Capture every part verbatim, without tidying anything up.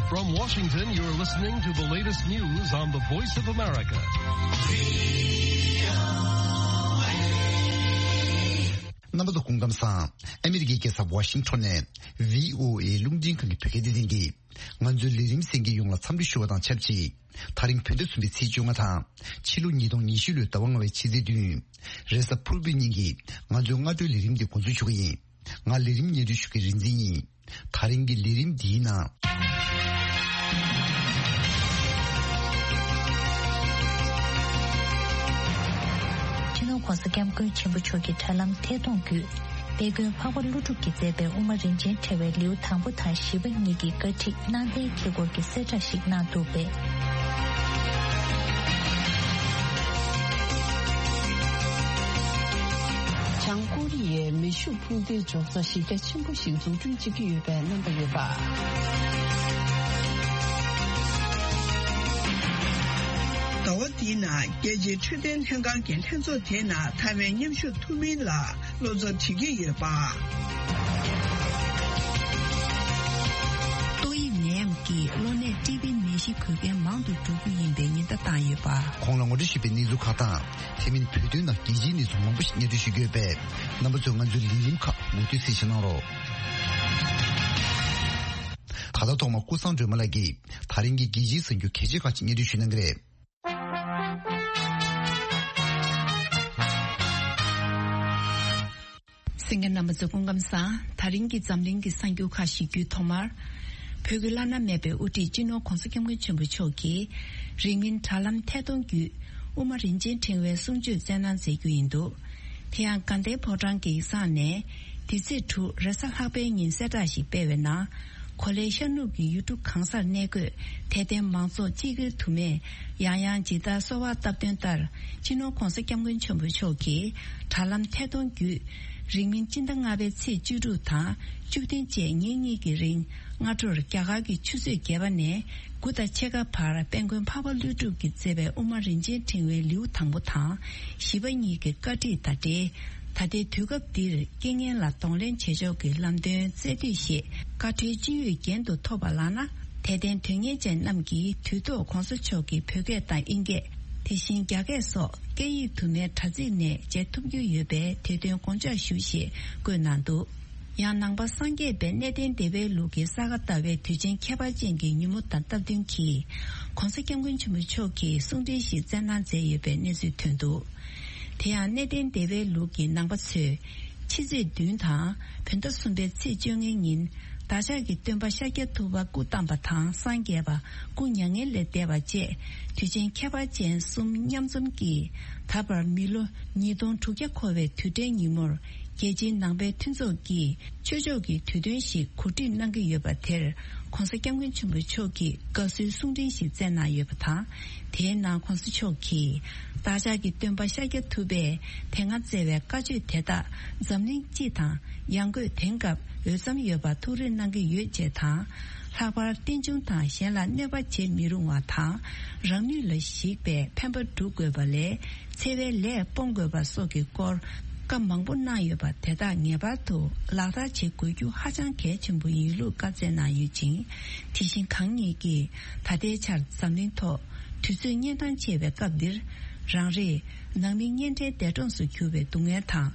From Washington, you're listening to the latest news on the Voice of America. རྣམ་པ་ཚོ་སྐུ་ཁམས་བཟང་། ཨ་མི་རི་ཀའི་རྒྱལ་ས་ཝ་ཤིང་ཊོན་ནས་བྷི་ཨོ་ཨེ་རླུང་འཕྲིན་ཁང་གི་བོད་སྐད་སྡེ་ཚན་གྱིས་ང་ཚོའི་ལས་རིམ་གསན་མཁན་ཡོངས་ལ་འཚམས་འདྲི་ཞུ་བ་དང་ཆབས་ཅིག་དེ་རིང་བོད་ཟླ་གསུམ་པའི་ཚེས་བཅོ་ལྔ་དང་ཕྱི་ལོ་ཉིས་སྟོང་ཉི་ཤུ་ལོའི་ཟླ་བ་ལྔ་པའི་ཕྱི་ཚེས་བདུན། རེས་གཟའ་ཕུར་བུའི་ཉིན་གྱི་ང་ཚོའི་སྔ་དྲོའི་ལས་རིམ་འདི་འགོ་འཛུགས་ཞུ་གི་ཡིན། ང་ལས་རིམ་སྙན་སྒྲོན་ཞུ་མཁན་རིག་འཛིན་ཡིན། དེ་རིང་གི་ལས་རིམ་འདིའི་ནང་། སྤྱི་ནོར་༸གོང་ས་༸སྐྱབས་མགོན་ཆེན་པོ་མཆོག་གི་དྲ་ལམ་ཐད་གཏོང་བརྒྱུད། དཔལ་མགོན་འཕགས་པ་ཀླུ་སྒྲུབ་ཀྱིས་མཛད་པའི་དབུ་མ་རིན་ཆེན་ཕྲེང་བའི་ལེའུ་དང་པོ་དང་བཞི་པ་གཉིས་ཀྱི་བཀའ་ཁྲིད་གནང་བསྟན་འཁེལ་སྐོར་གྱི་གསལ་བསྒྲགས་ཤིག་གནང་འདུག་པས། བྱང་ཀོ་རི་ཡའི་མེ་ཤུགས་འཕུར་མདེལ་འཇོག་ས་གཞི་རྒྱ་ཆེན་པོ་ཞིག་འཛུགས་སྐྲུན་བྱེད་ཀྱི་ཡོད་པའི་རྣམ་པ་ཡོད་པ། ཟླ་བ་འདིའི་ནང་རྒྱལ་སྤྱིའི་འཕྲོད་བསྟེན་ལྷན་ཁང་གི་ལྷན་ཚོགས་དེའི་ནང་ཐའེ་ཝན་མཉམ་ཞུགས་ཐུབ་མིན་ལ་བློ་འཚབ་བྱེད་ཀྱི་ཡོད་པ། ཏོག་དབྱིབས་ནད་ཡམས་ཀྱིས་གློ་ནད་ཊི་བི་ནད་གཞི་འགོས་མཁན་མང་དུ་འགྲོ་རྒྱུ་ཡིན་པའི་ཉེན་བརྡ་བཏང་ཡོད་པ། གོང་ལ་ངོ་སྤྲོད་ཞུས་པའི་གནས་ཚུལ་ཁག་དང་། དེ་མིན་བོད་དོན་ནང་རྒྱལ་སྤྱིའི་གནས་ཚུལ་མང་པོ་ཞིག་སྙན་སྒྲོན་ཞུ་རྒྱུ་ཡོད་པས། རྣམ་པ་ཚོས་ང་ཚོའི་ལས་རིམ་ཁག་མུ་མཐུད་གསན་བཞེས་གནང་རོགས། ད་ལྟ་ཐོག་མར་ཀུན་བཟང་སྒྲོལ་མ་ལགས་ཀྱིས་ད་རིང་གི་རྒྱལ་སྤྱིའི་གསར་འགྱུར་གལ་ཆེ་ཁག་ཅིག་སྙན་སྒྲོན་ཞུ་གནང་གི་རེད། གསན་མཁན་རྣམ་པ་ཚོ་སྐུ་ཁམས་བཟང་། ད་རིང་གི་འཛམ་གླིང་གི་གསར་འགྱུར་ཁག་ཞིག་བརྒྱུད་ཐོག་མར། བོད་ཀྱི་བླ་ན་མེད་པའི་དབུ་ཁྲིད་སྤྱི་ནོར་༸གོང་ས་༸སྐྱབས་མགོན་ཆེན་པོ་མཆོག་གིས་རིང་མིན་དྲ་ལམ་ཐད་གཏོང་བརྒྱུད་དབུ་མ་རིན་ཆེན་ཕྲེང་བའི་གསུང་ཆོས་སྩལ་གནང་མཛད་རྒྱུ་ཡིན་འདུག་དེ་ཡང་དགའ་ལྡན་ཕོ་བྲང་གི་ཡིག་ཚང་ནས་འདི་ཚེས་དྲུག་རེས་གཟའ་ལྷག་པའི་ཉིན་གསལ་བསྒྲགས་ཤིག་སྤེལ་བའི་ནང་། གོ་ལའི་ཤར་ནུབ་ཀྱི་ཡུལ་གྲུ་གང་སར་གནས་འཁོད་དད་ལྡན་མང་ཚོགས་སྤྱི་སྒེར་དུ་མས་ཡང་ཡང་ཇི་ལྟར་གསོལ་བ་བཏབ་དོན་ལྟར། སྤྱི་ནོར་༸གོང་ས་༸སྐྱབས་མགོན་ཆེན་པོ་མཆོག་གིས་དྲ་ལམ་ཐད་གཏོང་བརྒྱུད། རིང་མིན་སྤྱི་ཟླ་ལྔ་པའི་ཚེས་བཅུ་དྲུག་དང་བཅུ་བདུན་བཅས་ཉིན་གཉིས་ཀྱི་རིང་། སྔ་དྲོར་རྒྱ་གར་གྱི་ཆུ་ཚོད་བརྒྱད་པ་ནས་དགུ་དང་ཕྱེད་ཀ་བར་དཔལ་མགོན་འཕགས་པ་ཀླུ་སྒྲུབ་ཀྱིས་མཛད་པའི་དབུ་མ་རིན་ཆེན་ཕྲེང་བའི་ལེའུ་དང་པོ་དང་བཞི་པ་གཉིས་ཀྱི་བཀའ་ཁྲིད་དང་འབྲེལ། ད་ལྟའི་དུས་སྐབས་འདིར་རྐྱེན་ངན་ལ་གདོང་ལེན་བྱེད་ཕྱོགས་ཀྱི་ལམ་སྟོན་སྩལ་དུས་ཞེས་བཀའ་འཁྲོལ་ཅི་ཡོད་རྒྱན་དུ་ཐོབ་པ་ལགས་ན། དད་ལྡན་དོན་གཉེར་ཅན་རྣམས་ཀྱིས་དུས་ཐོག་༸གོང་ས་མཆོག་གི་བོད་སྐད་དང་དབྱིན་སྐད། དེ་བཞིན་རྒྱ་སྐད་སོགས་སྐད་ཡིག་དུ་མའི་དྲ་ཚིགས་ནས་མཇལ་ཐུབ་རྒྱུ་ཡོད་པས་དེ་དོན་དགོངས་འཇགས་ཞུ་ཞེས་བཀོད་གནང་འདུག་ཡང་ནང་པ་སངས་རྒྱས་པའི་གནས་བརྟན་བདེ་བའི་ལུགས་ཀྱི་ས་ག་ཟླ་བའི་དུས་ཆེན་ཁྱད་པར་ཅན་གྱི་ཉིན་མོ་དང་སྟབས་བསྟུན་གྱིས། ༸གོང་ས་༸སྐྱབས་མགོན་ཆེན་པོ་མཆོག་གིས་གསུང་འཕྲིན་ཞིག་སྩལ་གནང་མཛད་ཡོད་པའི་གནས་ཚུལ་ཐོན་འདུག་དེ་ཡང་གནས་བརྟན་བདེ་བའི་ལུགས་ཀྱི་ནང་པ་ཚོས། ཕྱི་ཚེས་བདུན་དང་བོད་ཟླ་གསུམ་པའི་ཚེས་བཅོ་ལྔའི་ཉིན། བདག་ཅག་གི་སྟོན་པ་ཤཱཀྱ་ཐུབ་པ་སྐུ་བལྟམས་པ་དང་སངས་རྒྱས་པ་སྐུ་མྱ་ངན་ལས་འདས་པ་བཅས་དུས་ཆེན་ཁྱད་པར་ཅན་གསུམ་མཉམ་འཛོམས་ཀྱིས། ད་བར་མི་ལོ་ཉིས་སྟོང་དྲུག་བརྒྱ་འཁོར་བའི་དུས་དྲན་ཉིན་མོར། རྒྱལ་སྤྱིའི་ནང་པའི་མཐུན་ཚོགས་ཀྱིས་ཆོས་ཕྱོགས་ཀྱི་དུས་སྟོན་ཞིག་གོ་སྒྲིག་གནང་གི་ཡོད་པ་དེར། ༸གོང་ས་༸སྐྱབས་མགོན་ཆེན་པོ་མཆོག་གིས་དགའ་བསུའི་གསུང་འཕྲིན་ཞིག་སྩལ་གནང་ཡོད་པ་དང་། དེའི་ནང་༸གོང་ས་མཆོག་གིས། བདག་ཅག་གི་སྟོན་པ་ཤཱཀྱ་ཐུབ་པས་དེ་སྔ་སྩལ་བའི་བཀའ་ཆོས་དེ་དག་འཛམ་གླིང་སྤྱི་དང་ཡང་སྒོས་དེང་སྐབས་འོས་འཚམ་ཡོད་པ་ཐུགས་རེ་གནང་གི་ཡོད་ཅེས་དང་། ལྷག་པར་རྟེན་འབྱུང་དང་གཞན་ལ་གནོད་པ་བྱེད་མི་རུང་བ་དང་། རང་ནུས་ལ་གཞིགས་པའི་ཕན་པ་སྒྲུབ་དགོས་པ་ལས། འཚེ་བའི་ལས་སྤོང་དགོས་པ་སོགས་ཀྱི་སྐོར་བཀའ་མང་པོ་གནང་ཡོད་པ་དེ་དག་ངེས་པར་དུ་ལག་བསྟར་བྱེད་དགོས་རྒྱུ་ཧ་ཅང་གལ་ཆེན་པོ་ཡིན་ལུགས་བཀའ་སྩལ་གནང་ཡོད་ཅིང་། དེ་བཞིན་གང་ཉིད་ཀྱིས་ད་ལྟའི་ཆར་འཛམ་གླིང་ཐོག་དུས་ཚོད་གཉན་འཕྲང་ཆེ་བའི་སྐབས་འདིར། རང་རེས་ནང་མི་གཉེན་འཕྲད་འདས་གྲོངས་སུ་གྱུར་བའི་སྡུག་བསྔལ་དང་།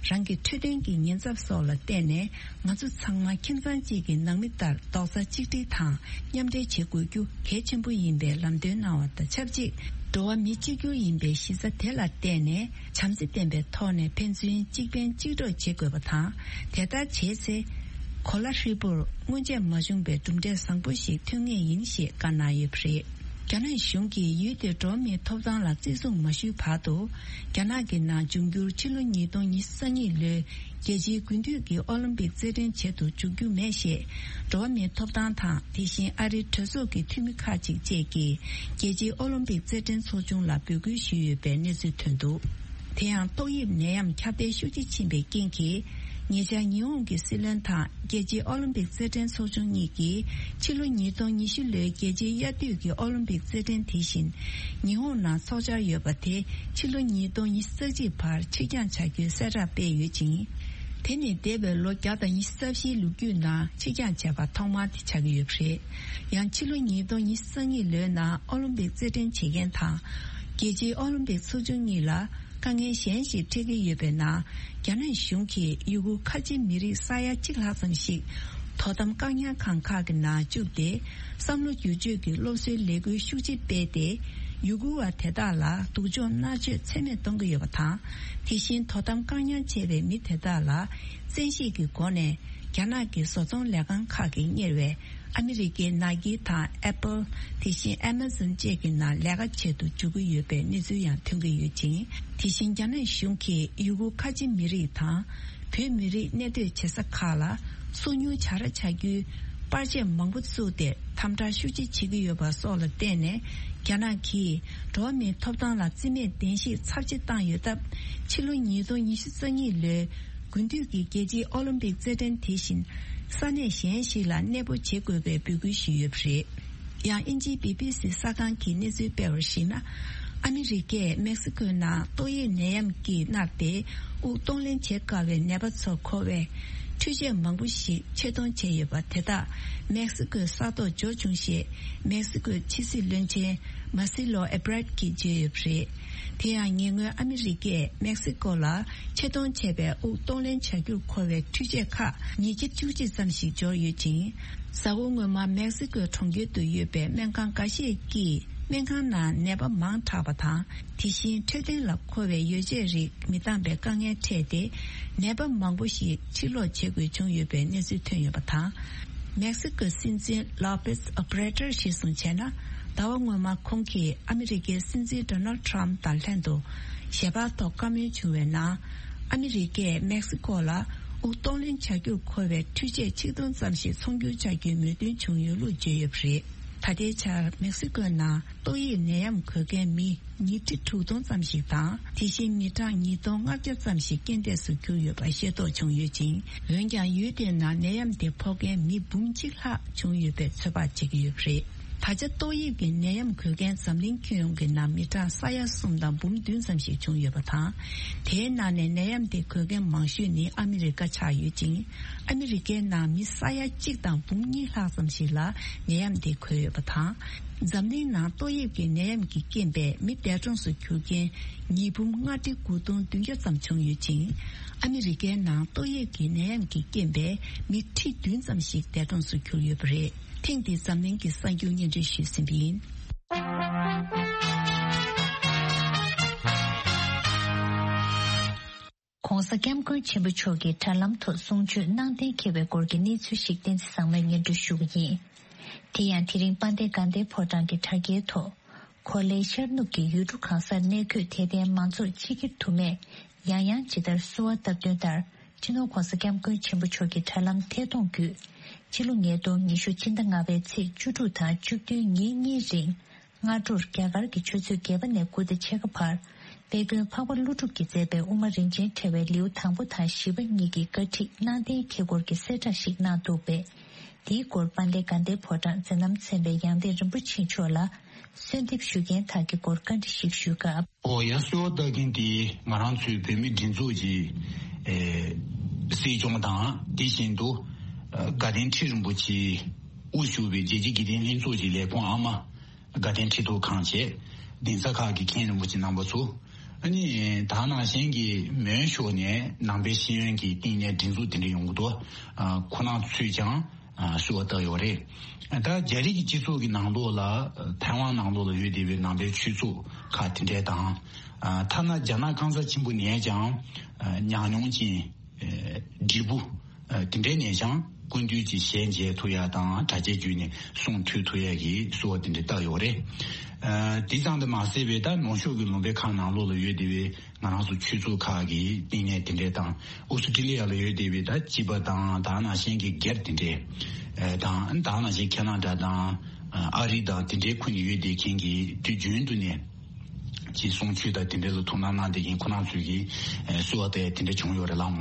རང་གི་འཕྲོད་བསྟེན་གྱི་ཉེན་ཚབས་སོགས་ལ་བརྟེན་ནས། ང་ཚོ་ཚང་མ་ཁྱིམ་ཚང་གཅིག་གི་ནང་མི་ལྟར་རྡོག་རྩ་གཅིག་སྒྲིལ་དང་མཉམ་འབྲེལ་བྱེད་དགོས་རྒྱུ་གལ་ཆེན་པོ་ཡིན་པའི་ལམ་སྟོན་གནང་བ་དང་ཆབས་ཅིག་འགྲོ་བ་མི་གཅིག་གྱུར་ཡིན་པའི་གཞི་རྩ་དེ་ལ་བརྟེན་ནས་བྱམས་བརྩེ་ལྡན་པའི་ཐོག་ནས་ཕན་ཚུན་གཅིག་ཕན་གཅིག་གྲོགས་བྱེད་དགོས་པ་དང་། དེ་ལྟར་བྱས་ཚེ། གོ་ལ་ཧྲིལ་པོར་སྔོན་ཆད་མ་བྱུང་པའི་གྲུབ་འབྲས་བཟང་པོ་ཞིག་ཐོན་ངེས་ཡིན་ཞེས་བཀའ་གནང་ཡོད་པ་རེད། རྒྱ་ནག་གཞུང་གིས་ཡུལ་དེར་འགྲོ་བ་མིའི་ཐོབ་ཐང་ལ་བརྩི་སྲུང་མ་ཞུས་བར་དུ། རྒྱ་ནག་གི་ནང་འབྱུང་འགྱུར་ཕྱི་ལོ་ཉིས་སྟོང་ཉི་ཤུ་རྩ་གཉིས་ལོའི་རྒྱལ་སྤྱིའི་དགུན་དུས་ཀྱི་ཨོ་ལིམ་པིག་རྩེད་འགྲན་བྱེད་དུ་འཇུག་རྒྱུ་མེད་ཞེས། འགྲོ་བ་མིའི་ཐོབ་ཐང་དང་དེ་བཞིན་ཨ་རིའི་གྲོས་ཚོགས་ཀྱི་འཐུས་མི་ཁག་ཅིག་བཅས་ཀྱིས་རྒྱལ་སྤྱིའི་ཨོ་ལིམ་པིག་རྩེད་འགྲན་ཚོགས་ཆུང་ལ་འབོད་སྐུལ་ཞུས་ཡོད་པའི་གནས་ཚུལ་ཐོན་འདུག་དེ་ཡང་ཏོག་དབྱིབས་ནད་ཡམས་ཁྱབ་གདལ་ཤུགས་ཆེ་ཕྱིན་པའི་རྐྱེན་གྱིས། ཉེ་ཆར་ཉི་ཧོང་གི་སྲིད་བློན་དང་རྒྱལ་སྤྱིའི་ཨོ་ལིམ་པིག་རྩེད་འགྲན་ཚོགས་ཆུང་གཉིས་ཀྱིས་ཕྱི་ལོ་ཉིས་སྟོང་ཉི་ཤུ་ལོའི་རྒྱལ་སྤྱིའི་དབྱར་དུས་ཀྱི་ཨོ་ལིམ་པིག་རྩེད་འགྲན་དེ་བཞིན་ཉི་ཧོང་ནང་འཚོགས་འཆར་ཡོད་པ་དེ་ཕྱི་ལོ་ཉིས་སྟོང་ཉི་ཤུ་རྩ་གཅིག་བར་ཕྱིར་འགྱངས་བྱ་རྒྱུའི་གསལ་བསྒྲགས་སྤེལ་ཡོད་ཅིང་། དེ་ནི་འདས་པའི་ལོ་བརྒྱ་དང་ཉི་ཤུ་རྩ་བཞིའི་ལོ་རྒྱུས་ནང་ཕྱིར་འགྱངས་བྱས་པ་ཐོག་མ་དེ་ཆགས་ཀྱི་ཡོད་པ་རེད། ཡང་ཕྱི་ལོ་ཉིས་སྟོང་ཉི་ཤུ་རྩ་གཉིས་ལོའི་ནང་ཨོ་ལིམ་པིག་རྩེད་འགྲན་བྱེད་མཁན་དང་། རྒྱལ་སྤྱིའི་ཨོ་ལིམ་པིག་ཚོགས་ཆུང་གཉིས་ལ་དཀའ་ངལ་གཞན་ཞིག་འཕྲད་ཀྱི་ཡོད་པའི་ནང་། རྒྱ་ནག་གཞུང་གིས་ཡུ་གུར་ཁ་ཆེ་མི་རིགས་ས་ཡ་གཅིག་ལྷག་ཙམ་ཞིག་དོ་དམ་བཀག་ཉར་ཁང་ཁག་གི་ནང་བཅུག་སྟེ། བསམ་བློ་བསྒྱུར་བཅོས་ཀྱི་སློབ་གསོའི་ལས་འགུལ་ཤུགས་ཆེ་སྤེལ་ཏེ། ཡུ་གུར་བ་དེ་དག་ལ་སྡུག་སྦྱོང་མནར་གཅོད་ཚད་མེད་གཏོང་གི་ཡོད་པ་དང་། དེ་བཞིན་དོ་དམ་བཀག་ཉར་བྱས་པའི་མི་དེ་དག་ལ་བཙན་ཤེད་ཀྱི་སྒོ་ནས་རྒྱ་ནག་གི་བཟོ་ཚོང་ལས་ཁང་ཁག་གིས་གཉེར་བའི་ཨ་མི་རི་ཀའི་ནཱ་ཀི་དང་ཨེ་པལ། དེ་བཞིན་ཨེ་མ་ཛོན་བཅས་ཀྱི་ནང་ལས་ཀ་བྱེད་དུ་འཇུག་གི་ཡོད་པའི་གནས་ཚུལ་ཡང་ཐོན་གྱི་ཡོད་ཅིང་། དེ་བཞིན་རྒྱ་ནག་གཞུང་གིས་ཡུ་གུར་ཁ་ཆེ་མི་རིགས་དང་། བོད་མི་རིགས་གནས་སྡོད་བྱེད་ས་ཁག་ལ་སོ་ཉུལ་བྱ་ར་བྱ་རྒྱུའི་པར་ཆས་མང་པོ་བཙུགས་ཏེ་དམ་དྲག་ཤུགས་ཆེ་བྱེད་ཀྱི་ཡོད་པ་སོགས་ལ་བརྟེན་ནས། རྒྱ་ནག་གིས་འགྲོ་བ་མིའི་ཐོབ་ཐང་ལ་བརྩི་མེད་གདན་ཞིག་ཚབས་ཆེ་བཏང་ཡོད་སྟབས། ཕྱི་ལོ་ཉིས་སྟོང་ཉི་ཤུ་རྩ་གཉིས་ལོའི་དགུན་དུས་ཀྱི་རྒྱལ་སྤྱིའི་ཨོ་ལིམ་པིག་རྩེད་འགྲན་དེ་བཞིན་ས་གནས་གཞན་ཞིག་ལ་གནས་སྤོ་བྱེད་དགོས་པའི་འབོད་སྐུལ་ཞུས་ཡོད་པ་རེད། ཡང་དབྱིན་ཇིའི་བི་བི་སི་གསར་ཁང་གིས་གནས་ཚུལ་སྤེལ་བར་གཞིགས་ན། ཨ་མི་རི་ཀས་མེག་སི་ཀོའི་ནང་ཏོག་དབྱིབས་ནད་ཡམས་ཀྱིས་མནར་ཏེ་དབུགས་གཏོང་ལེན་བྱེད་དཀའ་བའི་ནད་པ་ཚོར་མཁོ་བའི་འཕྲུལ་ཆས་མང་པོ་ཞིག་ཆེད་གཏོང་བྱས་ཡོད་པ་དེ་དག་མེག་སི་ཀོའི་ས་ཐོག་འབྱོར་བྱུང་ཞེས་མེག་སི་ཀོའི་ཕྱི་སྲིད་བློན་ཆེན་མཱ་སི་ལོ་ཨེ་བྷ་རད་ཀྱིས་བརྗོད་ཡོད་པ་རེད། དེ་ཡང་ཉེ་སྔོན་ཨ་མི་རི་ཀས་མེག་སི་ཀོ་ལ་ཆེད་གཏོང་བྱས་པའི་དབུགས་གཏོང་ལེན་བྱ་རྒྱུར་མཁོ་བའི་འཕྲུལ་ཆས་ཁག་ཉིས་བརྒྱ་བཅུ་གཅིག་ཙམ་ཞིག་འབྱོར་ཡོད་ཅིང་། གཟའ་འཁོར་སྔོན་མ་མེག་སི་ཀོའི་གྲོང་ཁྱེར་དུ་ཡོད་པའི་སྨན་ཁང་འགའ་ཤས་ཀྱིས་སྨན་ཁང་ནང་ནད་པ་མང་དྲགས་པ་དང་། དེ་བཞིན་འཕྲོད་བསྟེན་ལ་མཁོ་བའི་ཡོ་བྱད་རིགས་མི་འདང་པའི་དཀའ་ངལ་འཕྲད་དེ། ནད་པ་མང་པོ་ཞིག་ཕྱིར་ལོག་བྱེད་དགོས་བྱུང་ཡོད་པའི་གནས་ཚུལ་ཐོན་ཡོད་པ་དང་། མེག་སི་ཀོའི་སྲིད་འཛིན་ལོ་པེས་ཨོ་བྷ་རེ་ཏར་གཞིར་བཟུང་བྱས་ན། ཟླ་བ་སྔོན་མ་ཁོང་གིས་ཨ་མི་རི་ཀའི་སྲིད་འཛིན་ཌོ་ནལ་ཊམ་དང་ལྷན་དུ་ཞལ་པར་ཐོག་བཀའ་མོལ་བྱུང་བའི་ནང་། ཨ་མི་རི་ཀས་མེག་སི་ཀོ་ལ་དབུགས་གཏོང་ལེན་བྱ་རྒྱུར་མཁོ་བའི་འཕྲུལ་ཆས་ཆིག་སྟོང་ཙམ་ཞིག་ཚོང་སྒྱུར་བྱ་རྒྱུའི་མོས་མཐུན་བྱུང་ཡོད་ལུགས་བརྗོད་ཡོད་པ་རེད། ད་ལྟའི་ཆར་མེག་སི་ཀོའི་ནང་ཏོག་དབྱིབས་ནད་ཡམས་འགོས་མཁན་མི་ཉིས་ཁྲི་དྲུག་སྟོང་ཙམ་ཞིག་དང་། དེ་བཞིན་མི་གྲངས་ཉིས་སྟོང་ལྔ་བརྒྱ་ཙམ་ཞིག་རྐྱེན་འདས་སུ་གྱུར་ཡོད་པ་ཤེས་རྟོགས་བྱུང་ཡོད་ཅིང་། འོན་ཀྱང་ཡུལ་དེའི་ནང་ནད་ཡམས་དེ་ཕོག་མཁན་མི་འབུམ་གཅིག་ལྷག་བྱུང་ཡོད་པའི་ཚོད་དཔག་བྱེད་ཀྱི་ཡོད་པ་རེད། ད་ཆ་ཏོག་དབྱིབས་ཀྱི་ནད་ཡམས་འགོས་མཁན་འཛམ་གླིང་ཁྱོན་ཡོངས་ཀྱི་ནང་མི་གྲངས་ས་ཡ་གསུམ་དང་འབུམ་བདུན་ཙམ་ཞིག་བྱུང་ཡོད་པ་དང་། དེའི་ནང་ནས་ནད་ཡམས་དེ་འགོས་མཁན་མང་ཤོས་ནི་ཨ་མི་རི་ཀ་ཆགས་ཡོད་ཅིང་། ཨ་མི་རི་ཀའི་ནང་མི་ས་ཡ་གཅིག་དང་འབུམ་གཉིས་ལྷག་ཙམ་ཞིག་ལ་ནད་ཡམས་དེ་འགོས་ཡོད་པ་དང་། འཛམ་གླིང་ནང་ཏོག་དབྱིབས་ཀྱི་ནད་ཡམས་ཀྱི་རྐྱེན་པས་མི་འདས་གྲོངས་སུ་གྱུར་མཁན་ཉིས་འབུམ་ལྔ་ཁྲི་དགུ་སྟོང་བདུན་བརྒྱ་ཙམ་བྱུང་ཡོད་ཅིང་། ཨ་མི་རི་ཀའི་ནང་ཏོག་དབྱིབས་ཀྱི་ནད་ཡམས་ཀྱི་རྐྱེན་པས་མི་ཁྲི་བདུན་ཙམ་ཞིག་འདས་གྲོངས་སུ་གྱུར་ཡོད་པ་རེད། ཐེངས་འདིའི་འཛམ་གླིང་གི་གསར་འགྱུར་སྙན་སྒྲོན་ཞུས་ཟིན་པ་ཡིན། ༸གོང་ས་༸སྐྱབས་མགོན་ཆེན་པོ་མཆོག་གིས་དྲ་ལམ་ཐོག་གསུང་ཆོས་གནང་གཏན་འཁེལ་བའི་སྐོར་གྱི་གནས་ཚུལ་ཞིག་བསྟན་འཛིན་བཟང་མོས་སྙན་སྒྲོན་ཞུ་གི་ཡིན། དེ་ཡང་དེ་རིང་དཔལ་ལྡན་དགའ་ལྡན་ཕོ་བྲང་གི་དྲ་རྒྱའི་ཐོག་གོ་ལའི་ཤར་ནུབ་ཀྱི་ཡུལ་གྲུ་གང་སར་གནས་འཁོད་དད་ལྡན་མང་ཚོགས་ཕྱི་འཁྱེར་དུ་མས་ཡང་ཡང་ཇི་ལྟར་བསུ་བ་བཏབ་དོན་ལྟར། སྤྱི་ནོར་༸གོང་ས་༸སྐྱབས་མགོན་ཆེན་པོ་མཆོག་གི་དྲ་ལམ་ཐད་གཏོང་བརྒྱུད། ཕྱི་ལོ་ཉིས་སྟོང་ཉི་ཤུ་ཕྱི་ཟླ་ལྔ་པའི་ཚེས་བཅུ་དྲུག་དང་བཅུ་བདུན་ཉིན་གཉིས་རིང་། སྔ་དྲོར་རྒྱ་གར་གྱི་ཆུ་ཚོད་བརྒྱད་པ་ནས་དགུ་དང་ཕྱེད་ཀ་བར། དཔལ་མགོན་འཕགས་པ་ཀླུ་སྒྲུབ་ཀྱིས་མཛད་པའི་དབུ་མ་རིན་ཆེན་ཕྲེང་བའི་ལེའུ་དང་པོ་དང་བཞི་པ་གཉིས་ཀྱི་བཀའ་ཁྲིད་གནང་གཏན་འཁེལ་སྐོར་གྱི་གསལ་བསྒྲགས་ཤིག་གནང་འདུག་པས། དེའི་སྐོར་དཔལ་ལྡན་དགའ་ལྡན་ཕོ་བྲང་མཛད་རྣམ་ཚན་པའི་ཡང་སྟེང་རིན་པོ་ཆེ་མཆོག་ལ། གསོལ་འདེབས་ཞུ་མཁན་དག་གི་སྐོར་བཀའ་འདྲི་ཞིག་ཞུས་སྐབས། ཨོ་ཡ། གསོལ་བ་བཏབ་མཁན་དེ་ང་རང་ཚོའི་བོད་མིའི་སྒྲིག་འཛུགས་ཀྱི་ཨེ་སྲིད་སྐྱོང་དང་། དེ་བཞིན་དུ་ཨ་དགའ་ལྡན་ཁྲི་རིན་པོ་ཆེ་དབུ་བཞུགས་པའི་རྒྱལ་སྤྱིའི་དགེ་ལྡན་ལྷན་ཚོགས་ཀྱི་ལས་ཁུངས་ཨ་མ། དགའ་ལྡན་ཁྲི་ཐོག་ཁང་བཅས། གདན་ས་ཁག་གི་མཁན་རིན་པོ་ཆེ་རྣམ་པ་ཚོ། ཨ་ནི་ད་ནང་བཞིན་གྱི་མོན་ཤོག་ནས་ནང་པའི་ཤེས་ཡོན་གྱི་བསྟི་གནས་སྒྲིག་འཛུགས་དེ་འདྲ་ཡོང་གི་འདུག་ཨ་ཁོ་རང་ཚོས་ཀྱང་ཨ་བསུ་བ་བཏབ་ཡོད་རེད། ད་རྒྱ་རིགས་ཀྱི་སྤྱི་ཚོགས་ཀྱི་ནང་ལོགས་ལ་ཐའེ་ཝན་ནང་ལོགས་ལ་ཡོད་བསྡད་པའི་ནང་པའི་ཆོས་ཚོགས་ཁག་དེ་འདྲས་དང་། ཨ་ཐ་ན་རྒྱ་ནག་གང་ཟག་ཆེན་པོ་ནས་ཀྱང་ཨ་ཉམས་མྱོང་ཅན་ཨ་བགྲེས་པོ་ཨ་དེ་འདྲས་ནས་ཀྱང་སྐུ་མདུན་གྱི་ཞལ་མཇལ་ཐུབ་ཡ་དང་། དྲ་རྒྱའི་བརྒྱུད་ནས་གསུང་ཐོས་ཐུབ་ཡ་གི་བསུ་བ་དེ་འདྲས་བཏབ་ཡོད་རེད། ཨ་དེ་ཙམ་དུ་མ་ཟད་པའི་ད་ནུབ་ཕྱོགས་ཀྱི་ལུང་པའི་ཁག་ནང་ལོགས་ལ་ཡོད་བསྡད་པའི་ང་རང་ཚོ་ཆོས་ཚོགས་ཁག་གི་བསྟི་གནས་དེ་འདྲས་དང་། ཨོ་སི་ཀྲི་ལི་ཡ་ལ་ཡོད་བསྡད་པའི་ད་སྤྱི་པ་དང་། ད་ནང་བཞིན་གྱི་སྒེར་དེ་འདྲས་ཨ་དང་། ད་ནང་བཞིན་ཁེ་ན་ཌ་དང་ཨ་རི་དང་དེ་འདྲའི་ཁུལ་ནས་ཡོད་བསྡད་མཁན་གྱི་དུས་རྒྱུན་དུ་ནས་ཀྱི་གསུང་ཆོས་དང་དེ་འདྲས་ལ་ཐུགས་སྣང་གནང་བསྡད་མཁན་ཁོ་རང་ཚོས་ཀྱི་ཨ་བསུ་བ་དེ་དེ་འདྲས་བྱུང་ཡོད་རེད་ལགས།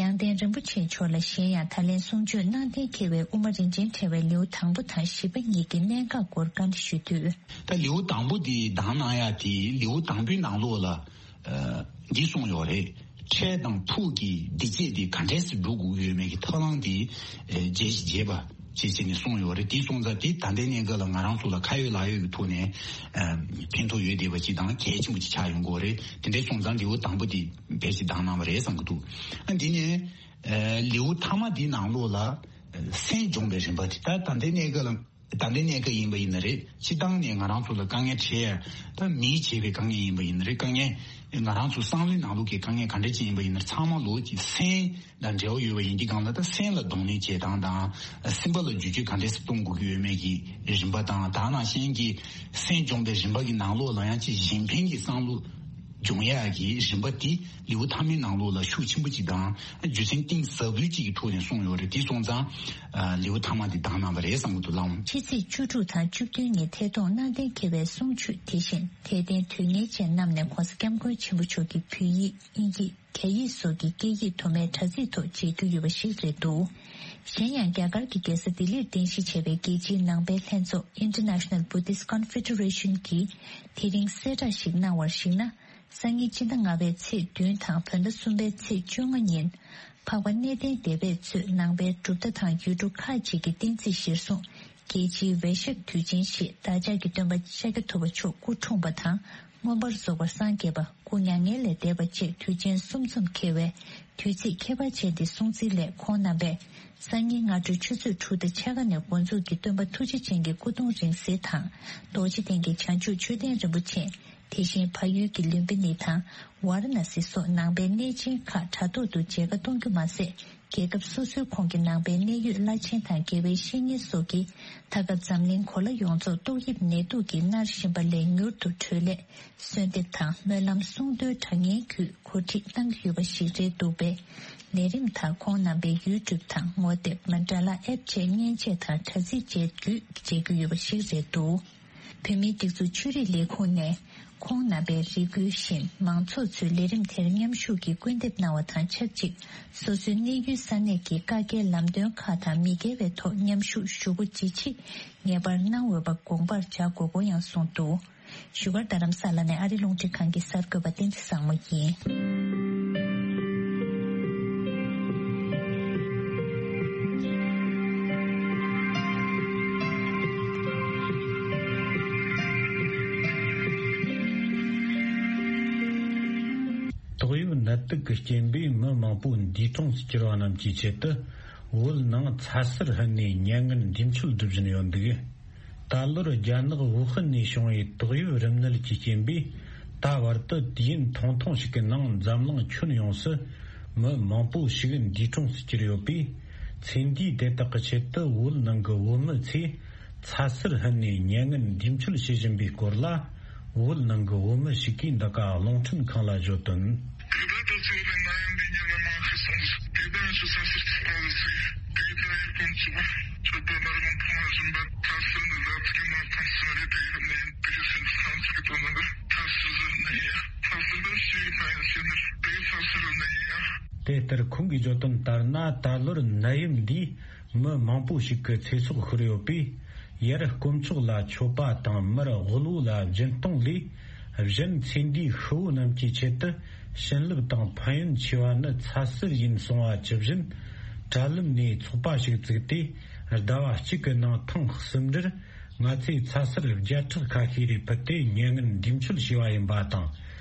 ཡང་སྟེང་རིན་པོ་ཆེ་མཆོག་ལ་གཞན་ཡང་ད་ལན་གསུང་ཆོས་གནང་གཏན་འཁེལ་བའི་དབུ་མ་རིན་ཆེན་ཕྲེང་བའི་ལེའུ་དང་པོ་དང་བཞི་པ་གཉིས་ཀྱི་གནད་འགག་སྐོར་བཀའ་འདྲི་ཞུ་དུས། ད་ལེའུ་དང་པོ་དེ་དང་གནང་ཡ་དེ་ལེའུ་དང་པོའི་ནང་ལོགས་ལ་ཨ་འདི་གསུངས་ཡོད་རེད། འཕྲལ་དང་ཕུགས་ཀྱི་བདེ་སྐྱིད་དེ་ག་འདྲས་སེ་སྒྲུབ་དགོས་ཡོད་མེད་ཀྱི་ཐབས་ལམ་དེ་རྒྱས་ཤིག་བྱས་པ་བྱས་བྱས་ནས་གསུངས་ཡོད་རེད། དེ་སོང་ཙང་དེ་ད་ལྟའི་གནས་སྐབས་ལ་ང་རང་ཚོ་ལ་ཁ་ཡོད་ལག་ཡོད་ཀྱི་ཐོག་ནས་ཕན་ཐོགས་ཡོད་བསྡད་པ་ཅིག་དང་གལ་ཆེན་པོ་ཅིག་ཆགས་ཡོང་གི་ཡོད་རེད། དེ་འདྲས་སོང་ཙང་ལེའུ་དང་པོ་དེ་ཕལ་ཆེར་བདམས་གནང་བ་རེད་བསམ་གྱི་འདུག་ཨ་འདི་ནས་ལེའུ་མཐའ་མ་དེའི་ནང་ལོགས་ལ་སེམས་སྦྱོང་བའི་རིམ་པ་དེ་ད་ད་ལྟའི་གནས་སྐབས་ལ། ད་ལྟའི་གནས་སྐབས་ཡིན་པ་ཡིན་ན་རེད། སྤྱིར་བཏང་ནས་ང་རང་ཚོ་ལ་དཀའ་ངལ་འཕྲད་ཡ་ད་མིས་བྱས་པའི་དཀའ་ངལ་ཡིན་པ་ཡིན་ན་རེད། དཀའ་ངལ་ང་རང་ཚོ་བསམ་བློའི་ནང་ལོགས་ཀྱི་དཀའ་ངལ་ག་འདྲ་ཅིག་ཡིན་པ་ཡིན་ན་རེད། ཚང་མ་ལོགས་ཀྱི་སེམས་དང་འབྲེལ་བ་ཡོད་པ་ཡིན་གྱི་སྒང་ལ་ད་སེམས་ལ་གདོང་ལེན་བྱེད་སྟངས་དང་སེམས་པ་ལ་བསྒྱུར་བཅོས་ག་འདྲ་སེ་གཏོང་དགོས་ཀྱི་ཡོད་མེད་ཀྱི་རིམ་པ་དང་ད་ནང་བཞིན་གྱི་སེམས་སྦྱོང་བའི་རིམ་པ་གི་ནང་ལོགས་ལ་ཡང་ཅིག་གཞན་ཕན་གྱི་བསམ་བློ། སྦྱོང་ཡག་གི་རིམ་པ་དེ་ལེའུ་མཐའ་མའི་ནང་ལོགས་ལ་ཤུགས་ཆེན་པོ་ཅིག་དང་རྒྱུ་མཚན་གཏིང་ཟབ་པོའི་ཅིག་གི་ཐོག་ནས་གསུངས་ཡོད་རེད། དེ་སོང་ཙང་ལེའུ་མཐའ་མ་དེ་བདམས་གནང་བ་རེད་བསམ་གྱི་འདུག་ལགས། ཕྱི་ཚེས་བཅུ་དྲུག་དང་བཅུ་བདུན་ཉིན་ཐད་གཏོང་གནང་གཏན་འཁེལ་བའི་གསུང་ཆོས་དེ་བཞིན་དད་ལྡན་དོན་གཉེར་ཅན་རྣམས་ནས་༧གོང་ས་༧སྐྱབས་མགོན་ཆེན་པོ་མཆོག་གི་བོད་ཡིག་དབྱིན་ཡིག་རྒྱ་ཡིག་སོགས་ཀྱི་སྐད་ཡིག་དུ་མའི་དྲ་ཚིགས་ཐོག་མཇལ་རྒྱུ་ཡོད་པ་ཞིག་རེད་འདུག་གཞན་ཡང་རྒྱ་གར་གྱི་རྒྱལ་ས་ལྡི་ལིར་རྟེན་གཞི་བྱས་པའི་རྒྱལ་སྤྱིའི་ནང་པའི་ལྷན་ཚོགས་International Buddhist Confederation གྱིས་དེ་རིང་གསལ་བསྒྲགས་ཤིག་གནང་བར་གཞིགས་ན། སང་ཉིན་སྤྱི་ཟླ་ལྔ་པའི་ཚེས་བདུན་དང་བོད་ཟླ་གསུམ་པའི་ཚེས་བཅོ་ལྔ་ཉིན། འཕགས་པ་གནས་བརྟན་སྡེ་པས་གཙོས་ནང་པའི་གྲུབ་མཐའ་དང་ཡུལ་གྲུ་ཁག་ཅིག་གི་བསྟན་རྩིས་གཞིར་བཟུང་རྒྱལ་སྤྱིའི་བེ་ཤག་དུས་ཆེན་ཞེས་བདག་ཅག་གི་སྟོན་པ་ཤཱཀྱ་ཐུབ་པ་མཆོག་སྐུ་འཁྲུངས་པ་དང་མངོན་པར་རྫོགས་པར་སངས་རྒྱས་པ། སྐུ་མྱ་ངན་ལས་འདས་པ་བཅས་དུས་ཆེན་གསུམ་འཛོམས་འཁེལ་བའི་དུས་ཚིགས་ཁྱད་པར་ཅན་འདི་སྲུང་བརྩིའི་སླད་ཁོང་རྣམ་པས་སང་ཉིན་སྔ་དྲོའི་ཆུ་ཚོད་དྲུག་དང་ཕྱེད་ཀ་ནས་འགོ་འཛུགས་ཀྱིས་སྟོན་པ་ཐུགས་རྗེ་ཅན་གྱི་སྐུ་གདུང་རིང་བསྲེལ་དང་རྡོ་རྗེ་གདན་གྱི་བྱང་ཆུབ་མཆོད་རྟེན་རིན་པོ་ཆེ། དེ་བཞིན་བལ་ཡུལ་གྱི་ལུམ་བི་ནི་དང་ཝཱ་ར་ཎ་སི་སོགས་ནང་པའི་གནས་ཆེན་ཁག་དྲ་ཐོག་ཏུ་མཇལ་ཁ་གཏོང་རྒྱུ་མ་ཟད། རྒྱལ་ཁབ་སོ་སོའི་ཁོངས་ཀྱི་ནང་པའི་གནད་ཡོད་བླ་ཆེན་དང་དགེ་བའི་བཤེས་གཉེན་སོགས་ཀྱིས་ད་སྐབས་འཛམ་གླིང་གོ་ལ་ཡོངས་རྫོགས་ཏོག་དབྱིབས་ནད་དུག་གིས་མནར་བཞིན་པ་ལས་མྱུར་དུ་གྲོལ་སླད་གསོལ་འདེབས་དང་སྨོན་ལམ་གསུང་འདོན་དྲ་བརྙན་བརྒྱུད་གོ་སྒྲིག་གནང་གི་ཡོད་པ་ཞིག་རེད་འདུག་པས། ལས་རིམ་དག་ཁོང་རྣམ་པའི་ཡུ་ཊུབ་དང་ངོ་དེབ་མན་ཌ་ལ་ཨེབ་བཅས་མཉེན་ཆས་དང་དྲ་ཚིགས་བཅས་བརྒྱུད་མཇལ་རྒྱུ་ཡོད་པ་ཞིག་རེད་འདུག་བོད་མིའི་སྒྲིག་འཛུགས་ཆོས་རིག་ལས་ཁུངས་ནས་ཁོང་རྣམ་པའི་རེ་སྐུལ་བཞིན་མང་ཚོགས་ཚོས་ལས་རིམ་དེར་མཉམ་ཞུགས་ཀྱིས་སྐུལ་འདེབས་གནང་བ་དང་ཆབས་ཅིག་སོ་སོའི་གནས་ཡུལ་ས་གནས་ཀྱི་བཀའ་རྒྱའི་ལམ་སྟོན་ཁག་དང་མི་འགལ་བའི་ཐོག་མཉམ་ཞུགས་ཞུ་སྒོ་ཇི་ཆེ་ངེས་པར་གནང་འོས་པ་དགོངས་པར་བྱ་དགོས་སྐོར་ཡང་གསུངས་འདུག་བཞུགས་སྒར་རྡ་རམ་ས་ལ་ནས་ཨ་རི་རླུང་འཕྲིན་ཁང་གི་གསར་འགོད་པ་བསྟན་འཛིན་བཟང་མོ་ཡིན། ཏོག་དབྱིབས་ནད་དུག་གི་རྐྱེན་པས་མི་མང་པོ་འདས་གྲོངས་སུ་གྱུར་བ་རྣམས་ཀྱི་ཆེད་དུ་བོད་ནང་ཚ་གསེར་ཕུལ་ནས་མྱ་ངན་འདས་མཆོད་སྒྲུབ་བཞིན་ཡོད་འདུག་ད་ལོར་རྒྱ་ནག་ཝུ་ཧན་ནས་བྱུང་བའི་ཏོག་དབྱིབས་རིམས་ནད་ཀྱི་རྐྱེན་པས་ད་བར་དུ་དུས་ཡུན་ཐུང་ཐུང་ཞིག་གི་ནང་འཛམ་གླིང་ཁྱོན་ཡོངས་སུ་མི་མང་པོ་ཞིག་འདས་གྲོངས་སུ་གྱུར་ཡོད་པས། ཚེ་འདིའི་དེ་དག་གི་ཆེད་དུ་བོད་ནང་གི་བོད་མི་ཚོས་ཚ་གསེར་ཕུལ་ནས་མྱ་ངན་འདས་མཆོད་བྱེད་བཞིན་པའི་སྐོར་ལ། བོད་ནང་གི་བོད་མི་ཞིག་གིས་འདི་ག་རླུང་འཕྲིན་ཁང་ལ་བརྗོད་དོན། དེ་དག་ཏུ་ཚུད་པའི་ནད་ཡམས་འདི་ཉིད་ལ་མ་ཤི་སོང་ཟིག་དེ་དག་ཆུ་ས་ཟུར་གྱི་ལྟ་བུ་ཟིག་དེ་ལྟ་ཡིར་ཀུན་ཚུགས་ཆོས་པ་མར་མང་ཕོང་བ་བཞིན་པ་ཚ་ཟུར་ནི་ཟ་ཚིག་གི་མ་ཐང་སོང་རེད། དེ་ཡིན་ནའི་དེ་གི་སེམས་ཚང་ཚིག་གི་དོན་ནི་ཚ་ཟུར་ཟུར་ནི་ཡིན་ཡ། ཚ་ཟུར་ལ་ཞིག་ན་ཡང་ཤེས་ནི་དེ་ཚ་ཟུར་ནི་ཡིན་ཡ། དེ་ལྟར་ཁོང་གིས་བརྗོད་དོན་ལྟར་ན་ད་ལོར་ནད་ཡམས་འདིས་མི་མང་པོ་ཞིག་གི་ཚེ་སྲོག་ཤོར་ཡོད་པས། ཡར་དཀོན་མཆོག་ལ་མཆོད་པ་དང་མར་དབུལ་བོ་ལ་སྦྱིན་གཏོང་ལས། གཞན་ཚེ་འདིའི་ཤི་བོ་རྣམས་ཀྱི་ཆེད་དུ་བྱིན་རླབས་དང་ཕན་ཡོན་ཆེ་བ་ནི་ཚ་གསེར་ཡིན་གསུང་བ་ཇི་བཞིན། དྲ་ལམ་ནས་ཚོགས་པ་ཞིག་བཙུགས་ཏེ་ཟླ་བ་གཅིག་གི་ནང་ཐེངས་གསུམ་འབྲེལ་ང་ཚོས་ཚ་གསེར་བརྒྱ་ཕྲག་ཁ་ཤས་རེ་ཕུལ་ཏེ་མྱ་ངན་འདས་མཆོད་བྱས་པ་ཡིན་པ་དང་།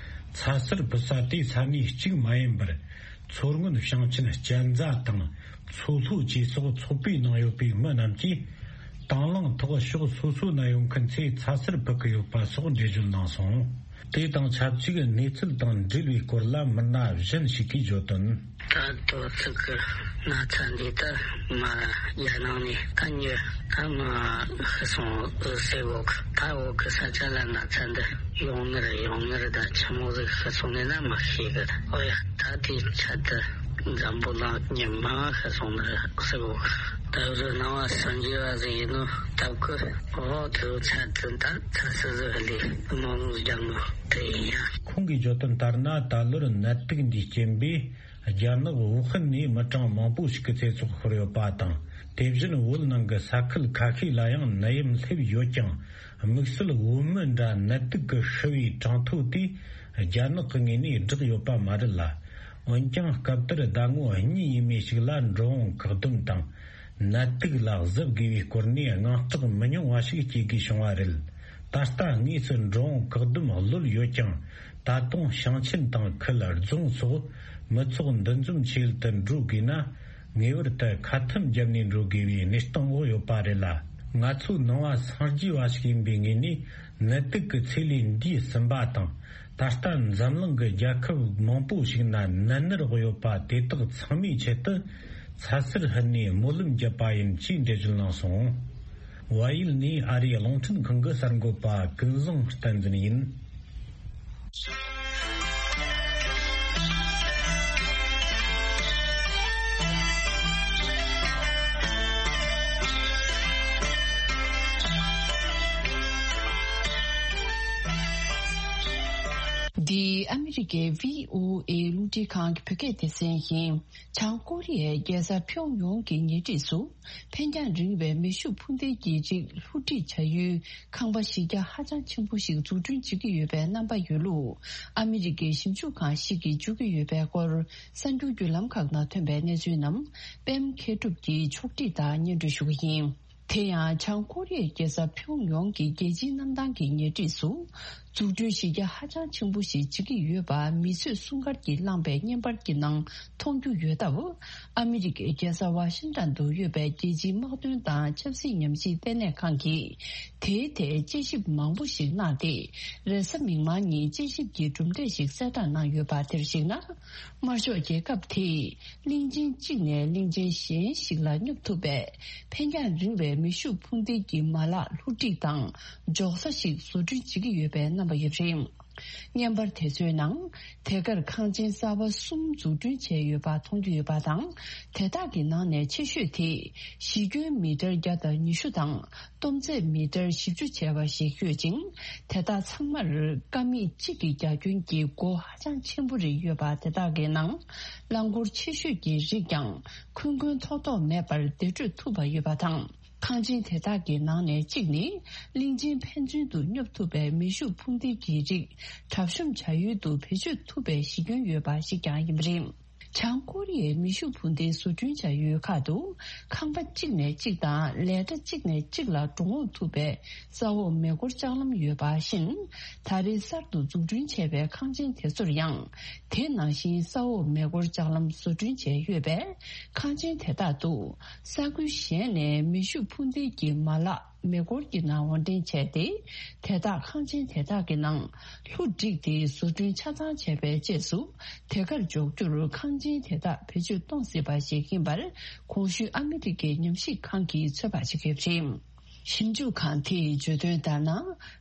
ཚ་གསེར་ཕུལ་ས་དེ་ས་གནས་གཅིག་མ་ཡིན་པར། མཚོ་སྔོན་ཞིང་ཆེན་གཅན་ཚ་དང་མཚོ་ལྷོ་བཅས་སོགས་ཚོགས་པའི་ནང་ཡོད་པའི་མི་རྣམས་ཀྱིས་དང་བླངས་ཐོག་ཕྱོགས་སོ་སོའི་ནད་ཡོད་མཁན་ཚོས་ཚ་གསེར་ཕུལ་གྱི་ཡོད་པ་སོགས་འགྲེལ་བརྗོད་གནང་སོང་། དེ་དང་ཆབས་ཅིག་གནས་ཚུལ་དང་འབྲེལ་བའི་སྐོར་ལ་མི་སྣ་གཞན་ཞིག་གིས་བརྗོད་དོན། ད་དོ་ཚིགས་ཀྱི་ན་ཚ་འདི་ལྟར་མ་རྒྱ་ནང་ནས་ད་ཉོ་ད་མ་ཤི་སོང་ཟེར་གོ་གི་ད་འོག་གི་ས་ཆ་ལ་ན་ཚ་འདི་ཡོང་ནི་རེད། ཡོང་ནི་རེད། ད་ཆི་མོ་ཟིག་ཤི་སོང་ནས་ན་མ་ཤེས་གི། ཨོ་ཡ། ད་དེའི་ཆེད་དུ་འཛམ་བུ་གླིང་ཉི་མ་ཤི་སོང་ནི་རེད་ཟེར་གོ་གི། ད་རུ་སྣང་བ་སངས་རྒྱས་པ་ཟིག་ཡིན་ནོ་སྟབས་ཀི། ཨོ་དེའི་ཆེད་དུ་ད་ཚ་སི་ཟིག་ལས་མང་རྒྱ་མོ་དེ་ཡིན་ཡ། ཁོང་གིས་བརྗོད་དོན་ལྟར་ན་ད་ལོར་ནད་དུག་འདིའི་རྐྱེན་པས། རྒྱ་ནག་ཝུ་ཧན་ནས་མི་གྲངས་མང་པོ་ཞིག་གི་ཚེ་སྲོག་ཤོར་ཡོད་པ་དང་། དེ་བཞིན་བོད་ནང་གི་ས་ཁུལ་ཁ་ཤས་ལ་ཡང་ནད་ཡམས་སླེབས་ཡོད་ཀྱང་། དམིགས་བསལ་བོད་མི་འདྲ་ནད་དུག་གིས་ཤི་བའི་གྲངས་ཐོ་དེ་རྒྱ་ནག་གི་ངོས་ནས་བསྒྲགས་ཡོད་པ་མ་རེད་ལ། འོན་ཀྱང་སྐབས་དེར་ཟླ་ངོ་གཉིས་ཡས་མས་ཤིག་ལ་འགྲོ་འོང་བཀག་སྡོམ་དང་ནད་དུག་ལ་གཟབ་དགོས་པའི་སྐོར་ནས་དངངས་སྐྲག་མི་ཉུང་བ་ཞིག་སྐྱེ་དགོས་བྱུང་བ་རེད། ད་ལྟ་དངོས་སུ་འགྲོ་འོང་བཀག་སྡོམ་གློད་ཡོད་ཀྱང་། ད་དུང་ཞིང་ཆེན་དང་ཁུལ་རྫོང་སོགས་མི་ཚོགས་འདུ་འཛོམས་ཆེ་ཡུལ་དུ་འགྲོ་དགོས་ན། ངེས་པར་དུ་ཁ་ཐུམ་བརྒྱབ་ནས་འགྲོ་དགོས་པའི་གནས་སྟངས་འོག་ཡོད་པ་རེད་ལ། ང་ཚོ་ནང་བ་སངས་རྒྱས་པ་ཞིག་ཡིན་པའི་ངོས་ནས་ནད་དུག་གི་ཚེ་ལས་འདས་ཟིན་པ་དང་། ད་ལྟ་འཛམ་གླིང་གི་རྒྱལ་ཁབ་མང་པོ་ཞིག་ན་ནད་མནར་འོག་ཡོད་པ་དེ་དག་ཚང་མའི་ཆེད་དུ་ཚ་ཟེར་ཧུད་ནས་སྨོན་ལམ་བརྒྱབ་པ་ཡིན་ཅེས་འགྲེལ་བརྗོད་གནང་སོང་། བལ་ཡུལ་ནས་ཨ་རིའི་རླུང་འཕྲིན་ཁང་གི་གསར་འགོད་པ་ཀུན་བཟང་བསྟན་འཛིན་ཡིན། འདི་ཨ་མི་རི་ཀའི་བྷི་ཨོ་ཨེ་རླུང་འཕྲིན་ཁང་གི་བོད་སྐད་སྡེ་ཚན་ཡིན། བྱང་ཀོ་རི་ཡའི་རྒྱལ་ས་ཕྱོགས་ཡོངས་ཀྱི་ཉེ་འཁྲིས་སུ། འཕེན་རྒྱང་རིང་བའི་མེ་ཤུགས་འཕུར་མདེལ་གྱི་རིགས་ལྷུ་སྒྲིག་བྱ་ཡུལ་ཁང་པ་གཞི་རྒྱ་ཧ་ཅང་ཆེན་པོ་ཞིག་འཛུགས་སྐྲུན་བྱེད་ཀྱི་ཡོད་པའི་རྣམ་པ་ཡོད་ལུགས། ཨ་མི་རི་ཀའི་ཞིབ་འཇུག་ཁང་ཞིག་གིས་བརྗོད་ཀྱི་ཡོད་པའི་སྐོར། གསར་འགྱུར་བརྒྱུད་ལམ་ཁག་ནང་ཐོན་པའི་གནས་ཚུལ་རྣམས། པད་མ་མཁས་གྲུབ་ཀྱིས་ཕྱོགས་སྒྲིག་དང་སྙན་སྒྲོན་ཞུ་གི་ཡིན། དེ་ཡང་། བྱང་ཀོ་རི་ཡའི་རྒྱལ་ས་ཕྱོགས་ཡོངས་ཀྱི་རྒྱལ་སྤྱིའི་གནམ་ཐང་གི་ཉེ་འཁྲིས་སུ། འཛུགས་སྐྲུན་གཞི་རྒྱ་ཧ་ཅང་ཆེན་པོ་ཞིག་བྱེད་ཀྱི་ཡོད་པ་མི་གསོད་སྲུང་སྐར་གྱིས་བླངས་པའི་བརྙན་པར་གྱི་ནང་མཐོང་རྒྱུ་ཡོད་སྟབས། ཨ་མི་རི་ཀའི་རྒྱལ་ས་ཝ་ཤིང་ཏན་དུ་ཡོད་པའི་རྒྱལ་སྤྱིའི་དམག་དོན་དང་ཆབ་སྲིད་ཉམས་ཞིབ་ལྟེ་གནས་ཁང་གིས། དེའི་ཐད་དཔྱད་ཞིབ་མང་པོ་ཞིག་གནང་སྟེ། རེས་གཟའ་མིག་དམར་ཉིན་དཔྱད་ཞིབ་ཀྱི་གྲུབ་འབྲས་ཤིག་གསལ་བསྒྲགས་གནང་ཡོད་པ། དེར་གཞིགས་ན། དམར་ཤོག་རྒྱལ་ཁབ་དེས། གླིང་ཆེན་གཅིག་ནས་གླིང་ཆེན་གཞན་ཞིག་ལ་སྙོབ་ཐུབ་པའི་འཕེན་རྒྱང་རིང་བའི་མེ་ཤུགས་འཕུར་མདེལ་གྱི་མ་ལག་ལྷུ་སྒྲིག་དང་འཇོག་ས་ཞིག་བཟོ་སྐྲུན་བྱེད་ཀྱི་ཡོད་པའི་རྣམ་པ་ཡོད་པ་རེད། བརྙན་པར་དེ་ཚོའི་ནང་། དེ་གར་ཁང་ཆེན་གསར་པ་གསུམ་འཛུགས་སྐྲུན་བྱས་ཡོད་པ་མཐོང་རྒྱུ་ཡོད་པ་དང་། དེ་དག་གི་ནང་ནས་ཆེ་ཤོས་དེ་གཞི་ཁྱོན་མི་ཊར་བརྒྱ་དང་ཉི་ཤུ་དང་། སྟོང་ཚད་མི་ཊར་བཞི་བཅུ་བྱས་པ་ཞིག་ཡོད་ཅིང་། དེ་དག་ཚང་མར་ཀ་མད་གཅིག་གི་རྒྱ་ཁྱོན་གྱི་སྒོ་ཧ་ཅང་ཆེན་པོ་རེ་ཡོད་པ། དེ་དག་གི་ནང་རླངས་འཁོར་ཆེ་ཤོས་ཀྱི་རིགས་ཀྱང་འཁོན་འཁོན་ཐོག་ཐོག་མེད་པར་བདེ་བགྲོད་ཐུབ་པ་ཡོད་པ་དང་། ཁང་ཆེན་དེ་དག་གི་ནང་ནས་གཅིག་ནི་གླིང་ཆེན་ཕན་ཚུན་དུ་སྙོབ་ཐུབ་པའི་མེ་ཤུགས་འཕུར་མདེལ་གྱི་རིགས་གྲབས་གཤོམ་བྱ་ཡུལ་དུ་བེད་སྤྱོད་ཐུབ་པའི་གཞི་ཁྱོན་ཡོད་པ་ཞིག་ཀྱང་ཡིན་པ་རེད། བྱང་ཀོ་རི་ཡའི་མེ་ཤུགས་འཕུར་མདེལ་བཟོ་སྐྲུན་བྱ་ཡུལ་ཁག་ཏུ་ཁང་པ་གཅིག་ནས་གཅིག་དང་ལས་གྲྭ་གཅིག་ནས་གཅིག་ལ་འགྲོ་འོང་ཐུབ་པའི་ས་འོག་མེ་འཁོར་ལྕགས་ལམ་ཡོད་པ་བཞིན། ད་རེས་གསར་དུ་འཛུགས་སྐྲུན་བྱས་པའི་ཁང་ཆེན་དེ་ཚོར་ཡང་དེ་ནང་བཞིན་ས་འོག་མེ་འཁོར་ལྕགས་ལམ་བཟོ་སྐྲུན་བྱས་ཡོད་པས། ཁང་ཆེན་དེ་དག་ཏུ་ས་ཁུལ་གཞན་ནས་མེ་ཤུགས་འཕུར་མདེལ་གྱི་མ་ལག་མེ་འཁོར་གྱི་ནང་དབོར་འདྲེན་བྱས་ཏེ། དེ་དག་ཁང་ཆེན་དེ་དག་གི་ནང་ལྷུ་བསྒྲིགས་ཏེ་བཟོ་སྐྲུན་ཆ་ཚང་བྱས་པའི་རྗེས་སུ། དེ་གར་འཇོག་རྒྱུར་ཁང་ཆེན་དེ་དག་བེད་སྤྱོད་གཏོང་སྲིད་པ་ཞིག་ཡིན་པར། གོང་ཞུས་ཨ་མི་རི་ཀའི་ཉམས་ཞིབ་ཁང་གིས་ཚོད་དཔག་བྱེད་ཀྱི་ཡོད་པ་རེད། ཞིབ་འཇུག་ཁང་དེས་བརྗོད་དོན་ལྟར་ན།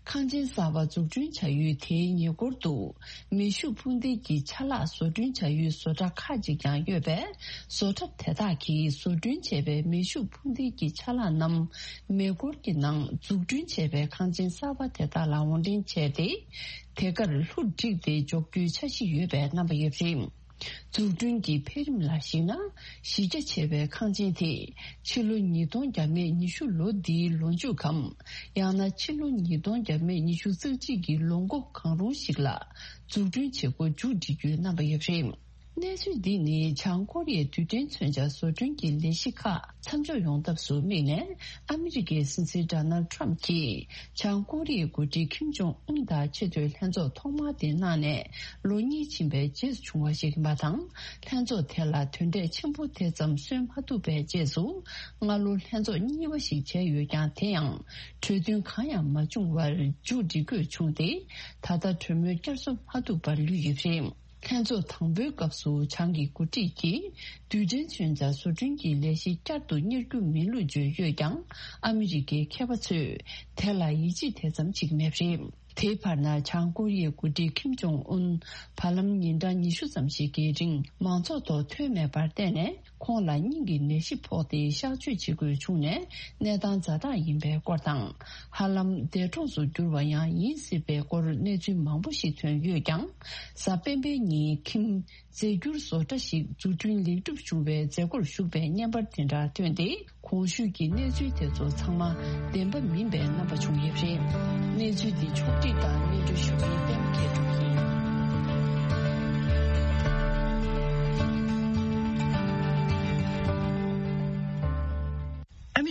ཁང་ཆེན་གསར་པ་འཛུགས་སྐྲུན་བྱ་ཡུལ་དེའི་ཉེ་འཁོར་དུ། མེ་ཤུགས་འཕུར་མདེལ་གྱི་ཆ་ལག་བཟོ་སྐྲུན་བྱ་ཡུལ་བཟོ་གྲྭ་ཁག་ཅིག་ཀྱང་ཡོད་པས། བཟོ་གྲྭ་དེ་དག་གིས་བཟོ་སྐྲུན་བྱས་པའི་མེ་ཤུགས་འཕུར་མདེལ་གྱི་ཆ་ལག་རྣམས་མེ་འཁོར་གྱི་ནང་འཛུགས་སྐྲུན་བྱས་པའི་ཁང་ཆེན་གསར་པ་དེ་དག་ལ་དབོར་འདྲེན་བྱས་ཏེ། དེ་གར་ལྷུ་བསྒྲིགས་ཏེ་འཇོག་རྒྱུའི་འཆར་གཞི་ཡོད་པའི་རྣམ་པ་ཡོད་པ་རེད། འཛུགས་སྐྲུན་གྱི་འཕེལ་རིམ་ལ་གཞིགས་ན། གཞི་རྒྱ་ཆེ་བའི་ཁང་ཆེན་དེ་ཕྱི་ལོ་ཉིས་སྟོང་བརྒྱ་མེད་ཉི་ཤུ་ལོ་འདིའི་ལོ་མཇུག་གམ། ཡང་ན་ཕྱི་ལོ་ཉིས་སྟོང་བརྒྱ་མེད་ཉི་ཤུ་རྩ་གཅིག་གི་ལོ་འགོ་གང་རུང་ཞིག་ལ་འཛུགས་སྐྲུན་བྱེད་སྒོ་མཇུག་སྒྲིལ་རྒྱུའི་རྣམ་པ་ཡོད་པ་རེད། གནས་ཚུལ་འདི་ནི་བྱང་ཀོ་རི་ཡའི་རྡུལ་ཕྲན་མཚོན་ཆ་བཟོ་སྐྲུན་གྱི་ལས་གཞི་ཁག་མཚམས་འཇོག་ཡོང་ཐབས་སུ་དམིགས་ནས། ཨ་མི་རི་ཀའི་སྲིད་འཛིན་ཌོ་ནལ་ཌི་ཊརམ་ཕི་གྱིས་བྱང་ཀོ་རི་ཡའི་འགོ་ཁྲིད་ཁིམ་ཇོང་ཨུན་དང་ཆེས་མཐོའི་ལྷན་ཚོགས་ཐོག་མ་དེ་གནང་ནས་ལོ་གཉིས་ཕྱིན་པའི་རྗེས་སུ་བྱུང་བ་ཞིག་ཡིན་པ་དང་། ལྷན་ཚོགས་དེ་ལ་དོན་འབྲས་ཆེན་པོ་དེ་ཙམ་སོན་མ་ཐུབ་པའི་རྗེས་སུ། སྔ་ལོ་ལྷན་ཚོགས་གཉིས་པ་ཞིག་བྱས་ཡོད་ཀྱང་། དེ་ཡང་གྲོས་མཐུན་གང་ཡང་མ་བྱུང་བར་མཇུག་སྒྲིལ་དགོས་བྱུང་སྟེ། ད་ལྟ་གྲོས་མོལ་བསྐྱར་གསོ་མ་ཐུབ་པར་ལུས་ཡོད་པ་རེད། ལྷན་ཚོགས་དང་པོའི་སྐབས་སུ་བྱང་གི་འགོ་ཁྲིད་ཀྱིས་རྡུལ་ཕྲན་མཚོན་ཆ་བཟོ་སྐྲུན་གྱི་ལས་གཞི་བསྐྱར་དུ་གཉེར་རྒྱུ་མིན་ལུགས་བརྗོད་ཡོད་ཀྱང་། ཨ་མི་རི་ཀའི་མཁས་པ་ཚོས་དེ་ལ་ཡིད་ཆེས་དེ་ཙམ་བྱེད་ཀྱི་མེད་པ་རེད། དེའི་བར་ན། བྱང་ཀོ་རི་ཡའི་འགོ་ཁྲིད་ཁིམ་ཇོང་ཨུན་བར་ལམ་ཉིན་གྲངས་ཉི་ཤུ་ཙམ་ཞིག་གི་རིང་མང་ཚོགས་ཐོག་ཐོན་མེད་པར་བརྟེན་ནས། ཁོང་ལ་སྙིང་གི་ནད་གཞི་ཕོག་སྟེ་གཤག་བཅོས་བྱེད་དགོས་བྱུང་ནས། གནས་སྟངས་ཛ་དྲག་ཡིན་པའི་སྐོར་དང་། ཧ་ལམ་འདས་གྲོངས་སུ་གྱུར་བ་ཡང་ཡིན་སྲིད་པའི་སྐོར་གནས་ཚུལ་མང་པོ་ཞིག་ཐོན་ཡོད་ཀྱང་། གཟའ་སྤེན་པའི་ཉིན་ཁིམ་རྫས་འགྱུར་བཟོ་གྲྭ་ཞིག་འཛུགས་སྐྲུན་ལེགས་གྲུབ་བྱུང་བའི་མཛད་སྒོར་ཞུགས་པའི་བརྙན་པར་དེ་འདྲ་ཐོན་ཏེ། གོང་ཞུས་ཀྱི་གནས་ཚུལ་དེ་ཚོ་ཚང་མ་བདེན་པ་མིན་པའི་རྣམ་པ་བྱུང་ཡོད་པ་རེད། གནས་ཚུལ་འདི་ཕྱོགས་བསྒྲིགས་དང་སྙན་སྒྲོན་ཞུ་མཁན་པད་མ་མཁས་གྲུབ་ཡིན།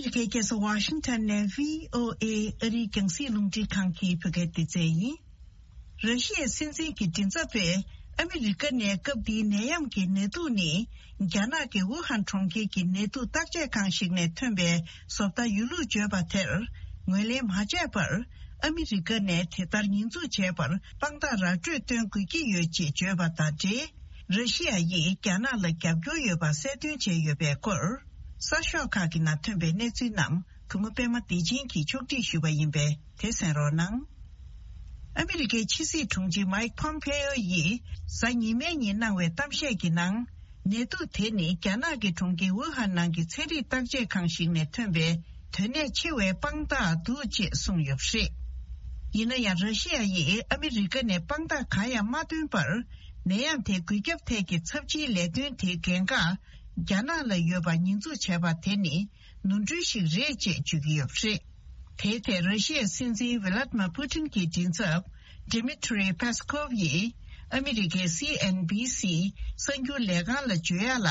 ཨ་རིའི་རྒྱལ་ས་ཝ་ཤིང་ཊོན་ནས་བྷི་ཨོ་ཨེ་ཨ་རིའི་རྒྱང་སྲིང་རླུང་འཕྲིན་ཁང་གི་བོད་སྐད་སྡེ་ཚན་ཡིན། ར་ཤི་ཡའི་སྲིད་འཛིན་གྱི་མགྲིན་ཚབ་པས་ཨ་མི་རི་ཀ་ནས་སྐབས་འདིའི་ནད་ཡམས་ཀྱི་ནད་དུག་ནི། རྒྱ་ནག་གི་ཝུ་ཧན་གྲོང་ཁྱེར་གྱི་ནད་དུག་བརྟག་དཔྱད་ཁང་ཞིག་ནས་ཐོན་པའི་བཟོ་ལྟ་ཡོད་ལུགས་བརྗོད་པ་དེར་ངོས་ལེན་མ་བྱས་པར། ཨ་མི་རི་ཀ་ནས་དེ་ལྟར་ཉེས་འཛུགས་བྱས་པར་དཔང་རྟགས་ར་སྤྲོད་སྟོན་དགོས་ཀྱི་ཡོད་ཅེས་བརྗོད་པ་དང་འབྲེལ། ར་ཤི་ཡ་ཡིས་རྒྱ་ནག་ལ་རྒྱབ་སྐྱོར་ཡོད་པ་གསལ་སྟོན་བྱས་ཡོད་པའི་སྐོར། གསར་ཤོག་ཁག་གི་ནང་ཐོན་པའི་གནས་ཚུལ་རྣམས་གུས་མོ་པད་མ་བདེ་ཆེན་གྱིས་ཕྱོགས་སྒྲིག་ཞུས་པ་ཡིན་པས་དེ་གསན་རོགས་གནང་། ཨ་མི་རི་ཀའི་ཕྱི་སྲིད་དྲུང་ཆེ་མཱིག་ཕོམ་ཕེ་ཨོ་ཡིས་གཟའ་ཉི་མའི་ཉིན་གནང་བའི་གཏམ་བཤད་ཀྱི་ནང་། ནད་དུག་དེ་ནི་རྒྱ་ནག་གི་གྲོང་ཁྱེར་ཝུ་ཧན་ནང་གི་ཚན་རིག་བརྟག་དཔྱད་ཁང་ཞིག་ནས་ཐོན་པའི་དོན་གནད་ཆེ་བའི་དཔང་རྟགས་འདུག་ཅེས་གསུངས་ཡོད་པ་རེད། ཡིན་ན་ཡང་ར་ཤི་ཡ་ཡིས་ཨ་མི་རི་ཀ་ནས་དཔང་རྟགས་གང་ཡང་མ་བཏོན་པར། ནད་ཡམས་དེ་འགོས་ཁྱབ་ཐད་ཀྱི་ཚབས་ཆེའི་ལས་དོན་དེའི་འགན་ཁག་རྒྱ་ནག་ལ་ཡོད་པ་ཉེས་འཛུགས་བྱས་པ་དེ་ནི། ནོར་འཁྲུལ་ཞིག་རེད་ཅེས་བརྗོད་ཀྱི་ཡོད་པ་རེད། དེའི་ཐད་ར་ཤི་ཡའི་སྲིད་འཛིན་ཝི་ལ་ཏི་མ་པུ་ཏིན་གྱི་མགྲིན་ཚབ་ཌི་མི་ཏྲི་པེ་སི་ཀོབ་ཡིས་ཨ་མི་རི་ཀའི་སི་ཨེན་བྷི་སི་གསར་འགྱུར་ལས་ཁང་ལ་བརྗོད་ཡ་ལ།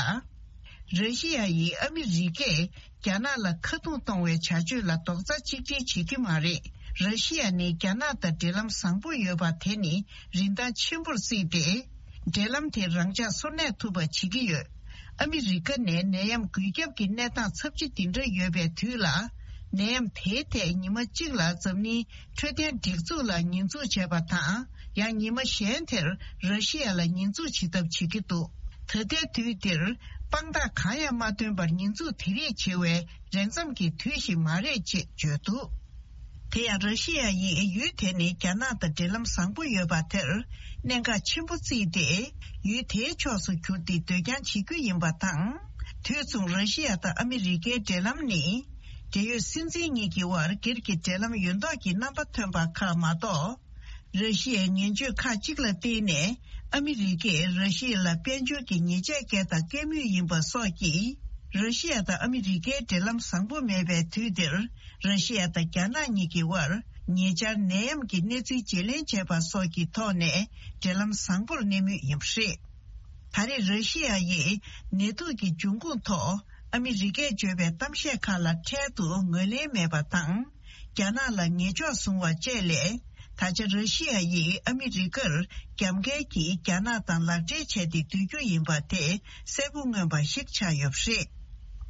ར་ཤི་ཡ་ཡིས་ཨ་མི་རི་ཀས་རྒྱ་ནག་ལ་ཁ་རྡུང་གཏོང་བའི་བྱ་སྤྱོད་ལ་རྡོག་རྩ་གཅིག་སྒྲིལ་བྱེད་ཀྱི་མ་རེད། ར་ཤི་ཡ་ནི་རྒྱ་ནག་དང་འབྲེལ་ལམ་བཟང་པོ་ཡོད་པ་དེ་ནི་རིན་ཐང་ཆེན་པོར་བརྩིས་ཏེ། འབྲེལ་ལམ་དེ་རང་འཇགས་སོར་གནས་ཐུབ་པ་བྱེད་ཀྱི་ཡོད། ཨ་མི་རི་ཀ་ནས་ནད་ཡམས་འགོས་ཁྱབ་ཀྱི་གནས་སྟངས་ཚབས་ཆེ་འདི་འདྲ་ཡོད་པའི་དུས་ལ། ནད་ཡམས་དེའི་ཐད་ཉི་མ་གཅིག་ལ་འཛམ་གླིང་འཕྲོད་བསྟེན་སྒྲིག་འཛུགས་ལ་ཉེས་འཛུགས་བྱས་པ་དང་། ཡང་ཉི་མ་གཞན་དེར་ར་ཤི་ཡ་ལ་ཉེས་འཛུགས་བྱེད་ཐབས་བྱེད་ཀྱི་འདུག་ད་ལྟའི་དུས་འདིར་དཔང་རྟགས་གང་ཡང་མ་བཏོན་པར་ཉེས་འཛུགས་དེ་རིགས་བྱེད་པའི་རན་འཚམ་གྱི་དུས་ཤིག་མ་རེད་ཅེས་བརྗོད་འདུག་དེ་ཡང་ར་ཤི་ཡ་ཡིས་ཡུལ་དེ་ནི་རྒྱ་ནག་དང་འབྲེལ་ལམ་བཟང་པོ་ཡོད་པ་དེར་གནད་འགག་ཆེན་པོ་བརྩིས་ཏེ། ཡུལ་དེའི་ཕྱོགས་སུ་གྱུར་ཏེ་སྡོད་རྐྱང་བྱེད་རྒྱུ་ཡིན་པ་དང་། དུས་མཚུངས་ར་ཤི་ཡ་དང་ཨ་མི་རི་ཀའི་འབྲེལ་ལམ་ནི། འབྲེལ་ཡོད་སྲིད་འཛིན་གཉིས་ཀྱི་དབར་སྒེར་གྱི་འབྲེལ་ལམ་ཡོད་མདོག་གི་རྣམ་པ་ཐོན་པ་ཁག་མ་གཏོགས། ར་ཤི་ཡའི་ངན་བྱུས་ཁག་ཅིག་ལ་བརྟེན་ནས་ཨ་མི་རི་ཀས་ར་ཤི་ཡ་ལ་དཔལ་འབྱོར་གྱི་ཉེས་ཆད་བཀལ་དང་བཀལ་མུས་ཡིན་པ་སོགས་ཀྱིས། ར་ཤི་ཡ་དང་ཨ་མི་རི་ཀའི་འབྲེལ་ལམ་བཟང་པོ་མེད་པའི་དུས་འདིར། ར་ཤི་ཡ་དང་རྒྱ་ནག་གཉིས་ཀྱི་དབར་ཉེ་ཆར་ནད་ཡམས་ཀྱི་གནས་ཚུལ་བརྗེ་ལེན་བྱས་པ་སོགས་ཀྱི་ཐོག་ནས་འབྲེལ་ལམ་བཟང་པོར་གནས་མུས་ཡིན་པ་རེད། ད་རེས་ར་ཤི་ཡ་ཡིས་ནད་དུག་གི་འབྱུང་ཁུངས་ཐོག་ཨ་མི་རི་ཀས་བརྗོད་པའི་གཏམ་བཤད་ཁག་ལ་འཕྲལ་དུ་ངོས་ལེན་མེད་པ་དང་། རྒྱ་ནག་ལ་ཉེས་འཇོག་བཟུང་བ་བཅས་ལས། ད་ཆ་ར་ཤི་ཡ་ཡིས་ཨ་མི་རི་ཀར་རྒྱབ་འགལ་གྱིས་རྒྱ་ནག་དང་ལག་འབྲེལ་བྱས་ཏེ་སྡོད་རྒྱུ་ཡིན་པ་དེ་གསལ་པོ་མངོན་པ་ཞིག་ཆགས་ཡོད་པ་རེད།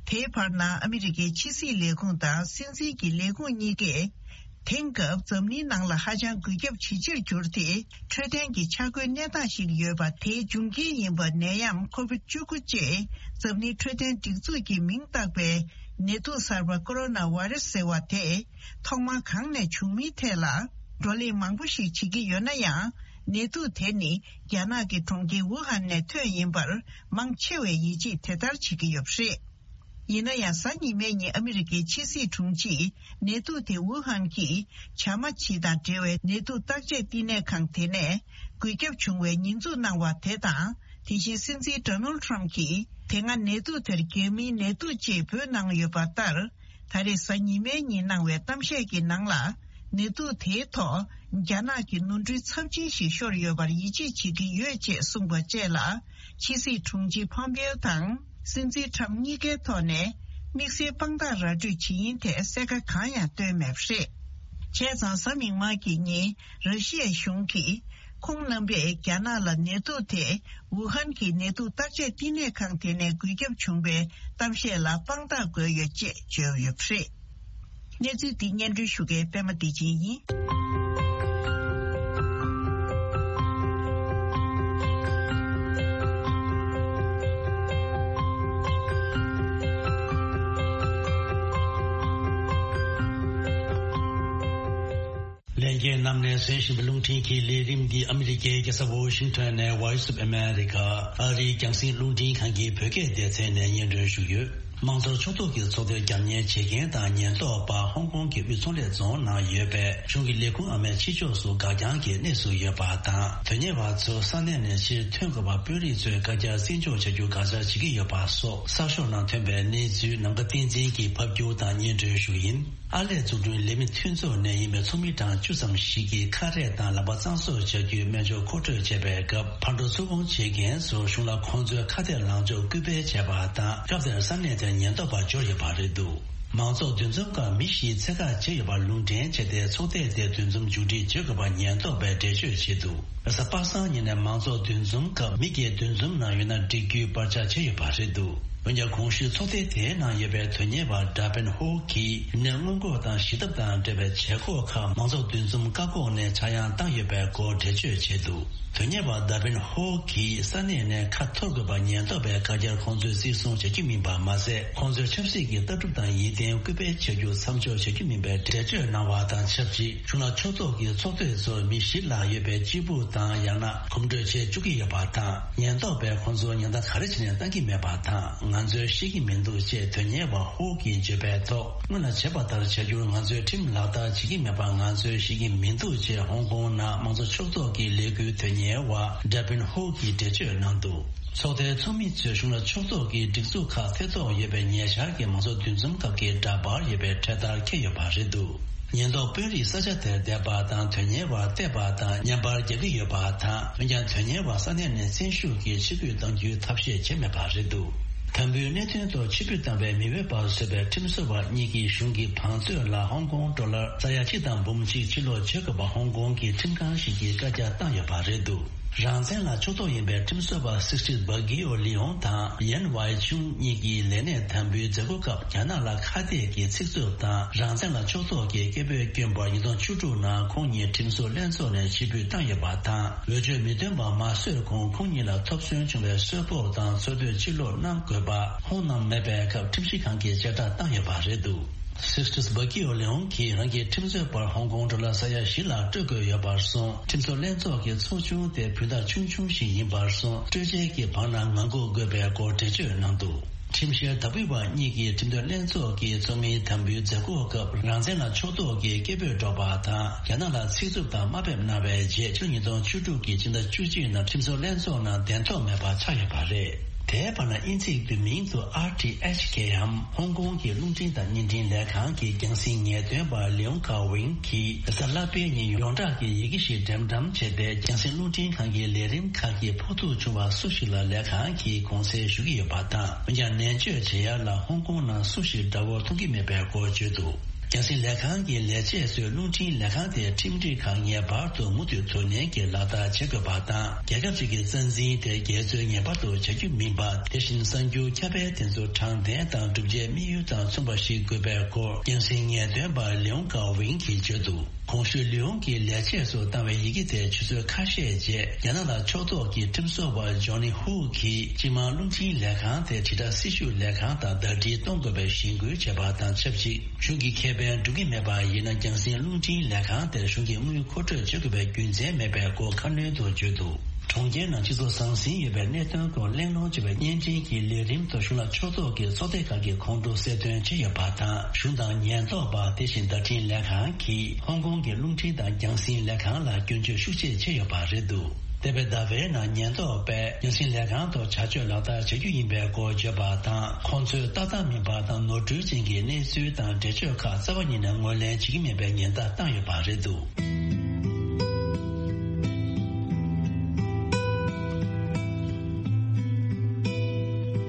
དེའི་བར་ན་ཨ་མི་རི་ཀའི་ཕྱི་སྲིད་ལས་ཁུངས་དང་སྲིད་འཛིན་གྱི་ལས་ཁུངས་གཉིས་ཀས། དེང་སྐབས་འཛམ་གླིང་ནང་ལ་ཧ་ཅང་འགོས་ཁྱབ་ཇེ་ཆེར་གྱུར་ཏེ། འཕྲོད་བསྟེན་གྱི་ཆ་བགོས་གནས་སྟངས་ཤིག་ཡོད་པ། དེའི་འབྱུང་རྐྱེན་ཡིན་པ་ནད་ཡམས་ཁོ་བིད་བཅུ་དགུ་ཅེས་འཛམ་གླིང་འཕྲོད་བསྟེན་སྒྲིག་འཛུགས་ཀྱིས་མིང་བཏགས་པའི་ནད་དུག་གསར་པ་ཀོ་རོ་ན་བྷ་རེ་སི་ཟེར་བ་དེ་ཐོག་མར་གང་ནས་བྱུང་མིན་ཐད་ལ་བགྲོ་གླེང་མང་པོ་ཞིག་བྱེད་ཀྱི་ཡོད་ན་ཡང་། ནད་དུག་དེ་ནི་རྒྱ་ནག་གི་གྲོང་ཁྱེར་ཝུ་ཧན་ནས་ཐོན་ཡིན་པར་མང་ཆེ་བས་ཡིད་ཆེས་དེ་ལྟར་བྱེད་ཀྱི་ཡོད་པ་རེད། ཡིན་ན་ཡང་། གཟའ་ཉི་མའི་ཉིན་ཨ་མི་རི་ཀའི་ཕྱི་སྲིད་དྲུང་ཆེས་ནད་དུག་དེ་ཝུ་ཧན་གྱི་བྱ་མ་བྱི་དང་འབྲེལ་བའི་ནད་དུག་བརྟག་དཔྱད་བསྟི་གནས་ཁང་དེ་ནས་འགོས་ཁྱབ་བྱུང་བའི་ཉེས་འཛུགས་གནང་བ་དེ་དང་། དེ་བཞིན་སྲིད་འཛིན་ཌོ་ནལ་ཊམ་གྱིས་དེ་སྔ་ནད་དུག་དེར་རྒྱ་མིའི་ནད་དུག་ཅེས་འབོད་གནང་ཡོད་པ་ལྟར། ད་རེས་གཟའ་ཉི་མའི་ཉིན་གནང་བའི་གཏམ་བཤད་ཀྱི་ནང་ལ། ནད་དུག་དེའི་ཐོག་རྒྱ་ནག་གི་ནོར་འཁྲུལ་ཚབས་ཆེན་ཞིག་ཤོར་ཡོད་པར་ཡིད་ཆེས་བྱེད་ཀྱི་ཡོད་ཅེས་གསུངས་པ་བཅས་ལ། ཕྱི་སྲིད་དྲུང་ཆེ་ཕོམ་པེའོ་དང་སྲིད་འཛིན་ཊམ་གཉིས་ཀའི་ཐོག་ནས་དམིགས་བསལ་དཔང་རྟགས་ར་སྤྲོད་བྱེད་ཡིན་ཐད་གསལ་ཁ་གང་ཡང་བཏོན་མེད་པ་རེད། བྱས་ཙང་། གཟའ་མིག་དམར་གྱི་ཉིན་ར་ཤི་ཡའི་གཞུང་གིས་ཁོང་རྣམ་པས་རྒྱ་ནག་ལ་ནད་དུག་དེ་ཝུ་ཧན་གྱི་ནད་དུག་བརྟག་དཔྱད་བསྟི་གནས་ཁང་དེ་ནས་འགོས་ཁྱབ་བྱུང་བའི་གཏམ་བཤད་ལ་དཔང་རྟགས་དགོས་ཡོད་ཅེས་བརྗོད་ཡོད་པ་རེད། གནས་ཚུལ་འདི་སྙན་སྒྲོན་ཞུ་མཁན་པད་མ་བདེ་ཆེན་ཡིན། ལྷན་རྒྱས་རྣམས་ནས་གསན་བཞིན་པའི་རླུང་འཕྲིན་གྱི་ལས་རིམ་འདི་ཨ་མི་རི་ཀའི་རྒྱལ་ས་ཝོ་ཤིང་ཊོན་ནས་Voice of America ཨ་རིའི་རྒྱང་སྲིང་རླུང་འཕྲིན་ཁང་གི་བོད་སྐད་སྡེ་ཚན་ནས་སྙན་སྒྲོན་ཞུས་ཡོད། དམངས་གཙོར་ཕྱོགས་གཏོགས་ཀྱི་ཚོགས་སྡེར་རྒྱབ་གཉེར་བྱེད་མཁན་དང་ཉེན་རྟོག་པ་ཧོང་ཀོང་གི་དབུས་ཚོང་ལས་རྫོང་ནང་ཡོད་པའི་གཞུང་གི་ལས་ཁུངས་ཨ་མའི་ཕྱི་ཕྱོགས་སུ་འགག་རྐྱང་གི་གནས་སུ་ཡོད་པ་དང་། དོན་གཉེར་བ་ཚོ་ས་གནས་ནས་ཕྱིར་ཐོན་དགོས་པ་དཔོན་རིགས་ཚོས་བཀའ་རྒྱར་བརྩི་འཇོག་བྱ་རྒྱུ་དགག་བྱ་བྱེད་ཀྱི་ཡོད་པ་སོགས་གསར་ཤོག་ནང་ཐོན་པའི་གནས་ཚུལ་ནམ་མཁའ་བསྟན་འཛིན་གྱིས་ཕབ་སྒྱུར་དང་སྙན་སྒྲོན་ཞུ་ཡིན། ཨར་ལས་འཛུགས་སྐྲུན་ལས་མི་མཐུན་ཚོགས་ནས་ཡིན་པའི་ཚོགས་མི་གྲངས་བཅུ་ཙམ་ཞིག་གིས་ཁ་རས་དང་ལག་པ་གཙང་བཟོ་བྱ་རྒྱུའི་སྨན་སྦྱོར་མཁོ་སྤྲོད་བྱས་པའི་སྐབས། ཕར་འགྲོ་ཚུར་འོང་བྱེད་མཁན་ཚོར་གཞུང་ལ་ཁོང་ཚོའི་ཁ་གཏད་ལངས་ཕྱོགས་སྐུལ་སྤེལ་བྱས་པ་དང་། སྐབས་དེར་ས་གནས་དེར་ཉེན་རྟོག་པ་འབྱོར་ཡོད་པ་རེད་འདུག་མང་ཚོགས་འདུ་འཛོམས་སྐབས་མི་བཞིས་འཚོལ་བཀག་བྱས་ཡོད་པར་ལུང་འདྲེན་བྱས་ཏེ། ཚོགས་ཐེངས་དེའི་འདུ་འཛོམས་མཇུག་སྒྲིལ་བྱེད་དགོས་པ་ཉེན་རྟོག་པས་འགྲེལ་བརྗོད་བྱས་འདུག་རེས་གཟའ་པ་སངས་ཉིན་ནས་མང་ཚོགས་འདུ་འཛོམས་སྐབས་མི་སྒེར་འདུ་འཛོམས་ནང་ཡོད་ན་འགྲིག་རྒྱུའི་བར་ཆད་བྱས་ཡོད་པ་རེད་འདུག་འོན་ཀྱང་། གོང་ཞུས་ཚོགས་ཐེངས་དེའི་ནང་ཡོད་པའི་དོན་གཉེར་བ་ཌ་པིན་ཧོ་གིས་ནད་སྔོན་འགོག་དང་ཞི་ཐབས་དང་འབྲེལ་བའི་བྱེད་སྒོ་ཁག་མང་ཚོགས་འདུ་འཛོམས་བཀག་འགོག་ནས་ཆག་ཡང་བཏང་ཡོད་པའི་སྐོར་འགྲེལ་བརྗོད་བྱས་འདུག་དོན་གཉེར་བ་ཌ་པིན་ཧོ་གིས་ས་གནས་ནས་ཁ་འཐོར་དགོས་པ་ཉེན་རྟོག་པས་བཀའ་རྒྱར་ཁོང་ཚོས་བརྩི་སྲུང་བྱ་རྒྱུ་མིན་པ་མ་ཟད། ཁོང་ཚོས་ཆབ་སྲིད་ཀྱི་ལྟ་གྲུབ་དང་ཡིད་བརྟན་སྐུལ་སྤེལ་བྱ་རྒྱུ་མཚམས་འཇོག་བྱ་རྒྱུ་མིན་པའི་འགྲེལ་བརྗོད་གནང་བ་དང་ཆབས་ཅིག་གཞུང་ལ་ཕྱོགས་གཏོགས་ཀྱི་ཚོགས་སྡེ་ཚོར་མི་བཞི་ལྷག་ཡོད་པའི་སྤྱིལ་བུ་དང་ཡང་ན་གོམ་བགྲོད་བྱེད་བཅུག་གི་ཡོད་པ་དང་། ཉེན་རྟོག་པས་ཁོང་ཚོར་ཉེན་བརྡ་ག་རེ་བྱས་ནས་བཏང་གི་མེད་པ་དང་། ང་ཚོས་ཤེས་ཀྱི་མི་འདུག་ཅེས་དོན་གཉེར་བ་ཧོ་གིས་བརྗོད་པའི་ཐོག་སྔོན་ལ་བྱས་པ་ལྟར་བྱ་རྒྱུར་ང་ཚོས་ཁྲིམས་ལག་བསྟར་བྱེད་ཀྱི་མེད་པ་ང་ཚོས་ཤེས་ཀྱི་མི་འདུག་ཅེས་ཧོང་ཀོང་ནང་མང་གཙོ་ཕྱོགས་གཏོགས་ཀྱི་ལས་འགུལ་དོན་གཉེར་བ་ཌ་པིན་ཧོ་གིས་འགྲེལ་བརྗོད་གནང་འདུག་ཚོགས་སྡེའི་ཚོགས་མི་ཚོས་གཞུང་ལ་ཕྱོགས་གཏོགས་ཀྱི་སྒྲིག་འཛུགས་ཁག་ཐེ་གཏོགས་ཡོད་པའི་ཉེ་ཆར་གྱི་མང་གཙོ་འདུ་འཛོམས་སྐབས་ཀྱི་འདྲ་པར་ཡོད་པའི་འཕྲེད་དར་འཁྱེར་ཡོད་པ་རེད་འདུག་ཉེན་རྟོག་དཔོན་རིགས་ས་ཆ་དེར་བསྡད་པ་དང་དོན་གཉེར་བར་བལྟས་པ་དང་བརྙན་པར་རྒྱག་གི་ཡོད་པ་དང་། འོན་ཀྱང་། དོན་གཉེར་བ་ས་གནས་ནས་བཙན་ཤུགས་ཀྱིས་ཕྱིར་འབུད་གཏང་རྒྱུའི་ཐབས་ཤེས་བྱས་མེད་པ་རེད་འདུག་དམ་འབུལ་གནད་དོན་ཐོག་ཕྱིར་འབུད་བཏང་བའི་མི་འོས་པ་བཟོས་པའི་ཁྲིམས་བཟོ་བ་གཉིས་ཀྱིས་གཞུང་གི་བང་མཛོད་ལ་ཧོང་ཀོང་ཌོ་ལར་ས་ཡ་གཅིག་དང་འབུམ་གཅིག་ཕྱིར་སློག་བྱེད་དགོས་པ་ཧོང་ཀོང་གི་ཁྲིམས་ཁང་ཞིག་གིས་བཀའ་རྒྱ་བཏང་ཡོད་པ་རེད་འདུག་རང་བཙན་ལ་ཕྱོགས་གཏོགས་ཡིན་པའི་ཁྲིམས་བཟོ་བ་སིག་སི་ཊི་སྦ་གི་ཨོ་ལི་ཡོང་དང་ཡན་ཝའི་ཆུང་གཉིས་ཀྱིས་ལས་གནས་དམ་འབུལ་མཛད་སྒོ་སྐབས་རྒྱ་ནག་ལ་ཁ་གཏད་ཀྱི་ཚིག་རྩུབ་དང་རང་བཙན་ལ་ཕྱོགས་གཏོགས་ཀྱི་སྐད་འབོད་བསྐྱོན་པར་ཉིས་སྟོང་བཅུ་དྲུག་ནང་ཁོང་གཉིས་ཁྲིམས་བཟོ་ལྷན་ཚོགས་ནས་ཕྱིར་འབུད་བཏང་ཡོད་པ་དང་། འོས་ཆོས་མི་ཐོན་པ་མ་བཟོས་གོང་ཁོང་གཉིས་ལ་ཐོབ་ཚོད་བྱུང་བའི་གསོལ་ཕོགས་དང་འཚོ་སྡོད་ཕྱིར་སློག་གནང་དགོས་པ་ཁོང་རྣམས་མེད་པའི་སྐབས་ཁྲིམས་ཞིབ་ཁང་གིས་བཅད་ཁྲ་བཏང་ཡོད་པ་རེད་འདུག་སིག་སི་ཊི་སྦ་གི་ཨོ་ལེའོང་གིས་རང་གི་ཁྲིམས་རྩོད་པར་ཧོང་ཀོང་ཌོ་ལར་ས་ཡ་བཞི་ལ་སྤྲོད་དགོས་ཡོད་པར་སོང་། ཁྲིམས་བཟོ་ལྷན་ཚོགས་ཀྱི་ཚོགས་ཆུང་དེ་བུན་བདག་ཆུང་ཆུང་ཞིག་ཡིན་པར་སོང་། སྤྲོད་འཇལ་གྱི་བར་ན་ངང་སྒུག་དགོས་པའི་སྐོར་འགྲེལ་བརྗོད་གནང་འདུག་ཁྲིམས་བཤེར་བདག་སྤེལ་བ་གཉིས་ཀྱིས་ཁྲིམས་དོན་ལྷན་ཚོགས་ཀྱི་ཚོགས་མིའི་དམ་འབུལ་མཛད་སྒོ་སྐབས་རང་བཙན་ལ་ཕྱོགས་གཏོགས་ཀྱི་སྐད་འབོད་སྒྲོག་པ་དང་། རྒྱ་ནག་ལ་ཚིག་རྩུབ་དང་དམའ་འབེབས་གནང་བའི་རྗེས་ཕྱི་ལོ་ཉིས་སྟོང་བཅུ་དྲུག་གི་ཕྱི་ཟླ་བཅུ་གཅིག་ནང་ཁྲིམས་བཟོ་ལྷན་ཚོགས་ནང་གདན་ཐོབ་མེད་པ་ཆགས་ཡོད་པ་རེད། དེའི་བར་ན་དབྱིན་ཚིག་བསྡུས་མིང་དུ་ཨར་ཊི་ཨེཆ་ཀེའམ་ཧོང་ཀོང་གི་རླུང་འཕྲིན་དང་བརྙན་འཕྲིན་ལས་ཁང་གི་རྒྱང་སྲིང་ངེས་སྟོན་པ་ལིའུང་ཁ་ཝིང་གིས་རེས་གཟའ་ལྷག་པའི་ཉིན་ཡོངས་གྲགས་ཀྱི་ཡི་གེ་ཞིག་འགྲེམས་བཀྲམ་བྱས་ཏེ། རྒྱང་སྲིང་རླུང་འཕྲིན་ཁང་གི་ལས་རིམ་ཁག་གིས་ཕོག་ཐུག་བྱུང་བ་སུ་ཞིག་ལ་ལས་ཁང་གིས་དགོངས་སེལ་ཞུ་གི་ཡོད་པ་དང་། འོན་ཀྱང་ནན་བརྗོད་བྱེད་ཡ་ལ་ཧོང་ཀོང་ནང་སུ་ཞིག་དགྲ་བོར་མཐོང་གི་མེད་པའི་སྐོར་བརྗོད་འདུག་རྒྱང་སྲིང་ལས་ཁང་གི་ལས་བྱེད་ཚོས་རླུང་འཕྲིན་ལས་ཁང་དེའི་ཁྲིམས་སྒྲིག་ཁག་ངེས་པར་དུ་མུ་མཐུད་དོ་ནན་གྱིས་ལག་བསྟར་བྱེད་དགོས་པ་དང་། རྒྱལ་ཁབ་ཅིག་གི་རྩ་འཛིན་དེ་རྒྱལ་ཚོས་ངེས་པར་དུ་བྱ་རྒྱུ་མིན་པ། དེ་བཞིན་གསར་འགྱུར་ཁྱབ་སྤེལ་དེ་ཚོ་དྲང་བདེན་དང་བསྒྲུབ་བྱའི་དམིགས་ཡུལ་དང་མཚུངས་པ་ཞིག་དགོས་པའི་སྐོར་རྒྱང་སྲིང་ངེས་སྟོན་པ་ལིའུང་ཀའོ་ཝིང་གིས་བརྗོད་འདུག་གོང་ཞུས་ལིའུང་གིས་ལས་བྱེད་ཚོར་བཏང་བའི་ཡི་གེ་དེ་ཆུ་ཚོད་ཁ་ཤས་རྗེས་རྒྱ་ནག་ལ་ཕྱོགས་གཏོགས་ཀྱི་ཁྲིམས་བཟོ་བ་ཇོ་ནི་ཧུའུ་གིས་སྤྱི་དམངས་རླུང་འཕྲིན་ལས་ཁང་དེ་དྲིལ་བསྒྲགས་སྲི་ཞུ་ལས་ཁང་དང་ཟླ་སྒྲིལ་གཏོང་དགོས་པའི་གཞེན་སྐུལ་བྱས་པ་དང་ཆབས་ཅིག་གཞུང་གི་ཁེ་ཕན་སྒྲུབ་ཀྱི་མེད་པ་ཡིན་ན། རྒྱང་སྲིང་རླུང་འཕྲིན་ལས་ཁང་དེར་གཞུང་གིས་དངུལ་མཁོ་སྤྲོད་བྱེད་དགོས་པའི་རྒྱུ་མཚན་མེད་པའི་སྐོར་ཁ་སྣོན་དུ་བརྗོད་འདུག་གྲོང་ཁྱེར་ནང་སྤྱི་ཚོགས་ཟང་ཟིང་ཡོད་པའི་གནད་དོན་སྐོར་གླེང་སློང་བྱེད་པའི་བརྙན་འཕྲིན་གྱི་ལས་རིམ་དུ་གཞུང་ལ་ཕྱོགས་གཏོགས་ཀྱི་ཚོགས་སྡེ་ཁག་གིས་ཁོང་ཁྲོ་གསལ་སྟོན་བྱས་ཡོད་པ་དང་། གཞུང་དང་ཉེན་རྟོག་པ། དེ་བཞིན་བརྡ་འཕྲིན་ལས་ཁང་གིས་ཧོང་ཀོང་གི་རླུང་འཕྲིན་དང་རྒྱང་སྲིང་ལས་ཁང་ལ་སྐྱོན་བརྗོད་ཤུགས་ཆེ་བྱས་ཡོད་པ་རེད་འདུག་འདས་པའི་ཟླ་བའི་ནང་ཉེན་རྟོག་པས་རྒྱང་སྲིང་ལས་ཁང་ཐོག་བྱ་སྤྱོད་ལག་བསྟར་བྱ་རྒྱུ་ཡིན་པའི་སྐོར་བརྗོད་པ་དང་། ཁོང་ཚོས་ཏག་ཏག་མིན་པ་དང་ནོར་འཁྲུལ་ཅན་གྱི་གནས་ཚུལ་དང་འགྲེལ་བརྗོད་ཁག་རྩ་བ་ཉིད་ནས་ངོས་ལེན་བྱེད་ཀྱི་མེད་པའི་ཉེན་བརྡ་བཏང་ཡོད་པ་རེད་འདུག་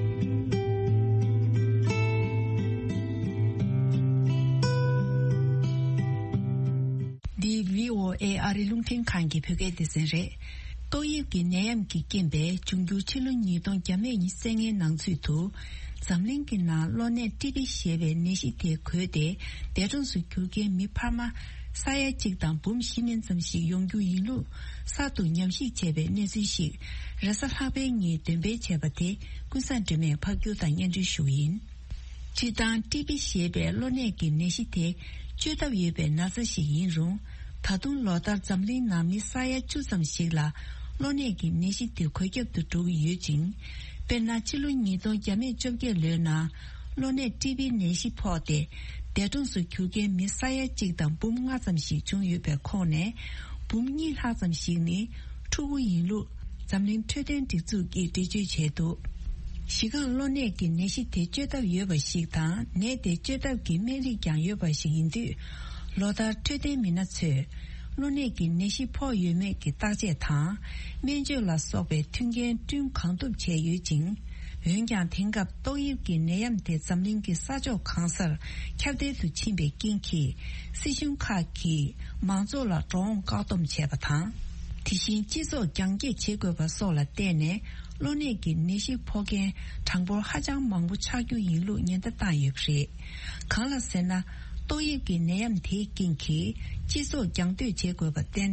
འདི་བྷི་ཨོ་ཨེ་ཨ་རི་རླུང་འཕྲིན་ཁང་གི་བོད་སྐད་སྡེ་ཚན་རེད། ཏོག་དབྱིབས་ཀྱི་ནད་ཡམས་ཀྱི་རྐྱེན་པས་འབྱུང་འགྱུར་ཕྱི་ལོ་ཉིས་སྟོང་བརྒྱ་མེད་ཉེར་ལྔའི་ནང་ཚུད་དུ། འཛམ་གླིང་གི་ནང་གློ་ནད་ཀྲི་པི་ཞེས་པའི་ནད་གཞི་དེ་འགོས་ཏེ། འདས་གྲོངས་སུ་གྱུར་མཁན་མི་འཕར་མ་ས་ཡ་གཅིག་དང་འབུམ་བཞི་ནས་ཙམ་ཞིག་ཡོང་རྒྱུ་ཡིན་ལུགས་གསར་དུ་ཉམས་ཞིབ་བྱས་པའི་གནས་ཚུལ་ཞིག་རེས་གཟའ་ལྷག་པའི་ཉིན་འདོན་སྤེལ་བྱས་པ་དེ་ཀུན་བཟང་སྒྲོལ་མས་ཕབ་སྒྱུར་དང་སྙན་སྒྲོན་ཞུ་གི་ཡིན། སྤྱིར་བཏང་ཀྲི་པི་ཞེས་པའི་གློ་ནད་ཀྱི་ནད་གཞི་དེ་བཅོས་ཐབས་ཡོད་པའི་ན་ཚ་ཞིག་ཡིན་རུང་། ད་དུང་ལོ་ལྟར་འཛམ་གླིང་ནང་མི་ས་ཡ་བཅུ་ཙམ་ཞིག་ལ་གློ་ནད་ཀྱི་ནད་གཞི་དེ་འགོས་ཁྱབ་ཏུ་འགྲོ་གི་ཡོད་ཅིང་། དཔེར་ན། ཕྱི་ལོ་ཉིས་སྟོང་བརྒྱ་མེད་བཅོ་བརྒྱད་ལོའི་ནང་གློ་ནད་ཀྲི་པི་ནད་གཞི་ཕོག་སྟེ། འདས་གྲོངས་སུ་གྱུར་མཁན་མི་ས་ཡ་གཅིག་དང་འབུམ་ལྔ་ཙམ་ཞིག་བྱུང་ཡོད་པའི་ཁོངས་ནས། འབུམ་གཉིས་ལྷག་ཙམ་ཞིག་ནི་ཕྲུ་གུ་ཡིན་ལུགས། འཛམ་གླིང་འཕྲོད་བསྟེན་སྒྲིག་འཛུགས་ཀྱིས་འགྲེལ་བརྗོད་བྱས་འདུག་གཞི་རྐང་གློ་ནད་ཀྱི་ནད་གཞི་དེ་བཅོས་ཐབས་ཡོད་པ་ཞིག་དང་། ནད་དེ་བཅོས་ཐབས་ཀྱི་སྨན་རིགས་ཀྱང་ཡོད་པ་ཞིག་ཡིན་དུས། ལོ་ལྟར་འཕྲོད་བསྟེན་མི་སྣ་ཚོས་གློ་ནད་ཀྱི་ནད་གཞི་ཕོག་ཡོད་མེད་ཀྱི་བརྟག་དཔྱད་དང་། སྨན་བཅོས་ལ་སོགས་པའི་མཐུན་རྐྱེན་བསྐྲུན་གང་ཐུབ་བྱས་ཡོད་ཅིང་། འོན་ཀྱང་དེང་སྐབས་ཏོག་དབྱིབས་ཀྱི་ནད་ཡམས་དེ་འཛམ་གླིང་གི་ས་ཕྱོགས་གང་སར་ཁྱབ་གདལ་དུ་ཕྱིན་པའི་རྐྱེན་གྱིས། སྲིད་གཞུང་ཁག་གིས་མང་ཚོགས་ལ་འགྲོ་འོང་བཀག་སྡོམ་བྱས་པ་དང་། དེ་བཞིན་སྤྱི་ཚོགས་རྒྱང་བཀྱེད་བྱེད་དགོས་པ་སོགས་ལ་བརྟེན་ནས། གློ་ནད་ཀྱི་ནད་གཞི་ཕོག་མཁན་གྲངས་འབོར་ཧ་ཅང་མང་པོ་ཆགས་རྒྱུ་ཡིན་ལུགས་ཉེན་བརྡ་བཏང་ཡོད་པ་རེད། གང་ལ་ཟེར་ན། ཏོག་དབྱིབས་ཀྱི་ནད་ཡམས་དེའི་རྐྱེན་གྱིས་སྤྱི་ཚོགས་རྒྱང་སྡོད་བྱེད་དགོས་པར་བརྟེན།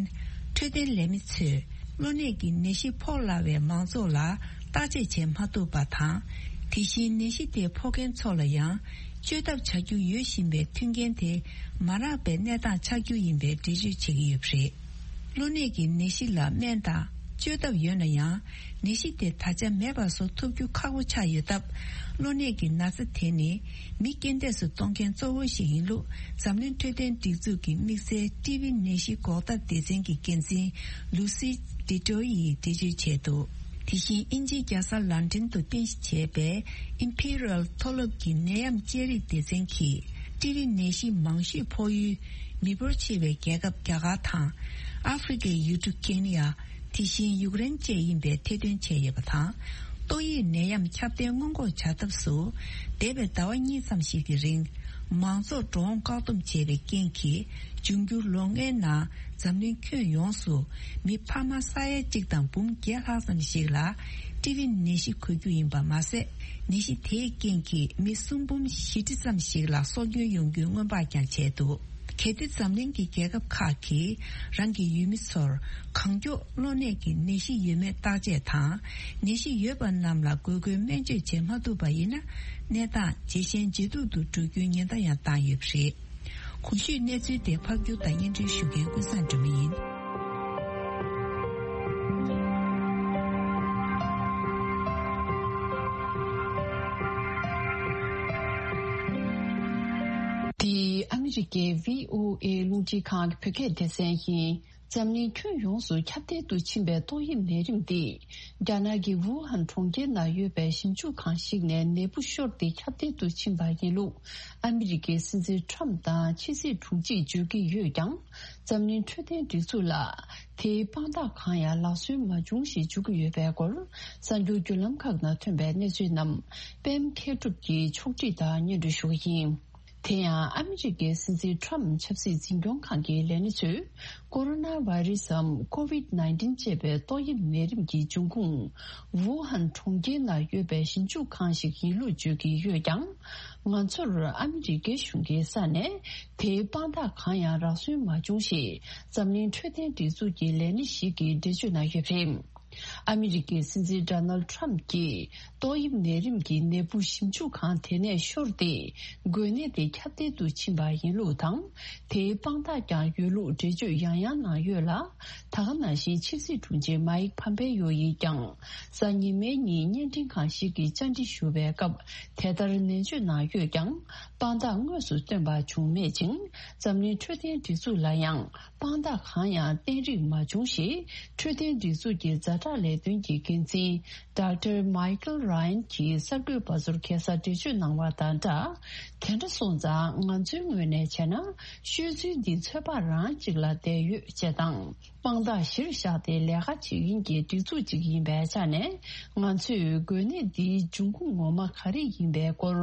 འཕྲོད་བསྟེན་ལས་མི་ཚོས་གློ་ནད་ཀྱི་ནད་གཞི་ཕོག་སླ་བའི་མང་ཚོགས་ལ་བརྟག་དཔྱད་བྱེད་མ་ཐུབ་པ་དང་། དེ་བཞིན་ནད་གཞི་དེ་ཕོག་མཁན་ཚོ་ལ་ཡང་བཅོས་ཐབས་བྱ་རྒྱུ་ཡོད་བཞིན་པའི་མཐུན་རྐྱེན་དེ་མ་རག་པའི་གནས་སྟངས་ཆགས་རྒྱུ་ཡིན་པའི་འགྲེལ་བརྗོད་བྱེད་ཀྱི་ཡོད་པ་རེད། གློ་ནད་ཀྱི་ནད་གཞི་ལ་སྨན་དང་བཅོས་ཐབས་ཡོད་ན་ཡང་། ནད་གཞི་དེ་ད་ཆ་མེད་པ་བཟོ་ཐུབ་རྒྱུ་ཁག་པོ་ཆགས་ཡོད་སྟབས། གློ་ནད་ཀྱི་ན་ཚ་དེ་ནི་མི་རྐྱེན་འདས་སུ་གཏོང་མཁན་གཙོ་བོ་ཞིག་ཡིན་ལུགས། འཛམ་གླིང་འཕྲོད་བསྟེན་སྒྲིག་འཛུགས་ཀྱི་དམིགས་བསལ་ཊི་བི་ནད་གཞི་འགོག་ཐབས་སྡེ་ཚན་གྱི་འགན་འཛིན་ལུ་སི་ཌི་ཏྲོ་ཡིས་འགྲེལ་བརྗོད་བྱས་འདུག་དེ་བཞིན་དབྱིན་ཇིའི་རྒྱལ་ས་ལན་ཀྲན་དུ་རྟེན་གཞི་བྱས་པའི་ཨིམ་ཕི་རལ་མཐོ་སློབ་ཀྱི་ནད་ཡམས་དཔྱད་རིག་སྡེ་ཚན་གྱིས། ཊི་བི་ནད་གཞི་མང་ཤོས་ཕོག་ཡུལ་མི་འབོར་ཆེ་བའི་རྒྱལ་ཁབ་རྒྱ་གར་དང་། ཨ་ཧྥེ་རི་ཁའི་ཡུལ་གྲུ་ཀེ་ནི་ཡ། དེ་བཞིན་ཡུཀ་རེན་བཅས་ཡིན་པའི་ཐེར་འདོན་བྱས་ཡོད་པ་དང་། ཏོག་དབྱིབས་ནད་ཡམས་ཁྱབ་གདལ་སྔོན་འགོག་བྱ་ཐབས་སུ། འདས་པའི་ཟླ་བ་གཉིས་ཙམ་ཞིག་གི་རིང་། མང་ཚོགས་འགྲོ་འོང་བཀག་སྡོམ་བྱས་པའི་རྐྱེན་གྱིས། འབྱུང་འགྱུར་ལོ་ལྔའི་ནང་འཛམ་གླིང་ཁྱོན་ཡོངས་སུ་མི་འཕར་མ་ས་ཡ་གཅིག་དང་འབུམ་བརྒྱད་ལྷག་ཙམ་ཞིག་ལ་ཊི་བི་ནད་གཞི་འགོས་རྒྱུ་ཡིན་པ་མ་ཟད། ནད་གཞི་དེའི་རྐྱེན་གྱིས་མི་སུམ་འབུམ་བཞི་ཁྲི་ཙམ་ཞིག་ལ་སྲོག་སྐྱོན་ཡོང་རྒྱུའི་སྔོན་དཔག་ཀྱང་བྱས་འདུག་གལ་ཏེ་འཛམ་གླིང་གི་རྒྱལ་ཁབ་ཁག་གིས་རང་གི་ཡུལ་མི་ཚོར་གང་མགྱོགས་གློ་ནད་ཀྱི་ནད་གཞི་ཡོད་མེད་བརྟག་དཔྱད་དང་། ནད་གཞི་ཡོད་པ་རྣམས་ལ་དགོས་མཁོའི་སྨན་བཅོས་བྱེད་མ་ཐུབ་པ་ཡིན་ན། གནས་སྟངས་ཇེ་ཞན་ཇེ་སྡུག་ཏུ་འགྲོ་རྒྱུའི་ཉེན་བརྡ་ཡང་བཏང་ཡོད་པ་རེད། གོང་ཞུས་གནས་ཚུལ་དེ་ཕབ་སྒྱུར་དང་སྙན་སྒྲོན་ཞུ་མཁན་ཀུན་བཟང་སྒྲོལ་མ་ཡིན། འདི་ཨ་མི་རི་ཀའི་བྷི་ཨོ་ཨེ་རླུང་འཕྲིན་ཁང་གི་བོད་སྐད་སྡེ་ཚན་ཡིན། འཛམ་གླིང་ཁྱོན་ཡོངས་སུ་ཁྱབ་གདལ་དུ་ཕྱིན་པའི་ཏོག་དབྱིབས་ནད་རིམས་འདི། རྒྱ་ནག་གི་ཝུ་ཧན་གྲོང་ཁྱེར་ནང་ཡོད་པའི་ཞིབ་འཇུག་ཁང་ཞིག་ནས་ནད་འབུ་ཤོར་ཏེ་ཁྱབ་གདལ་དུ་ཕྱིན་པ་ཡིན་ལུགས། ཨ་མི་རི་ཀའི་སྲིད་འཛིན་ཁྲམ་དང་ཕྱི་སྲིད་དྲུང་ཆེས་བརྗོད་ཀྱི་ཡོད་ཀྱང་། འཛམ་གླིང་འཕྲོད་བསྟེན་སྒྲིག་འཛུགས་ལ། དེའི་དཔང་རྟགས་གང་ཡང་ལག་སོན་མ་བྱུང་ཞེས་བརྗོད་ཀྱི་ཡོད་པའི་སྐོར། གསར་འགྱུར་བརྒྱུད་ལམ་ཁག་ནང་ཐོན་པའི་གནས་ཚུལ་རྣམས། པད་མ་མཁས་གྲུབ་ཀྱིས་ཕྱོགས་སྒྲིག་དང་སྙན་སྒྲོན་ཞུ་གི་ཡིན། དེ་ཡང་ཨ་མི་རི་ཀའི་སྲིད་འཛིན་ཁྲམ་ཆབ་སྲིད་འཛིན་སྐྱོང་ཁང་གི་ལས་སྣེ་ཚོས། ཀོ་རོ་ན་བྷ་རི་སམ། ཀོ་ཝིད་ནའིན་ཊིན་ཅེས་པའི་ཏོག་དབྱིབས་ནད་རིམས་ཀྱི་འབྱུང་ཁུངས། ཝུ་ཧན་གྲོང་ཁྱེར་ནང་ཡོད་པའི་ཞིབ་འཇུག་ཁང་ཞིག་ཡིན་ལུགས་བརྗོད་ཀྱི་ཡོད་ཀྱང་། ང་ཚོར་ཨ་མི་རི་ཀའི་གཞུང་གི་ས་ནས། དེའི་དཔང་རྟགས་གང་ཡང་རག་སོན་མ་བྱུང་ཞེས། འཛམ་གླིང་འཕྲོད་བསྟེན་སྒྲིག་འཛུགས་ཀྱི་ལས་སྣེ་ཞིག་གིས་འགྲེལ་བརྗོད་གནང་ཡོད་པ་རེད། ཨ་མི་རི་ཀའི་སྲིད་འཛིན་ཌོ་ནལ་ཌི་ཊརམ་གྱིས་ཏོག་དབྱིབས་ནད་རིམས་ཀྱི་ནད་འབུ་ཞིབ་འཇུག་ཁང་དེ་ནས་ཤོར་ཏེ། འགོས་ནད་དེ་ཁྱབ་གདལ་དུ་ཕྱིན་པ་ཡིན་ལུགས་དང་། དེའི་དཔང་རྟགས་ཀྱང་ཡོད་ལུགས་འགྲེལ་བརྗོད་ཡང་ཡང་གནང་ཡོད་ལ། ད་ག་ནང་བཞིན་ཕྱི་སྲིད་དྲུང་ཆེ་མཱིག་ཕམ་པེ་ཡོ་ཡིས་ཀྱང་། གཟའ་ཉི་མའི་ཉིན་བརྙན་འཕྲིན་ཁང་ཞིག་གིས་བཅར་འདྲི་ཞུ་བའི་སྐབས། དེ་ལྟར་ནན་བརྗོད་གནང་ཡོད་ཀྱང་། དཔང་རྟགས་དངོས་སུ་བཏོན་པ་བྱུང་མེད་ཅིང་། འཛམ་གླིང་འཕྲོད་བསྟེན་སྒྲིག་འཛུགས་ལ་ཡང་། དཔང་རྟགས་གང་ཡང་བསྟན་རིགས་མ་བྱུང་ཞེས། འཕྲོད་བསྟེན་སྒྲིག་འཛུགས་ཀྱི་ཛ་དྲག་ལས་དོན་གྱི་འགན་འཛིན། ཌོག་ཊར་མའི་ཀལ་ར་ཡན་གྱིས་གསར་འགོད་པ་ཚོར་ཁ་སང་འགྲེལ་བརྗོད་གནང་བ་དང་སྦྲགས། དེ་འདྲ་སོང་ཙང་ང་ཚོའི་ངོས་ནས་བྱས་ན། ཤོད་ཚུལ་འདི་ཚོད་དཔག་རང་གཅིག་ལ་བསྡད་ཡོད་ཅེས་དང་། དཔང་རྟགས་གཞིར་བཞག་སྟེ་ལས་ཀ་བྱེད་མཁན་གྱི་སྒྲིག་འཛུགས་གཅིག་ཡིན་པའི་ཆ་ནས། ང་ཚོས་འགོས་ནད་འདིའི་འབྱུང་ཁུངས་ངོ་མ་ག་རེ་ཡིན་པའི་སྐོར།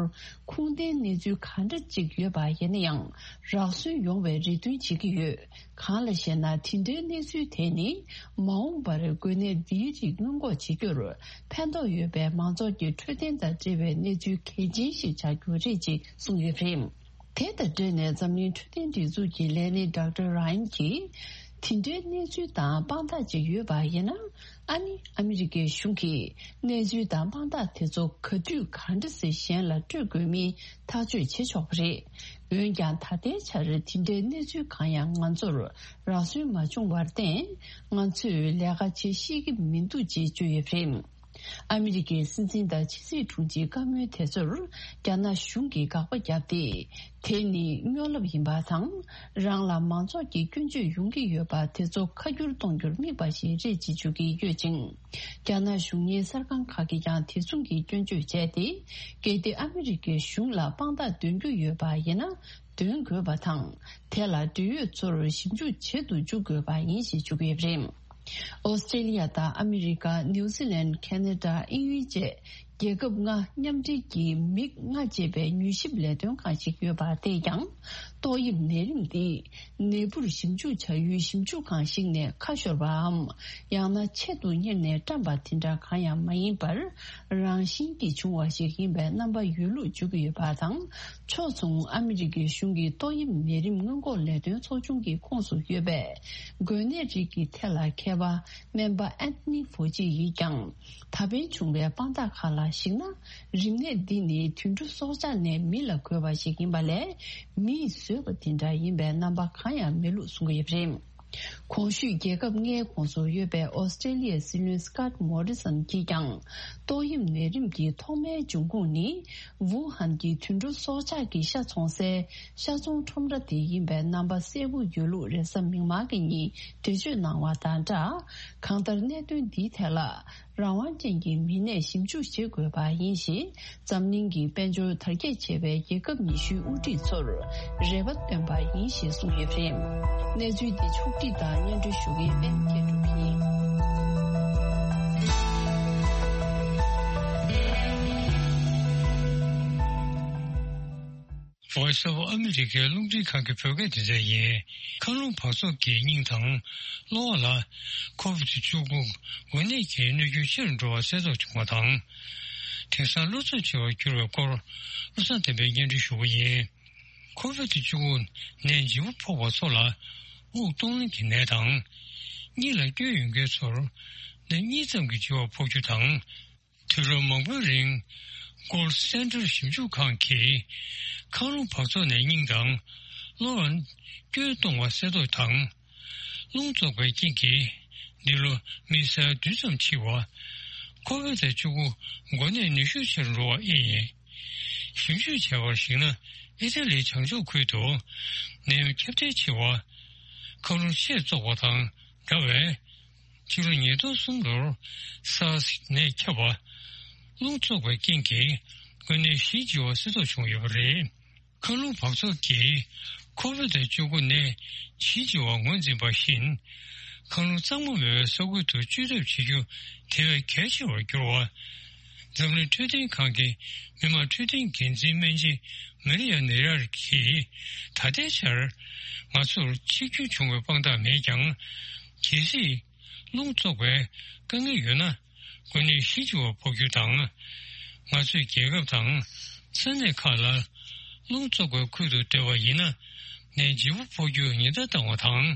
ཁུངས་ལྡན་གནས་ཚུལ་ག་འདྲ་གཅིག་ཡོད་པ་ཡིན་ན་ཡང་། རག་སོན་ཡོང་བའི་རེ་འདུན་བྱེད་ཀྱི་ཡོད། གང་ལ་ཞེ་ན། དེ་འདྲའི་གནས་ཚུལ་དེ་ནི། མ་འོངས་པར་འགོས་ནད་འདིའི་རིགས་སྔོན་འགོག་བྱེད་རྒྱུར། ཕན་ཐོགས་ཡོད་པའི་མང་ཚོགས་ཀྱི་འཕྲོད་བསྟེན་དང་འབྲེལ་བའི་གནས་ཚུལ་གལ་ཆེན་ཞིག་ཆགས་རྒྱུ་རེད་ཅེས་གསུངས་ཡོད་པ་རེད། དེ་དང་འབྲེལ་ནས་འཛམ་གླིང་འཕྲོད་བསྟེན་སྒྲིག་འཛུགས་ཀྱི་ལས་སྣེ་ཌོག་ཊར་ར་ཡན་གྱིས། དེ་འདྲའི་གནས་ཚུལ་དང་དཔང་རྟགས་ཅིག་ཡོད་པ་ཡིན་ན། ཨ་ནི་ཨ་མི་རི་ཀའི་གཞུང་གིས་གནས་ཚུལ་དང་དཔང་རྟགས་དེ་ཚོ་ག་དུས་ག་འདྲ་སེ་གཞན་ལ་སྤྲོད་དགོས་མིན་ཐག་གཅོད་བྱེད་ཆོག་པ་རེད། འོན་ཀྱང་ད་ལྟའི་ཆར་དེ་འདྲའི་གནས་ཚུལ་གང་ཡང་ང་ཚོར་རག་སོན་མ་བྱུང་བར་བརྟེན། ང་ཚོས་ལས་ཀ་བྱེད་ཤེས་ཀྱི་མི་འདུག་ཅེས་བརྗོད་ཡོད་པ་རེད། ཨ་མི་རི་ཀའི་སྲིད་འཛིན་དང་ཕྱི་སྲིད་དྲུང་ཆེའི་བཀའ་མོལ་དེ་ཚོར་རྒྱ་ནག་གཞུང་གིས་དགག་པ་བརྒྱབ་སྟེ། དེ་ནི་སྨྱོ་ལབ་ཡིན་པ་དང་། རང་ལ་མང་ཚོགས་ཀྱི་སྐྱོན་བརྗོད་ཡོང་གི་ཡོད་པ་དེ་ཚོ་ཁ་བསྒྱུར་གཏོང་རྒྱུར་དམིགས་པ་ཞིག་རེད་ཅེས་བརྗོད་ཀྱི་ཡོད་ཅིང་། རྒྱ་ནག་གཞུང་གཉེར་གསར་ཁང་ཁག་གིས་ཀྱང་དེ་མཚུངས་ཀྱི་སྐྱོན་བརྗོད་བྱས་ཏེ། གལ་ཏེ་ཨ་མི་རི་ཀའི་གཞུང་ལ་དཔང་རྟགས་འདོན་རྒྱུ་ཡོད་པ་ཡིན་ན། འདོན་དགོས་པ་དང་། དེ་ལ་འབྲེལ་ཡོད་ཚོར་ཞིབ་འཇུག་བྱེད་དུ་འཇུག་དགོས་པ་ཡིན་ཞེས་བརྗོད་ཀྱི་ཡོད་པ་རེད། ཨོ་སི་ཀྲེ་ལི་ཡ་དང་ཨ་མི་རི་ཀ། ནིའུ་ཛི་ལན། ཁེ་ན་ཌ། དབྱིན་ཡུལ་བཅས། རྒྱལ་ཁབ་ལྔ་མཉམ་འབྲེལ་གྱི་མིག་ལྔ་ཅེས་པའི་མྱུལ་ཞིབ་ལས་དོན་ཁང་ཞིག་ཡོད་པ་དེས་ཀྱང་། ཏོག་དབྱིབས་ནད་རིམས་འདི་ནད་འབུར་ཞིབ་འཇུག་བྱ་ཡུལ་ཞིབ་འཇུག་ཁང་ཞིག་ནས་ཁ་ཤོར་བའམ། ཡང་ན་ཆེད་དུ་གཉེར་ནས་བཀྲམ་པ་དེ་འདྲ་གང་ཡང་མ་ཡིན་པར། རང་བཞིན་གྱིས་བྱུང་བ་ཞིག་ཡིན་པའི་རྣམ་པ་ཡོད་ལུགས་བརྗོད་ཀྱི་ཡོད་པ་དང་། ཕྱོགས་མཚུངས་ཨ་མི་རི་ཀའི་གཞུང་གི་ཏོག་དབྱིབས་ནད་རིམས་སྔོན་འགོག་ལས་དོན་ཚོགས་ཆུང་གི་ཁོངས་སུ་ཡོད་པའི་འགོས་ནད་རིགས་ཀྱི་ཐད་ལ་མཁས་པ་སྨན་པ་ཨན་ཐོ་ནི་ཕོ་ཅི་ཡིས་ཀྱང་། ད་ཕན་བྱུང་བའི་དཔང་རྟགས་ཁག་ལ་གཞིགས་ན། རིམས་ནད་འདི་ནི་དུད་འགྲོ་སྲོག་ཆགས་ནས་མི་ལ་འགོས་པ་ཞིག་ཡིན་པ་ལས། མིས་བཟོས་པ་དེ་འདྲ་ཡིན་པའི་རྣམ་པ་གང་ཡང་མེད་ལུགས་གསུང་གི་ཡོད་པ་རེད། གོང་ཞུས་རྒྱལ་ཁབ་ལྔའི་ཁོངས་སུ་ཡོད་པའི་ཨོ་སི་ཀྲེ་ལི་ཡའི་སྲིད་བློན་སི་ཀོཊ་མོ་རི་སན་གྱིས་ཀྱང་ཏོག་དབྱིབས་ནད་རིམས་ཀྱི་ཐོག་མའི་འབྱུང་ཁུངས་ནི་ཝུ་ཧན་གྱི་དུད་འགྲོ་སྲོག་ཆགས་ཀྱི་ཤ་འཚོང་སའི་ཤ་ཚོང་ཁྲོམ་ར་དེ་ཡིན་པའི་རྣམ་པ་གསལ་པོ་ཡོད་ལུགས་རེས་གཟའ་མིག་དམར་གྱི་ཉིན་འགྲེལ་བརྗོད་གནང་བ་དང་སྦྲགས། གང་ལྟར་གནད་དོན་འདིའི་ཐད་ལ་རང་དབང་ཅན་གྱི་མི་སྣས་ཞིབ་འཇུག་བྱེད་དགོས་པ་ཡིན་ཞེས། འཛམ་གླིང་གི་དཔལ་འབྱོར་དར་རྒྱས་ཆེ་བའི་རྒྱལ་ཁབ་ཉི་ཤུའི་དབུ་ཁྲིད་ཚོར་རེ་བ་བཏོན་པ་ཡིན་ཞེས་གསུངས་ཡོད་པ་རེད། གནས་ཚུལ་འདི་ཕྱོགས་བསྒྲིགས་དང་སྙན་སྒྲོན་ཞུ་མཁན་པད་མ་སྐྱིད་གྲོང་ཡིན། Voice of America རླུང་འཕྲིན་ཁང་གི་བོད་སྐད་སྡེ་ཚན་ཡིན། མཁའ་རླུང་འབག་བཙོག་གིས་སྙིང་དང་གློ་བ་ལ་ཁོ་བིད་བཅུ་དགུ་འགོས་ནད་ཀྱི་གནོད་སྐྱོན་ཆེ་རུ་འགྲོ་བ་གསལ་རྟོགས་བྱུང་བ་དང་། དེང་སང་གློ་ཚབས་ཆེ་བར་གྱུར་བའི་སྐོར་བློ་བཟང་བསྟན་པས་སྙན་སྒྲོན་ཞུ་གི་ཡིན། ཁོ་བིད་བཅུ་དགུ་ནད་ལྗིད་པོ་ཕོག་པ་ཚོ་ལ་དབུགས་གཏོང་ལེན་གྱི་ནད་དང་། གཉིད་ལ་སྐྱོ་ཡོད་མཁན་ཚོར་ནད་གཉིད་ཙམ་གྱི་ལྗིད་པ་ཕོག་རྒྱུ་དང་། དུས་རབས་མང་པོའི་རིང་Gold Center ཞིབ་འཇུག་ཁང་གིས་མཁའ་རླུང་འབག་བཙོག་ནས་སྙིང་དང་གློ་བར་སྐྱོན་གཏོང་བ་གསལ་རྟོགས་དང་། རླུང་བཙོག་པའི་རྐྱེན་གྱིས་འདི་ལོ་མི་ས་ཡ་བདུན་ཙམ་འཆི་བ། ཁོ་བིད་བཅུ་དགུ་འགོས་ནད་ནུས་ཤུགས་ཆེ་རུ་འགྲོ་བ་ཨེ་ཡིན། ཞིབ་འཇུག་བྱས་པར་གཞིགས་ན་ཨི་ཐ་ལིའི་བྱང་ཕྱོགས་ཁུལ་དུ་ནད་ཡམས་ཁྱབ་གདལ་ཆེ་བ། མཁའ་རླུང་ཆེས་བཙོག་པ་དང་འདྲ་བས། ཕྱི་ལོ་ཉིས་སྟོང་གསུམ་ལོར་SARS ནད་ཁྱབ་པ། རླུང་བཙོག་པའི་རྐྱེན་གྱིས་འགོས་ནད་བཞི་འཆི་བ་གསལ་རྟོགས་བྱུང་ཡོད་པ་རེད། མཁའ་རླུང་འབག་བཙོག་གིས་ཁོ་བིད་བཅུ་དགུ་ནད་བཞི་འཆི་བ་ངོས་འཛིན་པ་བཞིན། མཁའ་རླུང་གཙང་མ་མེད་པའི་ས་ཁུལ་དུ་བཅོས་ཐབས་བྱེད་རྒྱུ་དེ་བས་གལ་ཆེ་བར་གྱུར་བ། འཛམ་གླིང་འཕྲོད་བསྟེན་ཁང་གི་མི་དམངས་འཕྲོད་བསྟེན་འགན་འཛིན་སྨན་ཆེན་མ་རི་ཡ་ནེ་རར་གྱིས་ད་ལྟའི་ཆར་ང་ཚོར་འཆི་སྐྱོན་བྱུང་བའི་དཔང་རྟགས་མེད་ཀྱང་། གལ་སྲིད་རླུང་བཙོག་པའི་དཀའ་ངལ་ཡོད་ན། འགོས་ནད་བཞི་འཆི་བ་ཕོག་རྒྱུ་དང་། ང་ཚོས་རྒྱལ་ཁབ་དང་ས་གནས་ཁག་ལ་རླུང་བཙོག་པའི་ཁུལ་དུ་སྡོད་པ་ཡིན་ན། ནད་ལྗིད་པོ་ཕོག་རྒྱུར་ཉེན་བརྡ་བཏང་བ་དང་།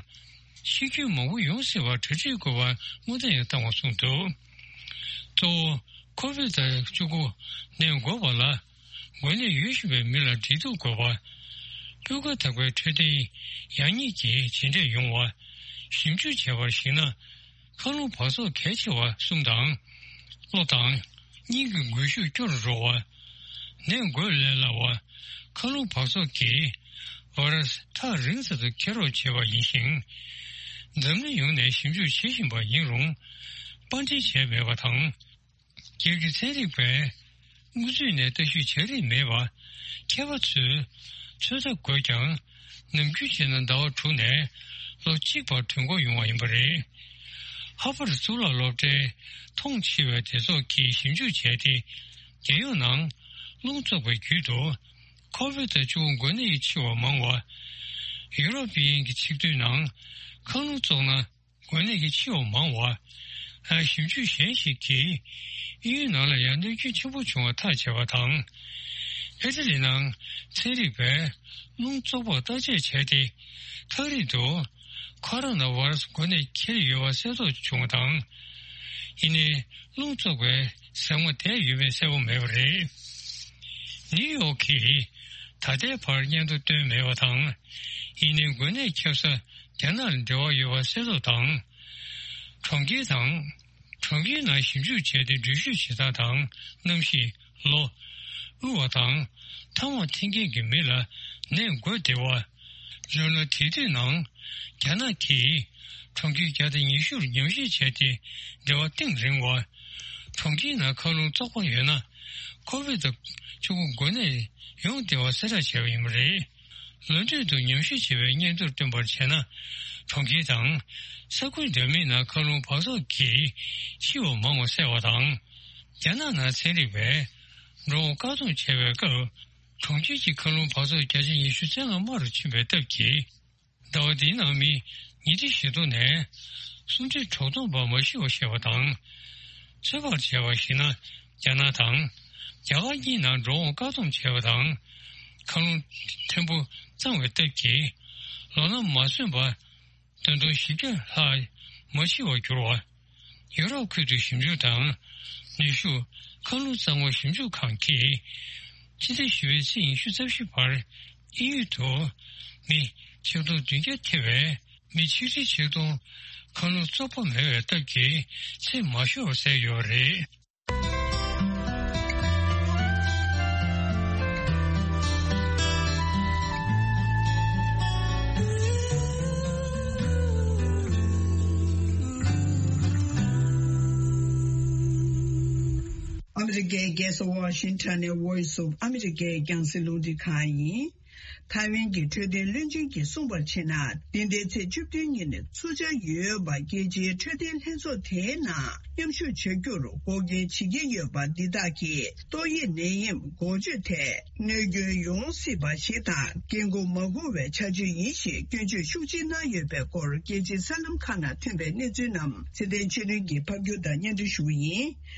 འཆི་སྐྱོན་མང་པོ་ཡོང་སྲིད་པར་གྲ་སྒྲིག་དགོས་པར་སྔོན་བརྡ་ཡང་བཏང་བ་གསུངས་འདུག། གཙོ་བོ་ཁོ་བིད་བཅུ་དགུ་ནད་འགོས་པ་ལ་འགོས་ནད་ཡོད་བཞིན་པའི་མི་ལ་འབྲེལ་གཏུག་དགོས་པ། སྤུས་ཀ་དག་པའི་འཕྲོད་བསྟེན་ཡག་ཉེས་ཀྱི་ཇེ་འདྲེས་ཡོང་བ། ཞིབ་འཇུག་བྱས་པར་གཞིགས་ན། མཁའ་རླུང་འབག་བཙོག་གལ་ཆེ་བ་གསུམ་དང་། གློ་དང་། སྙིང་གི་འགུལ་ཤུགས་སྐྱོ་རུ་འགྲོ་བ། ནད་འགོས་ལས་སླ་བ། མཁའ་རླུང་འབག་བཙོག་གིས་ཝེ་རུ་སི་ཐག་རིང་ས་དུ་འཁྱེར་རོགས་བྱེད་པ་ཡིན་ཞིང་། འཛམ་གླིང་ཡོངས་ནས་ཞིབ་འཇུག་བྱེད་བཞིན་པ་ཡིན་རུང་། པར་འདྲེན་བྱས་མེད་པ་དང་། རྒྱལ་སྤྱིའི་ཚན་རིག་པས་སྔོན་ཚུད་ནས་ལྟ་ཞིབ་བྱ་རིན་མེད་པ། མཁས་པ་ཚོས་ཚོད་ལྟ་དགོས་ཀྱང་། ནམ་རྒྱུན་བྱས་ན་ཟླ་བ་དྲུག་ནས་ལོ་གཅིག་བར་དུས་འགོར་ཡོང་བ་ཡིན་པ་རེད། ཧར་ཝརཌ་གཙུག་ལག་སློབ་གྲྭའི་མཐོང་ཆེ་བའི་སྡེ་ཚོགས་ཀྱིས་ཞིབ་འཇུག་བྱས་ཏེ། རྒྱལ་ཡོངས་ནང་རླུང་བཙོག་པའི་རྒྱུད་དུ་ཁོ་བིད་བཅུ་དགུ་འགོས་ནད་ཀྱིས་འཆི་བ་མང་བ། ཡུ་རོབ་དབྱིན་གྱི་ཆིག་སྡུད་ནང་མཁའ་རླུང་བཙོག་ན། འགོས་ནད་ཀྱིས་འཆི་བ་མང་བ། ཞིབ་འཇུག་གཞན་ཞིག་གིས་དབྱིན་ཡུལ་ནང་ལ་ཡང་གནོད་སྐྱོན་ཆེན་པོ་བྱུང་བ་ཐག་བཅད་པ་དང་། ཨི་ཊ་ལི་ནང་ཚན་རིག་པས་རླུང་བཙོག་པར་བརྟག་དཔྱད་བྱས་ཏེ། ཐག་རིང་དུ་ཁོ་རོ་ན་ཝེ་རུ་སི་འགོས་ནད་འཁྱེར་ཡོད་པ་གསལ་རྟོགས་བྱུང་བ་དང་། ཡིན་ནའི་རླུང་བཙོག་པའི་ཟེགས་མ་བསྡད་ཡོད་མེད་གསལ་པོ་མེད་པ་རེད། ནིའུ་ཡོག་གིས་ད་ལྟའི་བར་སྙན་ཐོ་བཏོན་མེད་པ་དང་། ཡིན་ནའི་འགོས་ནད་ཁྱབ་ས་རྒྱ་ནག་ལ་འབྲེལ་བ་ཡོད་པ་གསལ་རྟོགས་དང་། གྲོང་ཁྱེར་དང་། གྲོང་ཁྱེར་ནང་ཞིབ་འཇུག་བྱས་ཏེ་འགྲུལ་བཞུད་བྱེད་སྟངས་དང་གནམ་གཤིས། ལོ། དབུལ་བ་དང་། ཐ་མག་འཐེན་མཁན་གྱི་མི་ལ་ནད་འགོས་བདེ་བ། ལྗོངས་ལ་དེ་དུས་ནང་རྒྱ་ནག་གིས་གྲོང་ཁྱེར་བརྒྱ་དང་ཉི་ཤུར་ཉམས་ཞིབ་བྱས་ཏེ་འབྲེལ་བ་གཏིང་རིང་བ། གྲོང་ཁྱེར་ནང་མཁའ་རླུང་བཙོག་པ་ཡོད་ན་ཁོ་བིད་བཅུ་དགུ་འགོས་ནད་ཡོང་བདེ་བ་གསལ་བསྒྲགས་བྱས་པ་ཡིན་པ་རེད། ལོ་འཕྲོད་དུ་ཉམས་ཞིབ་བྱས་པའི་སྙན་ཐོར་བཏོན་པར་བྱས་ན། གྲོང་ཁྱེར་དང་ས་ཁུལ་འདྲ་མིན་ནང་མཁའ་རླུང་འབག་བཙོག་གིས་འཆི་བ་མང་བ་གསལ་བ་དང་། རྒྱ་ནག་ནང་ཚན་རིག་པས་འགྲོ་འོང་བཀག་སྡོམ་བྱས་པའི་སྐབས། གྲོང་ཁྱེར་གྱི་མཁའ་རླུང་འབབ་ཚུགས་བརྒྱ་ཆ་ཉི་ཤུ་རྩ་ལྔ་དམའ་རུ་ཕྱིན་པའི་སྟབས་ཀྱིས། ཟླ་བ་འདིའི་ནང་མི་ཉིས་ཁྲི་བཞི་སྟོང་ནས་སུམ་ཁྲི་དྲུག་སྟོང་བར་མ་ཤི་བར་བཞེས་པ་དང་། ཚོད་དཔག་བྱས་པར་གཞིགས་ན། རྒྱ་ནག་དང་རྒྱ་གར་གཉིས་ནང་འགྲོ་འོང་བཀག་སྡོམ་བྱས་པ་དང་། མཁའ་རླུང་ཕྲན་བུ་གཙང་བའི་སྟབས་ཀྱིས། ལོ་ན་མ་སོན་པ་བདུན་སྟོང་བཞི་བརྒྱ་ལྷག་མ་ཤི་བར་གྱུར་བ། ཡུ་རོབ་ཁུལ་དུ་ཞིབ་འཇུག་དང་ནུས་ཤུགས་མཁའ་རླུང་གཙང་མ་ཞིབ་འཇུག་ཁང་གིས། ཕྱི་ཟླ་བཞི་པའི་ཚེས་ཉི་ཤུ་རྩ་བཞི་བར་དབྱིན་ཡུལ་དུ་མི་ཆིག་སྟོང་བདུན་བརྒྱ་ཐེ་བའི་མི་ཆིག་ཁྲི་ཆིག་སྟོང་མཁའ་རླུང་བཙོག་པ་མེད་པའི་སྟབས་ཀྱིས་ཚེ་མ་ཤོར་བ་བསལ་ཡོད་རེད། ཨ་མི་རི་ཀའི་རྒྱལ་ས་ཝ་ཤིང་ཊོན་ནས་Voice of America རྒྱང་སྲིང་རླུང་འཕྲིན་ཁང་ཡིན། ཐའེ་ཝན་གྱི་འཕྲོད་བསྟེན་བློན་ཆེན་གྱིས་གསུངས་པར་བྱས་ན། འདི་ཟླའི་ཚེས་བཅུ་བདུན་ཉིན་ཚུགས་འཆར་ཡོད་པ་རྒྱལ་སྤྱིའི་འཕྲོད་བསྟེན་ལྷན་ཚོགས་དེའི་ནང་མཉམ་ཞུགས་བྱ་རྒྱུར་འགོག་རྐྱེན་བྱེད་ཀྱི་ཡོད་པ་འདི་དག་གིས་ཏོག་དབྱིབས་ནད་ཡམས་འགོག་བཅོས་ཐད་གནོད་སྐྱོན་ཡོང་སྲིད་པ་ཞིག་དང་། འགན་འཁུར་མ་དགོས་པའི་བྱ་སྤྱོད་ཡིན་ཞེས་སྐྱོན་བརྗོད་ཤུགས་ཆེ་གནང་ཡོད་པའི་སྐོར། རྒྱལ་སྤྱིའི་གསར་ལམ་ཁག་ནང་ཐོན་པའི་གནས་ཚུལ་རྣམས་ཚེ་བརྟན་ཆོས་སྒྲོན་གྱིས་ཕབ་སྒྱུར་དང་སྙན་སྒྲོན་ཞུ་བ་ཡིན།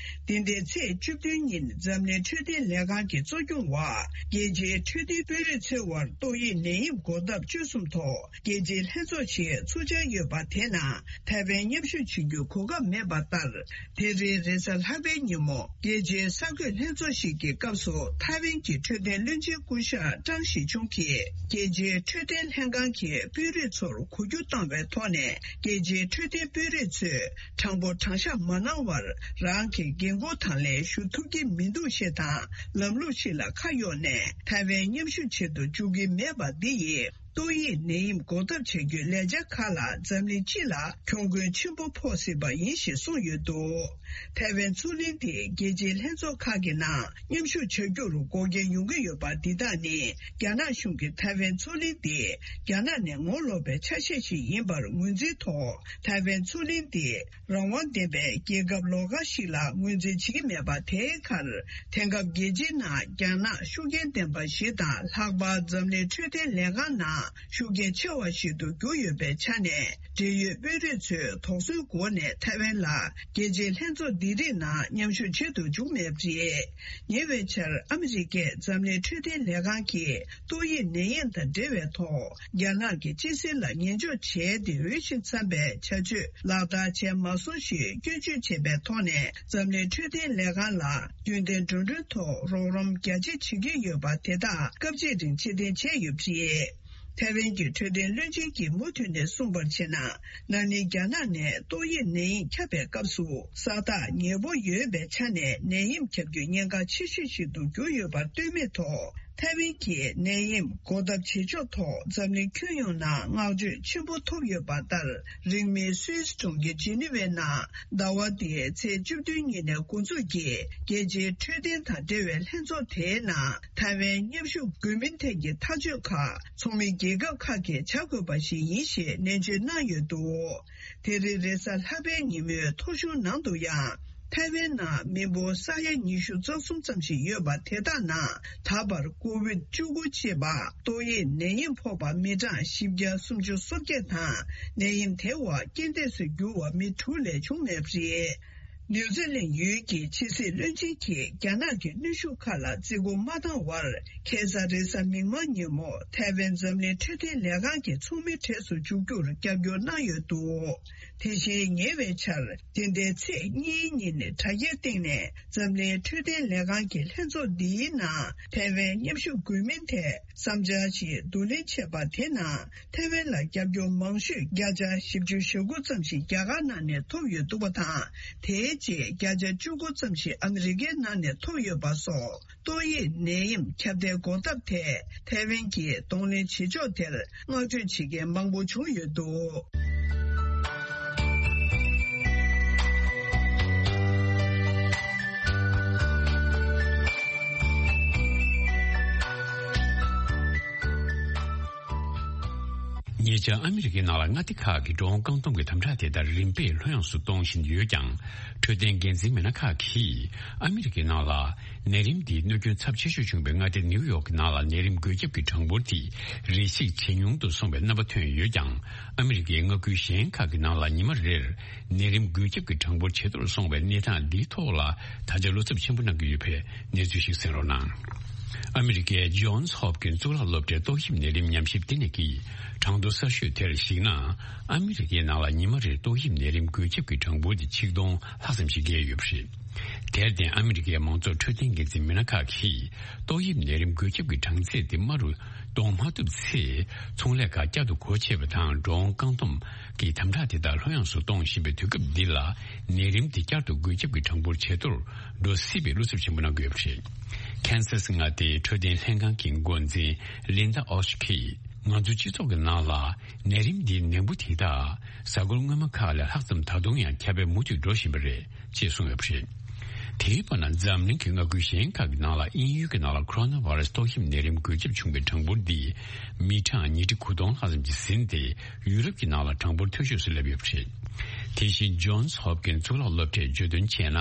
འདི་ཟླའི་ཚེས་བཅུ་བདུན་ཉིན་འཛམ་གླིང་འཕྲོད་བསྟེན་ལས་ཁང་གི་གཙོ་སྐྱོང་འོག་རྒྱལ་སྤྱིའི་འཕྲོད་བསྟེན་དཔོན་རིགས་ཚོའི་དབར་ཏོག་དབྱིབས་ནད་ཡམས་འགོག་ཐབས་བཅོས་གསུམ་ཐོག་རྒྱལ་སྤྱིའི་ལྷན་ཚོགས་ཤིག་ཚུགས་འཆར་ཡོད་པ་དེ་ནང་ཐའེ་ཝན་མཉམ་ཞུགས་བྱེད་རྒྱུའི་གོ་སྐབས་མེད་པ་ལྟར། དེ་རིང་རེས་གཟའ་ལྷག་པའི་ཉིན་མོ་རྒྱལ་སྤྱིའི་གསར་འགོད་ལྷན་ཚོགས་ཤིག་གི་སྐབས་སུ་ཐའེ་ཝན་གྱི་འཕྲོད་བསྟེན་བློན་ཆེན་སྐུ་ཞབས་ཀྲང་ཞི་ཆུང་གིས་རྒྱལ་སྤྱིའི་འཕྲོད་བསྟེན་ལྷན་ཁང་གི་དཔོན་རིགས་ཚོར་གོ་རྒྱུ་བཏང་བའི་ཐོག་ནས། རྒྱལ་སྤྱིའི་འཕྲོད་བསྟེན་དཔོན་རིགས་ཚོས་དྲང་པོ་དྲང་བཞག་མ་གནང་བར། རང་གི་འགན་ཁུར་དང་ལེན་ཞུ་ཐུབ་ཀྱི་མི་འདུག་ཞེས་དང་། ལམ་ལུགས་ཤིག་ལ་ཁ་གཡོགས་ནས་ཐའེ་ཝན་མཉམ་ཞུགས་བྱེད་དུ་འཇུག་གི་མེད་པ་འདི་ཡིས། ཏོག་དབྱིབས་ནད་ཡམས་འགོག་ཐབས་བྱ་རྒྱུའི་ལས་འཆར་ཁག་ལ་འཛམ་གླིང་སྤྱི་ལ་གྱོང་གུན་ཆེན་པོ་ཕོག་སྲིད་པ་ཡིན་ཞེས་གསུངས་ཡོད་འདུག་ཐའེ་ཝན་མཚོ་གླིང་དེ་རྒྱལ་སྤྱིའི་ལྷན་ཚོགས་ཁག་གི་ནང་མཉམ་ཞུགས་བྱ་རྒྱུར་འགོག་རྐྱེན་ཡོང་གི་ཡོད་པ་འདི་དག་ནི། རྒྱ་ནག་གཞུང་གིས་ཐའེ་ཝན་མཚོ་གླིང་འདི་རྒྱ་ནག་ནས་ངོ་ལོག་པའི་ཆ་ཤས་ཤིག་ཡིན་པར་ངོས་འཛིན་ཐོག་ཐའེ་ཝན་མཚོ་གླིང་འདི་རང་དབང་ལྡན་པའི་རྒྱལ་ཁབ་ལོགས་ཀ་ཞིག་ལ་ངོས་འཛིན་བྱེད་ཀྱི་མེད་པ་དེའི་ཁར། དེང་སྐབས་རྒྱལ་སྤྱིའི་ནང་རྒྱ་ནག་ཤུགས་རྐྱེན་ལྡན་པ་ཞིག་དང་། ལྷག་པར་འཛམ་གླིང་འཕྲོད་བསྟེན་ལས་ཁང་ནང་ཤུགས་རྐྱེན་ཆེ་བ་ཞིག་ཏུ་གྱུར་ཡོད་པའི་ཆ་ནས། འབྲེལ་ཡོད་དཔོན་རིགས་ཚོས་དོགས་ཟོན་སྒོ་ནས་ཐའེ་ཝན་ལ་རྒྱལ་སྤྱིའི་ལྷན་ཚོགས་འདི་རིགས་ནང་མཉམ་ཞུགས་བྱེད་དུ་འཇུག་མེད་པ་རེད། ཉེ་བའི་ཆར་ཨ་མི་རི་ཀས་འཛམ་གླིང་འཕྲོད་བསྟེན་ལས་ཁང་གིས་ཏོག་དབྱིབས་ནད་ཡམས་དང་འབྲེལ་བའི་ཐོག་རྒྱ་ནག་གི་སྤྱི་སེལ་ལ་ཉན་འཇོག་བྱས་ཏེ། འོས་ཤིང་འཚམ་པའི་བྱ་སྤྱོད་ལག་བསྟར་བྱས་མ་སོང་ཞེས་སྐྱོན་བརྗོད་བྱས་པའི་ཐོག་ནས། འཛམ་གླིང་འཕྲོད་བསྟེན་ལས་ཁང་ལ་རྒྱུན་ལྡན་འགྲོ་གྲོན་ཐོག་རོགས་རམ་རྒྱ་ཆེ་བྱེད་ཀྱི་ཡོད་པ་དེ་དག་སྐབས་གཅིག་རིང་ཕྱིར་འཐེན་བྱས་ཡོད་པ་རེད། ཐའེ་ཝན་གྱི་འཕྲོད་བསྟེན་བློན་ཆེན་གྱིས་མུ་མཐུད་ནས་གསུངས་པར་བྱས་ན། ན་ནིང་རྒྱ་ནག་ནས་ཏོག་དབྱིབས་ནད་ཡམས་ཁྱབ་པའི་སྐབས་སུ་ས་ཐག་ཉེ་པོ་ཡོད་པའི་ཆ་ནས་ནད་ཡམས་ཁྱབ་རྒྱུ་ཉེན་ཁ་ཆེ་ཤོས་ཤིག་ཏུ་གྱུར་ཡོད་པར་ལྟོས་མེད་ཐོག་ཐའེ་ཝན་གྱིས་ནད་ཡམས་འགོག་ཐབས་བྱེད་ཕྱོགས་ཐོག་འཛམ་གླིང་ཁྱོན་ཡོངས་ནང་བསྔགས་བརྗོད་ཆེན་པོ་ཐོབ་ཡོད་པ་ལྟར། རིང་མིན་སུད་སི་གྲོང་ཁྱེར་ཇི་ནི་ཝའི་ནང་ཟླ་བ་འདིའི་ཚེས་བཅུ་བདུན་ཉིན་ནས་འགོ་འཛུགས་ཀྱིས་རྒྱལ་སྤྱིའི་འཕྲོད་བསྟེན་དང་འབྲེལ་བའི་ལྷན་ཚོགས་དེའི་ནང་ཐའེ་ཝན་མཉམ་ཞུགས་དགོས་མིན་ཐད་ཀྱི་ཐག་གཅོད་ཁག་ཚོགས་མི་རྒྱལ་ཁབ་ཁག་གིས་བྱ་དགོས་པ་ཞིག་ཡིན་ཞེས་ནན་བརྗོད་གནང་ཡོད་འདུག་དེ་རིང་རེས་གཟའ་ལྷག་པའི་ཉིན་མོའི་ཐོ་གཞུང་ནང་དུ་ཡང་། ཐའེ་ཝན་ནང་མི་འབོར་ས་ཡ་ཉི་ཤུ་རྩ་གསུམ་ཙམ་ཞིག་ཡོད་པ་དེ་དག་ནང་ད་བར་ཀོ་ཝིད་བཅུ་དགུ་ཅེས་པ་ཏོག་དབྱིབས་ནད་ཡམས་ཕོག་པ་མི་གྲངས་བཞི་བརྒྱ་སུམ་ཅུ་སོ་བརྒྱད་དང་། ནད་ཡམས་དེ་བ་རྐྱེན་འདས་སུ་གྱུར་བ་མི་དྲུག་ལས་བྱུང་མེད་པ་རེད། ནིའུ་ཛི་ལན་ཡུལ་གྱི་ཕྱི་སྲིད་བློན་ཆེན་གྱིས་རྒྱ་ནག་གི་གནོན་ཤུགས་ཁག་ལ་བརྩི་བཀུར་མ་བཏང་བར། ཁ་སང་རེས་གཟའ་མིག་དམར་ཉིན་མོ་ཐའེ་ཝན་འཛམ་གླིང་འཕྲོད་བསྟེན་ལས་ཁང་གི་ཚོགས་མི་གྲས་སུ་འཇུག་རྒྱུར་རྒྱབ་སྐྱོར་གནང་ཡོད་འདུག་དེ་བཞིན་ཉེ་བའི་ཆར། འདི་ཟླའི་ཚེས་གཉིས་ཉིན་དྲ་རྒྱའི་སྟེང་ནས་འཛམ་གླིང་འཕྲོད་བསྟེན་ལས་ཁང་གི་ལྷན་ཚོགས་འདིའི་ནང་ཐའེ་ཝན་མཉམ་ཞུགས་དགོས་མིན་ཐད་བསམ་འཆར་ཞིག་བསྡུ་ལེན་བྱས་པ་དེ་ནང་། ཐའེ་ཝན་ལ་རྒྱབ་སྐྱོར་མང་ཤོས་བརྒྱ་ཆ་བཞི་བཅུ་ཞེ་དགུ་ཙམ་ཞིག་རྒྱ་གར་ནང་ནས་ཐོབ་ཡོད་འདུག་པ་དང་། དེའི་རྗེས་བརྒྱ་ཆ་བཅུ་དགུ་ཙམ་ཞིག་ཨ་མི་རི་ཀའི་ནང་ནས་ཐོབ་ཡོད་པ་སོགས། ཏོག་དབྱིབས་ནད་ཡམས་ཁྱབ་གདལ་འགོག་ཐབས་ཐད་ཐའེ་ཝན་གྱིས་གདོང་ལེན་བྱེད་ཕྱོགས་དེར་བསྔགས་བརྗོད་བྱེད་མཁན་མང་པོ་བྱུང་ཡོད་འདུག་ཉེ་ཆར་ཨ་མི་རི་ཀའི་ནང་ལ་མངའ་སྡེ་ཁག་གི་འགྲོ་འོང་བཀག་སྡོམ་གྱི་དམ་དྲག་དེ་དག་རིམ་པས་ལྷོད་ཡངས་སུ་གཏོང་བཞིན་ཡོད་ཀྱང་། འཕྲོད་བསྟེན་འགན་འཛིན་མི་སྣ་ཁག་གིས་ཨ་མི་རི་ཀའི་ནང་ལ་ནད་རིམས་འདིའི་གནོད་སྐྱོན་ཚབས་ཆེ་ཤོས་བྱུང་བའི་མངའ་སྡེ་ནིའུ་ཡོག་གི་ནང་ལ་ནད་རིམས་འགོས་ཁྱབ་ཀྱི་གྲངས་འབོར་དེ་རེ་ཞིག་ཇེ་ཉུང་དུ་སོང་བའི་རྣམ་པ་ཐོན་ཡོད་ཀྱང་། ཨ་མི་རི་ཀའི་མངའ་ཁུལ་གཞན་ཁག་གི་ནང་ལ་ཉི་མ་རེར་ནད་རིམས་འགོས་ཁྱབ་ཀྱི་གྲངས་འབོར་ཇེ་མཐོར་སོང་བའི་གནས་སྟངས་འདིའི་ཐོག་ལ་ད་ཆ་བློ་འཚབ་ཆེན་པོ་གནང་གི་ཡོད་པའི་གནས་ཚུལ་ཞིག་གསན་རོགས་གནང་། ཨ་མི་རི་ཀའི་ཇོན་སི་ཧོབ་ཀིན་གཙུག་ལག་སློབ་གྲྭའི་ཏོག་དབྱིབས་ནད་རིམས་ཉམས་ཞིབ་ལྟེ་གནས་ཀྱིས་གྲངས་ཐོ་གསར་ཤོས་དེར་གཞིགས་ན། ཨ་མི་རི་ཀའི་ནང་ལ་ཉི་མ་རེར་ཏོག་དབྱིབས་ནད་རིམས་འགོས་ཁྱབ་ཀྱི་གྲངས་འབོར་དེ་ཆིག་སྟོང་ལྷག་ཙམ་ཞིག་བརྒལ་ཡོད་པ་རེད། དེར་བརྟེན་ཨ་མི་རི་ཀའི་མང་ཚོགས་འཕྲོད་བསྟེན་འགན་འཛིན་མི་སྣ་ཁག་གིས་ཏོག་དབྱིབས་ནད་རིམས་འགོས་ཁྱབ་ཀྱི་གྲངས་ཚད་དེ་དམའ་རུ་གཏོང་མ་ཐུབ་ཚེ། ཚོང་ལས་ཁག་བསྐྱར་དུ་སྒོ་ཕྱེ་བ་དང་འགྲོ་འོང་བཀག་སྡོམ་གྱི་དམ་དྲག་དེ་དག་ལྷོད་ཡངས་སུ་གཏོང་བཞིན་པའི་དུས་སྐབས་འདི་ལ། ནད་རིམས་དེ་བསྐྱར་དུ་འགོས་ཁྱབ་ཀྱི་གྲངས་འབོར་ཇེ་མཐོར་འགྲོ་སྲིད་པའི་བློ་འཚབ་ཆེན་པོ་གནང་གི་ཡོད་པ་རེད། ཁེན་སཱ་སི་མངའ་སྡེའི་འཕྲོད་བསྟེན་ལྷན་ཁང་གི་འགོ་འཛིན་ལིན་ད་ཨོ་ཤི་གིས། ང་ཚོའི་སྤྱི་ཚོགས་ཀྱི་ནང་ལ་ནད་རིམས་འདིའི་ནད་འབུ་དེ་དག་གཟའ་འཁོར་སྔོན་མ་ཁག་ལས་ལྷག་ཙམ་ད་དུང་ཡང་ཁྱབ་སྤེལ་མུ་མཐུད་འགྲོ་བཞིན་པ་རེད་ཅེས་གསུངས་ཡོད་པ་རེད། དེའི་བར་ན་འཛམ་གླིང་གི་མངའ་ཁུལ་གཞན་ཁག་གི་ནང་ལ་དབྱིན་ཡུལ་གྱི་ནང་ལ་ཁོ་རོ་ན་བྷ་ར་སི་ཏོག་དབྱིབས་ནད་རིམས་འགོས་ཁྱབ་བྱུང་བའི་གྲངས་འབོར་འདི་མི་གྲངས་ཉིས་ཁྲི་དགུ་སྟོང་ལྷག་ཙམ་གྱིས་ཟིན་ཏེ། ཡུ་རོབ་ཀྱི་ནང་ལ་གྲངས་འབོར་མཐོ་ཤོས་སུ་སླེབས་ཡོད་པ་རེད། དེ་བཞིན་ཇོན་སི་ཧོབ་ཀིན་གཙུག་ལག་སློབ་གྲྭས་བརྗོད་དོན་བྱས་ན།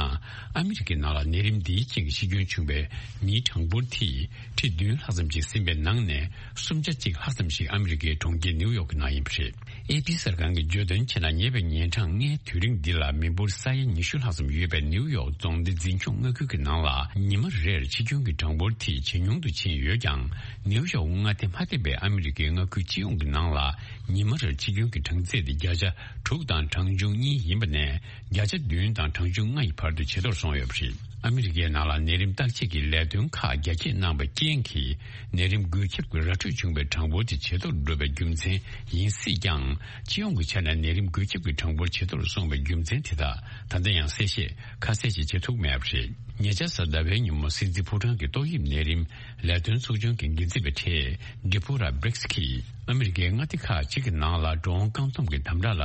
ཨ་མི་རི་ཀའི་ནང་ལ་ནད་རིམས་འདིའི་རྐྱེན་གྱིས་ཤི་སྐྱོན་བྱུང་བའི་མིའི་གྲངས་འབོར་དེ་ཁྲི་བདུན་ལྷག་ཙམ་ཞིག་ཟིན་པའི་ནང་ནས་སུམ་ཆ་གཅིག་ལྷག་ཙམ་ཞིག་ཨ་མི་རི་ཀའི་གྲོང་ཁྱེར་ནིའུ་ཡོག་གི་ནང་ཡིན་པ་རེད། ཨེ་པི་གསར་ཁང་གིས་བརྗོད་དོན་བྱས་ན། ཉེ་བའི་ཉིན་གྲངས་ལྔའི་དུས་རིང་འདི་ལ་མི་འབོར་ས་ཡ་ཉི་ཤུ་ལྷག་ཙམ་ཡོད་པའི་ནིའུ་ཡོག་རྫོང་སྡེ་འཛིན་སྐྱོང་མངའ་ཁུལ་གྱི་ནང་ལ་ཉི་མ་རེར་འཆི་སྐྱོན་གྱི་གྲངས་འབོར་དེ་ཇེ་ཉུང་དུ་ཕྱིན་ཡོད་ཀྱང་། ནིའུ་ཡོག་མངའ་སྡེ་མ་ཐེ་བའི་ཨ་མི་རི་ཀའི་མངའ་ཁུལ་སྤྱི་ཡོངས་ཀྱི་ནང་ལ་ཉི་མ་རེར་འཆི་སྐྱོན་གྱི་གྲངས་ཚད་དེ་བརྒྱ་ཆ་དྲུག་དང་གྲངས་ཆུང་གཉིས་ཡིན་པ་ནས། བརྒྱ་ཆ་བདུན་དང་གྲངས་ཆུང་ལྔ་ཡི་བར་དུ་ཇེ་མཐོར་སོང་ཡོད་པ་རེད། ཨ་མི་རི་ཀའི་ནང་ལ་ནད་རིམས་བརྟག་དཔྱད་ཀྱི་ལས་དོན་ཁག་རྒྱ་སྐྱེད་གནང་བའི་རྐྱེན་གྱིས། ནད་རིམས་འགོས་ཁྱབ་ཀྱི་ར་འཕྲོད་བྱུང་བའི་གྲངས་འབོར་དེ་ཇེ་མཐོར་འགྲོ་བའི་རྒྱུ་མཚན་ཡིན་སྲིད་ཀྱང་། སྤྱི་ཡོངས་ཀྱི་ཆ་ནས་ནད་རིམས་འགོས་ཁྱབ་ཀྱི་གྲངས་འབོར་ཇེ་མཐོར་སོང་བའི་རྒྱུ་མཚན་དེ་དག་ད་ལྟ་ཡང་གསལ་བཤད་ཁ་གསལ་ཞིག་བྱེད་ཐུབ་མེད་པ་རེད། ཉེ་ཆར་གཟའ་ཟླ་བའི་ཉིན་མོ་སྲིད་འཛིན་ཕོ་བྲང་གི་ཏོག་དབྱིབས་ནད་རིམས་ལས་དོན་ཚོགས་ཆུང་གི་འགན་འཛིན་པའི་གྲས་ཌི་པོ་ར་བྷི་རིགས་ཀྱིས། ཨ་མི་རི་ཀའི་མངའ་སྡེ་ཁག་ཅིག་གི་ནང་ལ་འགྲོ་འོང་བཀག་སྡོམ་གྱི་དམ་དྲག་ལ་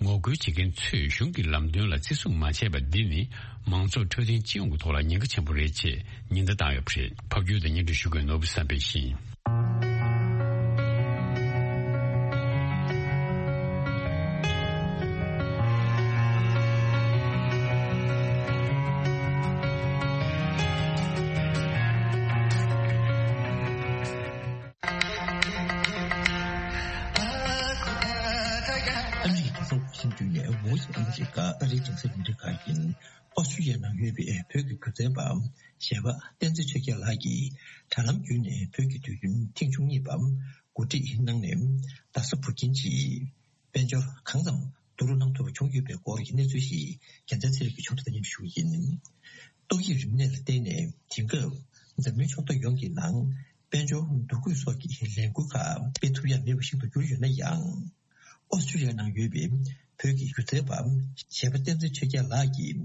ངོ་རྒོལ་བྱེད་མཁན་ཚོས་གཞུང་གི་ལམ་སྟོན་ལ་བརྩི་སྲུང་མ་བྱས་པ་འདི་ནི་མང་ཚོགས་འཕྲོད་བསྟེན་སྤྱི་ཡོངས་ཀྱི་ཐོག་ལ་ཉེན་ཁ་ཆེན་པོ་རེད་ཅེས་ཉེན་བརྡ་བཏང་ཡོད་པ་རེད། ཕབ་སྒྱུར་དང་སྙན་སྒྲོན་ཞུ་མཁན་ནོར་བུ་བསམ་འཕེལ་ཡིན། ཨ་མི་རི་ཀའི་རྒྱལ་ས་ཝ་ཤིང་ཏོན་ནས་Voice of America ཨ་རིའི་རྒྱང་སྲིང་རླུང་འཕྲིན་ཁང་ཡིན། ཨོ་སི་ཀྲི་ཡ་ནང་ཡོད་པའི་བོད་ཀྱི་སྒྱུ་རྩལ་པ་གཞས་པ་བསྟན་འཛིན་ཆོས་རྒྱལ་ལགས་ཀྱིས་དྲ་ལམ་བརྒྱུད་ནས་བོད་ཀྱི་དུས་སྟོན་ཐེངས་བཅུ་གཉིས་པ་གོ་སྒྲིག་གནང་ནས། རྡ་ས་བུ་ཁྱིམ་གྱི་དཔལ་འབྱོར་གང་ཙམ་བསྡུ་རུབ་གནང་ཐུབ་པ་བྱུང་ཡོད་པའི་སྐོར་གྱི་གནས་ཚུལ་ཞིག་རྒྱལ་མཚན་ཚེ་རིང་གིས་ཕྱོགས་སྒྲིག་དང་མཉམ་དུ་ཞུ་གི་ཡིན། ཏོག་དབྱིབས་རིམས་ནད་ལ་བརྟེན་ནས་དེང་སྐབས་འཛམ་གླིང་ཕྱོགས་མཐའ་ཡོངས་ཀྱི་ནང་དཔལ་འབྱོར་འདུ་འགོད་སོགས་ཀྱི་ལས་འགུལ་ཁག་སྤེལ་ཐུབ་ཡ་མེད་པ་ཞིག་ཏུ་གྱུར་ཡོད་ན་ཡང་། ཨོ་སི་ཀྲི་ཡ་ནང་ཡོད་པའི་བོད་ཀྱི་སྒྱུ་རྩལ་པ་གཞས་པ་བསྟན་འཛིན་ཆོས་རྒྱལ་ལགས་ཀྱིས་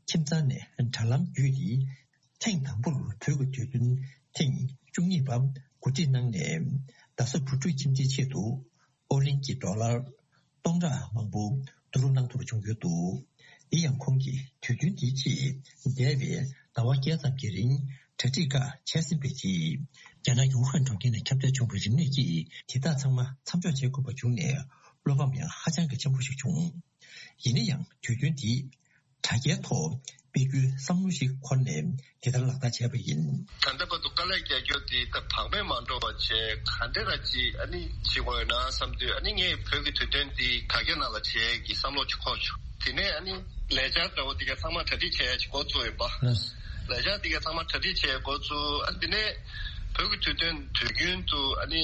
ཁྱིམ་ཚང་ནས་དྲ་ལམ་བརྒྱུད་དེ། ཐེངས་དང་པོར་བོད་ཀྱི་དུས་སྟོན་ཐེངས་བཅུ་གཉིས་པ་གོ་སྒྲིག་གནང་ནས། རྡ་ས་བུ་ཕྲུག་ཁྱིམ་སྡེའི་ཆེད་དུ་ཨོ་གླིང་གི་ཌོ་ལར་སྟོང་ཕྲག་མང་པོ་བསྡུ་རུབ་གནང་ཐུབ་པ་བྱུང་ཡོད་འདུག། དེ་ཡང་ཁོང་གིས་དུས་སྟོན་དེའི་ཆེད་འདས་པའི་ཟླ་བ་བརྒྱད་ཙམ་གྱི་རིང་གྲ་སྒྲིག་ཁག་བྱས་ཟིན་པའི་རྗེས། རྒྱ་ནག་གི་ཝུ་ཧན་གྲོང་ཁྱེར་ནས་ཁྱབ་གདལ་བྱུང་བའི་རིམས་ནད་ཀྱིས་དེ་དག་ཚང་མ་མཚམས་འཇོག་བྱེད་དགོས་པ་བྱུང་ནས། བློ་ཕམ་ཡང་ཧ་ཅང་གི་ཆེན་པོ་ཞིག་བྱུང་། ཡིན་ན་ཡང་དུས་སྟོན་འདི་དྲ་རྒྱའི་ཐོག་སྤེལ་རྒྱུའི་བསམ་བློ་ཞིག་འཁོར་ནས་དེ་ལྟར་ལག་བསྟར་བྱས་པ་ཡིན། ད་ལྟ་བར་དུ་དཀའ་ལས་རྒྱག་རྒྱུ་དེ་ད་བག་མེད་མ་འགྲོ་བ་བྱས་ག་འདྲ་ར་ཅིག་ཨ་ནི་བྱེད་དགོས་ཡོད་ན་བསམ་དུས། ཨ་ནི་ངས་བོད་ཀྱི་དུས་སྟོན་འདི་དྲ་རྒྱ་ནང་ལ་བྱེད་ཀྱི་བསམ་བློ་ཅིག་འཁོར་བྱུང་། དེ་ནས་ཨ་ནི་ལས་འཆར་འདྲ་བོ་དེ་ག་ཚང་མ་གྲ་སྒྲིག་བྱས་ཡ་ཅིག་འགོ་བཙུགས་ཡིན་པ། ལས་འཆར་དེ་ག་ཚང་མ་གྲ་སྒྲིག་བྱས་འགོ་བཙུགས། ཨ་ནི་དེ་ནས་བོད་ཀྱི་དུས་སྟོན་དུས་རྒྱུན་དུ་ཨ་ནི་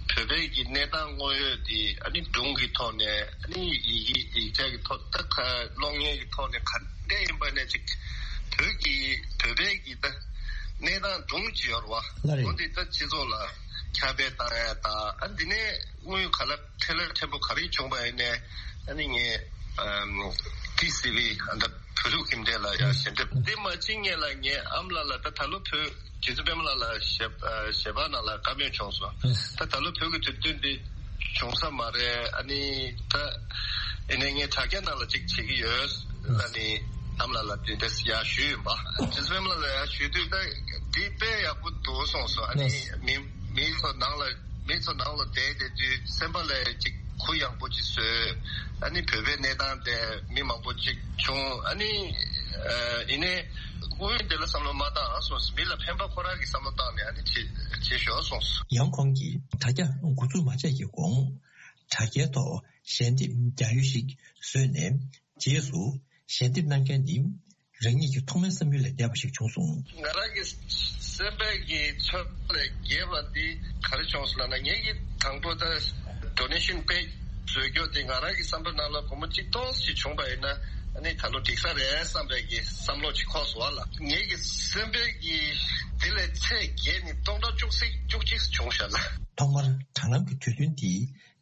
བོད་པའི་གི་གནས་སྟངས་དངོས་ཡོད་དེ་ཨ་ནི་སྒྲུང་གི་ཐོག་ནས། ཨ་ནི་ཡི་གེ་ཡིག་ཆ་གི་ཐོག་ད་ག་གློག་བརྙན་གི་ཐོག་ནས་ག་འདྲ་ཡིན་པ་ནས་ཅིག་བོད་ཀྱི་བོད་པའི་གི་ད་གནས་སྟངས་སྒྲུང་ཅིག་ཡོད་རེད་བ། ལགས་རེད། འོ་འདི་ད་སྤྱི་ཚོགས་ལ་ཁྱབ་སྤེལ་བཏང་ཡ་དང་། ཨ་འདི་ནས་དངོས་ཡོད་ག་ལ་འཕྲིན་ལས་ཕྲན་བུ་ག་རེ་བྱུང་བ་ཡིན་ནའི། ཨ་ནི་ངས་ཨམ་ཏི་སི་ཝི་ཨ་ད་བོད་ཕྲུག་ཁྱིམ་སྡེ་ལ་ཡང་ཞལ་འདེབས། དེ་མ་ཕྱིན་སྔོན་ལ་ངས་ཨ་མ་ལགས་ལ། ད་ད་ལོ་བོད་རྗེ་བཙུན་པད་མ་ལགས་ལ་ཞལ་ཨ་ཞལ་པར་ནང་ལ་བཀའ་མོལ་བྱུང་སོང་། ད་ད་ལོ་བོད་ཀྱི་དུས་སྟོན་འདི་བྱུང་ས་མ་རེད། ཨ་ནི་ད་ཡིན་ནའི་ངས་དྲ་རྒྱ་ནང་ལ་ཅིག་བྱེད་ཀྱི་ཡོད་ལབ་ནི་ཨ་མ་ལགས་ལ་དེ་འདྲ་ཡར་ཞུས་ཡིན་པ། རྗེ་བཙུན་པད་མ་ལགས་ལ་ཡར་ཞུས་དུས་ད་འདི་དཔེ་ཡག་པོ་འདུག་གསུངས་སོང་། ཨ་ནི་མི་མི་ཚོ་ནང་ལ་མི་ཚོ་ནང་ལ་བསྡད་བསྡད་དུས་སེམས་པ་ལ་ཅིག་ གུ་ཡངས་པོ་ཅིག་བཟོས། ཨ་ནི་བོད་པའི་གནས་སྟངས་དེ་མི་མང་པོ་ཅིག་བྱུང་། ཨ་ནི་ཨ་ཡིན་ནའི་སྔོན་དེ་ལ་བསམ་བློ་མ་བཏང་སོང་། མི་ལ་ཕན་པ་ཁོ་རང་གི་བསམ་བློ་བཏང་ནས་ཨ་ནི་བྱེད་བྱེད་ཞོར་སོང་། ཡང་ཁོང་གིས་དྲ་རྒྱ་འགོ་འཛུགས་མ་བྱས་ཀྱི་གོང་། དྲ་རྒྱའི་ཐོག་ཞལ་འདེབས་རྒྱག་ཡུལ་ཞིག་བཟོས་ནས། རྗེས་སུ་ཞལ་འདེབས་གནང་མཁན་ནི་རང་ཉིད་ཀྱི་ཐོག་མའི་བསམ་ཡུལ་ལས་འདས་པ་ཞིག་བྱུང་སོང་། ང་རང་གི་སེམས་པའི་གི་ཚོར་བ་ལས་བརྒལ་བ་འདི་ག་རེ་བྱུང་སོང་ལབ་ན། ངེད་ཀྱིས་དང་པོ་ད་ཌོ་ནེ་ཤན་པེ་ཇི་བཟོས་རྒྱུ་དེ་ང་རང་གི་བསམ་པའི་ནང་ལ་སྒོར་མོ་གཅིག་སྟོང་ཞིག་བྱུང་པ་ཡིན་ན། ཨ་ནི་ད་ལོ་འགྲིག་ས་རེད་བསམ་པའི་གི་བསམ་བློ་ཅིག་འཁོར་སོང་བ་ལ། ངེད་ཀྱི་སེམས་པའི་གི་དེ་ལས་ཚད་བརྒལ་ནས་སྟོང་ཕྲག་བཅུ་གཅིག་བཅུ་གཅིག་བྱུང་ཤག་ལ། ཐོག་མར་དྲ་ལམ་གྱི་དུས་སྟོན་འདི་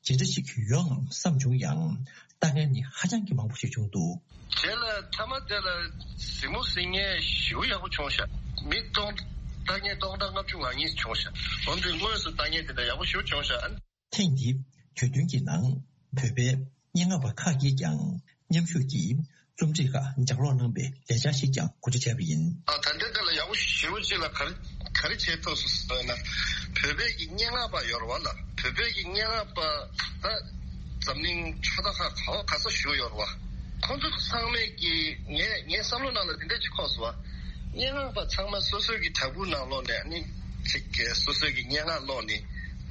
ཇི་འདྲ་ཞིག་ཡོང་ངམ་བསམ་བྱུང་ཡང་། ལྟ་མཁན་ནི་ཧ་ཅང་གི་མང་པོ་ཞིག་བྱུང་འདུག། རྗེས་ལ་མཐའ་མ་དེ་ལ་གཟིགས་མོ་གཟིགས་མཁན་ཞེ་པོ་ཡག་པོ་བྱུང་ཤག། མི་སྟོང་ལྟ་མཁན་སྟོང་ཕྲག་ལྔ་བཅུ་ང་གཉིས་བྱུང་ཤག། འོན་ཏེ་དངོས་སུ་ལྟ་མཁན་དེ་འདྲ་ཡག་པོ་ཞེ་པོ་བྱུང་ཤག། ཨ། ཐེངས་འདིའི་དུས་སྟོན་གྱི་ནང་བོད་པའི་སྙན་ངག་པ་ཁག་གིས་ཀྱང་མཉམ་ཞུགས་ཀྱིས་རྩོམ་སྒྲིག་ཁག་ལྗགས་ཀློག་གནང་བའི་ལས་འཆར་ཞིག་ཀྱང་གོ་སྒྲིག་བྱས་པ་ཡིན། ཨ། ད་ལྟའི་ཆར་ལ་ཡག་པོ་ཞེ་པོ་ཅིག་ལ་ག་རེ་ག་རེ་བྱས་ཐུབ་སོང་ཟེར་ན། བོད་པའི་གི་སྙན་ངག་པ་ཡོད་རེད་བ་ལ། བོད་པའི་གི་སྙན་ངག་པ་ད་འཛམ་གླིང་ཕྱོགས་མཐའ་ཁག་ག་བ་ག་ས་བཞུགས་ཡོད་རེད་བ། ཁོང་ཚོ་ཚང་མས་ཀྱི་ངས་ངའི་བསམ་བློ་ནང་ལ་འདི་འདྲ་ཅིག་འཁོར་སོང་བ། སྙན་ངག་པ་ཚང་མ་སོ་སོའི་གི་བྲག་ཕུག་ནང་ལོགས་ནས་ཨ་ནི་ཅིག་གི་སོ་སོའི་གི་སྙན་ངག་ཀློག་ནས།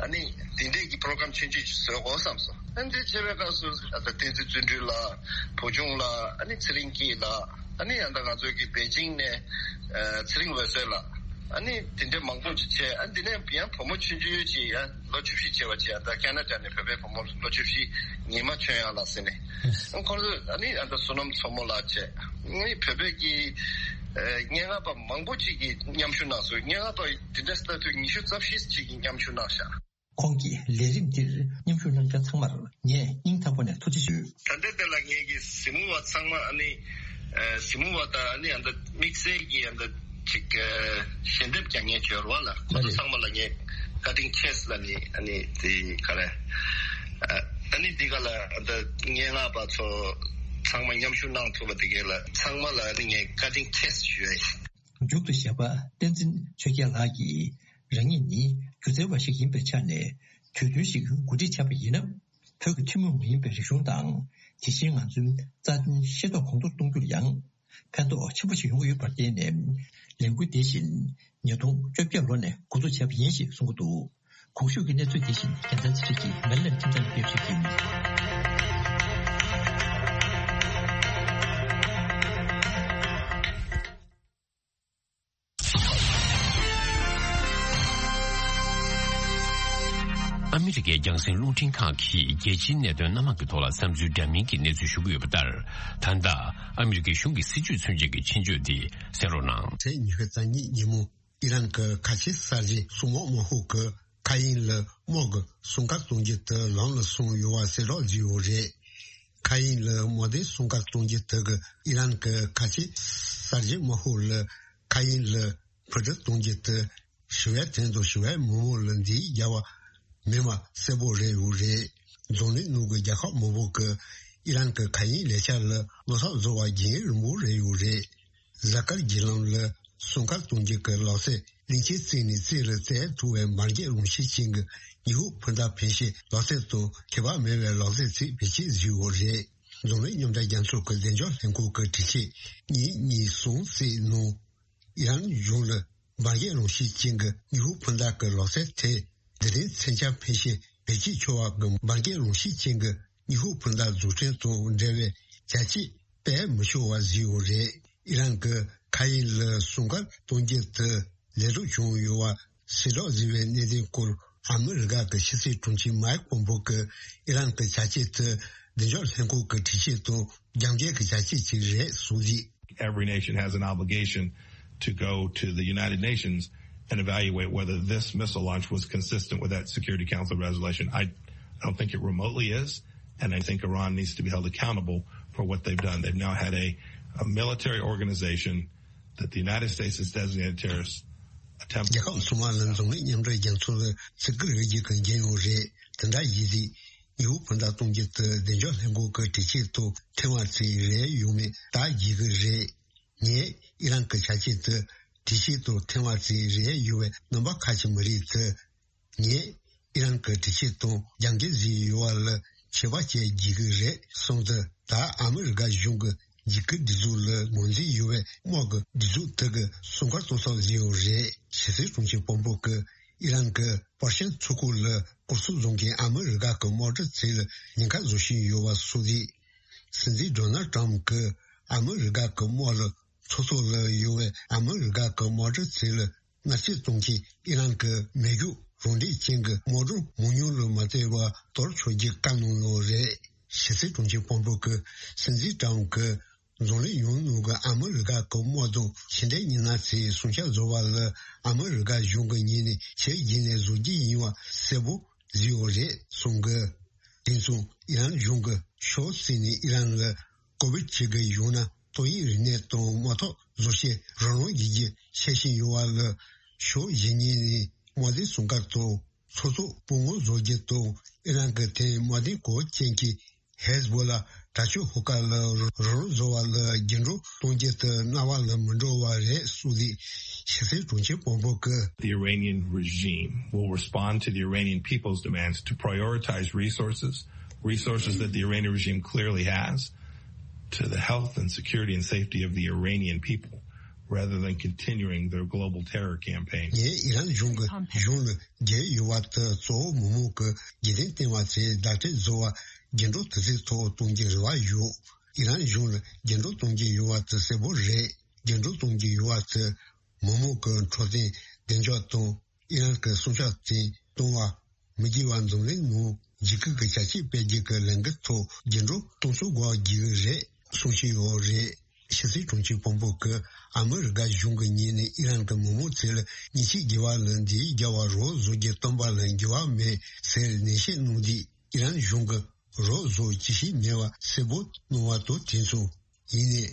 ཨ་ནི་འདི་འདྲའི་གི་པྲོ་གྷ་རམ་ཆུང་ཆུང་ཅིག་བཟོ་དགོས་བསམ་སོང་། ཨ་ནི་འདི་བྱེད་པའི་སྐབས་སུ་ཨ་ད་བསྟན་འཛིན་བརྩོན་འགྲུས་ལགས། བུ་ཆུང་ལགས། ཨ་ནི་ཚེ་རིང་སྐྱིད་ལགས། ཨ་ནི་ཨ་ད་ང་ཚོའི་གི་པེ་ཅིང་ནས་ཨ་ཚེ་རིང་འོད་ཟེར་ལགས། ཨ་ནི་དེ་འདྲའི་མང་པོ་ཅིག་བྱས། ཨ་འདི་ནས་ཡང་བུ་མོ་ཆུང་ཆུང་ཅིག་ཡང་ལོ་བཅུ་བཞི་བྱས་པ་ཅིག་ཡང་ད་ཁ་ན་ཌ་ནས་བོད་པའི་བུ་མོ་ལོ་བཅུ་བཞི། ཉི་མ་ཆོས་དབྱངས་ལགས་ཟེར་ནས། ཨ་ཁོང་ཚོ་ཨ་ནི་ཨ་ད་བསོད་ནམས་མཚོ་མོ་ལགས་བྱས། ཨ་ནི་བོད་པའི་གི་ཨ་སྙན་ངག་པ་མང་པོ་ཅིག་གིས་མཉམ་ཞུགས་གནང་སོང་། སྙན་ངག་པ་དེ་འདྲ་ལྟ་དུས་ཉི་ཤུ་རྩ་བཞི་ཅིག་གིས་མཉམ་ཞུགས་གནང་ཤག། ཁོང་གིས་ལས་རིམ་འདིར་མཉམ་ཞུགས་གནང་མཁན་ཚང་མར་ངས་སྙིང་ཐག་པ་ནས་ཐུགས་རྗེ་ཞུ། ད་ལྟའི་དེ་ལ་ངེད་ཀྱི་གཟིགས་མོ་བ་ཚང་མ་ཨ་ནི་ཨ་གཟིགས་མོ་བ་དང་ཨ་ནི་ཨ་ད་དམིགས་བསལ་གྱི་ཨ་ད་ཅིག་ཨ་ཞལ་འདེབས་རྒྱག་མཁན་ཅིག་ཡོད་རེད་བ་ལ། ཁོང་ཚོ་ཚང་མ་ལ་ངས་ཀ་ཊིང་ཆེས་ལ་ནི་ཨ་ནི་དེ་ག་རེ་ཨ་ནི་འདི་ག་ལ་ཨ་ད་སྙན་ངག་པ་ཚོ་ཚང་མ་མཉམ་ཞུགས་གནང་ཐུབ་པ་དེ་ག་ལ་ཚང་མ་ལ་ཨ་ནི་ངས་ཀ་ཊིང་ཆེས་ཞུ་ཡ་ཡིན། མཇུག་ཏུ་གཞས་པ་བསྟན་འཛིན་ཆོས་རྒྱལ་ལགས་ཀྱིས། རང་ཉིད་ནི་སྒྱུ་རྩལ་བ་ཞིག་ཡིན་པའི་ཆ་ནས། དུས་སྟོན་ཞིག་གོ་སྒྲིག་བྱས་པ་ཡིན་ན། བོད་ཀྱི་ཐུན་མོང་མ་ཡིན་པའི་རིག་གཞུང་དང་། དེ་བཞིན་ང་ཚོའི་རྩ་དོན་ཤེས་རྟོགས་གོང་མཐོར་གཏོང་རྒྱུར་ཡང་ཕན་ཐོགས་ཆེན་པོ་ཞིག་ཡོང་གི་ཡོད་པར་བརྟེན་ནས། ལས་འགུལ་འདི་བཞིན་ཉིས་སྟོང་བཅོ་བརྒྱད་ལོ་ནས་འགོ་འཛུགས་བྱས་པ་ཡིན་ཞེས་གསུངས་ཀྱི་འདུག། གོང་ཞུས་ཀྱི་གནས་ཚུལ་འདི་བཞིན་རྒྱལ་མཚན་ཚེ་རིང་གིས་མེ་ལན་ཁྲིམས་ཚང་ལ་ཕེབས་ཞུས་ཡིན། ཨ་མི་རི་ཀའི་རྒྱང་སྲིང་རླུང་འཕྲིན་ཁང་གིས་རྒྱལ་སྤྱིའི་གནད་དོན་སྣ་མང་གི་ཐོག་ལ་བསམ་ཚུལ་འདྲ་མིན་གྱི་གནས་ཚུལ་ཞུ་གི་ཡོད་པ་ལྟར། ད་ལྟ་ཨ་མི་རི་ཀའི་གཞུང་གི་སྲིད་བྱུས་མཚོན་བྱེད་ཀྱི་ཆེད་བརྗོད་འདི་གསན་རོགས་གནང་། ཚེས་ཉི་ཤུ་རྩ་གཉིས་ཉིན་མོ། ཨི་རན་གྱི་ཁ་ཆེ་གསར་བརྗེ་སྲུང་དམག་དམག་ཤོག་གིས་མཁའ་དབྱིངས་ལ་དམག་གི་སྲུང་སྐར་གཏོང་རྒྱུ་དེ་ལམ་ལ་སོང་ཡོད་པ་གསལ་བསྒྲགས་བྱས་ཡོད་རེད། མཁའ་དབྱིངས་ལ་དམག་སྡེའི་སྲུང་སྐར་གཏོང་རྒྱུ་དེ་གིས་ཨི་རན་གྱི་ཁ་ཆེ་གསར་བརྗེ་དམག་ཤོག་ལ་མཁའ་དབྱིངས་ལ་འཕུར་གྲུ་གཏོང་རྒྱུ་དེ་ཞི་བའི་དོན་དུ་ཞི་བའི་མི་མང་ལ་འདི་རྒྱབ་པ་མིན་པ་གསལ་པོ་རེད་ཡོད་རེད། འཛམ་གླིང་ནང་གི་རྒྱལ་ཁབ་མང་པོ་གིས་ཨི་རན་གྱི་མཁའ་དབྱིངས་ལས་འཆར་ལ་བློ་འཚབ་བཟོ་བ་རྒྱུན་རིང་པོ་རེད་ཡོད་རེད། གཟའ་སྐར་བརྒྱུད་ལམ་ལ་སྲུང་སྐར་གཏོང་རྒྱུ་གི་ལག་རྩལ་གླིང་ཆེན་རྩེ་ནས་རྩེ་ལ་རྩེ་ཐུབ་པའི་འབར་གས་རང་བཞིན་ཅན་གྱི་ཉི་ཧོང་འཕུར་མདའ་འཕེན་བྱེད་ལག་རྩལ་དང་ཁྱད་པར་མེད་པའི་ལག་རྩལ་ཅིག་བེད་སྤྱོད་བྱས་ཡོད་རེད། འཛམ་གླིང་མཉམ་འབྲེལ་རྒྱལ་ཚོགས་ཀྱི་བདེ་འཇགས་ལྷན་ཁང་གི་དྲི་ཆེན་གཉིས་གཉིས་གསུམ་གསེས་ནང་། ཨི་རན་གཞུང་ལ་འབར་གས་རང་བཞིན་ཅན་གྱི་ཉི་ཧོང་འཕུར་མདའ་གི་ལག་རྩལ་དེ། འདི་རིང་མཚོན་ཆ་འཕེན་བྱེད་བེད་སྤྱོད་ཆོག་པ་གི་འབར་གས་རང་བཞིན་ཅན་གྱི་ཉི་ཧོང་འཕུར་མདའ་འཛུགས་སྐྲུན་དང་འབྲེལ་བའི་བྱ་སྤྱོད་སྤེལ་མི་ཆོག་པ་བཟོས་ཡོད་རེད། ཨི་རན་གྱི་མཁའ་དབྱིངས་ལ་སྲུང་སྐར་གཏོང་རྒྱུ་དེ་ལས་སྒྲུབ་བྱུང་ཡོད་པ་གསལ་བསྒྲགས་བཟོས་པའི་གནད་དོན་སྐོར། ཨ་མི་རི་ཀ་གི་ཕྱི་སྲིད་དྲུང་ཆེ་མའེག་པོམ་པོ་གིས་ཨི་རན་གྱི་བྱ་སྤྱོད་དེ་བདེ་འཇགས་ལྷན་ཁང་གི་དྲི་ཆེན་དང་རྒྱབ་འགལ་གྱི་བྱ་སྤྱོད་ཅིག་རེད་གསུངས་ཏེ། Every nation has an obligation to go to the United Nations and evaluate whether this missile launch was consistent with that Security Council resolution. I don't think it remotely is, and I think Iran needs to be held accountable for what they've done. They've now had a, a military organization that the United States has designated terrorist attempt. རྒྱལ་ཁབ་གསུམ་པ་ལ་འཛམ་གླིང་མཉམ་འབྲེལ་རྒྱལ་ཚོགས་ལ་ཚིག་སྐུལ་རེ་རྒྱུ་གི་འགན་ཡོད་རེད། དེ་འདྲ་ཡིན་དུས། ཉི་ཧོང་འཕུར་མདའ་གཏོང་རྒྱུ་དེ་བདེ་འཇགས་ལྷན་ཁང་གི་དྲི་ཆེན་དང་ཐེངས་མ་གཅིག་རེད་ཡོང་མེད་བརྟག་དགོས་ཀྱི་རེད། ངས་ཨི་རན་གྱི་བྱ་སྤྱོད་དེ་དྲི་ཆེན་དང་ཐེངས་མ་གཅིག་རེད་ཡོང་བའི་རྣམ་པ་ཁ་ཕྱེ་མི་རིགས་དེ། ངས་ཨི་རན་གྱི་དྲི་ཆེན་དང་རྒྱབ་འགལ་བཟོས་ཡོད་པ་ལ་ ཁྱད་པར་བཅས་བགྱིད་ཀྱི་རེད་གསུངས་ཏེ། ད་ཨ་མི་རི་ཀ་གཞུང་གི་འཇིགས་སྐུལ་སྒྲིག་འཛུགས་ལ་ངོས་འཛིན་ཡོད་པའི་དམག་གི་སྒྲིག་འཛུགས་དེ་གི་སྲུང་སྐར་གཏོང་ས་བཟོས་ཡོད་རེད། ཕྱི་སྲིད་དྲུང་ཆེ་དཔོན་པོ་གིས་ཨི་རན་གྱི་པར་ཤིན་མཚོ་ཁུག་ལ་སྐོར་སྐྱོད་བཟོ་མཁན་ཨ་མི་རི་ཀ་གི་དམག་གྲུ་ཚོ་ལ་ཉེན་ཁ་བཟོ་བཞིན་ཡོད་པ་སོགས་རེད། སྲིད་འཛིན་ཌོ་ནལ་ཊམ་གྱིས་ཨ་མི་རི་ཀ་གི་དམག་ལ་མཚོ་ཐོག་ལ་ཡོད་པའི་ཨ་མི་རི་ཀ་གི་དམག་གྲུ་ཚོ་ལ་མནར་གཅོད་གཏོང་མཁན་ཨི་རན་གྱི་མེ་སྒྱོགས་རང་འདྲེན་ཅན་གྱི་དམག་སྒྲོན་མང་ཉུང་ལ་མ་ལྟོས་པར་གཏོར་ཆོག་རྒྱུ་བཀའ་གནང་ཡོད་རེད། ཕྱི་སྲིད་དྲུང་ཆེ་དཔོན་པོ་གིས་སྲིད་འཛིན་ཊམ་གྱིས་འཛམ་གླིང་ཡུལ་ནང་གི་ཨ་མི་རི་ཀ་གི་དམག་དང་ཕྱི་འབྲེལ་མི་སྣ་ཚོས་སྲུང་སྐྱོབ་བཟོ་བ་ལ་ཨ་མི་རི་ཀ་གཞུང་གི་ངོས་ནས་ཆེས་རྗེས་ནས་བཟོ་རྒྱུ་ཡིན་པ་གསལ་པོ་བཟོས་ཡོད་རེད་གསུངས་གི། དེ་མཚུངས་ཨི་རན་གཞུང་གིས་ཕྱོགས་གཅིག་ནས་ཨི་རན་ལ་ཀུ་ཝེད་བྱེད་ཀྱི་ཡོད་ན་ཏོག་དབྱིབས་རིམས་ནད་དང་དམག་འཐབ་བཟོ་བྱེད་རང་དབང་བྱེད་རྒྱུ་འཆར་བཞིན་ཡོད་པ་ལ། ཕྱོགས་གཞན་གཉིས་ནས་དམག་དོན་སྲུང་སྐར་དང་མཚོ་ཐོག་སྤོ་སྔོན་བཟོ་རྒྱུ་དང་ཨི་རན་གྱི་ཐད་དམག་དོན་གོ་སྐབས་ཅན་གྱི་ཧེ་ཟ་བྷོ་ལ་དྲག་སྤྱོད་ཤོག་ཁག་ལ་རོགས་རམ་བཟོ་བ་ལ་རྒྱུན་སྒྲོག་གཏོང་རྒྱུ་དེ་སྔར་བ་ལ་མི་འགྲོ་བ་རེད་གསུངས་ཏེ། ཕྱི་སྲིད་དྲུང་ཆེ་དཔོན་པོ་གིས། The Iranian regime will respond to the Iranian people's demands to prioritize resources, resources that the Iranian regime clearly has, to the health and security and safety of the Iranian people, rather than continuing their global terror campaign. ངས་ཨི་རན་གཞུང་གི་གཞུང་ལ་རྒྱལ་ཡོད་པ་དེ་གཙོ་བོ་མི་མང་གི་རྒྱུན་ལྡན་བསྟན་པ་ཚོའི་བརྡ་སྤྲོད་བཟོ་བ་རྒྱུན་སྒྲོག་དུས་ཚོད་ཐོག་གཏོང་རྒྱུའི་རེ་བ་ཡོད། ཨི་རན་གཞུང་ལ་རྒྱུན་སྒྲོག་གཏོང་རྒྱུ་ཡོད་པ་དེ་གསལ་པོ་རེད། རྒྱུན་སྒྲོག་གཏོང་རྒྱུ་ཡོད་པ་དེ་མི་མང་གི་འཕྲོད་བསྟེན་བདེ་འཇགས་དང་ཨི་རན་གྱི་སྲུང་སྐྱོབ་དེ་གཏོང་བ་མི་བགྱིད་པ་འཛམ་གླིང་ནང་འཇིགས་སྐུལ་གྱི་བྱ་སྤྱོད་སྤེལ་རྒྱུ་གི་ལས་འགུལ་ཐོག་རྒྱུན་སྒྲོག་གཏོང་ཚུལ་སྒོ་བརྒྱུད་རེད་གསུང་བཞིན་ཡོད་རེད། ཕྱི་སྲིད་དྲུང་ཆེ་དཔོན་པོ་གིས་ཨ་མི་རི་ཀ་གཞུང་གི་ངོས་ནས་ཨི་རན་གྱི་མི་མང་ཚོ་ལ་ཉེས་ཆད་དགོས་པ་ལ་འདི་རྒྱལ་བ་རོགས་བཟོ་རྒྱུ་བཏོན་པ་ལ་འགྱུར་བ་མེད་ཟེར་ནན་བཤད་གནང་དུས། ཨི་རན་གཞུང་གིས་རོགས་བཟོ་ཅི་ཞིག་མེད་པ་གསལ་པོ་གནང་བ་དང་དེ་མཚུངས། ཡིན་ནའི་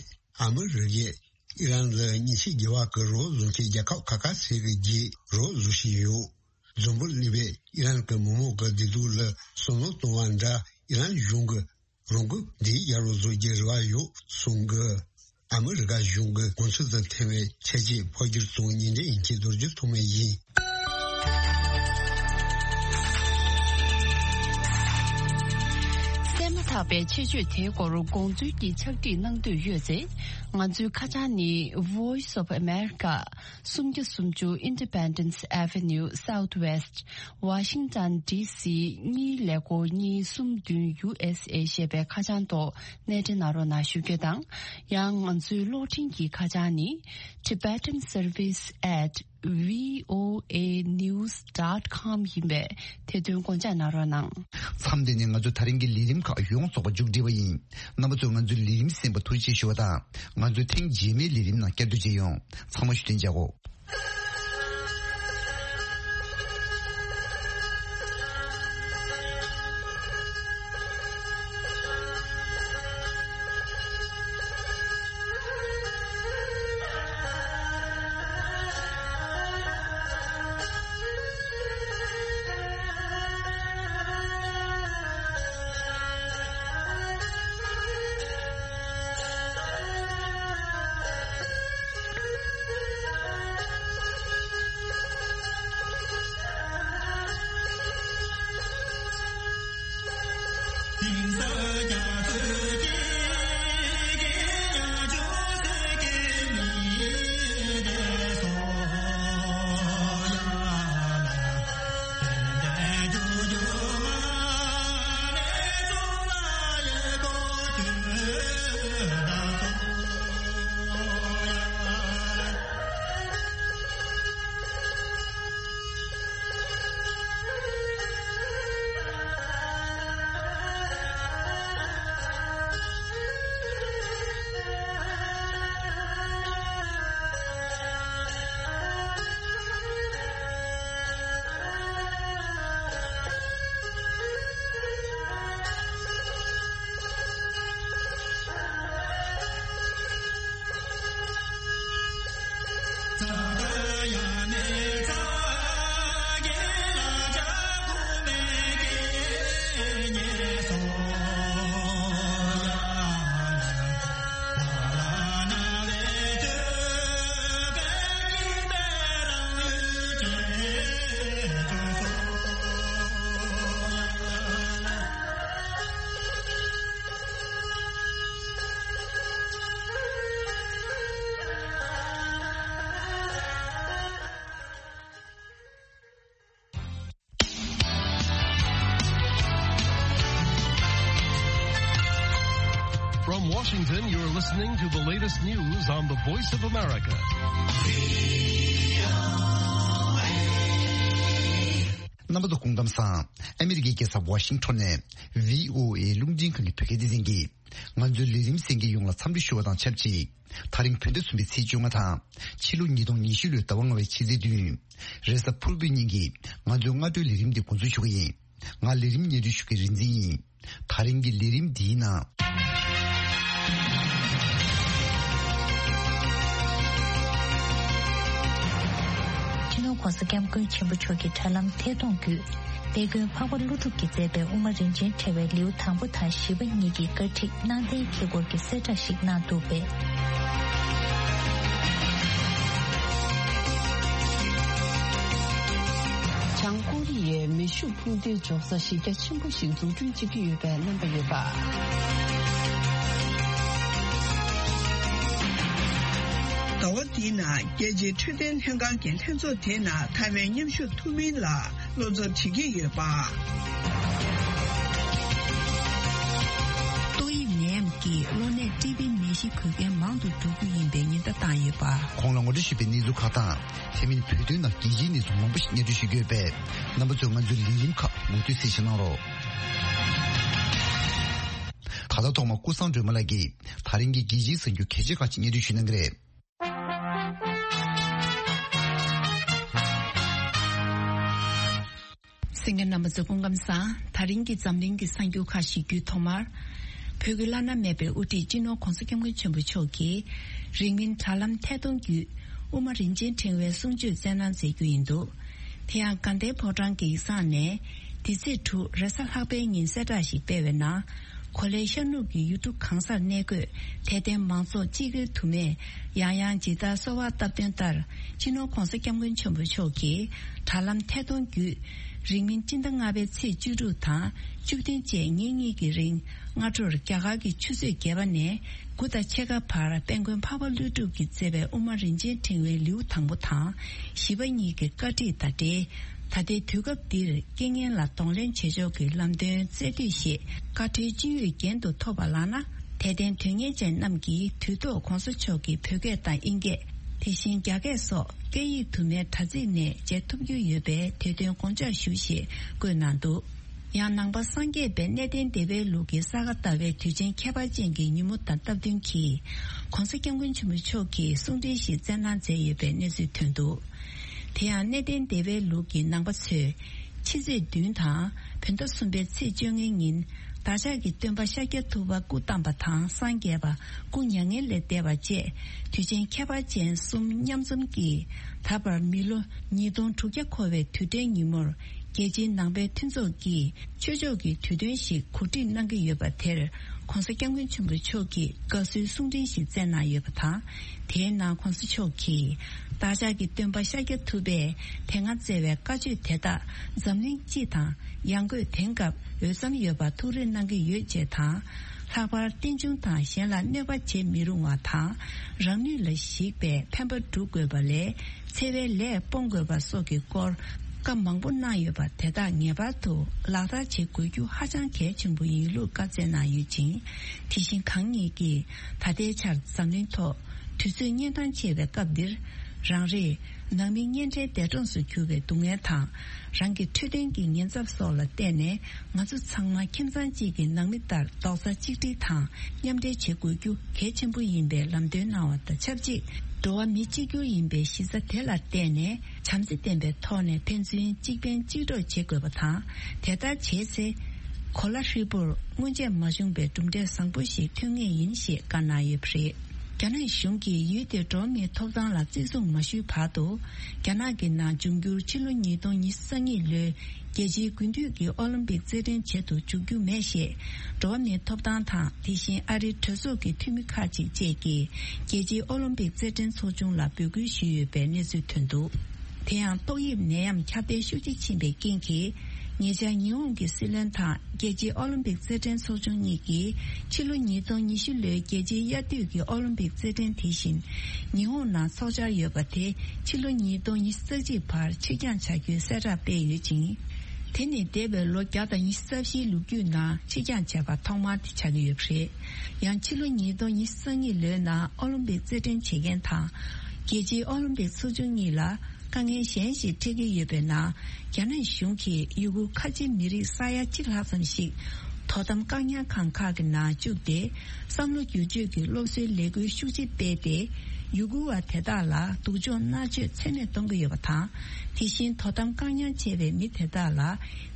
ཨ་མི་རི་ཀས་ཨི་རན་ལ་ཉེས་ཆད་དགོས་པ་གི་རོགས་བཟོ་མཁན་རྒྱལ་ཁབ་ཁ་ཁ་ཤས་ཀྱི་རྗེས་རོགས་བཟོ་བཞིན་ཡོད། འཛམ་བུ་གླིང་པས་ཨི་རན་གྱི་མི་མང་གི་བདེ་སྡུག་ལ་བསམ་བློ་གཏོང་བ་འདྲ་ཨི་རན་གཞུང་གིས་རང་འགུལ་འདི་ཡར་རོ་བཟོ་རྒྱུའི་རེ་བ་ཡོད་གསུང་གི། ཨ་མི་རི་ཀ་གཞུང་གི་དགོངས་ཚུལ་དང་འཐེན་པའི་འཆར་གཞི་ཕབ་སྒྱུར་དང་ཉིན་རེའི་དབྱིན་ཇིའི་རྡོ་རྗེ་ཐོགས་མེད་ཡིན། གསན་མ་ཐག་པའི་ཆེད་བརྗོད་དེའི་སྐོར་དགོངས་ཚུལ་གྱི་ཕྱག་བྲིས་གནང་འདོད་ཡོད་ཚེ། ང་ཚོའི་ཁ་བྱང་ནི་Voice of America། སུམ་བརྒྱ་སུམ་ཅུ་Independence Avenue Southwest, Washington D C གཉིས་ཀླད་ཀོར་གཉིས་གསུམ་བདུན་U S A ཞེས་པའི་ཁ་བྱང་ཐོག་གནས་འབྲེལ་གནང་རོགས་གནང་ཞུ་རྒྱུ་དང་། ཡང་ང་ཚོའི་གློག་འཕྲིན་གྱི་ཁ་བྱང་ནི་Tibetan Service at V O A news dot com ཡིན་པས་དེ་དོན་དགོངས་འཇགས་གནང་རོགས་གནང་། མཚམས་འདི་ནས་ང་ཚོ་ད་རིང་གི་ལས་རིམ་ཁག་ཡོངས་རྫོགས་པ་མཇུག་སྒྲིལ་བ་ཡིན། རྣམ་པ་ཚོས་ང་ཚོའི་ལས་རིམ་གསན་པར་ཐུགས་རྗེ་ཆེ་ཞུ་བ་དང་། ང་ཚོའི་ཐེངས་རྗེས་མའི་ལས་རིམ་ནང་བསྐྱར་དུ་མཇལ་ཡོང་། ཚང་མ་བཞུགས་གདན་འཇགས་གོ། From Washington, you're listening to the latest news on the Voice of America. རྣམ་པ་ཚོ་སྐུ་ཁམས་བཟང་། ཨ་མི་རི་ཀའི་རྒྱལ་ས་ཝ་ཤིང་ཊོན་ནས་བྷི་ཨོ་ཨེ་རླུང་འཕྲིན་ཁང་གི་བོད་སྐད་སྡེ་ཚན་གྱིས་ང་ཚོའི་ལས་རིམ་གསན་མཁན་ཡོངས་ལ་འཚམས་འདྲི་ཞུ་བ་དང་ཆབས་ཅིག་དེ་རིང་བོད་ཟླ་གསུམ་པའི་ཚེས་བཅོ་ལྔ་དང་། ཕྱི་ལོ་ཉིས་སྟོང་ཉི་ཤུ་ལོའི་ཟླ་བ་ལྔ་པའི་ཕྱི་ཚེས་བདུན། རེས་གཟའ་ཕུར་བུའི་ཉིན་གྱི་ང་ཚོའི་སྔ་དྲོའི་ལས་རིམ་འདི་འགོ་འཛུགས་ཞུ་གི་ཡིན། ང་ལས་རིམ་སྙན་སྒྲོན་ཞུ་མཁན་རིག་འཛིན་ཡིན། དེ་རིང་གི་ལས་རིམ་འདིའི་ནང་། སྤྱི་ནོར་༸གོང་ས་༸སྐྱབས་མགོན་ཆེན་པོ་མཆོག་གི་དྲ་ལམ་ཐད་གཏོང་བརྒྱུད། དཔལ་མགོན་འཕགས་པ་ཀླུ་སྒྲུབ་ཀྱིས་མཛད་པའི་དབུ་མ་རིན་ཆེན་ཕྲེང་བའི་ལེའུ་དང་པོ་དང་བཞི་པ་གཉིས་ཀྱི་བཀའ་ཁྲིད་གནང་གཏན་འཁེལ་སྐོར་གྱི་གསལ་བསྒྲགས་ཤིག་གནང་འདུག་པས། བྱང་ཀོ་རི་ཡའི་མེ་ཤུགས་འཕུར་མདེལ་འཇོག་ས་གཞི་རྒྱ་ཆེན་པོ་ཞིག་འཛུགས་སྐྲུན་བྱེད་ཀྱི་ཡོད་པའི་རྣམ་པ་ཡོད་པ། ཟླ་བ་འདིའི་ནང་རྒྱལ་སྤྱིའི་འཕྲོད་བསྟེན་ལྷན་ཁང་གི་ལྷན་ཚོགས་དེའི་ནང་ཐའེ་ཝན་མཉམ་ཞུགས་ཐུབ་མིན་ལ་བློ་འཚབ་བྱེད་ཀྱི་ཡོད་པ། ཏོག་དབྱིབས་ནད་ཡམས་ཀྱིས་གློ་ནད་ཊི་བི་ནད་གཞི་འགོས་མཁན་མང་དུ་འགྲོ་རྒྱུ་ཡིན་པའི་ཉེན་བརྡ་བཏང་ཡོད་པ། གོང་ལ་ངོ་སྤྲོད་ཞུས་པའི་གནས་ཚུལ་ཁག་དང་། དེ་མིན་བོད་དོན་ནང་རྒྱལ་སྤྱིའི་གནས་ཚུལ་མང་པོ་ཞིག་སྙན་སྒྲོན་ཞུ་རྒྱུ་ཡོད་པས། རྣམ་པ་ཚོས་ང་ཚོའི་ལས་རིམ་ཁག་མུ་མཐུད་གསན་བཞེས་གནང་རོགས། ད་ལྟ་ཐོག་མར་ཀུན་བཟང་སྒྲོལ་མ་ལགས་ཀྱིས་ད་རིང་གི་རྒྱལ་སྤྱིའི་གསར་འགྱུར་གལ་ཆེ་ཁག་ཅིག་སྙན་སྒྲོན་ཞུ་གནང་གི་རེད། གསན་མཁན་རྣམ་པ་ཚོ་སྐུ་ཁམས་བཟང་། ད་རིང་གི་འཛམ་གླིང་གི་གསར་འགྱུར་ཁག་ཞིག་བརྒྱུད། ཐོག་མར། བོད་ཀྱི་བླ་ན་མེད་པའི་དབུ་ཁྲིད་སྤྱི་ནོར་༸གོང་ས་༸སྐྱབས་མགོན་ཆེན་པོ་མཆོག་གིས་རིང་མིན་དྲ་ལམ་ཐད་གཏོང་བརྒྱུད་དབུ་མ་རིན་ཆེན་ཕྲེང་བའི་གསུང་ཆོས་སྩལ་གནང་མཛད་རྒྱུ་ཡིན་འདུག་དེ་ཡང་དགའ་ལྡན་ཕོ་བྲང་གི་ཡིག་ཚང་ནས་འདི་ཚེས་དྲུག་རེས་གཟའ་ལྷག་པའི་ཉིན་གསལ་བསྒྲགས་ཤིག་སྤེལ་བའི་ནང་། གོ་ལའི་ཤར་ནུབ་ཀྱི་ཡུལ་གྲུ་གང་སར་གནས་འཁོད་དད་ལྡན་མང་ཚོགས་སྤྱི་སྒེར་དུ་མས་ཡང་ཡང་ཇི་ལྟར་གསོལ་བ་བཏབ་དོན་ལྟར། སྤྱི་ནོར་༸གོང་ས་༸སྐྱབས་མགོན་ཆེན་པོ་མཆོག་གིས་དྲ་ལམ་ཐད་གཏོང་བརྒྱུད། རིང་མིན་སྤྱི་ཟླ་ལྔ་པའི་ཚེས་བཅུ་དྲུག་དང་བཅུ་བདུན་བཅས་ཉིན་གཉིས་ཀྱི་རིང་། སྔ་དྲོར་རྒྱ་གར་གྱི་ཆུ་ཚོད་བརྒྱད་པ་ནས་དགུ་དང་ཕྱེད་ཀ་བར་དཔལ་མགོན་འཕགས་པ་ཀླུ་སྒྲུབ་ཀྱིས་མཛད་པའི་དབུ་མ་རིན་ཆེན་ཕྲེང་བའི་ལེའུ་དང་པོ་དང་བཞི་པ་གཉིས་ཀྱི་བཀའ་ཁྲིད་དང་འབྲེལ། ད་ལྟའི་དུས་སྐབས་འདིར་རྐྱེན་ངན་ལ་གདོང་ལེན་བྱེད་ཕྱོགས་ཀྱི་ལམ་སྟོན་སྩལ་དུས་ཞེས་བཀའ་ཁྲོལ་ཅི་ཡོད་རྒྱན་དུ་ཐོབ་པ་ལགས་ན། དད་ལྡན་དོན་གཉེར་ཅན་རྣམས་ཀྱིས་དུས་ཐོག་༸གོང་ས་མཆོག་གི་བོད་སྐད་དང་དབྱིན་སྐད། དེ་བཞིན་རྒྱ་སྐད་སོགས་སྐད་ཡིག་དུ་མའི་དྲ་ཚིགས་ནས་མཇལ་ཐུབ་རྒྱུ་ཡོད་པས་དེ་དོན་དགོངས་འཇགས་ཞུ་ཞེས་བཀོད་གནང་འདུག་ཡང་ནང་པ་སངས་རྒྱས་པའི་གནས་བརྟན་བདེ་བའི་ལུགས་ཀྱི་ས་ག་ཟླ་བའི་དུས་ཆེན་ཁྱད་པར་ཅན་གྱི་ཉིན་མོ་དང་སྟབས་བསྟུན་གྱིས། ༸གོང་ས་༸སྐྱབས་མགོན་ཆེན་པོ་མཆོག་གིས་གསུང་འཕྲིན་ཞིག་སྩལ་གནང་མཛད་ཡོད་པའི་གནས་ཚུལ་ཐོན་འདུག་དེ་ཡང་གནས་བརྟན་བདེ་བའི་ལུགས་ཀྱི་ནང་པ་ཚོས། ཕྱི་ཚེས་བདུན་དང་། བོད་ཟླ་གསུམ་པའི་ཚེས་བཅོ་ལྔའི་ཉིན། བདག་ཅག་གི་སྟོན་པ་ཤཱཀྱ་ཐུབ་པ་སྐུ་བལྟམས་པ་དང་སངས་རྒྱས་པ། སྐུ་མྱ་ངན་ལས་འདས་པ་བཅས། དུས་ཆེན་ཁྱད་པར་ཅན་གསུམ་མཉམ་འཛོམས་ཀྱིས། ད་བར་མི་ལོ་ཉིས་སྟོང་དྲུག་བརྒྱ་འཁོར་བའི་དུས་དྲན་ཉིན་མོར། རྒྱལ་སྤྱིའི་ནང་པའི་མཐུན་ཚོགས་ཀྱིས་ཆོས་ཕྱོགས་ཀྱི་དུས་སྟོན་ཞིག་གོ་སྒྲིག་གནང་གི་ཡོད་པ་དེར། ༸གོང་ས་༸སྐྱབས་མགོན་ཆེན་པོ་མཆོག་གིས་དགའ་བསུའི་གསུང་འཕྲིན་ཞིག་བསྩལ་གནང་ཡོད་པ་དང་། དེའི་ནང་༸གོང་ས་མཆོག་གིས། བདག་ཅག་གི་སྟོན་པ་ཤཱཀྱ་ཐུབ་པས་དེ་སྔ་བསྩལ་བའི་བཀའ་ཆོས་དེ་དག་འཛམ་གླིང་སྤྱི་དང་ཡང་སྒོས་དེང་སྐབས་འོས་འཚམ་ཡོད་པར་ཐུགས་རེ་གནང་གི་ཡོད་ཅེས་དང་། ལྷག་པར་རྟེན་འབྱུང་དང་གཞན་ལ་གནོད་པ་བྱེད་མི་རུང་བ་དང་། རང་ནུས་ལ་གཞིགས་པའི་ཕན་པ་སྒྲུབ་དགོས་པ་ལས། འཚེ་བའི་ལས་སྤོང་དགོས་པ་སོགས་ཀྱི་སྐོར་བཀའ་མང་པོ་གནང་ཡོད་པ་དེ་དག་ངེས་པར་དུ་ལག་བསྟར་བྱེད་དགོས་རྒྱུ་ཧ་ཅང་གལ་ཆེན་པོ་ཡིན་ལུགས་བཀའ་སྩལ་གནང་ཡོད་ཅིང་། དེ་བཞིན་གང་ཉིད་ཀྱིས་ད་ལྟའི་ཆར་འཛམ་གླིང་ཐོག་དུས་ཚོད་གཉན་འཕྲང་ཆེ་བའི་སྐབས་འདིར། རང་རེས་ནང་མི་གཉེན་འཕྲད་འདས་གྲོངས་སུ་གྱུར་བའི་སྡུག་བསྔལ་དང་། རང་གི་འཕྲོད་བསྟེན་གྱི་ཉེན་ཚབས་སོགས་ལ་བརྟེན་ནས། ང་ཚོ་ཚང་མ་ཁྱིམ་ཚང་གཅིག་གི་ནང་མི་ལྟར་རྡོག་རྩ་གཅིག་སྒྲིལ་དང་མཉམ་འབྲེལ་བྱེད་དགོས་རྒྱུ་གལ་ཆེན་པོ་ཡིན་པའི་ལམ་སྟོན་གནང་བ་དང་ཆབས་ཅིག་འགྲོ་བ་མི་གཅིག་གྱུར་ཡིན་པའི་གཞི་རྩ་དེ་ལ་བརྟེན་ནས། བྱམས་བརྩེ་ལྡན་པའི་ཐོག་ནས་ཕན་ཚུན་གཅིག་ཕན་གཅིག་གྲོགས་བྱེད་དགོས་པ་དང་། དེ་ལྟར་བྱས་ཚེ། གོ་ལ་ཧྲིལ་པོར་སྔོན་ཆད་མ་བྱུང་བའི་གྲུབ་འབྲས་བཟང་པོ་ཞིག་ཐོན་ངེས་ཡིན་ཞེས་བཀའ་གནང་ཡོད་པ་རེད། རྒྱ་ནག་གཞུང་གིས་ཡུལ་དེའི་འགྲོ་བ་མིའི་ཐོབ་ཐང་ལ་བརྩི་སྲུང་མ་ཞུས་བར་དུ། རྒྱ་ནག་གི་ནང་འབྱུང་འགྱུར་ཕྱི་ལོ་ཉིས་སྟོང་ཉི་ཤུ་རྩ་གཉིས་ལོའི་རྒྱལ་སྤྱིའི་དགུན་དུས་ཀྱི་ཨོ་ལིམ་པིག་རྩེད་འགྲན་བྱེད་དུ་འཇུག་རྒྱུ་མེད་ཞེས། འགྲོ་བ་མིའི་ཐོབ་ཐང་དང་། དེ་བཞིན་ཨ་རིའི་གྲོས་ཚོགས་ཀྱི་འཐུས་མི་ཁག་ཅིག་བཅས་ཀྱིས། རྒྱལ་སྤྱིའི་ཨོ་ལིམ་པིག་རྩེད་འགྲན་ཚོགས་ཆུང་ལ་འབོད་སྐུལ་ཞུས་ཡོད་པའི་གནས་ཚུལ་ཐོན་འདུག་དེ་ཡང་ཏོག་དབྱིབས་ནད་ཡམས་ཁྱབ་གདལ་ཤུགས་ཆེ་ཕྱིན་པའི་རྐྱེན་གྱིས། ཉེ་ཆར་ཉི་ཧོང་གི་སྲིད་བློན་དང་རྒྱལ་སྤྱིའི་ཨོ་ལིམ་པིག་རྩེད་འགྲན་ཚོགས་ཆུང་གཉིས་ཀྱིས། ཕྱི་ལོ་ཉིས་སྟོང་ཉི་ཤུ་ལོའི་རྒྱལ་སྤྱིའི་དབྱར་དུས་ཀྱི་ཨོ་ལིམ་པིག་རྩེད་འགྲན་དེ་བཞིན་ཉི་ཧོང་ནང་འཚོགས་འཆར་ཡོད་པ་དེ། ཕྱི་ལོ་ཉིས་སྟོང་ཉི་ཤུ་རྩ་གཅིག་བར་ཕྱིར་འགྱངས་བྱ་རྒྱུའི་གསལ་བསྒྲགས་སྤེལ་ཡོད་ཅིང་། དེ་ནི་འདས་པའི་ལོ་བརྒྱ་དང་ཉི་ཤུ་རྩ་བཞིའི་ལོ་རྒྱུས་ནང་ཕྱིར་འགྱངས་བྱས་པ་ཐོག་མ་དེ་ཆགས་ཀྱི་ཡོད་པ་རེད། ཡང་ཕྱི་ལོ་ཉིས་སྟོང་ཉི་ཤུ་རྩ་གཉིས་ལོའི་ནང་ཨོ་ལིམ་པིག་རྩེད་འགྲན་བྱེད་མཁན་དང་། རྒྱལ་སྤྱིའི་ཨོ་ལིམ་པིག་ཚོགས་ཆུང་གཉིས་ལ་དཀའ་ངལ་གཞན་ཞིག་འཕྲད་ཀྱི་ཡོད་པའི་ནང་། རྒྱ་ནག་གཞུང་གིས་ཡུ་གུར་ཁ་ཆེ་མི་རིགས་ས་ཡ་གཅིག་ལྷག་ཙམ་ཞིག་དོ་དམ་བཀག་ཉར་ཁང་ཁག་གི་ནང་བཅུག་སྟེ། བསམ་བློ་བསྒྱུར་བཅོས་ཀྱི་སློབ་གསོའི་ལས་འགུལ་ཤུགས་ཆེ་སྤེལ་ཏེ། ཡུ་གུར་བ་དེ་དག་ལ་སྡུག་སྦྱོང་མནར་གཅོད་ཚད་མེད་གཏོང་གི་ཡོད་པ་དང་། དེ་བཞིན་དོ་དམ་བཀག་ཉར་བྱས་པའི་མི་དེ་དག་ལ་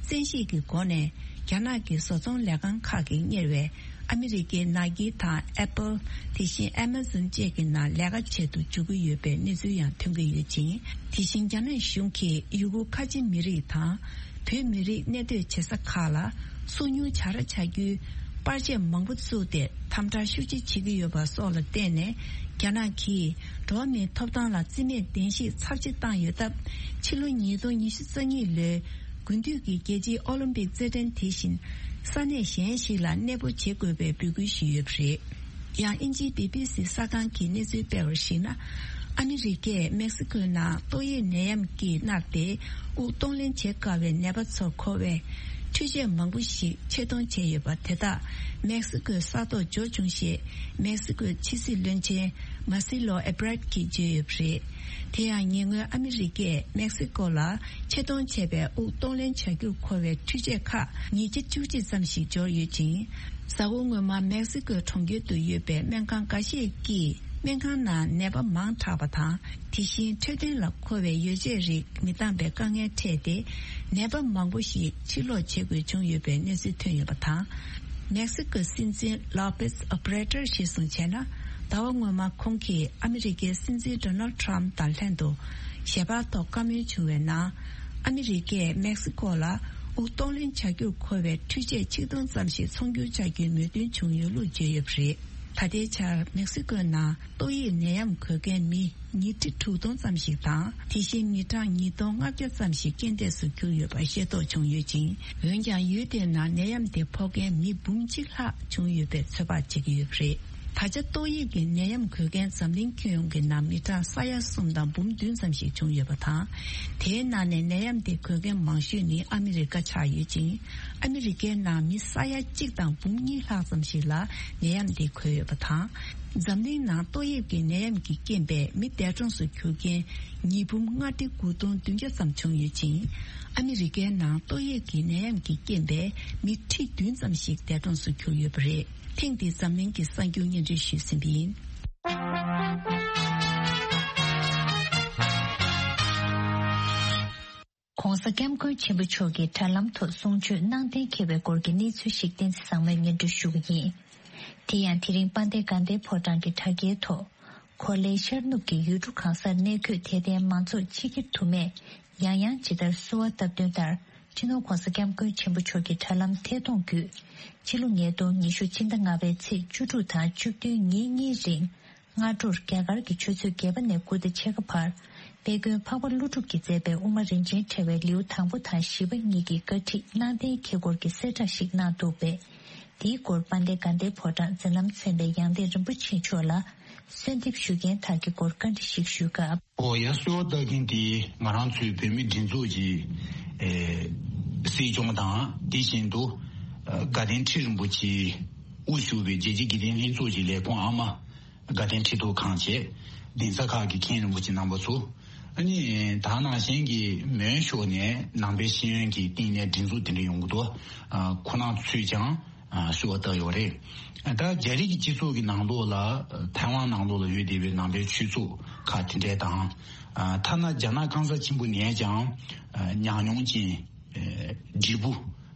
བཙན་ཤེད་ཀྱི་སྒོ་ནས་རྒྱ་ནག་གི་བཟོ་ཚོང་ལས་ཁང་ཁག་གིས་གཉེར་བའི་ཨ་མི་རི་ཀའི་ནཱ་ཀི་དང་ཨེ་པལ། དེ་བཞིན་ཨེ་མ་ཛོན་བཅས་ཀྱི་ནང་ལས་ཀ་བྱེད་དུ་འཇུག་གི་ཡོད་པའི་གནས་ཚུལ་ཡང་ཐོན་གྱི་ཡོད་ཅིང་། དེ་བཞིན་རྒྱ་ནག་གཞུང་གིས་ཡུ་གུར་ཁ་ཆེ་མི་རིགས་དང་། བོད་མི་རིགས་གནས་སྡོད་བྱེད་ས་ཁག་ལ་སོ་ཉུལ་བྱ་ར་བྱ་རྒྱུའི་པར་ཆས་མང་པོ་བཙུགས་ཏེ་དམ་དྲག་ཤུགས་ཆེ་བྱེད་ཀྱི་ཡོད་པ་སོགས་ལ་བརྟེན་ནས། རྒྱ་ནག་གིས་འགྲོ་བ་མིའི་ཐོབ་ཐང་ལ་རྩིས་མེད་བདེན་བཞིའི་ཚབས་ཆེ་བཏང་ཡོད་སྟབས། ཕྱི་ལོ་ཉིས་སྟོང་ཉི་ཤུ་རྩ་གཉིས་ལོའི་དགུན་དུས་ཀྱི་རྒྱལ་སྤྱིའི་ཨོ་ལིམ་པིག་རྩེད་འགྲན་དེ་བཞིན་ས་གནས་གཞན་ཞིག་ལ་གནས་སྤོ་བྱེད་དགོས་པའི་འབོད་སྐུལ་ཞུས་ཡོད་པ་རེད། ཡང་དབྱིན་ཇིའི་བི་བི་སི་གསར་ཁང་གིས་གནས་ཚུལ་སྤེལ་བར་གཞིགས་ན། ཨ་མི་རི་ཀས་མེག་སི་ཀོའི་ནང་ཏོག་དབྱིབས་ནད་ཡམས་ཀྱིས་མནར་ཏེ་དབུགས་གཏོང་ལེན་བྱེད་དཀའ་བའི་ནད་པ་ཚོར་མཁོ་བའི་འཕྲུལ་ཆས་མང་པོ་ཞིག་ཆེད་གཏོང་བྱས་ཡོད་པ་དེ་དག་མེག་སི་ཀོའི་ས་ཐོག་འབྱོར་བྱུང་ཞེས་མེག་སི་ཀོའི་ཕྱི་སྲིད་བློན་ཆེན་མཱ་སི་ལོ་ཨེ་བྷ་རད་ཀྱིས་བརྗོད་ཡོད་པ་རེད། དེ་ཡང་ཉེ་སྔོན་ཨ་མི་རི་ཀས་མེག་སི་ཀོ་ལ་ཆེད་གཏོང་བྱས་པའི་དབུགས་གཏོང་ལེན་བྱ་རྒྱུར་མཁོ་བའི་འཕྲུལ་ཆས་ཁག་ཉིས་བརྒྱ་བཅུ་གཅིག་ཙམ་ཞིག་འབྱོར་ཡོད་ཅིང་། གཟའ་འཁོར་སྔོན་མ་མེག་སི་ཀོའི་གྲོང་ཁྱེར་དུ་ཡོད་པའི་སྨན་ཁང་འགའ་ཤས་ཀྱིས་སྨན་ཁང་ནང་ནད་པ་མང་དྲགས་པ་དང་། དེ་བཞིན་འཕྲོད་བསྟེན་ལ་མཁོ་བའི་ཡོ་བྱད་རིགས་མི་འདང་པའི་དཀའ་ངལ་འཕྲད་དེ། ནད་པ་མང་པོ་ཞིག་ཕྱིར་ལོག་བྱེད་དགོས་བྱུང་ཡོད་པའི་གནས་ཚུལ་ཐོན་ཡོད་པ་དང་། མེག་སི་ཀོའི་སྲིད་འཛིན་ལོ་པེས་ཨོ་བྷ་རེ་ཏར་གཞིར་བཟུང་བྱས་ན། ཟླ་བ་སྔོན་མ་ཁོང་གིས་ཨ་མི་རི་ཀའི་སྲིད་འཛིན་ཌོ་ནལ་ཊམ་དང་ལྷན་དུ་ཞལ་པར་ཐོག་བཀའ་མོལ་བྱུང་བའི་ནང་། ཨ་མི་རི་ཀས་མེག་སི་ཀོ་ལ་དབུགས་གཏོང་ལེན་བྱ་རྒྱུར་མཁོ་བའི་འཕྲུལ་ཆས་ཆིག་སྟོང་ཙམ་ཞིག་ཚོང་སྒྱུར་བྱ་རྒྱུའི་མོས་མཐུན་བྱུང་ཡོད་ལུགས་བརྗོད་ཡོད་པ་རེད། ད་ལྟའི་ཆར་མེག་སི་ཀོའི་ནང་ཏོག་དབྱིབས་ནད་ཡམས་འགོས་མཁན་མི་ཉིས་ཁྲི་དྲུག་སྟོང་ཙམ་ཞིག་དང་། དེ་བཞིན་མི་གྲངས་ཉིས་སྟོང་ལྔ་བརྒྱ་ཙམ་ཞིག་རྐྱེན་འདས་སུ་གྱུར་ཡོད་པ་ཤེས་རྟོགས་བྱུང་ཡོད་ཅིང་། འོན་ཀྱང་ཡུལ་དེའི་ནང་ནད་ཡམས་དེ་ཕོག་མཁན་མི་འབུམ་གཅིག་ལྷག་བྱུང་ཡོད་པའི་ཚོད་དཔག་བྱེད་ཀྱི་ཡོད་པ་རེད། ད་ཆ་ཏོག་དབྱིབས་ཀྱི་ནད་ཡམས་འགོས་མཁན་འཛམ་གླིང་ཁྱོན་ཡོངས་ཀྱི་ནང་མི་གྲངས་ས་ཡ་གསུམ་དང་འབུམ་བདུན་ཙམ་ཞིག་བྱུང་ཡོད་པ་དང་། དེའི་ནང་ནས་ནད་ཡམས་དེ་འགོས་མཁན་མང་ཤོས་ནི་ཨ་མི་རི་ཀ་ཆགས་ཡོད་ཅིང་། ཨ་མི་རི་ཀའི་ནང་མི་ས་ཡ་གཅིག་དང་འབུམ་གཉིས་ལྷག་ཙམ་ཞིག་ལ་ནད་ཡམས་དེ་འགོས་ཡོད་པ་དང་། འཛམ་གླིང་ནང་ཏོག་དབྱིབས་ཀྱི་ནད་ཡམས་ཀྱི་རྐྱེན་པས་མི་འདས་གྲོངས་སུ་གྱུར་མཁན་ཉིས་འབུམ་ལྔ་ཁྲི་དགུ་སྟོང་བདུན་བརྒྱ་ཙམ་བྱུང་ཡོད་ཅིང་། ཨ་མི་རི་ཀའི་ནང་ཏོག་དབྱིབས་ཀྱི་ནད་ཡམས་ཀྱི་རྐྱེན་པས་མི་ཁྲི་བདུན་ཙམ་ཞིག་འདས་གྲོངས་སུ་གྱུར་ཡོད་པ་རེད། ཐེངས་འདིའི་འཛམ་གླིང་གི་གསར་འགྱུར་སྙན་སྒྲོན་ཞུས་ཟིན་པ་ཡིན། ༸གོང་ས་༸སྐྱབས་མགོན་ཆེན་པོ་མཆོག་གིས་དྲ་ལམ་ཐོག་གསུང་ཆོས་གནང་གཏན་འཁེལ་བའི་སྐོར་གྱི་གནས་ཚུལ་ཞིག་བསྟན་འཛིན་བཟང་མོས་སྙན་སྒྲོན་ཞུ་གི་ཡིན། དེ་ཡང་དེ་རིང་དཔལ་ལྡན་དགའ་ལྡན་ཕོ་བྲང་གི་དྲ་རྒྱའི་ཐོག་གོ་ལའི་ཤར་ནུབ་ཀྱི་ཡུལ་གྲུ་གང་སར་གནས་འཁོད་དད་ལྡན་མང་ཚོགས་ཕྱི་འཁྱེར་དུ་མས་ཡང་ཡང་ཇི་ལྟར་གསོལ་བ་བཏབ་དོན་ལྟར། སྤྱི་ནོར་༸གོང་ས་༸སྐྱབས་མགོན་ཆེན་པོ་མཆོག་གི་དྲ་ལམ་ཐད་གཏོང་བརྒྱུད། ཕྱི་ལོ་ཉིས་སྟོང་ཉི་ཤུ་ཕྱི་ཟླ་ལྔ་པའི་ཚེས་བཅུ་དྲུག་དང་བཅུ་བདུན་ཉིན་གཉིས་རིང་། སྔ་དྲོར་རྒྱ་གར་གྱི་ཆུ་ཚོད་བརྒྱད་པ་ནས་དགུ་དང་ཕྱེད་ཀ་བར། དཔལ་མགོན་འཕགས་པ་ཀླུ་སྒྲུབ་ཀྱིས་མཛད་པའི་དབུ་མ་རིན་ཆེན་ཕྲེང་བའི་ལེའུ་དང་པོ་དང་བཞི་པ་གཉིས་ཀྱི་བཀའ་ཁྲིད་གནང་གཏན་འཁེལ་སྐོར་གྱི་གསལ་བསྒྲགས་ཤིག་གནང་འདུག་པས། དེའི་སྐོར་དཔལ་ལྡན་དགའ་ལྡན་ཕོ་བྲང་མཛད་རྣམ་ཚན་པའི་ཡང་སྟེང་རིན་པོ་ཆེ་མཆོག་ལ། གསོལ་འདེབས་ཞུ་མཁན་དག་གི་སྐོར་བཀའ་འདྲི་ཞིག་ཞུས་སྐབས། ཨོ་ཡ། གསོལ་བ་བཏབ་མཁན་དེ་ང་རང་ཚོའི་བོད་མིའི་སྒྲིག་འཛུགས་ཀྱི་ཨེ་སྲིད་སྐྱོང་དང་། དེ་བཞིན་དུ་ཨ་དགའ་ལྡན་ཁྲི་རིན་པོ་ཆེ་དབུ་བཞུགས་པའི་རྒྱལ་སྤྱིའི་དགེ་ལྡན་ལྷན་ཚོགས་ཀྱི་ལས་ཁུངས་ཨ་མ། དགའ་ལྡན་ཁྲི་ཐོག་ཁང་བཅས་གདན་ས་ཁག་གི་མཁན་རིན་པོ་ཆེ་རྣམ་པ་ཚོ། ཨ་ནི་ད་ནང་བཞིན་གྱི་མོན་ཕྱོགས་ནས་ནང་པའི་ཤེས་ཡོན་གྱི་སྟེང་ནས་སྒྲིག་འཛུགས་དེ་འདྲ་ཡོང་གི་འདུག་ཨ་ཁོ་རང་ཚོས་ཀྱང་ཨ་གསོལ་བ་བཏབ་ཡོད་རེད། ད་རྒྱ་རིགས་ཀྱི་སྤྱི་ཚོགས་ཀྱི་ནང་ལོགས་ལ་ཐའེ་ཝན་ནང་ལོགས་ལ་ཡོད་བསྡད་པའི་ནང་པའི་ཆོས་ཚོགས་ཁག་དེ་འདྲས་དང་། ཨ་ཐ་ན་རྒྱ་ནག་སྐམ་ས་ཆེན་པོ་ནས་ཀྱང་ཨ་ཉམས་མྱོང་ཅན་ཨ་བགྲེས་པོ་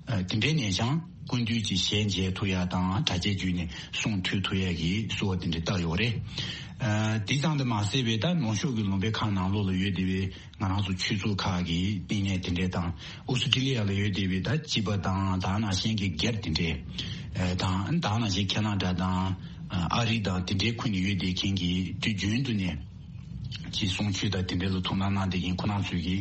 ཨ་དེ་འདྲས་ནས་ཀྱང་སྐུ་མདུན་གྱི་ཞལ་མཇལ་ཐུབ་ཡ་དང་། གྲྭ་ཆས་བརྒྱུད་ནས་གསུང་ཐོས་ཐུབ་ཡ་གི་གསོལ་བ་དེ་འདྲས་བཏབ་ཡོད་རེད། ཨ་དེ་ཙམ་དུ་མ་ཟད་པའི་ད་ནུབ་ཕྱོགས་ཀྱི་ལུང་པའི་ཁག་ནང་ལོགས་ལ་ཡོད་བསྡད་པའི་ང་རང་ཚོ་ཆོས་ཚོགས་ཁག་གི་བསྟི་གནས་དེ་འདྲས་དང་། ཨོ་སི་ཀྲི་ལི་ཡ་ལ་ཡོད་བསྡད་པའི་ད་སྤྱི་པ་དང་། ད་ནང་བཞིན་གྱི་སྒེར་དེ་འདྲས་དང་། ད་ནང་བཞིན་ཁེ་ན་ཌ་དང་ཨ་རི་དང་དེ་འདྲའི་ཁུལ་ནས་ཡོད་བསྡད་མཁན་གྱི་དུས་རྒྱུན་དུ་ནས་ཀྱི་གསུང་ཆོས་དང་དེ་འདྲས་ལ་ཐུགས་སྣང་གནང་བསྡད་མཁན་ཁོ་རང་ཚོས་ཀྱི་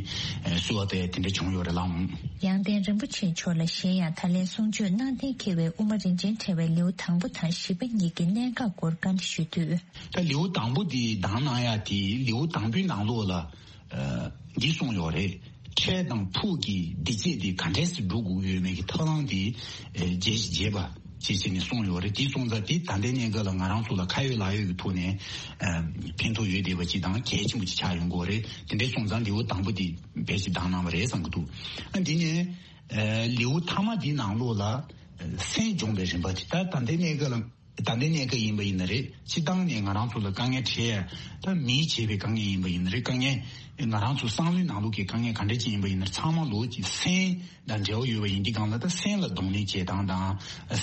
གསོལ་བ་བཏབ་ཡ་དེ་འདྲས་བྱུང་ཡོད་རེད་ལགས། ཡང་སྟེང་རིན་པོ་ཆེ་མཆོག་ལ་གཞན་ཡང་ད་ལན་གསུང་ཆོས་གནང་གཏན་འཁེལ་བའི་དབུ་མ་རིན་ཆེན་ཕྲེང་བའི་ལེའུ་དང་པོ་དང་བཞི་པ་གཉིས་ཀྱི་གནད་འགག་སྐོར་བཀའ་འདྲི་ཞུས་དུས། ད་ལེའུ་དང་པོ་དེ་དང་གནང་ཡ་དེ་ལེའུ་དང་པོའི་ནང་ལོགས་ལ་ཨ་འདི་གསུངས་ཡོད་རེད། འཕྲལ་དང་ཕུགས་ཀྱི་བདེ་སྐྱིད་དེ་ག་འདྲས་སེ་སྒྲུབ་དགོས་ཡོད་མེད་ཀྱི་ཐབས་ལམ་དེ་ཨེ་རྒྱས་ཤིང་རྒྱས་པ་ཅེས་བྱས་ནས་གསུངས་ཡོད་རེད། དེ་སོང་ཙང་དེ་ད་ལྟའི་གནས་སྐབས་ལ་ང་རང་ཚོ་ལ་ཁ་ཡོད་ལག་ཡོད་ཀྱི་ཐོག་ནས་ཨ་ཕན་ཐོགས་ཡོད་བསྡད་པ་ཅིག་དང་གལ་ཆེན་པོ་ཅིག་ཆགས་ཡོང་གི་ཡོད་རེད། དེ་འདྲས་སོང་ཙང་ལེའུ་དང་པོ་དེ་དཔེ་ཞིག་བདམས་གནང་བ་རེད་བསམ་གྱི་འདུག་ཨ་འདི་ནས་ཨ་ལེའུ་མཐའ་མ་འདིའི་ནང་ལོགས་ལ་ཨ་སེམས་སྦྱོང་བའི་རིམ་པ་དེ་ད་ད་ལྟའི་གནས་སྐབས་ལ། ད་ལྟའི་གནས་སྐབས་ཡིན་པ་ཡིན་ན་རེད། སྤྱིར་བཏང་ནས་ང་རང་ཚོ་ལ་དཀའ་ངལ་འཕྲད་ཡ་ད་མིས་བྱས་པའི་དཀའ་ངལ་ཡིན་པ་ཡིན་ན་རེད། དཀའ་ངལ་ང་རང་ཚོ་བསམ་བློའི་ནང་ལོགས་ཀྱི་དཀའ་ངལ་ག་འདྲ་ཅིག་ཡིན་པ་ཡིན་ན་རེད། ཚང་མ་ལོགས་ཀྱི་སེམས་དང་འབྲེལ་བ་ཡོད་པ་ཡིན་དུས་སྒང་ལ་ད་སེམས་ལ་གདོང་ལེན་བྱེད་སྟངས་དང་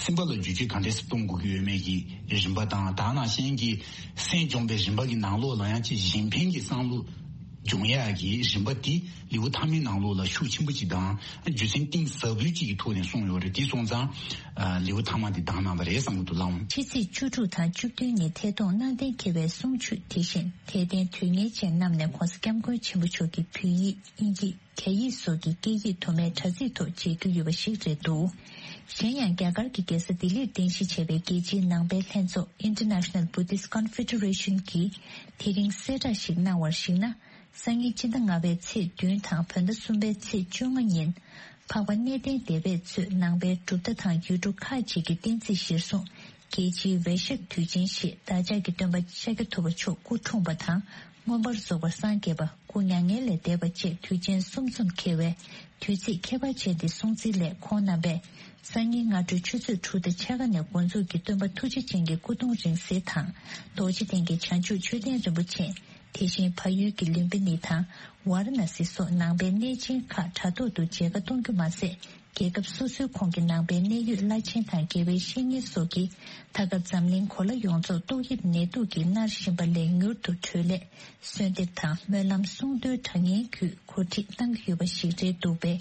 སེམས་པ་ལ་བསྒྱུར་བཅོས་ག་འདྲ་སེ་གཏོང་དགོས་ཀྱི་ཡོད་མེད་ཀྱི་རིམ་པ་དང་ད་ནང་བཞིན་གྱི་སེམས་སྦྱོང་བའི་རིམ་པ་གི་ནང་ལོགས་ལ་ཡང་ཅིག་གཞན་ཕན་གྱི་བསམ་བློ་སྦྱོང་ཡག་གི་རིམ་པ་དེ་ལེའུ་མཐའ་མའི་ནང་ལོགས་ལ་ཤུགས་ཆེན་པོ་ཅིག་དང་རྒྱུ་མཚན་གཏིང་ཟབ་པོ་ཅིག་གི་ཐོག་ནས་གསུངས་ཡོད་རེད། དེ་སོང་ཙང་ཨ་ལེའུ་མཐའ་མ་འདི་བདམས་གནང་བ་རེད་བསམ་གྱི་འདུག་ལགས། ཕྱི་ཚེས་བཅུ་དྲུག་དང་བཅུ་བདུན་ཉིན་ཐད་གཏོང་གནང་གཏན་འཁེལ་བའི་གསུང་ཆོས་དེ་བཞིན་དད་ལྡན་དོན་གཉེར་ཅན་རྣམས་ནས་༧གོང་ས་༧སྐྱབས་མགོན་ཆེན་པོ་མཆོག་གི་བོད་ཡིག་དབྱིན་ཇི་རྒྱ་ཡིག་སོགས་ཀྱི་སྐད་ཡིག་དུ་མའི་དྲ་ཚིགས་ཐོག་མཇལ་རྒྱུ་ཡོད་པ་ཞིག་རེད་འདུག་གཞན་ཡང་རྒྱ་གར་གྱི་རྒྱལ་ས་ལྡི་ལིར་རྟེན་གཞི་བྱས་པའི་རྒྱལ་སྤྱིའི་ནང་པའི་ལྷན་ཚོགས་International Buddhist Confederation གྱིས་དེ་རིང་གསལ་བསྒྲགས་ཤིག་གནང་བར་གཞིགས་ན། སང་ཉིན་སྤྱི་ཟླ་ལྔ་པའི་ཚེས་བདུན་དང་བོད་ཟླ་གསུམ་པའི་ཚེས་བཅོ་ལྔ་ཉིན། འཕགས་པ་གནས་བརྟན་སྡེ་པས་གཙོས་ནང་པའི་གྲུབ་མཐའ་དང་ཡུལ་གྲུ་ཁག་ཅིག་གི་བསྟན་རྩིས་གཞིར་བཟུང་རྒྱལ་སྤྱིའི་ཝེ་ཤག་དུས་ཆེན་ཞེས་བདག་ཅག་གི་སྟོན་པ་ཤཱཀྱ་ཐུབ་པ་མཆོག་སྐུ་འཁྲུངས་པ་དང་མངོན་པར་རྫོགས་པར་སངས་རྒྱས་པ། སྐུ་མྱ་ངན་ལས་འདས་པ་བཅས་དུས་ཆེན་གསུམ་འཛོམས་འཁེལ་བའི་དུས་ཚིགས་ཁྱད་པར་ཅན་འདི་སྲུང་བརྩི་སླད་ཁོང་རྣམ་པས་སང་ཉིན་སྔ་དྲོའི་ཆུ་ཚོད་དྲུག་དང་ཕྱེད་ཀ་ནས་འགོ་འཛུགས་ཀྱིས་སྟོན་པ་ཐུགས་རྗེ་ཅན་གྱི་སྐུ་གདུང་རིང་བསྲེལ་དང་རྡོ་རྗེ་གདན་གྱི་བྱང་ཆུབ་མཆོད་རྟེན་རིན་པོ་ཆེ། དེ་བཞིན་བལ་ཡུལ་གྱི་ལུམ་བི་ནི་དང་ཝཱ་ར་ཎ་སི་སོགས་ནང་པའི་གནས་ཆེན་ཁག་དྲ་ཐོག་ཏུ་མཇལ་ཁ་གཏོང་རྒྱུ་མ་ཟད། རྒྱལ་ཁབ་སོ་སོའི་ཁོངས་ཀྱི་ནང་པའི་གནད་ཡོད་བླ་ཆེན་དང་དགེ་བའི་བཤེས་གཉེན་སོགས་ཀྱིས་ད་སྐབས་འཛམ་གླིང་གོ་ལ་ཡོངས་རྫོགས་ཏོག་དབྱིབས་ནད་དུག་གིས་མནར་བཞིན་པ་ལས་མྱུར་དུ་གྲོལ་སླད་གསོལ་འདེབས་དང་སྨོན་ལམ་གསུང་འདོན་གྲངས་ངན་བརྒྱུད་གོ་སྒྲིག་གནང་གི་ཡོད་པ་ཞིག་རེད་འདུག་པས།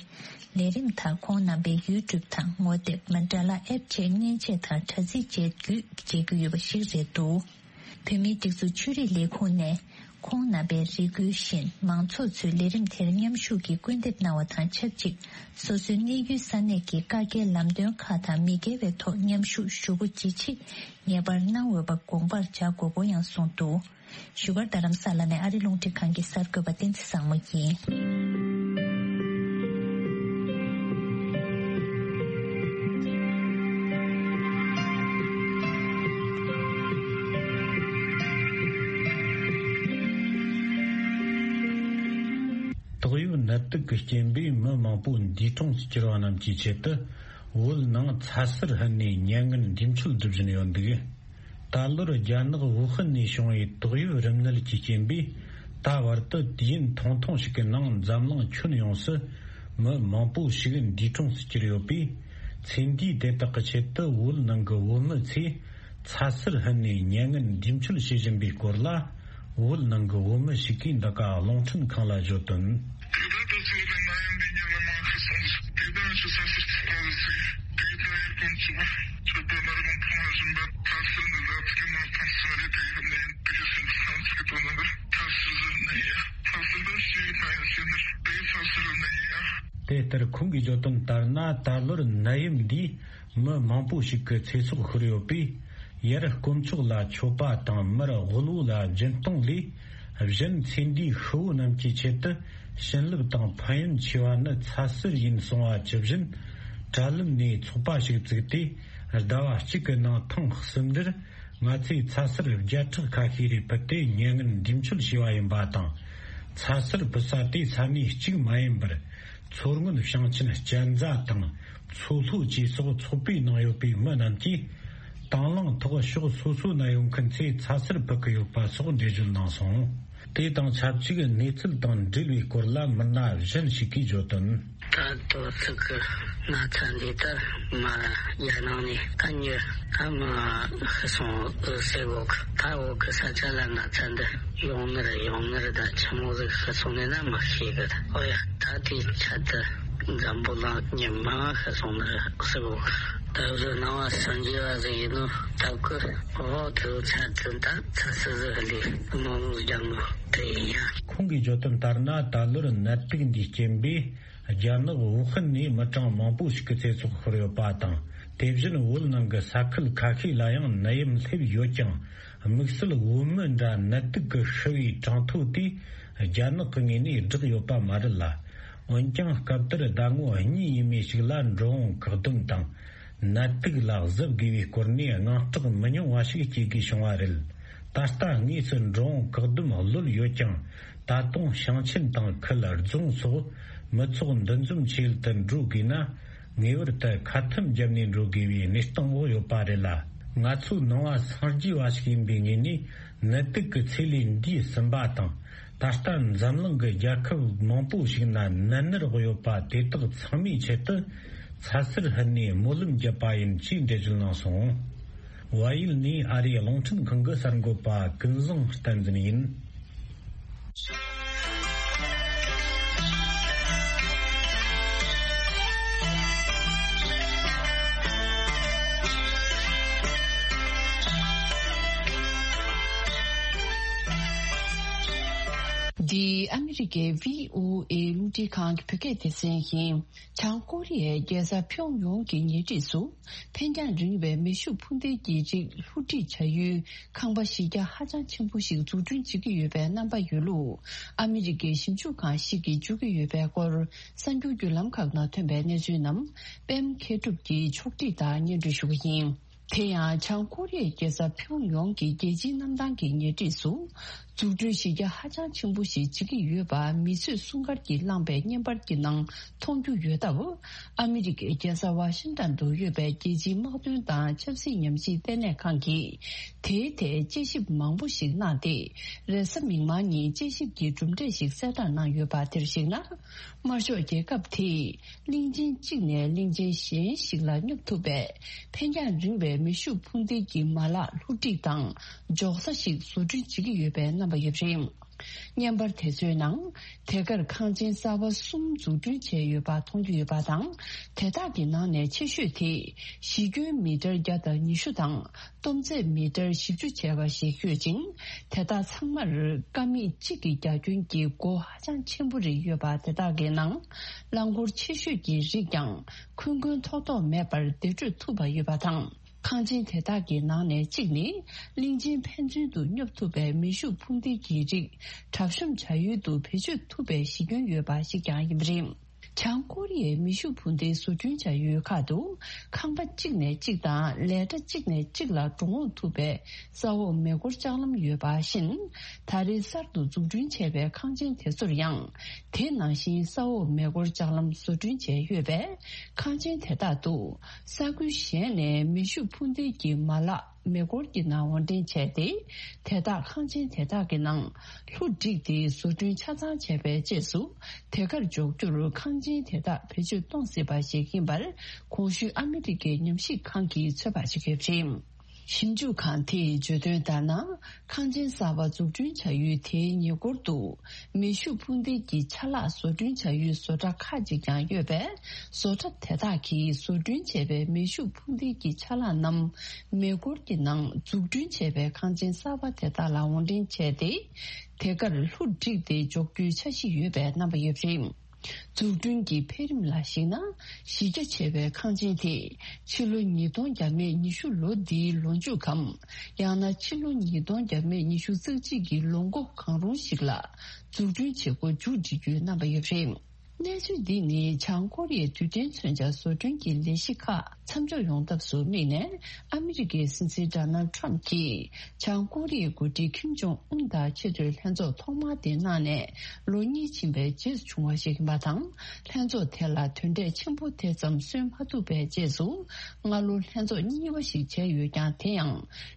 ལས་རིམ་དག་ཁོང་རྣམ་པའི་YouTube་དང་ངོ་དེབ་མན་ཌ་ལ་ཨེབ་བཅས་མཉེན་ཆས་དང་དྲ་ཚིགས་བཅས་བརྒྱུད་མཇལ་རྒྱུ་ཡོད་པ་ཞིག་རེད་འདུག་བོད་མིའི་སྒྲིག་འཛུགས་ཆོས་རིག་ལས་ཁུངས་ནས་ཁོང་རྣམ་པའི་རེ་སྐུལ་བཞིན་མང་ཚོགས་ཚོས་ལས་རིམ་དེར་མཉམ་ཞུགས་ཀྱིས་སྐུལ་འདེབས་གནང་བ་དང་ཆབས་ཅིག་སོ་སོའི་གནས་ཡུལ་ས་གནས་ཀྱི་བཀའ་རྒྱའི་ལམ་སྟོན་ཁག་དང་མི་འགལ་བའི་ཐོག་མཉམ་ཞུགས་ཞུ་སྒོ་ཇི་ཆེ་ངེས་པར་གནང་འོས་པ་དགོངས་པར་འཇགས་དགོས་སྐོར་ཡང་གསུངས་འདུག་བཞུགས་སྒར་རྡ་རམ་ས་ལ་ནས་ཨ་རི་རླུང་འཕྲིན་ཁང་གི་གསར་འགོད་པ་བསྟན་འཛིན་བཟང་མོ་ཡིན། ཏོག་དབྱིབས་ནད་དུག་གི་རྐྱེན་པས་མི་མང་པོ་འདས་གྲོངས་སུ་གྱུར་བ་རྣམས་ཀྱི་ཆེད་དུ་བོད་ནང་ཚ་གསེར་ཕུལ་ནས་མྱ་ངན་འདས་མཆོད་སྒྲུབ་བཞིན་ཡོད་འདུག་ད་ལོར་རྒྱ་ནག་ཝུ་ཧན་ནས་བྱུང་བའི་ཏོག་དབྱིབས་རིམས་ནད་ཀྱི་རྐྱེན་པས་ད་བར་དུ་དུས་ཡུན་ཐུང་ཐུང་ཞིག་གི་ནང་འཛམ་གླིང་ཁྱོན་ཡོངས་སུ་མི་མང་པོ་ཞིག་འདས་གྲོངས་སུ་གྱུར་ཡོད་པས། ཚེ་འདིའི་དེ་དག་གི་ཆེད་དུ་བོད་ནང་གི་བོད་མི་ཚོས་ཚ་གསེར་ཕུལ་ནས་མྱ་ངན་འདས་མཆོད་བྱེད་བཞིན་པའི་སྐོར་ལ། བོད་ནང་གི་བོད་མི་ཞིག་གིས་འདི་ག་རླུང་འཕྲིན་ཁང་ལ་བརྗོད་དོན། དེ་དག་ཏུ་ཚོ་དང་ནད་ཡམས་འདི་ཉམས་ལ་མ་ཁ་སོང་། དེ་དག་ཆུ་ས་སར་ཚུགས་པ་ཟིག་དེ་དག་ཡར་ཀུན་ཚུགས་པ་ཆུ་དེ་མར་གོང་ཕུང་བ་བཞིན་པ་ཚ་སུ་ནི་ལ་ཚིག་མ་ཐང་སུ་རེ་དེ་ཡོད་ནས་དེ་སེམས་ཚང་ཚིག་དོན་ནི་ཚ་སུ་ཟིན་ནི་ཡ་ཚ་སུ་ལ་ཤི་ན་ཡ་ཤི་ནི་དེ་ཚ་སུ་རུ་ནི་ཡ། དེ་ལྟར་ཁོང་གིས་བརྗོད་དོན་ལྟར་ན་ད་ལོར་ནད་ཡམས་འདིས་མི་མང་པོ་ཞིག་གི་ཚེ་སྲོག་ཤོར་ཡོད་པས། ཡར་དཀོན་མཆོག་ལ་མཆོད་པ་དང་མར་དབུལ་བོ་ལ་སྦྱིན་གཏོང་ལས་གཞན་ཚེ་འདིའི་ཤི་བོ་རྣམས་ཀྱི་ཆེད་དུ་བྱིན་རླབས་དང་ཕན་ཡོན་ཆེ་བ་ནི་ཚ་གསེར་ཡིན་གསུང་བ་ཇི་བཞིན། དྲ་ལམ་ནས་ཚོགས་པ་ཞིག་བཙུགས་ཏེ་ཟླ་བ་གཅིག་གི་ནང་ཐེངས་གསུམ་རེར་ང་ཚོས་ཚ་གསེར་བརྒྱ་ཕྲག་ཁ་ཤས་རེ་ཕུལ་ཏེ་མྱ་ངན་འདས་མཆོད་བྱས་པ་ཡིན་པ་དང་། ཚ་གསེར་ཕུལ་ས་དེ་ས་གནས་གཅིག་མ་ཡིན་པར། མཚོ་སྔོན་ཞིང་ཆེན་གཅན་ཚ་དང་མཚོ་ལྷོ་བཅས་སོགས་ཚོགས་པའི་ནང་ཡོད་པའི་མི་རྣམས་ཀྱིས་དང་བླངས་ཐོག་ཕྱོགས་སོ་སོ་ན་ཡོད་མཁན་ཚོས་ཚ་གསེར་ཕུལ་གྱི་ཡོད་པ་སོགས་འགྲེལ་བརྗོད་གནང་སོང་། དེ་དང་ཆབས་ཅིག་གནས་ཚུལ་དང་འབྲེལ་བའི་སྐོར་ལ་མི་སྣ་གཞན་ཞིག་གིས་བརྗོད་དོན། ད་དོ་ཚིགས་ཀྱི་ན་ཚ་འདི་ལྟར་མ་རྒྱ་ནང་ནས་ཀ་ཉོ་ཨ་མ་ཤི་སོང་ཨུ་སེ་གོ་གི་ད་འོག་གི་ས་ཆ་ལ་ན་ཚ་འདི་ཡོང་ནི་རེད། ཡོང་ནི་རེད། ད་ཆི་མོ་ཟིག་ཤི་སོང་ནས་ན་མི་ཤེས་གི། ཨོ་ཡ། ད་དེའི་ཆེད་དུ་འཛམ་བུ་གླིང་མི་མང་ཤི་སོང་ནི་རེད་ཟེར་གོ། ད་བཟོ་སྣང་བ་སངས་རྒྱས་པ་ཟིག་ཡིན་ནོ་སྟབས་ཀི། ཨོ་དེའི་ཆེད་དུ་ད་ཚ་སུ་ཟིག་ལས་མང་རྒྱ་མོ་དེ་ཡིན་ཡ། ཁོང་གིས་བརྗོད་དོན་ལྟར་ན་ད་ལོར་ནད་དུག་འདིའི་རྐྱེན་པས་རྒྱ་ནག་ཝུ་ཧན་ནས་མི་གྲངས་མང་པོ་ཞིག་གི་ཚེ་སྲོག་ཤོར་ཡོད་པ་དང་། དེ་བཞིན་བོད་ནང་གི་ས་ཁུལ་ཁ་ཤས་ལ་ཡང་ནད་ཡམས་སླེབས་ཡོད་ཀྱང་། དམིགས་བསལ་བོད་མི་འདྲ་ནད་དུག་གིས་ཤི་བའི་གྲངས་ཐོ་དེ་རྒྱ་ནག་གི་ངོས་ནས་བསྒྲགས་ཡོད་པ་མ་རེད་ལ། འོན་ཀྱང་སྐབས་དེར་ཟླ་ངོ་གཉིས་ཡས་མས་ཤིག་ལ་འགྲོ་འོང་བཀག་སྡོམ་དང་ནད་དུག་ལ་གཟབ་དགོས་པའི་སྐོར་ནས་དངངས་སྐྲག་མི་ཉུང་བ་ཞིག་སྐྱེ་དགོས་བྱུང་བ་རེད། ད་ལྟ་དངོས་སུ་འགྲོ་འོང་བཀག་སྡོམ་གློད་ཡོད་ཀྱང་། ད་དུང་ཞིང་ཆེན་དང་ཁུལ་རྫོང་སོགས་མི་ཚོགས་འདུ་འཛོམས་ཆེད་དུ་འགྲོ་དགོས་ན། ངེས་པར་དུ་ཁ་ཐུམ་བརྒྱབ་ནས་འགྲོ་དགོས་པའི་གནས་སྟངས་འོག་ཡོད་པ་རེད་ལ། ང་ཚོའི་ནང་བ་སངས་རྒྱས་པ་ཞིག་ཡིན་པའི་ངོས་ནས་ནད་དུག་གི་ཚེ་ལས་འདས་ཟིན་པ་དང་། ད་ལྟ་འཛམ་གླིང་གི་རྒྱལ་ཁབ་མང་པོ་ཞིག་ན་ནད་མནར་འོག་ཡོད་པ་དེ་དག་ཚང་མའི་ཆེད་དུ་ཚ་ཟེར་ཧུད་ནས་སྨོན་ལམ་བརྒྱབ་པ་ཡིན་ཞེས་འགྲེལ་བརྗོད་གནང་སོང་། བལ་ཡུལ་ནས་ཨ་རིའི་རླུང་འཕྲིན་ཁང་གི་གསར་འགོད་པ་ཀུན་བཟང་བསྟན་འཛིན་ཡིན། འདི་ཨ་མི་རི་ཀའི་བྷི་ཨོ་ཨེ་རླུང་འཕྲིན་ཁང་གི་བོད་སྐད་སྡེ་ཚན་ཡིན། བྱང་ཀོ་རི་ཡའི་རྒྱལ་ས་ཕིའོ་ཡོང་གི་ཉེ་འཁྲིས་སུ། འཕེན་རྒྱང་རིང་བའི་མེ་ཤུགས་འཕུར་མདེལ་གྱི་རིགས་ལྷུ་སྒྲིག་བྱ་ཡུལ་ཁང་པ་གཞི་རྒྱ་ཧ་ཅང་ཆེན་པོ་ཞིག་འཛུགས་སྐྲུན་བྱེད་ཀྱི་ཡོད་པའི་རྣམ་པ་ཡོད་ལུགས། ཨ་མི་རི་ཀའི་ཞིབ་འཇུག་ཁང་ཞིག་གིས་བརྗོད་ཀྱི་ཡོད་པའི་སྐོར། གསར་འགྱུར་བརྒྱུད་ལམ་ཁག་ནང་ཐོན་པའི་གནས་ཚུལ་རྣམས། པད་མ་མཁས་གྲུབ་ཀྱིས་ཕྱོགས་སྒྲིག་དང་སྙན་སྒྲོན་ཞུ་གི་ཡིན། དེ་ཡང་བྱང་ཀོ་རི་ཡའི་རྒྱལ་ས་ཕིའོ་ཡོང་གི་རྒྱལ་སྤྱིའི་གནམ་ཐང་གི་ཉེ་འཁྲིས་སུ། འཛུགས་སྐྲུན་གཞི་རྒྱ་ཧ་ཅང་ཆེན་པོ་ཞིག་བྱེད་ཀྱི་ཡོད་པ་མི་གསོད་སྲུང་སྐར་གྱིས་བླངས་པའི་བརྙན་པར་གྱི་ནང་མཐོང་རྒྱུ་ཡོད་སྟབས། ཨ་མི་རི་ཀའི་རྒྱལ་ས་ཝ་ཤིང་ཏན་དུ་ཡོད་པའི་རྒྱལ་སྤྱིའི་དམག་དོན་དང་ཆབ་སྲིད་ཉམས་ཞིབ་ལྟེ་གནས་ཁང་གིས། དེའི་ཐད་དཔྱད་ཞིབ་མང་པོ་ཞིག་གནང་སྟེ། རེས་གཟའ་མིག་དམར་ཉིན་དཔྱད་ཞིབ་ཀྱི་གྲུབ་འབྲས་ཤིག་གསལ་བསྒྲགས་གནང་ཡོད་པ་དེར་གཞིགས་ན། དམར་ཤོག་རྒྱལ་ཁབ་དེས། གླིང་ཆེན་གཅིག་ནས་གླིང་ཆེན་གཞན་ཞིག་ལ་སྙོབ་ཐུབ་པའི་འཕེན་རྒྱང་རིང་བའི་མེ་ཤུགས་འཕུར་མདེལ་གྱི་མ་ལག་ལྷུ་སྒྲིག་དང་འཇོག་ས་ཞིག་བཟོ་སྐྲུན་བྱེད་ཀྱི་ཡོད་པའི་རྣམ་པ་ཡོད་པ་རེད། བརྙན་པར་དེ་ཚོའི་ནང་། དེ་གར་ཁང་ཆེན་གསར་པ་གསུམ་འཛུགས་སྐྲུན་བྱས་ཡོད་པ་མཐོང་རྒྱུ་ཡོད་པ་དང་། དེ་དག་གི་ནང་ནས་ཆེ་ཤོས་དེ་གཞི་ཁྱོན་མི་ཊར་བརྒྱ་དང་ཉི་ཤུ་དང་། སྟོབས་ཚད་མི་ཊར་བཞི་བཅུ་བྱས་པ་ཞིག་ཡོད་ཅིང་། དེ་དག་ཚང་མར་ཀ་མད་གཅིག་གི་རྒྱ་ཁྱོན་གྱི་སྒོ་ཧ་ཅང་ཆེན་པོ་རེ་ཡོད་པ་དེ་དག་གི་ནང་། རླངས་འཁོར་ཆེ་ཤོས་ཀྱི་རིགས་ཀྱང་འཁོན་འཁོན་ཐོག་ཐོག་མེད་པར་བདེ་བགྲོད་ཐུབ་པ་ཡོད་པ་དང་། ཁང་ཆེན་དེ་དག་གི་ནང་ནས་གཅིག་ནི། གླིང་ཆེན་ཕན་ཚུན་དུ་སྙོབ་ཐུབ་པའི་མེ་ཤུགས་འཕུར་མདེལ་གྱི་རིགས་གྲབས་གཤོམ་བྱ་ཡུལ་དུ་བེད་སྤྱོད་ཐུབ་པའི་གཞི་ཁྱོན་ཡོད་པ་ཞིག་ཀྱང་ཡིན་པ་རེད། བྱང་ཀོ་རི་ཡའི་མེ་ཤུགས་འཕུར་མདེལ་བཟོ་སྐྲུན་བྱ་ཡུལ་ཁག་ཏུ། ཁང་པ་གཅིག་ནས་གཅིག་དང་ལས་གྲྭ་གཅིག་ནས་གཅིག་ལ་འགྲོ་འོང་ཐུབ་པའི་ས་འོག་མེ་འཁོར་ལྕགས་ལམ་ཡོད་པ་བཞིན། ད་རེས་གསར་དུ་འཛུགས་སྐྲུན་བྱས་པའི་ཁང་ཆེན་དེ་ཚོར་ཡང་། དེ་ནང་བཞིན་ས་འོག་མེ་འཁོར་ལྕགས་ལམ་བཟོ་སྐྲུན་བྱས་ཡོད་པས། ཁང་ཆེན་དེ་དག་ཏུ། ས་ཁུལ་གཞན་ནས་མེ་ཤུགས་འཕུར་མདེལ་གྱི་མ་ལག་མེ་འཁོར་གྱི་ནང་དབོར་འདྲེན་བྱས་ཏེ། དེ་དག་ཁང་ཆེན་དེ་དག་གི་ནང་ལྷུ་བསྒྲིགས་ཏེ་བཟོ་སྐྲུན་ཆ་ཚང་བྱས་པའི་རྗེས་སུ། དེ་གར་འཇོག་རྒྱུར་ཁང་ཆེན་དེ་དག་བེད་སྤྱོད་གཏོང་སྲིད་པ་ཞིག་ཡིན་པར། གོང་ཞུས་ཨ་མི་རི་ཀའི་ཉམས་ཞིབ་ཁང་གིས་ཚོད་དཔག་བྱེད་ཀྱི་ཡོད་པ་རེད། ཞིབ་འཇུག་ཁང་དེས་བརྗོད་དོན་ལྟར་ན། ཁང་ཆེན་གསར་པ་འཛུགས་སྐྲུན་བྱ་ཡུལ་དེའི་ཉེ་འཁོར་དུ། མེ་ཤུགས་འཕུར་མདེལ་གྱི་ཆ་ལག་བཟོ་སྐྲུན་བྱ་ཡུལ་བཟོ་གྲྭ་ཁག་ཅིག་ཀྱང་ཡོད་པས། བཟོ་གྲྭ་དེ་དག་གིས་བཟོ་སྐྲུན་བྱས་པའི་མེ་ཤུགས་འཕུར་མདེལ་གྱི་ཆ་ལག་རྣམས་མེ་འཁོར་གྱི་ནང་འཛུགས་སྐྲུན་བྱས་པའི་ཁང་ཆེན་གསར་པ་དེ་དག་ལ་དབོར་འདྲེན་བྱས་ཏེ། དེ་གར་ལྷུ་བསྒྲིགས་ཏེ་འཇོག་རྒྱུའི་འཆར་གཞི་ཡོད་པའི་རྣམ་པ་ཡོད་པ་རེད། འཛུགས་སྐྲུན་གྱི་འཕེལ་རིམ་ལ་གཞིགས་ན། གཞི་རྒྱ་ཆེ་བའི་ཁང་ཆེན་དེ་ཕྱི་ལོ་ཉིས་སྟོང་བརྒྱ་མེད་ཉི་ཤུ་ལོ་འདིའི་ལོ་མཇུག་གམ། ཡང་ན་ཕྱི་ལོ་ཉིས་སྟོང་བརྒྱ་མེད་ཉི་ཤུ་རྩ་གཅིག་གི་ལོ་འགོ་གང་རུང་ཞིག་ལ་འཛུགས་སྐྲུན་བྱེད་སྒོ་མཇུག་སྒྲིལ་རྒྱུའི་རྣམ་པ་ཡོད་པ་རེད། གནས་ཚུལ་འདི་ནི་བྱང་ཀོ་རི་ཡའི་རྡུལ་ཕྲན་མཚོན་ཆ་བཟོ་སྐྲུན་གྱི་ལས་གཞི་ཁག་མཚམས་འཇོག་ཡོང་ཐབས་སུ་དམིགས་ནས། ཨ་མི་རི་ཀའི་སྲིད་འཛིན་ཌོ་ནལ་ཌི་ཊརམ་ཕི་གྱིས། བྱང་ཀོ་རི་ཡའི་འགོ་ཁྲིད་ཁིམ་ཇོང་ཨུན་དང་ཆེས་མཐོའི་ལྷན་ཚོགས་ཐོག་མ་དེ་གནང་ནས་ལོ་གཉིས་ཕྱིན་པའི་རྗེས་སུ་བྱུང་བ་ཞིག་ཡིན་པ་དང་། ལྷན་ཚོགས་དེ་ལ་དོན་འབྲས་ཆེན་པོ་དེ་ཙམ་སོན་མ་ཐུབ་པའི་རྗེས་སུ། སྔ་ལོ་ལྷན་ཚོགས་གཉིས་པ་ཞིག་བྱས་ཡོད་ཀྱང་། དེ་ཡང་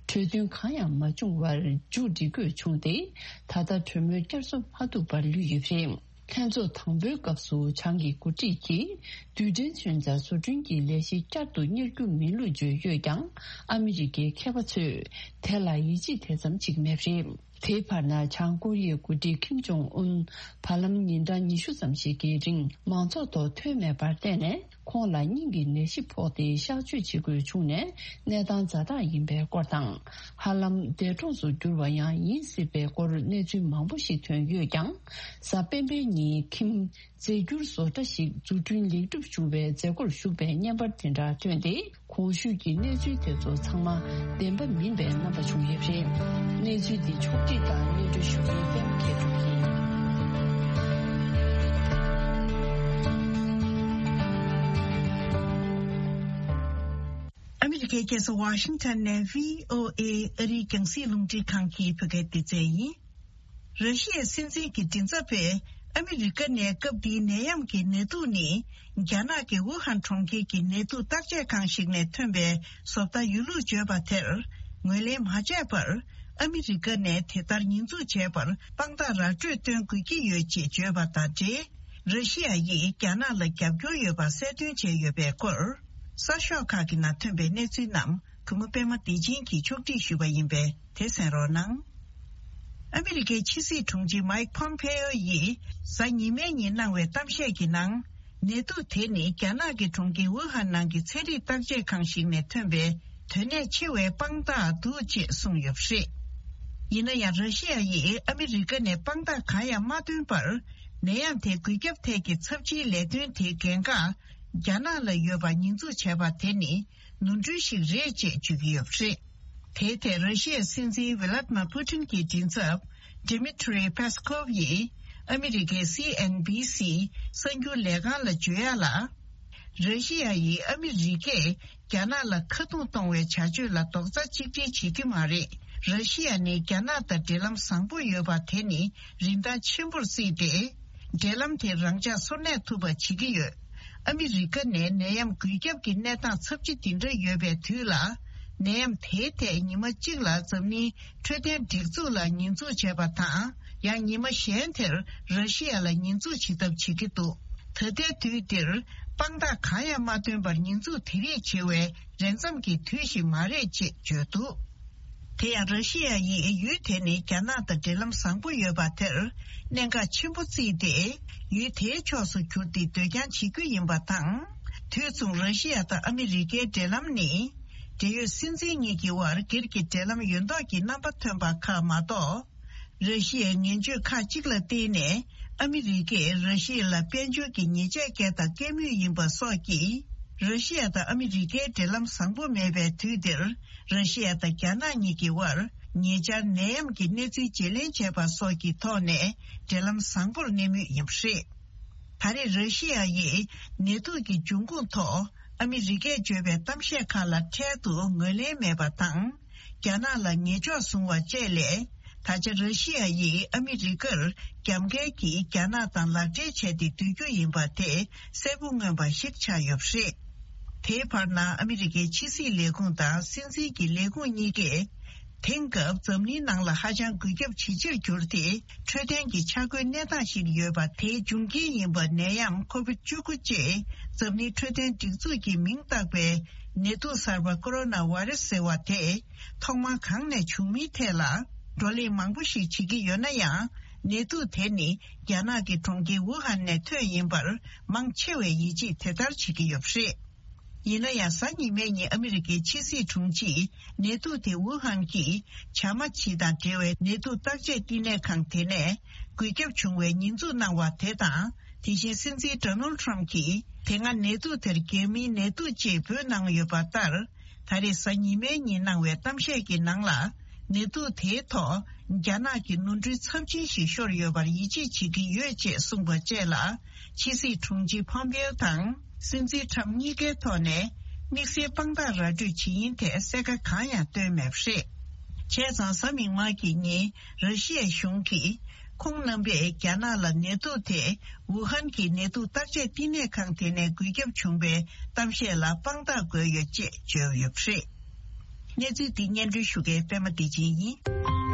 གྲོས་མཐུན་གང་ཡང་མ་བྱུང་བར་མཇུག་སྒྲིལ་དགོས་བྱུང་སྟེ། ད་ལྟ་གྲོས་མོལ་བསྐྱར་གསོ་མ་ཐུབ་པར་ལུས་ཡོད་པ་རེད། ལྷན་ཚོགས་དང་པོའི་སྐབས་སུ་བྱང་གི་འགོ་ཁྲིད་ཀྱིས་རྡུལ་ཕྲན་མཚོན་ཆ་བཟོ་སྐྲུན་གྱི་ལས་གཞི་བསྐྱར་དུ་གཉེར་རྒྱུ་མིན་ལུགས་བརྗོད་ཡོད་ཀྱང་། ཨ་མི་རི་ཀའི་མཁས་པ་ཚོས་དེ་ལ་ཡིད་ཆེས་དེ་ཙམ་བྱེད་ཀྱི་མེད་པ་རེད། དེའི་བར་ན། བྱང་ཀོ་རི་ཡའི་འགོ་ཁྲིད་ཁིམ་ཇོང་ཨུན་བར་ལམ་ཉིན་གྲངས་ཉི་ཤུ་ཙམ་ཞིག་གི་རིང་མང་ཚོགས་ཐོག་ཐོན་མེད་པར་བརྟེན་ནས། ཁོང་ལ་སྙིང་གི་ནད་གཞི་ཕོག་སྟེ་གཤག་བཅོས་བྱེད་དགོས་བྱུང་ནས། གནས་སྟངས་ཛ་དྲག་ཡིན་པའི་སྐོར་དང་། ཧ་ལམ་འདས་གྲོངས་སུ་གྱུར་བ་ཡང་ཡིན་སྲིད་པའི་སྐོར་གནས་ཚུལ་མང་པོ་ཞིག་ཐོན་ཡོད་ཀྱང་། གཟའ་སྤེན་པའི་ཉིན་ཁིམ་རྫས་འགྱུར་བཟོ་གྲྭ་ཞིག་འཛུགས་སྐྲུན་ལེགས་གྲུབ་བྱུང་བའི་མཛད་སྒོར་ཞུགས་པའི་བརྙན་པར་དེ་འདྲ་ཐོན་ཏེ། གོང་ཞུས་ཀྱི་གནས་ཚུལ་དེ་ཚོ་ཚང་མ་བདེན་པ་མིན་པའི་རྣམ་པ་བྱུང་ཡོད་པ་རེད། གནས་ཚུལ་འདི་ཕྱོགས་སྒྲིག་དང་སྙན་སྒྲོན་ཞུ་མཁན་པད་མ་མཁས་གྲུབ་ཡིན། ཨ་མི་རི་ཀའི་རྒྱལ་ས་ཝ་ཤིང་ཊོན་ནས་བྷི་ཨོ་ཨེ་ཨ་རིའི་རྒྱང་སྲིང་རླུང་འཕྲིན་ཁང་གི་བོད་སྐད་སྡེ་ཚན་ཡིན། ར་ཤི་ཡའི་སྲིད་འཛིན་གྱི་མགྲིན་ཚབ་པས་ཨ་མི་རི་ཀ་ནས་སྐབས་འདིའི་ནད་ཡམས་ཀྱི་ནད་དུག་ནི། རྒྱ་ནག་གི་ཝུ་ཧན་གྲོང་ཁྱེར་གྱི་ནད་དུག་བརྟག་དཔྱད་ཁང་ཞིག་ནས་ཐོན་པའི་བཟོ་ལྟ་ཡོད་ལུགས་བརྗོད་པ་དེར་ངོས་ལེན་མ་བྱས་པར། ཨ་མི་རི་ཀ་ནས་དེ་ལྟར་ཉེས་འཛུགས་བྱས་པར་དཔང་རྟགས་ར་སྤྲོད་སྟོན་དགོས་ཀྱི་ཡོད་ཅེས་བརྗོད་པ་དང་འབྲེལ། ར་ཤི་ཡ་ཡིས་རྒྱ་ནག་ལ་རྒྱབ་སྐྱོར་ཡོད་པ་གསལ་སྟོན་བྱས་ཡོད་པའི་སྐོར། གསར་ཤོག་ཁག་གི་ནང་ཐོན་པའི་གནས་ཚུལ་རྣམས་གུས་མོ་པད་མ་བདེ་ཆེན་གྱིས་ཕྱོགས་སྒྲིག་ཞུས་པ་ཡིན་པས། དེ་གསན་རོགས་གནང་། ཨ་མི་རི་ཀའི་ཕྱི་སྲིད་དྲུང་ཆེ་མཱིག་ཕོམ་ཕེ་ཨོ་ཡིས་གཟའ་ཉི་མའི་ཉིན་གནང་བའི་གཏམ་བཤད་ཀྱི་ནང་། ནད་དུག་དེ་ནི་རྒྱ་ནག་གི་གྲོང་ཁྱེར་ཝུ་ཧན་ནང་གི་ཚན་རིག་བརྟག་དཔྱད་ཁང་ཞིག་ནས་ཐོན་པའི་དོན་གནད་ཆེ་བའི་དཔང་རྟགས་འདུག་ཅེས་གསུངས་ཡོད་པ་རེད། ཡིན་ན་ཡང་། ར་ཤི་ཡ་ཡིས་ཨ་མི་རི་ཀ་ནས་དཔང་རྟགས་གང་ཡང་མ་བཏོན་པར། ནད་ཡམས་དེ་འགོས་ཁྱབ་ཐད་ཀྱི་ཚབས་ཆེའི་ལས་དོན་དེའི་འགན་ཁག་རྒྱ་ནག་ལ་ཡོད་པ་ཉེས་འཛུགས་བྱས་པ་དེ་ནི། ནོར་འཁྲུལ་ཞིག་རེད་ཅེས་བརྗོད་ཀྱི་ཡོད་པ་རེད། དེའི་ཐད་ར་ཤི་ཡའི་སྲིད་འཛིན་ཝི་ལ་ཏི་མ་པུ་ཏིན་གྱི་མགྲིན་ཚབ། Dmitry Peskov ཡིས་ཨ་མི་རི་ཀའི་སི་ཨེན་བྷི་སི་གསར་འགྱུར་ལས་ཁང་ལ་བརྗོད་ཡག་ལ། ར་ཤི་ཡ་ཡིས་ཨ་མི་རི་ཀས་རྒྱ་ནག་ལ་ཁ་རྡུང་གཏོང་བའི་བྱ་སྤྱོད་ལ་རྡོག་རྩ་གཅིག་སྒྲིལ་བྱེད་ཀྱི་མ་རེད། ར་ཤི་ཡ་ནི་རྒྱ་ནག་དང་འབྲེལ་ལམ་བཟང་པོ་ཡོད་པ་དེ་ནི་རིན་ཐང་ཆེན་པོར་བརྩིས་ཏེ། འབྲེལ་ལམ་དེ་རང་འཇགས་སོར་གནས་ཐུབ་པ་བྱེད་ཀྱི་ཡོད། ཨ་མི་རི་ཀ་ནས་ནད་ཡམས་འགོས་ཁྱབ་ཀྱི་གནས་སྟངས་ཚབས་ཆེ་འདི་འདྲ་ཡོད་པའི་དུས་ལ། ནད་ཡམས་དེའི་ཐད་ཉི་མ་གཅིག་ལ་འཛམ་གླིང་འཕྲོད་བསྟེན་སྒྲིག་འཛུགས་ལ་ཉེས་འཛུགས་བྱས་པ་དང་། ཡང་ཉི་མ་གཞན་དེར་ར་ཤི་ཡ་ལ་ཉེས་འཛུགས་བྱེད་ཐབས་བྱེད་ཀྱི་འདུག་ད་ལྟའི་དུས་འདིར་དཔང་རྟགས་གང་ཡང་མ་བཏོན་པར་ཉེས་འཛུགས་དེ་རིགས་བྱེད་པའི་རན་འཚམ་གྱི་དུས་ཤིག་མ་རེད་ཅེས་བརྗོད་འདུག་དེ་ཡང་ར་ཤི་ཡ་ཡིས་ཡུལ་དེ་ནི་རྒྱ་ནག་དང་འབྲེལ་ལམ་བཟང་པོ་ཡོད་པ་དེར་གནད་འགག་ཆེན་པོ་བརྩིས་ཏེ། ཡུལ་དེའི་ཕྱོགས་སུ་གྱུར་ཏེ་སྡོད་རྐྱང་བྱེད་རྒྱུ་ཡིན་པ་དང་། དུས་མཚུངས་ར་ཤི་ཡ་དང་ཨ་མི་རི་ཀའི་འབྲེལ་ལམ་ནི། འབྲེལ་ཡོད་སྲིད་འཛིན་གཉིས་ཀྱི་དབར་སྒེར་གྱི་འབྲེལ་ལམ་ཡོད་མདོག་གི་རྣམ་པ་ཐོན་པ་ཁག་མ་གཏོགས། ར་ཤི་ཡའི་ངན་བྱུས་ཁག་ཅིག་ལ་བརྟེན་ནས་ཨ་མི་རི་ཀས་ར་ཤི་ཡ་ལ་དཔལ་འབྱོར་གྱི་ཉེས་ཆད་བཀལ་དང་བཀལ་མུས་ཡིན་པ་སོགས་ཀྱིས། ར་ཤི་ཡ་དང་ཨ་མི་རི་ཀའི་འབྲེལ་ལམ་བཟང་པོ་མེད་པའི་དུས་འདིར། ར་ཤི་ཡ་དང་རྒྱ་ནག་གཉིས་ཀྱི་དབར་ཉེ་ཆར་ནད་ཡམས་ཀྱི་གནས་ཚུལ་བརྗེ་ལེན་བྱས་པ་སོགས་ཀྱི་ཐོག་ནས་འབྲེལ་ལམ་བཟང་པོར་གནས་མུས་ཡིན་པ་རེད། ད་རེས་ར་ཤི་ཡ་ཡིས་ནད་དུག་གི་འབྱུང་ཁུངས་ཐོག་ཨ་མི་རི་ཀས་བརྗོད་པའི་གཏམ་བཤད་ཁག་ལ་འཕྲལ་དུ་ངོས་ལེན་མེད་པ་དང་། རྒྱ་ནག་ལ་ཉེས་འཇོག་བཟུང་བ་བཅས་ལས། ད་ཆ་ར་ཤི་ཡ་ཡིས་ཨ་མི་རི་ཀར་རྒྱབ་འགལ་གྱིས་རྒྱ་ནག་དང་ལག་འབྲེལ་བྱས་ཏེ་སྡོད་རྒྱུ་ཡིན་པ་དེ་གསལ་པོ་མངོན་པ་ཞིག་ཆགས་ཡོད་པ་རེད། དེའི་བར་ན་ཨ་མི་རི་ཀའི་ཕྱི་སྲིད་ལས་ཁུངས་དང་སྲིད་འཛིན་གྱི་ལས་ཁུངས་གཉིས་ཀས། དེང་སྐབས་འཛམ་གླིང་ནང་ལ་ཧ་ཅང་འགོས་ཁྱབ་ཇེ་ཆེར་གྱུར་ཏེ། འཕྲོད་བསྟེན་གྱི་ཆ་བགོས་གནས་སྟངས་ཤིག་ཡོད་པ། དེའི་འབྱུང་རྐྱེན་ཡིན་པ་ནད་ཡམས་ཁོ་བིད་བཅུ་དགུ་ཅེས་འཛམ་གླིང་འཕྲོད་བསྟེན་སྒྲིག་འཛུགས་ཀྱིས་མིང་བཏགས་པའི་ནད་དུག་གསར་པ་ཀོ་རོ་ན་བྷ་རེ་སི་ཟེར་བ་དེ་ཐོག་མར་གང་ནས་བྱུང་མིན་ཐད་ལ་བགྲོ་གླེང་མང་པོ་ཞིག་བྱེད་ཀྱི་ཡོད་ན་ཡང་། ནད་དུག་དེ་ནི་རྒྱ་ནག་གི་གྲོང་ཁྱེར་ཝུ་ཧན་ནས་ཐོན་ཡིན་པར་མང་ཆེ་བས་ཡིད་ཆེས་དེ་ལྟར་བྱེད་ཀྱི་ཡོད་པ་རེད། ཡིན་ན་ཡང་། གཟའ་ཉི་མའི་ཉིན་ཨ་མི་རི་ཀའི་ཕྱི་སྲིད་དྲུང་ཆེས་ནད་དུག་དེ་ཝུ་ཧན་གྱི་བྱ་མ་བྱི་དང་འབྲེལ་བའི་ནད་དུག་བརྟག་དཔྱད་བསྟི་གནས་ཁང་དེ་ནས་འགོས་ཁྱབ་བྱུང་བའི་ཉེས་འཛུགས་གནང་བ་དེ་དང་། དེ་བཞིན་སྲིད་འཛིན་ཌོ་ནལ་ཊམ་གྱིས་དེ་སྔ་ནད་དུག་དེར་རྒྱལ་མིའི་ནད་དུག་ཅེས་འབོད་གནང་ཡོད་པ་ལྟར། ད་རེས་གཟའ་ཉི་མའི་ཉིན་གནང་བའི་གཏམ་བཤད་ཀྱི་ནང་ལ། ནད་དུག་དེའི་ཐོག་རྒྱ་ནག་གི་ནོར་འཁྲུལ་ཚབས་ཆེན་ཞིག་ཤོར་ཡོད་པར་ཡིད་ཆེས་བྱེད་ཀྱི་ཡོད་ཅེས་གསུངས་པ་བཅས་ལ། ཕྱི་སྲིད་དྲུང་ཆེ་ཕོམ་པེའོ་དང་སྲིད་འཛིན་ཊམ་གཉིས་ཀའི་ཐོག་ནས་དམིགས་བསལ་དཔང་རྟགས་ར་སྤྲོད་བྱེད་ཡུན་ཐད་གསལ་ཁ་གང་ཡང་བཏོན་མེད་པ་རེད། བྱས་ཙང་། གཟའ་མིག་དམར་གྱི་ཉིན་ར་ཤི་ཡའི་གཞུང་གིས་ཁོང་རྣམ་པས་རྒྱ་ནག་ལ་ནད་དུག་དེ་ཝུ་ཧན་གྱི་ནད་དུག་བརྟག་དཔྱད་བསྟི་གནས་ཁང་དེ་ནས་འགོས་ཁྱབ་བྱུང་བའི་གཏམ་བཤད་ལ་དཔང་རྟགས་དགོས་ཡོད་ཅེས་བརྗོད་ཡོད་པ་རེད། གནས་ཚུལ་འདི་སྙན་སྒྲོན་ཞུ་མཁན་པད་མ་བདེ་ཆེན་ཡིན།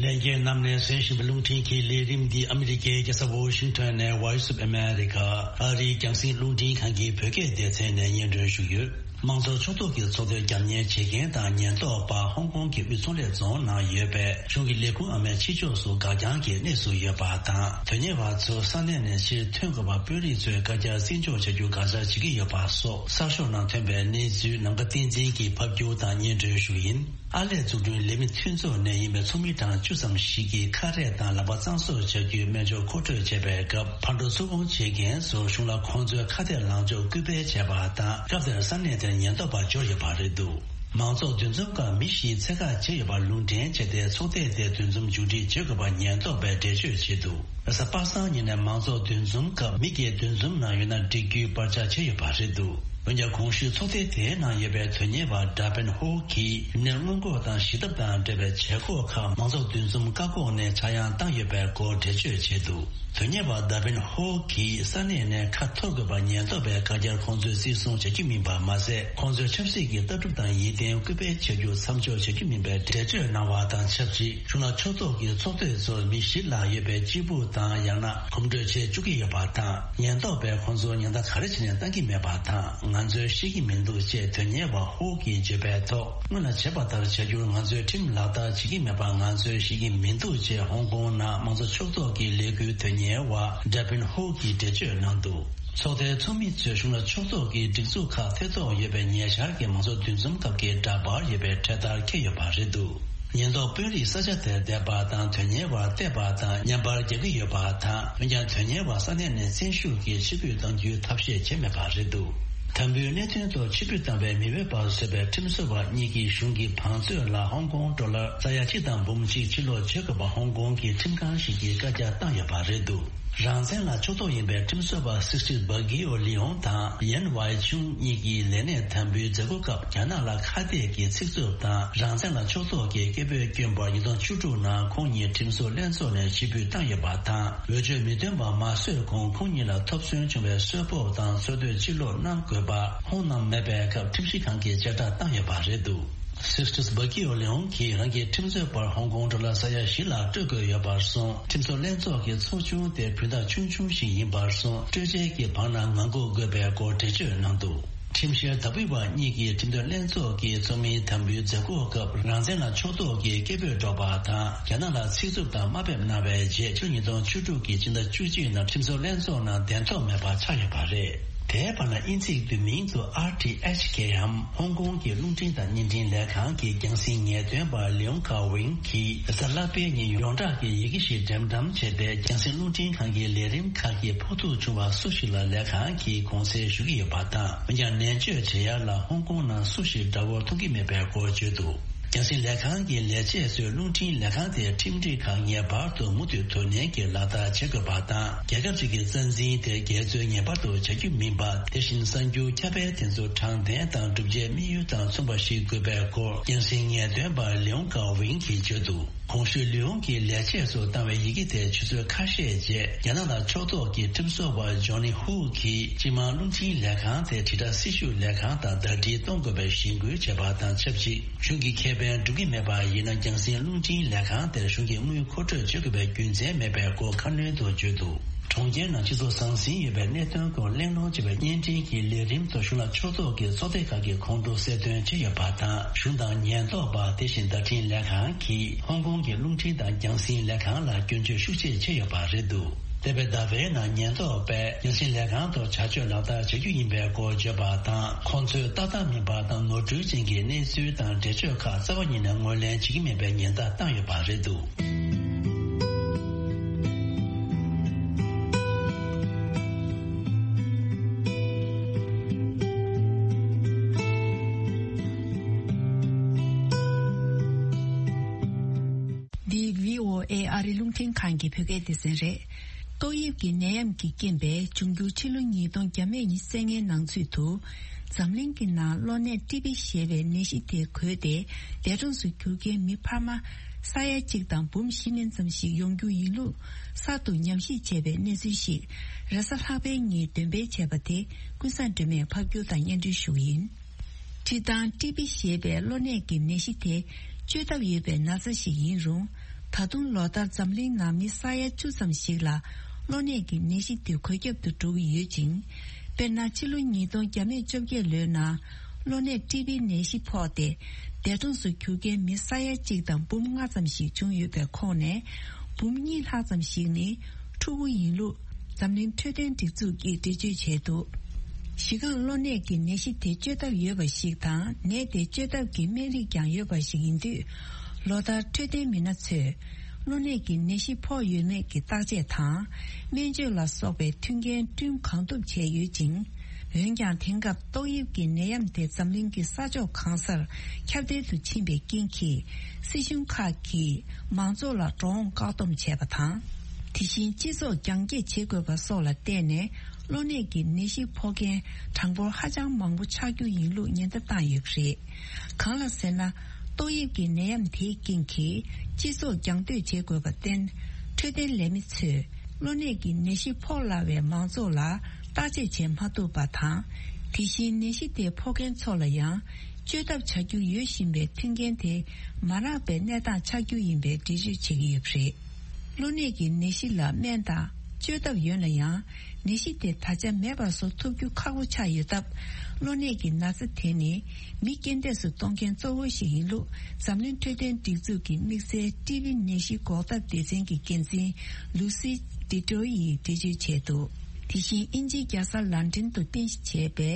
ལྷན་རྒྱས་རྣམས་ནས་གསན་བཞིན་པའི་རླུང་འཕྲིན་གྱི་ལས་རིམ་འདི་ཨ་མི་རི་ཀའི་རྒྱལ་ས་ཝོ་ཤིང་ཊོན་ནས་Voice of America ཨ་རིའི་རྒྱང་སྲིང་རླུང་འཕྲིན་ཁང་གི་བོད་སྐད་སྡེ་ཚན་ནས་སྙན་སྒྲོན་ཞུས་ཡོད། དམངས་གཙོ་ཕྱོགས་གཏོགས་ཀྱི་ཚོགས་སྡེར་རྒྱབ་གཉེར་བྱེད་མཁན་དང་ཉེན་རྟོག་པ་ཧོང་ཀོང་གི་དབུས་ཚོང་ལས་རྫོང་ནང་ཡོད་པའི་གཞུང་གི་ལས་ཁུངས་ཨ་མའི་ཕྱི་ཕྱོགས་སུ་འགག་རྐྱང་གི་གནས་སུ་ཡོད་པ་དང་། དོན་གཉེར་བ་ཚོ་ས་གནས་ནས་ཕྱིར་ཐོན་དགོས་པ་དཔོན་རིགས་ཚོས་བཀའ་རྒྱ་བརྩི་འཇོག་བྱ་རྒྱུ་དགག་བྱ་བྱེད་ཀྱི་ཡོད་པ་སོགས་གསར་ཤོག་ནང་ཐོན་པའི་གནས་ཚུལ་ནམ་མཁའ་བསྟན་འཛིན་གྱིས་ཕབ་སྒྱུར་དང་སྙན་སྒྲོན་ཞུ་ཡིན། ཨར་ལས་འཛུགས་སྐྲུན་ལས་མི་མཐུན་ཚོགས་ནས་ཡིན་པའི་ཚོགས་མི་གྲངས་བཅུ་ཙམ་ཞིག་གིས་ཁ་རས་དང་ལག་པ་གཙང་བཟོ་བྱ་རྒྱུའི་སྨན་སྦྱོར་མཁོ་སྤྲོད་བྱས་པའི་སྐབས། ཕར་འགྲོ་ཚུར་འོང་བྱེད་མཁན་ཚོར་གཞུང་ལ་ཁོང་ཚོའི་ཁ་གཏད་ལངས་ཕྱོགས་སྐུལ་སྤེལ་བྱས་པ་དང་། སྐབས་དེར་ས་གནས་དེར་ཉེན་རྟོག་པ་འབྱོར་ཡོད་པ་རེད་འདུག་མང་ཚོགས་འདུ་འཛོམས་སྐབས་མི་བཞིའི་འཚོལ་བཀག་བྱས་ཡོད་པར་ལུང་འདྲེན་བྱས་ཏེ། ཚོགས་སྡེ་དེའི་འདུ་འཛོམས་མཇུག་སྒྲིལ་བྱེད་དགོས་པར་ཉེན་རྟོག་པས་འགྲེལ་བརྗོད་བྱས་འདུག་རེས་གཟའ་པ་སངས་ཉིན་ནས་མང་ཚོགས་འདུ་འཛོམས་སྐབས་མི་སྒེར་འདུ་འཛོམས་ནང་ཡོད་ན་འགྲིག་རྒྱུའི་བར་ཆད་བྱས་ཡོད་པ་རེད་འདུག་འོན་ཀྱང་། གོང་ཞུས་ཚོགས་སྡེ་དེའི་ནང་ཡོད་པའི་དོན་གཉེར་བ་ཌ་པིན་ཧོ་གིས་ནད་སྔོན་འགོག་དང་ཞི་ཐབས་དང་འབྲེལ་བའི་བྱེད་སྒོ་ཁག་མང་ཚོགས་འདུ་འཛོམས་བཀག་འགོག་ནས་ཆག་ཡང་བཏང་ཡོད་པའི་སྐོར་འགྲེལ་བརྗོད་བྱས་འདུག་དོན་གཉེར་བ་ཌ་པིན་ཧོ་གིས་ས་གནས་ནས་ཁ་འཐོར་དགོས་པ་ཉེན་རྟོག་པས་བཀའ་རྒྱར་ཁོང་ཚོས་བརྩི་སྲུང་བྱ་རྒྱུ་མིན་པ་མ་ཟད། ཁོང་ཚོས་ཆབ་སྲིད་ཀྱི་ལྟ་གྲུབ་དང་ཡིད་བརྟན་སྐུལ་སྤེལ་བྱ་རྒྱུ་མཚམས་འཇོག་བྱ་རྒྱུ་མིན་པའི་འགྲེལ་བརྗོད་གནང་བ་དང་ཆབས་ཅིག་གཞུང་ལ་ཕྱོགས་གཏོགས་ཀྱི་ཚོགས་སྡེ་ཚོར་མི་བཞི་ལྷག་ཡོད་པའི་སྤྱིལ་བུ་དང་ཡང་ན་གོམ་བགྲོད་བྱེད་བཅུག་གི་ཡོད་པ་དང་། ཉེན་རྟོག་པས་ཁོང་ཚོར་ཉེན་བརྡ་ག་རེ་བྱས་ནས་བཏང་གི་མེད་པ་དང་། ང་ཚོས་ཤེས་ཀྱི་མི་འདུག་ཅེས་དོན་གཉེར་བ་ཧོ་གིས་བརྗོད་པའི་ཐོག་སྔོན་ལ་བྱས་པ་ལྟར་བྱ་རྒྱུར་ང་ཚོས་ཁྲིམས་ལག་བསྟར་བྱེད་ཀྱི་མེད་པ་ང་ཚོས་ཤེས་ཀྱི་མི་འདུག་ཅེས་ཧོང་ཀོང་ནང་མང་གཙོ་ཕྱོགས་གཏོགས་ཀྱི་ལས་འགུལ་དོན་གཉེར་བ་ཌ་པིན་ཧོ་གིས་འགྲེལ་བརྗོད་གནང་འདུག་ཚོགས་སྡེའི་ཚོགས་མི་ཚོས་གཞུང་ལ་ཕྱོགས་གཏོགས་ཀྱི་སྒྲིག་འཛུགས་ཁག་ཐེ་གཏོགས་ཡོད་པའི་ཉེ་ཆར་གྱི་མང་གཙོ་འདུ་འཛོམས་སྐབས་ཀྱི་འདྲ་པར་ཡོད་པའི་འཕྲེད་དར་འཁྱེར་ཡོད་པ་རེད་འདུག་ཉེན་རྟོག་དཔོན་རིགས་ས་ཆ་དེར་བསྡད་པ་དང་དོན་གཉེར་བར་བལྟས་པ་དང་བརྙན་པར་རྒྱག་གི་ཡོད་པ་དང་། འོན་ཀྱང་། དོན་གཉེར་བ་ས་གནས་ནས་བཙན་ཤུགས་ཀྱིས་ཕྱིར་འབུད་གཏང་རྒྱུའི་ཐབས་ཤེས་བྱས་མེད་པ་རེད་འདུག་དམ་འབུལ་གནད་དོན་ཐོག་ཕྱིར་འབུད་བཏང་བའི་མི་འོས་པ་བཟོས་པའི་ཁྲིམས་བཟོ་བ་གཉིས་ཀྱིས་གཞུང་གི་བང་མཛོད་ལ་ཧོང་ཀོང་ཌོ་ལར་ས་ཡ་གཅིག་དང་འབུམ་གཅིག་ཕྱིར་སློག་བྱེད་དགོས་པ་ཧོང་ཀོང་གི་ཁྲིམས་ཁང་ཞིག་གིས་བཀའ་རྒྱ་བཏང་ཡོད་པ་རེད་འདུག་རང་བཙན་ལ་ཕྱོགས་གཏོགས་ཡིན་པའི་ཁྲིམས་བཟོ་བ་སིག་སི་བྷ་གི་ཨོ་ལི་ཡོང་དང་ཡན་ཝའི་ཆུང་གཉིས་ཀྱིས་ལས་གནས་དམ་འབུལ་མཛད་སྒོ་སྐབས་རྒྱ་ནག་ལ་ཁ་གཏད་ཀྱི་ཚིག་རྩུབ་དང་རང་བཙན་ལ་ཕྱོགས་གཏོགས་ཀྱི་སྐད་འབོད་བསྐྱོན་པར་ཉིས་སྟོང་བཅུ་དྲུག་ནང་ཁོང་གཉིས་ཁྲིམས་བཟོ་ལྷན་ཚོགས་ནས་ཕྱིར་འབུད་བཏང་ཡོད་པ་དང་། འོས་ཆོས་མི་འདོན་པ་མ་བཟོས་གོང་ཁོང་གཉིས་ལ་ཐོབ་ཚོད་བྱུང་བའི་གསོལ་ཕོགས་དང་འཚོ་སྡོད་ཕྱིར་སློག་གནང་དགོས་པ་ཧོང་གནང་མེད་པའི་སྐབས་ཁྲིམས་ཞིབ་ཁང་གིས་བཅད་ཁྲ་བཏང་ཡོད་པ་རེད་འདུག་སིག་སི་བྷ་གི་ཨོ་ལི་ཡོང་གིས་རང་གི་ཁྲིམས་རྩོད་པར་ཧོང་ཀོང་ཌོ་ལར་ས་ཡ་བཞི་ལ་སྤྲོད་དགོས་ཡོད་པར་སོང་། ཁྲིམས་བཟོ་ལྷན་ཚོགས་ཀྱི་ཚོགས་ཆུང་དེ་བུན་བདག་ཆུང་ཆུང་ཞིག་ཡིན་པར་སོང་། སྤྲོད་འཇལ་གྱི་བར་ན་ངང་སྒུག་དགོས་པའི་སྐོར་འགྲེལ་བརྗོད་གནང་འདུག་ཁྲིམས་བཤེར་ད་བུའི་བ་གཉིས་ཀྱིས་ཁྲིམས་དོན་ལྷན་ཚོགས་ཀྱི་ཚོགས་མིའི་དམ་འབུལ་མཛད་སྒོ་སྐབས་རང་བཙན་ལ་ཕྱོགས་གཏོགས་ཀྱི་སྐད་འབོད་སྒྲོག་པ་དང་རྒྱ་ནག་ལ་ཚིག་རྩུབ་དང་དམའ་འབེབས་གནང་བའི་རྗེས་ཕྱི་ལོ་ཉིས་སྟོང་བཅུ་དྲུག་གི་ཕྱི་ཟླ་བཅུ་གཅིག་ནང་ཁྲིམས་བཟོ་ལྷན་ཚོགས་ནང་གདན་ཐོབ་མེད་པ་ཆགས་ཡོད་པ་རེད། དེའི་བར་ན་དབྱིན་ཚིག་བསྡུས་མིང་དུ་ཨར་ཊི་ཨེཆ་ཀེ་འམ་ཧོང་ཀོང་གི་རླུང་འཕྲིན་དང་བརྙན་འཕྲིན་ལས་ཁང་གི་རྒྱང་སྲིང་ངེས་སྟོན་པ་ལིའུང་ཁ་ཝིང་གིས་རེས་གཟའ་ལྷག་པའི་ཉིན་ཡོངས་གྲགས་ཀྱི་ཡི་གེ་ཞིག་འགྲེམས་བཀྲམ་བྱས་ཏེ། རྒྱང་སྲིང་རླུང་འཕྲིན་ཁང་གི་ལས་རིམ་ཁག་གི་ཕོག་ཐུག་བྱུང་བ་སུ་ཞིག་ལ་ལས་ཁང་གིས་དགོངས་སེལ་ཞུ་གི་ཡོད་པ་དང་། འོན་ཀྱང་ནན་བརྗོད་བྱེད་ཡ་ལ་ཧོང་ཀོང་ནང་སུ་ཞིག་དགྲ་བོར་མཐོང་གི་མེད་པའི་སྐོར་བརྗོད་འདུག་རྒྱང་སྲིང་ལས་ཁང་གི་ལས་བྱེད་ཚོས་རླུང་འཕྲིན་ལས་ཁང་དེའི་ཁྲིམས་སྒྲིག་ཁག་ངེས་པར་དུ་མུ་མཐུད་དོ་ནན་གྱིས་ལག་བསྟར་བྱེད་དགོས་པ་དང་། རྒྱལ་ཁབ་ཅིག་གི་རྩ་འཛིན་དེ་རྒྱལ་ཚོས་ངེས་པར་དུ་བྱ་རྒྱུ་མིན་པ། དེ་བཞིན་གསར་འགྱུར་ཁྱབ་སྤེལ་དེ་ཚོ་དྲང་བདེན་དང་བསྒྲུབ་བྱའི་དམིགས་ཡུལ་དང་མཚུངས་པ་ཞིག་དགོས་པའི་སྐོར་རྒྱང་སྲིང་ངེས་སྟོན་པ་ལིའུང་ཀའོ་ཝིང་གིས་བརྗོད་འདུག་གོང་ཞུས་ལིའུང་གི་ལས་བྱེད་ཚོར་བཏང་བའི་ཡི་གེ་དེ་ཆུ་ཚོད་ཁ་ཤས་རྗེས་རྒྱ་ནག་ལ་ཕྱོགས་གཏོགས་ཀྱི་ཁྲིམས་བཟོ་བ་ཇོ་ནི་ཧུའུ་གིས་སྤྱི་དམངས་རླུང་འཕྲིན་ལས་ཁང་དེ་དྲིལ་བསྒྲགས་སྲི་ཞུ་ལས་ཁང་དང་ཟླ་སྒྲིལ་གཏོང་དགོས་པའི་གཞེན་སྐུལ་བྱས་པ་དང་ཆབས་ཅིག་གཞུང་གི་ཁེ་ཕན་སྒྲུབ་ཀྱི་མེད་པ་ཡིན་ན། རྒྱང་སྲིང་རླུང་འཕྲིན་ལས་ཁང་དེར་གཞུང་གིས་དངུལ་མཁོ་སྤྲོད་བྱེད་དགོས་པའི་རྒྱུ་མཚན་མེད་པའི་སྐོར་ཁ་སྣོན་དུ་བརྗོད་འདུག་གྲོང་ཁྱེར་ནང་སྤྱི་ཚོགས་ཟང་ཟིང་ཡོད་པའི་གནད་དོན་སྐོར་གླེང་སློང་བྱེད་པའི་བརྙན་འཕྲིན་གྱི་ལས་རིམ་ཐོག་གཞུང་ལ་ཕྱོགས་གཏོགས་ཀྱི་ཚོགས་སྡེ་ཁག་གིས་ཁོང་ཁྲོ་གསལ་སྟོན་བྱས་ཡོད་པ་དང་། གཞུང་དང་ཉེན་རྟོག་པ། དེ་བཞིན་བརྡ་འཕྲིན་ལས་ཁང་གིས་ཧོང་ཀོང་གི་རླུང་འཕྲིན་དང་རྒྱང་སྲིང་ལས་ཁང་ལ་སྐྱོན་བརྗོད་ཤུགས་ཆེ་བྱས་ཡོད་པ་རེད་འདུག་འདས་པའི་ཟླ་བའི་ནང་ཉེན་རྟོག་པས་རྒྱང་སྲིང་ལས་ཁང་ཐོག་བྱ་སྤྱོད་ལག་བསྟར་བྱ་རྒྱུ་ཡིན་པའི་སྐོར་བརྗོད་པ་དང་། ཁོང་ཚོས་ཏག་ཏག་མིན་པ་དང་ནོར་འཁྲུལ་ཅན་གྱི་གནས་ཚུལ་དང་འགྲེལ་བརྗོད་ཁག་རྩ་བ་ཉིད་ནས་ངོས་ལེན་བྱེད་ཀྱི་མེད་པའི་ཉེན་བརྡ་བཏང་ཡོད་པ་རེད་འདུག་འདི་བྷི་ཨོ་ཨེ་ཨ་རི་རླུང་འཕྲིན་ཁང་གི་བོད་སྐད་སྡེ་ཚན་རེད། ཏོག་དབྱིབས་ཀྱི་ནད་ཡམས་ཀྱི་རྐྱེན་པས་འབྱུང་འགྱུར་ཕྱི་ལོ་ཉིས་སྟོང་བརྒྱ་མེད་ཉི་ཤུ་རྩ་ལྔའི་ནང་ཚུད་དུ། འཛམ་གླིང་གི་ནང་གློ་ནད་ཊི་བི་ཞེས་པའི་ནད་གཞི་དེ་འགོས་ཏེ། འདས་གྲོངས་སུ་གྱུར་མཁན་མི་འཕར་མ་ས་ཡ་གཅིག་དང་འབུམ་བཞི་མན་ཙམ་ཞིག་ཡོང་རྒྱུ་ཡིན་ལུགས་གསར་དུ་ཉམས་ཞིབ་བྱས་པའི་གནས་ཚུལ་ཞིག་རེས་གཟའ་ལྷག་པའི་ཉིན་འདོན་སྤེལ་བྱས་པ་དེ་ཀུན་བཟང་སྒྲོལ་མས་ཕབ་སྒྱུར་དང་སྙན་སྒྲོན་ཞུ་གི་ཡིན། འཁྲིལ་སྟངས། ཊི་བི་ཞེས་པའི་གློ་ནད་ཀྱི་ནད་གཞི་དེ་བཅོས་ཐབས་ཡོད་པའི་ན་ཚ་ཞིག་ཡིན་རུང་། ད་དུང་ལོ་ལྟར་འཛམ་གླིང་ནང་མི་ས་ཡ་བཅུ་ཙམ་ཞིག་ལ་གློ་ནད་ཀྱི་ནད་གཞི་དེ་འགོས་ཁྱབ་ཏུ་འགྲོ་གི་ཡོད་ཅིང་། དཔེར་ན། ཕྱི་ལོ་ཉིས་སྟོང་བརྒྱ་མེད་བཅོ་བརྒྱད་ལོའི་ནང་གློ་ནད་ཊི་བི་ནད་གཞི་ཕོག་སྟེ། འདས་གྲོངས་སུ་གྱུར་མཁན་མི་ས་ཡ་གཅིག་དང་འབུམ་ལྔ་ཙམ་ཞིག་བྱུང་ཡོད་པའི་ཁོངས་ནས། འབུམ་གཉིས་ལྷག་ཙམ་ཞིག་ནི་ཕྲུ་གུ་ཡིན་ལུགས། འཛམ་གླིང་འཕྲོད་བསྟེན་སྒྲིག་འཛུགས་ཀྱིས་འགྲེལ་བརྗོད་བྱས་འདུག་གཞི་རྐང་གློ་ནད་ཀྱི་ནད་གཞི་དེ་བཅོས་ཐབས་ཡོད་པ་ཞིག་དང་། ནད་དེ་བཅོས་ཐབས་ཀྱི་སྨན་རིགས་ཀྱང་ཡོད་པ་ཞིག་ཡིན་དུས། ལོ་ལྟར་འཕྲོད་བསྟེན་མི་སྣ་ཚོས་གློ་ནད་ཀྱི་ནད་གཞི་ཕོག་ཡོད་མེད་ཀྱི་བརྟག་དཔྱད་དང་། སྨན་བཅོས་ལ་སོགས་པའི་མཐུན་རྐྱེན་བསྐྲུན་གང་ཐུབ་བྱས་ཡོད་ཅིང་། འོན་ཀྱང་། དེང་སྐབས་ཏོག་དབྱིབས་ཀྱི་ནད་ཡམས་དེ་འཛམ་གླིང་གི་ས་ཕྱོགས་གང་སར་ཁྱབ་གདལ་དུ་ཕྱིན་པའི་རྐྱེན་གྱིས། སྲིད་གཞུང་ཁག་གིས་མང་ཚོགས་ལ་འགྲོ་འོང་བཀག་སྡོམ་བྱས་པ་དང་། དེ་བཞིན་སྤྱི་ཚོགས་རྒྱང་བཀྱེད་བྱེད་དགོས་པ་སོགས་ལ་བརྟེན་ནས། གློ་ནད་ཀྱི་ནད་གཞི་ཕོག་མཁན་གྲངས་འབོར་ཧ་ཅང་མང་པོ་ཆགས་རྒྱུ་ཡིན་ལུགས་ཉེན་བརྡ་བཏང་ཡོད་པ་རེད། གང་ལ་ཟེར་ན། ཏོག་དབྱིབས་ཀྱི་ནད་ཡམས་དེའི་རྐྱེན་གྱིས་སྤྱི་ཚོགས་རྒྱང་སྡོད་བྱེད་དགོས་པར་བརྟེན། འཕྲོད་བསྟེན་ལས་མི་ཚོས་གློ་ནད་ཀྱི་ནད་གཞི་ཕོག་སླ་བའི་མང་ཚོགས་ལ་བརྟག་དཔྱད་བྱེད་མ་ཐུབ་པ་དང་། དེ་བཞིན་ནད་གཞི་དེ་ཕོག་མཁན་ཚོ་ལ་ཡང་བཅོས་ཐབས་བྱ་རྒྱུ་ཡོད་བཞིན་པའི་མཐུན་རྐྱེན་དེ་མ་རག་པའི་གནས་སྟངས་ཆགས་རྒྱུ་ཡིན་པའི་འགྲེལ་བརྗོད་བྱེད་ཀྱི་ཡོད་པ་རེད། གློ་ནད་ཀྱི་ནད་གཞི་ལ་སྨན་དང་བཅོས་ཐབས་ཡོད་ན་ཡང་། ནད་གཞི་དེ་ད་ཆ་མེད་པར་བཟོ་ཐུབ་རྒྱུ་ཁག་པོ་ཆགས་ཡོད་སྟབས། གློ་ནད་ཀྱི་ན་ཚ་དེ་ནི་མི་རྐྱེན་འདས་སུ་གཏོང་མཁན་གཙོ་བོ་ཞིག་ཡིན་ལུགས། འཛམ་གླིང་འཕྲོད་བསྟེན་སྒྲིག་འཛུགས་ཀྱི་དམིགས་བསལ་ཊི་བི་ནད་གཞི་འགོག་ཐབས་སྡེ་ཚན་གྱི་འགན་འཛིན་ལུ་སི་ཏི་ཏྲོ་ཡིས་འགྲེལ་བརྗོད་བྱས་འདུག་དེ་བཞིན་དབྱིན་ཇིའི་རྒྱལ་ས་ལན་ཀྲན་དུ་རྟེན་གཞི་བྱས་པའི་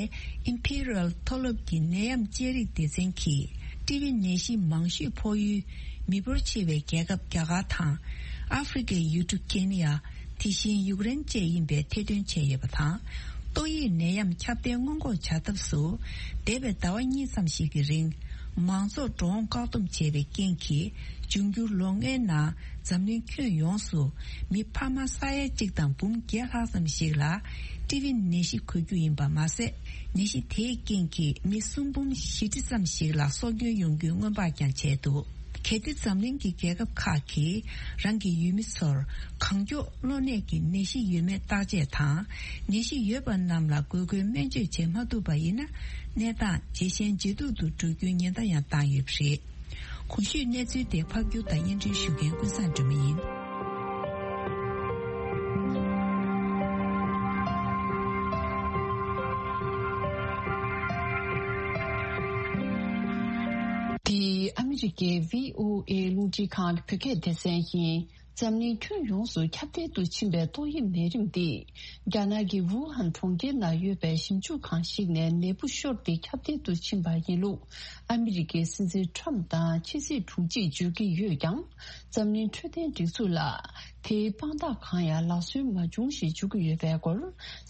ཨིམ་ཕི་རི་ཡལ་མཐོ་སློབ་ཀྱི་ནད་ཡམས་དཔྱད་རིག་སྡེ་ཚན་གྱིས། ཊི་བི་ནད་གཞི་མང་ཤོས་ཕོག་ཡུལ་མི་འབོར་ཆེ་བའི་རྒྱལ་ཁབ་རྒྱ་གར་དང་། ཨ་ཧྥེ་རི་ཁའི་ཡུལ་གྲུ་ཀེ་ནི་ཡ། དེ་བཞིན་ཡུཀ་རེན་བཅས་ཡིན་པའི་ཐེར་འདོན་བྱས་ཡོད་པ་དང་། ཏོག་དབྱིབས་ནད་ཡམས་ཁྱབ་གདལ་སྔོན་འགོག་བྱ་ཐབས་སུ། འདས་པའི་ཟླ་བ་གཉིས་ཙམ་ཞིག་གི་རིང་། མང་ཚོགས་འགྲོ་འོང་བཀག་སྡོམ་བྱས་པའི་རྐྱེན་གྱིས། འབྱུང་འགྱུར་ལོ་ལྔའི་ནང་འཛམ་གླིང་ཁྱོན་ཡོངས་སུ་མི་འཕར་མ་ས་ཡ་གཅིག་དང་འབུམ་བརྒྱད་ལྷག་ཙམ་ཞིག་ལ་ཊི་བི་ནད་གཞི་འགོས་རྒྱུ་ཡིན་པ་མ་ཟད། ནད་གཞི་དེའི་རྐྱེན་གྱིས་མི་སུམ་འབུམ་བཞི་ཁྲི་ཙམ་ཞིག་ལ་སྲོག་སྐྱོན་ཡོང་རྒྱུའི་སྔོན་དཔག་ཀྱང་བྱས་འདུག་གལ་ཏེ་འཛམ་གླིང་གི་རྒྱལ་ཁབ་ཁག་གིས་རང་གི་ཡུལ་མི་ཚོར་གང་མགྱོགས་གློ་ནད་ཀྱི་ནད་གཞི་ཡོད་མེད་བརྟག་དཔྱད་དང་། ནད་གཞི་ཡོད་པ་རྣམས་ལ་དགོས་མཁོའི་སྨན་བཅོས་བྱེད་མ་ཐུབ་པ་ཡིན་ན། གནས་སྟངས་ཇེ་ཞན་ཇེ་སྡུག་ཏུ་འགྲོ་རྒྱུའི་ཉེན་བརྡ་ཡང་བཏང་ཡོད་པ་རེད། གོང་ཞུས་གནས་ཚུལ་དེ་ཕབ་སྒྱུར་དང་སྙན་སྒྲོན་ཞུ་མཁན་ཀུན་བཟང་སྒྲོལ་མ་ཡིན། འདི་ཨ་མི་རི་ཀའི་བྷི་ཨོ་ཨེ་རླུང་འཕྲིན་ཁང་གི་བོད་སྐད་སྡེ་ཚན་ཡིན། འཛམ་གླིང་ཁྱོན་ཡོངས་སུ་ཁྱབ་གདལ་དུ་ཕྱིན་པའི་ཏོག་དབྱིབས་ནད་རིམས་འདི། རྒྱ་ནག་གི་ཝུ་ཧན་གྲོང་ཁྱེར་ནང་ཡོད་པའི་ཞིབ་འཇུག་ཁང་ཞིག་ནས་ནད་འབུ་ཤོར་ཏེ་ཁྱབ་གདལ་དུ་ཕྱིན་པ་ཡིན་ལུགས། ཨ་མི་རི་ཀའི་སྲིད་འཛིན་ཁྲམ་དང་ཕྱི་སྲིད་དྲུང་ཆེས་བརྗོད་ཀྱི་ཡོད་ཀྱང་། འཛམ་གླིང་འཕྲོད་བསྟེན་སྒྲིག་འཛུགས་ལ། དེའི་དཔང་རྟགས་གང་ཡང་ལག་སོན་མ་བྱུང་ཞེས་བརྗོད་ཀྱི་ཡོད་པའི་སྐོར།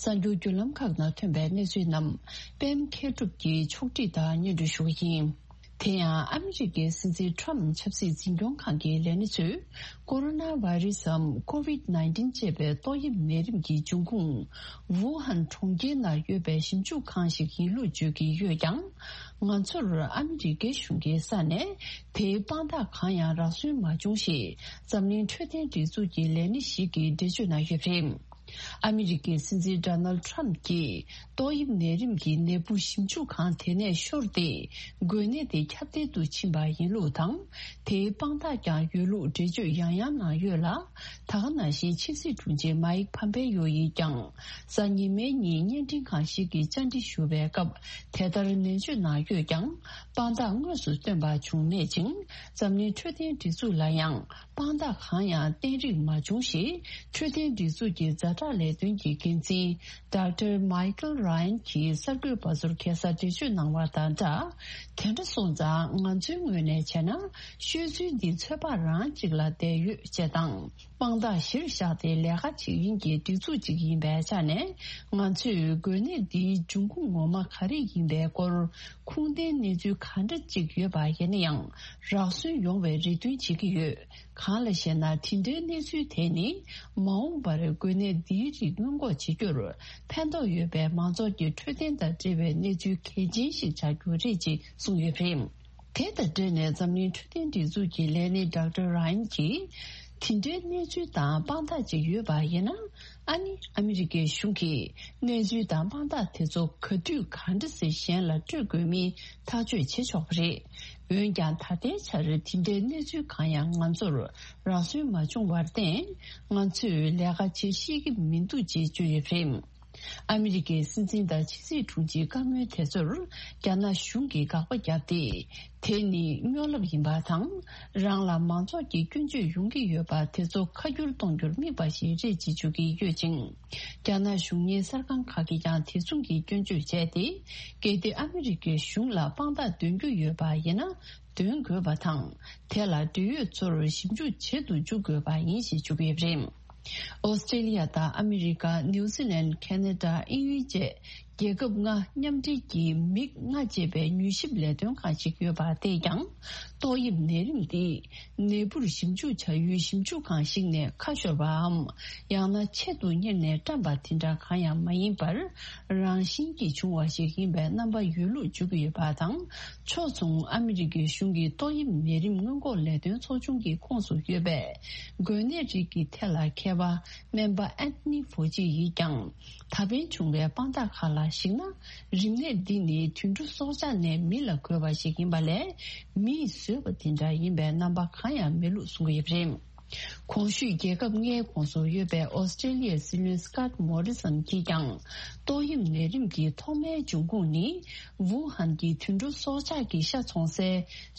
གསར་འགྱུར་བརྒྱུད་ལམ་ཁག་ནང་ཐོན་པའི་གནས་ཚུལ་རྣམས། པད་མ་མཁས་གྲུབ་ཀྱིས་ཕྱོགས་སྒྲིག་དང་སྙན་སྒྲོན་ཞུ་བ་ཡིན། དེ་ཡང་ཨ་མི་རི་ཀའི་སྲིད་འཛིན་ཁྲམ་ཆབ་སྲིད་འཛིན་སྐྱོང་ཁང་གི་ལས་སྣེ་ཚོས། ཀོ་རོ་ན་བྷ་རི་སམ། ཀོ་ཝིད་ནའིན་ཊིན་ཅེས་པའི་ཏོག་དབྱིབས་ནད་རིམས་ཀྱི་འབྱུང་ཁུངས། ཝུ་ཧན་གྲོང་ཁྱེར་ནང་ཡོད་པའི་ཞིབ་འཇུག་ཁང་ཞིག་ཡིན་ལུགས་བརྗོད་ཀྱི་ཡོད་ཀྱང་། ང་ཚོར་ཨ་མི་རི་ཀའི་གཞུང་གི་ས་ནས་དེའི་དཔང་རྟགས་གང་ཡང་རག་སོན་མ་བྱུང་ཞེས། འཛམ་གླིང་འཕྲོད་བསྟེན་སྒྲིག་འཛུགས་ཀྱི་ལས་སྣེ་ཞིག་གིས་འགྲེལ་བརྗོད་གནང་ཡོད་པ་རེད། ཨ་མི་རི་ཀའི་སྲིད་འཛིན་ཌོ་ནལ་ཌི་ཊརམ་གྱིས་ཏོག་དབྱིབས་ནད་རིམས་ཀྱི་ནད་འབུ་ཞིབ་འཇུག་ཁང་དེ་ནས་ཤོར་ཏེ། འགོས་ནད་དེ་ཁྱབ་གདལ་དུ་ཕྱིན་པ་ཡིན་ལུགས་དང་། དེའི་དཔང་རྟགས་ཀྱང་ཡོད་ལུགས་འགྲེལ་བརྗོད་ཡང་ཡང་གནང་ཡོད་ལ། ད་ག་ནང་བཞིན་ཕྱི་སྲིད་དྲུང་ཆེ་མཱིག་ཕམ་པེ་ཡོ་ཡིས་ཀྱང་། གཟའ་ཉི་མའི་ཉིན་བརྙན་འཕྲིན་ཁང་ཞིག་གིས་བཅར་འདྲི་ཞུ་བའི་སྐབས་དེ་ལྟར་ནན་བརྗོད་གནང་ཡོད་ཀྱང་། དཔང་རྟགས་དངོས་སུ་བཏོན་པ་བྱུང་མེད་ཅིང་། འཛམ་གླིང་འཕྲོད་བསྟེན་སྒྲིག་འཛུགས་ལ་ཡང་། དཔང་རྟགས་གང་ཡང་བསྟན་རིགས་མ་བྱུང་ཞེས། འཕྲོད་བསྟེན་སྒྲིག་འཛུགས་ཀྱི་ཛ་དྲག་ལས་དོན་གྱི་འགན་འཛིན་ཌོག་ཊར་མའི་ཀལ་ར་ཡན་གྱིས་གསར་འགོད་པ་ཚོར་ཁ་སང་འགྲེལ་བརྗོད་གནང་བ་དང་སྦྲགས། དེ་འདྲ་སོང་ཙང་ང་ཚོའི་ངོས་ནས་བྱས་ན། ཤོད་ཚུལ་འདི་ཚོད་དཔག་རང་གཅིག་ལ་བསྡད་ཡོད་ཅེས་དང་། དཔང་རྟགས་གཞིར་བཞག་སྟེ་ལས་ཀ་བྱེད་མཁན་གྱི་སྒྲིག་འཛུགས་གཅིག་ཡིན་པའི་ཆ་ནས། ང་ཚོས་འགོས་ནད་འདིའི་འབྱུང་ཁུངས་ངོ་མ་ག་རེ་ཡིན་པའི་སྐོར། ཁུངས་ལྡན་གནས་ཚུལ་ག་འདྲ་གཅིག་ཡོད་པ་ཡིན་ན་ཡང་། རག་སོན་ཡོང་བའི་རེ་འདུན་བྱེད་ཀྱི་ཡོད། གང་ལ་ཞེ་ན། དེ་འདྲའི་གནས་ཚུལ་དེ་ནི། མ་འོངས་པར་འགོས་ནད་འདིའི་རིགས་སྔོན་འགོག་བྱེད་རྒྱུར། ཕན་ཐོགས་ཡོད་པའི་མང་ཚོགས་ཀྱི་འཕྲོད་བསྟེན་དང་འབྲེལ་བའི་གནས་ཚུལ་གལ་ཆེན་ཞིག་ཆགས་རྒྱུ་རེད་ཅེས་གསུངས་ཡོད་པ་རེད། དེ་དང་འབྲེལ་ནས་འཛམ་གླིང་འཕྲོད་བསྟེན་སྒྲིག་འཛུགས་ཀྱི་ལས་སྣེ་ཌོག་ཊར་ར་ཡན་གྱིས། དེ་འདྲའི་གནས་ཚུལ་དང་དཔང་རྟགས་ཅིག་ཡོད་པ་ཡིན་ན། ཨ་ནི་ཨ་མི་རི་ཀའི་གཞུང་གིས་གནས་ཚུལ་དང་དཔང་རྟགས་དེ་ཚོ་ག་དུས་ག་འདྲ་སེ་གཞན་ལ་སྤྲོད་དགོས་མིན་ཐག་གཅོད་བྱེད་ཆོག་པ་རེད། འོན་ཀྱང་ད་ལྟའི་ཆར་དེ་འདྲའི་གནས་ཚུལ་གང་ཡང་ང་ཚོར་རག་སོན་མ་བྱུང་བར་བརྟེན། ང་ཚོས་ལས་ཀ་བྱེད་ཤེས་ཀྱི་མི་འདུག་ཅེས་བརྗོད་ཡོད་པ་རེད། ཨ་མི་རི་ཀའི་སྲིད་འཛིན་དང་ཕྱི་སྲིད་དྲུང་ཆེའི་བཀའ་མོལ་དེ་ཚོར་རྒྱ་ནག་གཞུང་གིས་དགག་པ་བརྒྱབ་སྟེ། དེ་ནི་སྨྱོ་ལབ་ཡིན་པ་དང་། རང་ལ་མང་ཚོགས་ཀྱི་སྐྱོན་བརྗོད་ཡོང་གི་ཡོད་པ་དེ་ཚོ་ཁ་བསྒྱུར་གཏོང་རྒྱུར་དམིགས་པ་ཞིག་རེད་ཅེས་བརྗོད་ཀྱི་ཡོད་ཅིང་། རྒྱ་ནག་གཞུང་གཉེར་གསར་ཁང་ཁག་གིས་ཀྱང་དེ་མཚུངས་ཀྱི་སྐྱོན་བརྗོད་བྱས་ཏེ། གལ་ཏེ་ཨ་མི་རི་ཀའི་གཞུང་ལ་དཔང་རྟགས་འདོན་རྒྱུ་ཡོད་པ་ཡིན་ན། འདོན་དགོས་པ་དང་། དེ་ལ་འབྲེལ་ཡོད་ཚོར་ཞིབ་འཇུག་བྱེད་དུ་འཇུག་དགོས་པ་ཡིན་ཞེས་བརྗོད་ཡོད་པ་རེད། ཨོ་སི་ཀྲེ་ལི་ཡ་དང་ཨ་མི་རི་ཀ། ནིའུ་ཛི་ལན། ཁེ་ན་ཌ། དབྱིན་ཡུལ་བཅས་ རྒྱལ་ཁབ་ལྔ་མཉམ་འབྲེལ་གྱི་མིག་ལྔ་ཅེས་པའི་མྱུལ་ཞིབ་ལས་དོན་ཁང་ཞིག་ཡོད་པ་དེས་ཀྱང་། ཏོག་དབྱིབས་ནད་རིམས་འདི་ནད་འབུར་ཞིབ་འཇུག་བྱ་ཡུལ་ཞིབ་འཇུག་ཁང་ཞིག་ནས་ཁ་ཤོར་བའམ། ཡང་ན་ཆེད་དུ་གཉེར་ནས་བཀྲམ་པ་དེ་འདྲ་གང་ཡང་མ་ཡིན་པར། རང་བཞིན་གྱིས་བྱུང་བ་ཞིག་ཡིན་པའི་རྣམ་པ་ཡོད་ལུགས་བརྗོད་ཀྱི་ཡོད་པ་དང་། ཕྱོགས་མཚུངས་ཨ་མི་རི་ཀའི་གཞུང་གི་ཏོག་དབྱིབས་ནད་རིམས་སྔོན་འགོག་ལས་དོན་ཚོགས་ཆུང་གི་ཁོངས་སུ་ཡོད་པའི་འགོས་ནད་རིགས་ཀྱི་ཐད་ལ་མཁས་པ་སྨན་པ་ཨན་ཐོ་ནི་ཕོ་ཅི་ཡིས་ཀྱང་། ད་ཕན་བྱུང་བའི་དཔང་རྟགས་ཁག་ལ་གཞིགས་ན། རིམས་ནད་འདི་ནི་དུད་འགྲོ་སྲོག་ཆགས་ནས་མི་ལ་འགོས་པ་ཞིག་ཡིན་པ་ལས། མིས་བཟོས་པ་དེ་འདྲ་ཡིན་པའི་རྣམ་པ་གང་ཡང་མེད་ལུགས་གསུང་གི་ཡོད་པ་རེད། གོང་ཞུས་རྒྱལ་ཁབ་ལྔའི་ཁོངས་སུ་ཡོད་པའི་ཨོ་སི་ཀྲེ་ལི་ཡའི་སྲིད་བློན་སི་ཀོཊ་མོ་རི་སན་གྱིས་ཀྱང་། ཏོག་དབྱིབས་ནད་རིམས་ཀྱི་ཐོག་མའི་འབྱུང་ཁུངས་ནི། ཝུ་ཧན་གྱི་དུད་འགྲོ་སྲོག་ཆགས་ཀྱི་ཤ་འཚོང་སའི་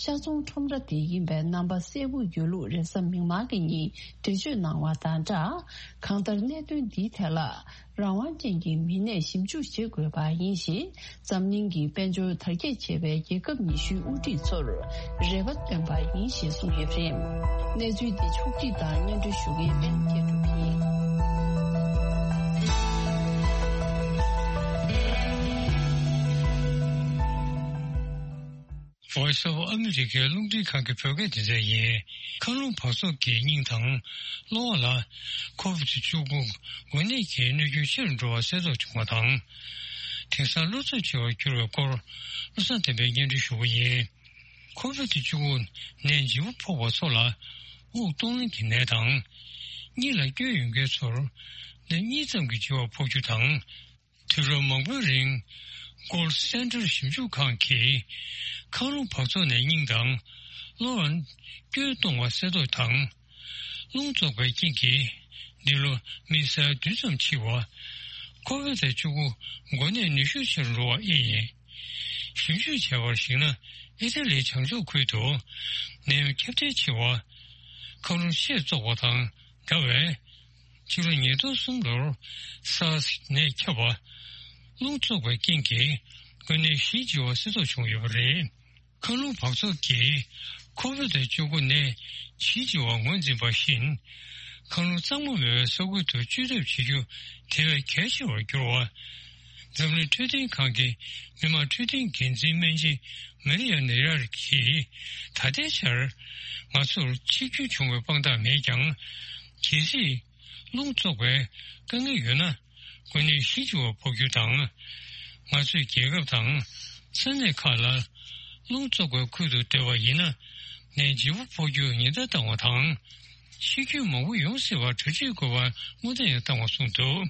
ཤ་ཚོང་ཁྲོམ་ར་དེ་ཡིན་པའི་རྣམ་པ་གསལ་པོ་ཡོད་ལུགས་རེས་གཟའ་མིག་དམར་གྱི་ཉིན་འགྲེལ་བརྗོད་གནང་བ་དང་སྦྲགས། གང་ལྟར་གནད་དོན་འདིའི་ཐད་ལ་རང་དབང་ཅན་གྱི་མི་སྣས་ཞིབ་འཇུག་བྱེད་དགོས་པ་ཡིན་ཞེས། འཛམ་གླིང་གི་དཔལ་འབྱོར་དར་རྒྱས་ཆེ་བའི་རྒྱལ་ཁབ་ཉི་ཤུའི་དབུ་ཁྲིད་ཚོར་རེ་བ་བཏོན་པ་ཡིན་ཞེས་གསུངས་ཡོད་པ་རེད། གནས་ཚུལ་འདི་ཕྱོགས་བསྒྲིགས་དང་སྙན་སྒྲོན་ཞུ་མཁན་པད་མ་སྐྱིད་གྲོང་ཡིན། Voice of America རླུང་འཕྲིན་ཁང་གི་བོད་སྐད་སྡེ་ཚན་ཡིན། མཁའ་རླུང་འབག་བཙོག་གིས་སྙིང་དང་གློ་བ་ལ་ཁོ་བིད་བཅུ་དགུ་འགོས་ནད་ཀྱི་གནོད་སྐྱོན་ཆེ་རུ་འགྲོ་བ་གསལ་རྟོགས་བྱུང་བ་དང་། དེང་སང་གློ་ཚབས་ཆེ་བར་གྱུར་བའི་སྐོར་བློ་བཟང་བསྟན་པས་སྙན་སྒྲོན་ཞུ་གི་ཡིན། ཁོ་བིད་བཅུ་དགུ་ནད་ལྗིད་པོ་ཕོག་པ་ཚོ་ལ་དབུགས་གཏོང་ལེན་གྱི་ནད་དང་། གཉིད་ལ་སྐྱོན་ཡོད་མཁན་ཚོར་ནད་གཉིད་ཙམ་གྱི་ལྗིད་པ་ཕོག་རྒྱུ་དང་། དུས་རབས་མང་པོའི་རིང་Gold Center ཞིབ་འཇུག་ཁང་གིས་མཁའ་རླུང་འབག་བཙོག་ནས་སྙིང་དང་གློ་བར་སྐྱོན་གཏོང་བ་གསལ་རྟོགས་དང་། རླུང་བཙོག་པའི་རྐྱེན་གྱིས་འདི་ལོ་མི་ས་ཡ་བདུན་ཙམ་འཆི་བ། ཁོ་བིད་བཅུ་དགུ་འགོས་ནད་ནུས་ཤུགས་ཆེ་རུ་འགྲོ་བ་ཨེ་ཡིན། ཞིབ་འཇུག་བྱས་པར་གཞིགས་ན་ཨི་ཏ་ལིའི་བྱང་ཕྱོགས་ཁུལ་དུ་ནད་ཡམས་ཁྱབ་གདལ་ཆེ་བ། མཁའ་རླུང་ཆེས་བཙོག་པ་དང་འདྲ་བས། ཕྱི་ལོ་ཉིས་སྟོང་གསུམ་ལོར་སཱར་སི་ནད་ཁྱབ་པ། རླུང་བཙོག་པའི་རྐྱེན་གྱིས་འགོས་ནད་བཞི་འཆི་བ་གསལ་རྟོགས་བྱུང་ཡོད་པ་རེད། མཁའ་རླུང་འབག་བཙོག་གིས་ཁོ་བིད་བཅུ་དགུ་ནད་བཞི་འཆི་བ་ངོས་འཛིན་པ་བཞིན། མཁའ་རླུང་གཙང་མ་མེད་པའི་ས་ཁུལ་དུ་བཅོས་ཐབས་བྱེད་རྒྱུ་དེ་བས་གལ་ཆེ་བར་གྱུར་བ། འཛམ་གླིང་འཕྲོད་བསྟེན་ཁང་གི་མི་དམངས་འཕྲོད་བསྟེན་འགན་འཛིན་སྨན་ཆེན་མ་རི་ཡ་ནེ་ཡར་གྱིས། ད་ལྟའི་ཆར་ང་ཚོར་འཆི་སྐྱོན་བྱུང་བའི་དཔང་རྟགས་མེད་ཀྱང་། གལ་སྲིད་རླུང་བཙོག་པའི་དཀའ་ངལ་ཡོད་ན། འགོས་ནད་བཞི་འཆི་བ་ཕོག་རྒྱུ་དང་། ང་ཚོས་རྒྱལ་ཁབ་དང་ས་གནས་ཁག་ལ་རླུང་བཙོག་པའི་ཁུལ་དུ་སྡོད་པ་ཡིན་ན། ནད་ལྗིད་པོ་ཕོག་རྒྱུར་ཉེན་བརྡ་བཏང་བ་དང་། འཆི་སྐྱོན་མང་པོ་ཡོང་སྲིད་པར་གྲ་སྒྲིག་དགོས་པར་སྔོན་བརྡ་ཡང་བཏང་བ་གསུངས་འདུག།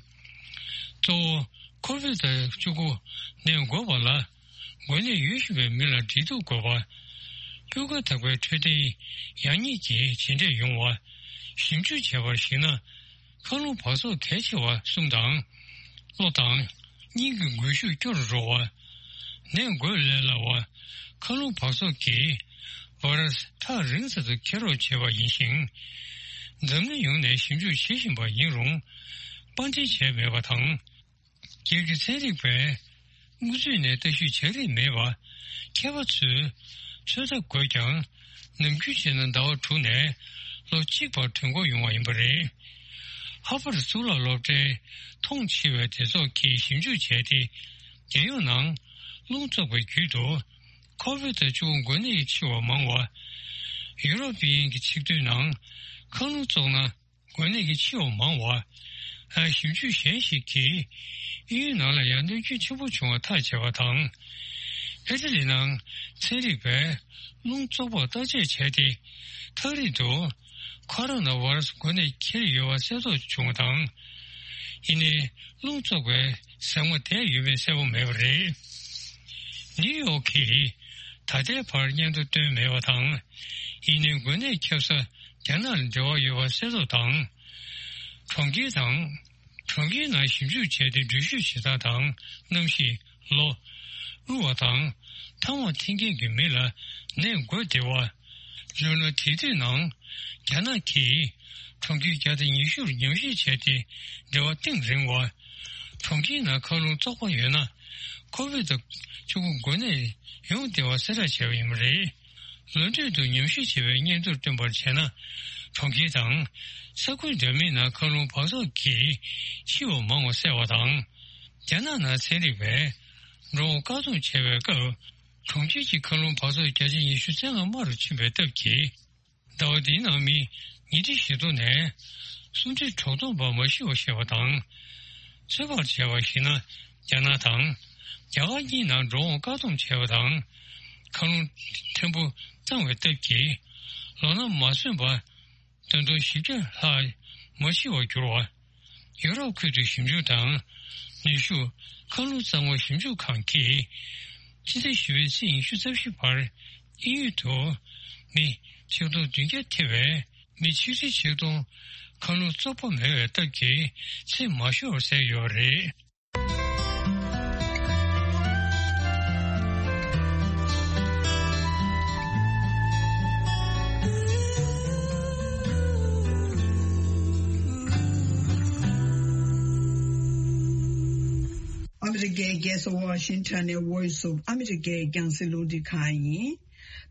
གཙོ་བོ་ཁོ་བིད་བཅུ་དགུ་ནད་འགོས་པ་ལ། འགོས་ནད་ཡོད་བཞིན་པའི་མི་ལ་འབྲེལ་གཏུག་དགོས་པ། སྤུས་ཀ་དག་པའི་འཕྲོད་བསྟེན་ཡག་ཉེས་ཀྱི་བྱས་འབྲས་ཡོང་བ། ཞིབ་འཇུག་བྱས་པར་གཞིགས་ན། མཁའ་རླུང་འབག་བཙོག་གལ་ཆེ་བ་གསུམ་དང་། གློ་དང་། སྙིང་གི་འགུལ་ཤུགས་སྐྱོ་རུ་འགྲོ་བ། ནད་འགོས་ལས་སླ་བ། མཁའ་རླུང་འབག་བཙོག་གིས་ཝེ་རུ་སི་ཐག་རིང་ཙམ་དུ་འཁྱེར་རོགས་བྱེད་པ་ཡིན་ཞིང་། འཛམ་གླིང་ཡོངས་ནས་ཞིབ་འཇུག་བྱེད་བཞིན་པ་ཡིན་རུང་། པར་འདྲེན་བྱས་མེད་པ་དང་། སྒེར་གྱི་ཚན་རིག་པས་སྔོན་ཚུད་ནས་ལྟ་ཞིབ་བྱ་རིན་མེད་པ། མཁས་པ་ཚོས་ཚོད་ལྟ་དགོས་ཀྱང་། ནམ་རྒྱུན་བྱས་ན་ཟླ་བ་དྲུག་ནས་ལོ་གཅིག་བར་དུས་འགོར་ཡོང་བ་ཡིན་པ་རེད། ཧར་བར་གཙུག་ལག་སློབ་གྲྭའི་མཐོང་ཆེ་བའི་སྡེ་ཚོགས་ཀྱིས་ཞིབ་འཇུག་བྱས་ཏེ། རྒྱལ་ཡོངས་ནང་རླུང་བཙོག་པའི་བརྒྱུད་དུ་ཁོ་བིད་བཅུ་དགུ་འགོས་ནད་ཀྱིས་འཆི་བ་མང་བ། ཡུ་རོབ་དབྱིན་གྱི་ཆིག་སྡུད་ནང་མཁའ་རླུང་བཙོག་ན། འགོས་ནད་ཀྱིས་འཆི་བ་མང་བ། ཨ། ཞིབ་འཇུག་གཞན་ཞིག་གིས་དབྱིན་ཡུལ་ནང་ལ་ཡང་གནོད་སྐྱོན་ཆེན་པོ་བྱུང་བ་ཐག་བཅད་པ་དང་། ཨི་ཊ་ལི་ནང་ཚན་རིག་པས་རླུང་བཙོག་པར་བརྟག་དཔྱད་བྱས་ཏེ། ཐག་རིང་དུ་ཁོ་རོ་ན་ཝེ་རུ་སི་འགོས་ནད་འཁྱེར་ཡོད་པ་གསལ་རྟོགས་བྱུང་བ་དང་། ཡིན་ནའི་རླུང་བཙོག་པའི་ཟེགས་མ་དེ་ཡོད་མེད་གསལ་པོ་མེད་པ་རེད། ནིའུ་ཡོག་གིས་ད་ལྟའི་བར་སྙན་ཐོ་བཏོན་མེད་པ་དང་། ཡིན་ནའི་འགོས་ནད་ཁྱབ་ས་རྒྱ་ནག་ལ་འབྲེལ་བ་ཡོད་པ་གསལ་རྟོགས་དང་། གྲོང་ཁྱེར་དང་། གྲོང་ཁྱེར་ནང་ཞིབ་འཇུག་བྱས་ཏེ་འགྲུལ་བཞུད་བྱེད་སྟངས་དང་གནམ་གཤིས། གློ། དབུལ་བ་དང་ཐང་བ་འཐེན་མཁན་གྱི་མི་ལ་ནད་འགོས་བདེ་བ། ལོ་ན་དེ་དུས་ནང་རྒྱ་ནག་གིས་གྲོང་ཁྱེར་བརྒྱ་དང་ཉི་ཤུར་ཉམས་ཞིབ་བྱས་ཏེ་འབྲེལ་བ་གཏིང་རིང་བ། གྲོང་ཁྱེར་ནང་མཁའ་རླུང་བཙོག་པ་ཡོད་ན་ཁོ་བིད་བཅུ་དགུ་འགོས་ནད་ཡོང་བདེ་བ་གསལ་བསྒྲགས་བྱས་པ་ཡིན་པ་རེད། ལོ་མཇུག་ཏུ་ཉམས་ཞིབ་བྱས་པའི་སྙན་ཐོར་བཏོན་པར་བྱས་ན། གྲོང་ཁྱེར་དང་ས་ཁུལ་འདྲ་མིན་ནང་མཁའ་རླུང་འབག་བཙོག་གིས་འཆི་བ་མང་བ་བསལ་བ་དང་། རྒྱ་ནག་ནང་ཚན་རིག་པས་འགྲོ་འོང་བཀག་སྡོམ་བྱས་པའི་སྐབས། གྲོང་ཁྱེར་གྱི་མཁའ་རླུང་འབབ་ཚོགས་བརྒྱ་ཆ་ཉི་ཤུ་རྩ་ལྔ་དམའ་རུ་ཕྱིན་པའི་སྟབས་ཀྱིས། ཟླ་བ་འདིའི་ནང་མི་ཉིས་ཁྲི་བཞི་སྟོང་ནས་སུམ་ཁྲི་དྲུག་སྟོང་བར་མ་ཤི་བ་བཤད་པ་དང་། ཚོད་དཔག་བྱས་པར་གཞིགས་ན། རྒྱ་ནག་དང་རྒྱ་གར་གཉིས་ནང་འགྲོ་འོང་བཀག་སྡོམ་བྱས་པ་དང་། མཁའ་རླུང་ཕྲན་བུ་གཙང་བའི་སྟབས་ཀྱིས། ལོ་ན་མ་སོན་པ་བདུན་སྟོང་བཞི་བརྒྱ་ལྷག་མ་ཤི་བར་གྱུར་བ། ཡོ་རོབ་ཁུལ་དུ་ཞིབ་འཇུག་དང་ནུས་ཤུགས་མཁའ་རླུང་གཙང་མ་ཞིབ་འཇུག་ཁང་གིས། སྤྱི་ཟླ་བཞི་པའི་ཚེས་ཉི་ཤུ་རྩ་བཞི་བར་དབྱིན་ཡུལ་དུ་མི་ཆིག་སྟོང་བདུན་བརྒྱ་ཐེ་བའི་མི་ཆིག་ཁྲི་ཆིག་སྟོང་མཁའ་རླུང་བཙོག་པ་མེད་པའི་སྟབས་ཀྱིས་ཚེ་མ་ཤོར་བར་བསྡད་ཡོད་པ་རེད། ཨ་མི་རི་ཀའི་རྒྱལ་ས་ཝ་ཤིང་ཊོན་ནས་Voice of America རྒྱང་སྲིང་རླུང་འཕྲིན་ཁང་ཡིན།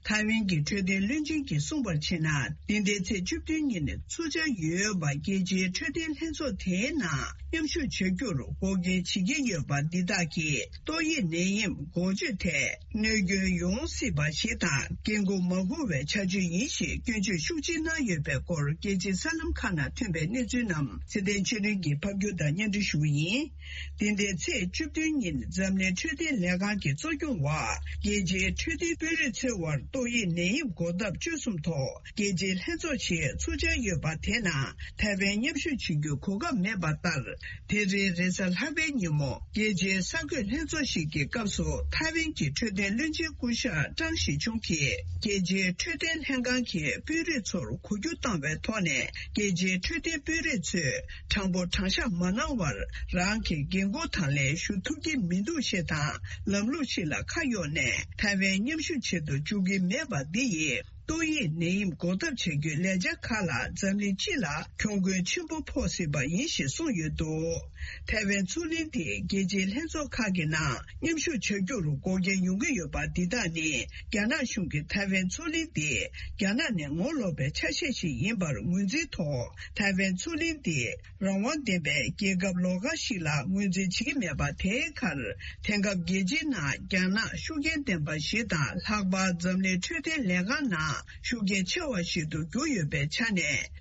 ཐའེ་ཝན་གྱི་འཕྲོད་བསྟེན་བློན་ཆེན་གྱིས་གསུངས་པར་བྱས་ན། འདི་ཟླའི་ཚེས་བཅུ་བདུན་ཉིན་ཚུགས་འཆར་ཡོད་པ། རྒྱལ་སྤྱིའི་འཕྲོད་བསྟེན་ལྷན་ཚོགས་དེའི་ནང་མཉམ་ཞུགས་བྱ་རྒྱུར་འགོག་རྐྱེན་བྱེད་ཀྱི་ཡོད་པ་འདི་དག་གིས་ཏོག་དབྱིབས་ནད་ཡམས་འགོག་བཅོས་ཐད་གནོད་སྐྱོན་ཡོང་སྲིད་པ་ཞིག་དང་། འགན་འཁུར་མ་དགོས་པའི་བྱ་སྤྱོད་ཡིན་ཞེས་སྐྱོན་བརྗོད་ཤུགས་ཆེ་གནང་ཡོད་པའི་སྐོར། རྒྱལ་སྤྱིའི་གསར་ལམ་ཁག་ནང་ཐོན་པའི་གནས་ཚུལ་རྣམས་ཚེ་བརྟན་ཆོས་སྒྲོན་གྱིས་ཕབ་སྒྱུར་དང་སྙན་སྒྲོན་ཞུ་གི་ཡིན། འདི་ཟླའི་ཚེས་བཅུ་བདུན་ཉིན་འཛམ་གླིང་འཕྲོད་བསྟེན་ལས་ཁང་གི་གཙོ་སྐྱོང་འོག་རྒྱལ་སྤྱིའི་འཕྲོད་བསྟེན་དཔོན་རིགས་ཚོའི་དབར་ཏོག་དབྱིབས་ནད་ཡམས་འགོག་ཐབས་བཅོས་གསུམ་ཐོག་རྒྱལ་སྤྱིའི་ལྷན་ཚོགས་ཤིག་ཚུགས་འཆར་ཡོད་པ་དེ་ནང་ཐའེ་ཝན་མཉམ་ཞུགས་བྱེད་རྒྱུའི་གོ་སྐབས་མེད་པ་ལྟར། དེ་རིང་རེས་གཟའ་ལྷག་པའི་ཉིན་མོ་རྒྱལ་སྤྱིའི་གསར་འགོད་ལྷན་ཚོགས་ཤིག་གི་སྐབས་སུ་ཐའེ་ཝན་གྱི་འཕྲོད་བསྟེན་བློན་ཆེན་སྐུ་ཞབས་ཀྲང་ཞི་ཆུང་གིས་རྒྱལ་སྤྱིའི་འཕྲོད་བསྟེན་ལྷན་ཁང་གི་དཔོན་རིགས་ཚོར་གོ་རྒྱུ་བཏང་བའི་ཐོག་ནས། རྒྱལ་སྤྱིའི་འཕྲོད་བསྟེན་དཔོན་རིགས་ཚོས་དྲང་པོ་དྲང་བཞག་མ་གནང་བར། རང་གི་འགན་ཁུར་དང་ལེན་ཞུ་ཐུབ་ཀྱི་མི་འདུག་ཞེས་དང་། ལམ་ལུགས་ཤིག་ལ་ཁ་གཡོགས་ནས་ཐའེ་ཝན་མཉམ་ཞུགས་བྱེད་དུ་འཇུག་གི་མེད་པ་འདི་ཡིས། ཏོག་དབྱིབས་ནད་ཡམས་འགོག་ཐབས་བྱ་རྒྱུའི་ལས་འཆར་ཁག་ལ་འཛམ་གླིང་སྤྱི་ལ་གྱོང་གུན་ཆེན་པོ་ཕོག་སྲིད་པ་ཡིན་ཞེས་གསུངས་ཡོད་འདུག་ཐའེ་ཝན་མཚོ་གླིང་འདི་རྒྱལ་སྤྱིའི་ལྷན་ཚོགས་ཁག་གི་ནང་མཉམ་ཞུགས་བྱ་རྒྱུར་འགོག་རྐྱེན་ཡོང་གི་ཡོད་པ་འདི་དག་ནི། རྒྱ་ནག་གཞུང་གིས་ཐའེ་ཝན་མཚོ་གླིང་འདི་རྒྱ་ནག་ནས་ངོ་ལོག་པའི་ཆ་ཤས་ཤིག་ཡིན་པར་ངོས་འཛིན་ཐོག་ཐའེ་ཝན་མཚོ་གླིང་འདི་རང་དབང་ལྡན་པའི་རྒྱལ་ཁབ་ལོགས་ཀ་ཞིག་ལ་ངོས་འཛིན་བྱེད་ཀྱི་མེད་པ་དེའི་ཁར། དེང་སྐབས་རྒྱལ་སྤྱིའི་ནང་རྒྱ་ནག་ཤུགས་རྐྱེན་ལྡན་པ་ཞིག་དང་། ལྷག་པར་འཛམ་གླིང་འཕྲོད་བསྟེན་ལས་ཁང་ནང་ཤུགས་རྐྱེན་ཆེ་བ་ཞིག་ཏུ་གྱུར་ཡོད་པའི་ཆ་ནས།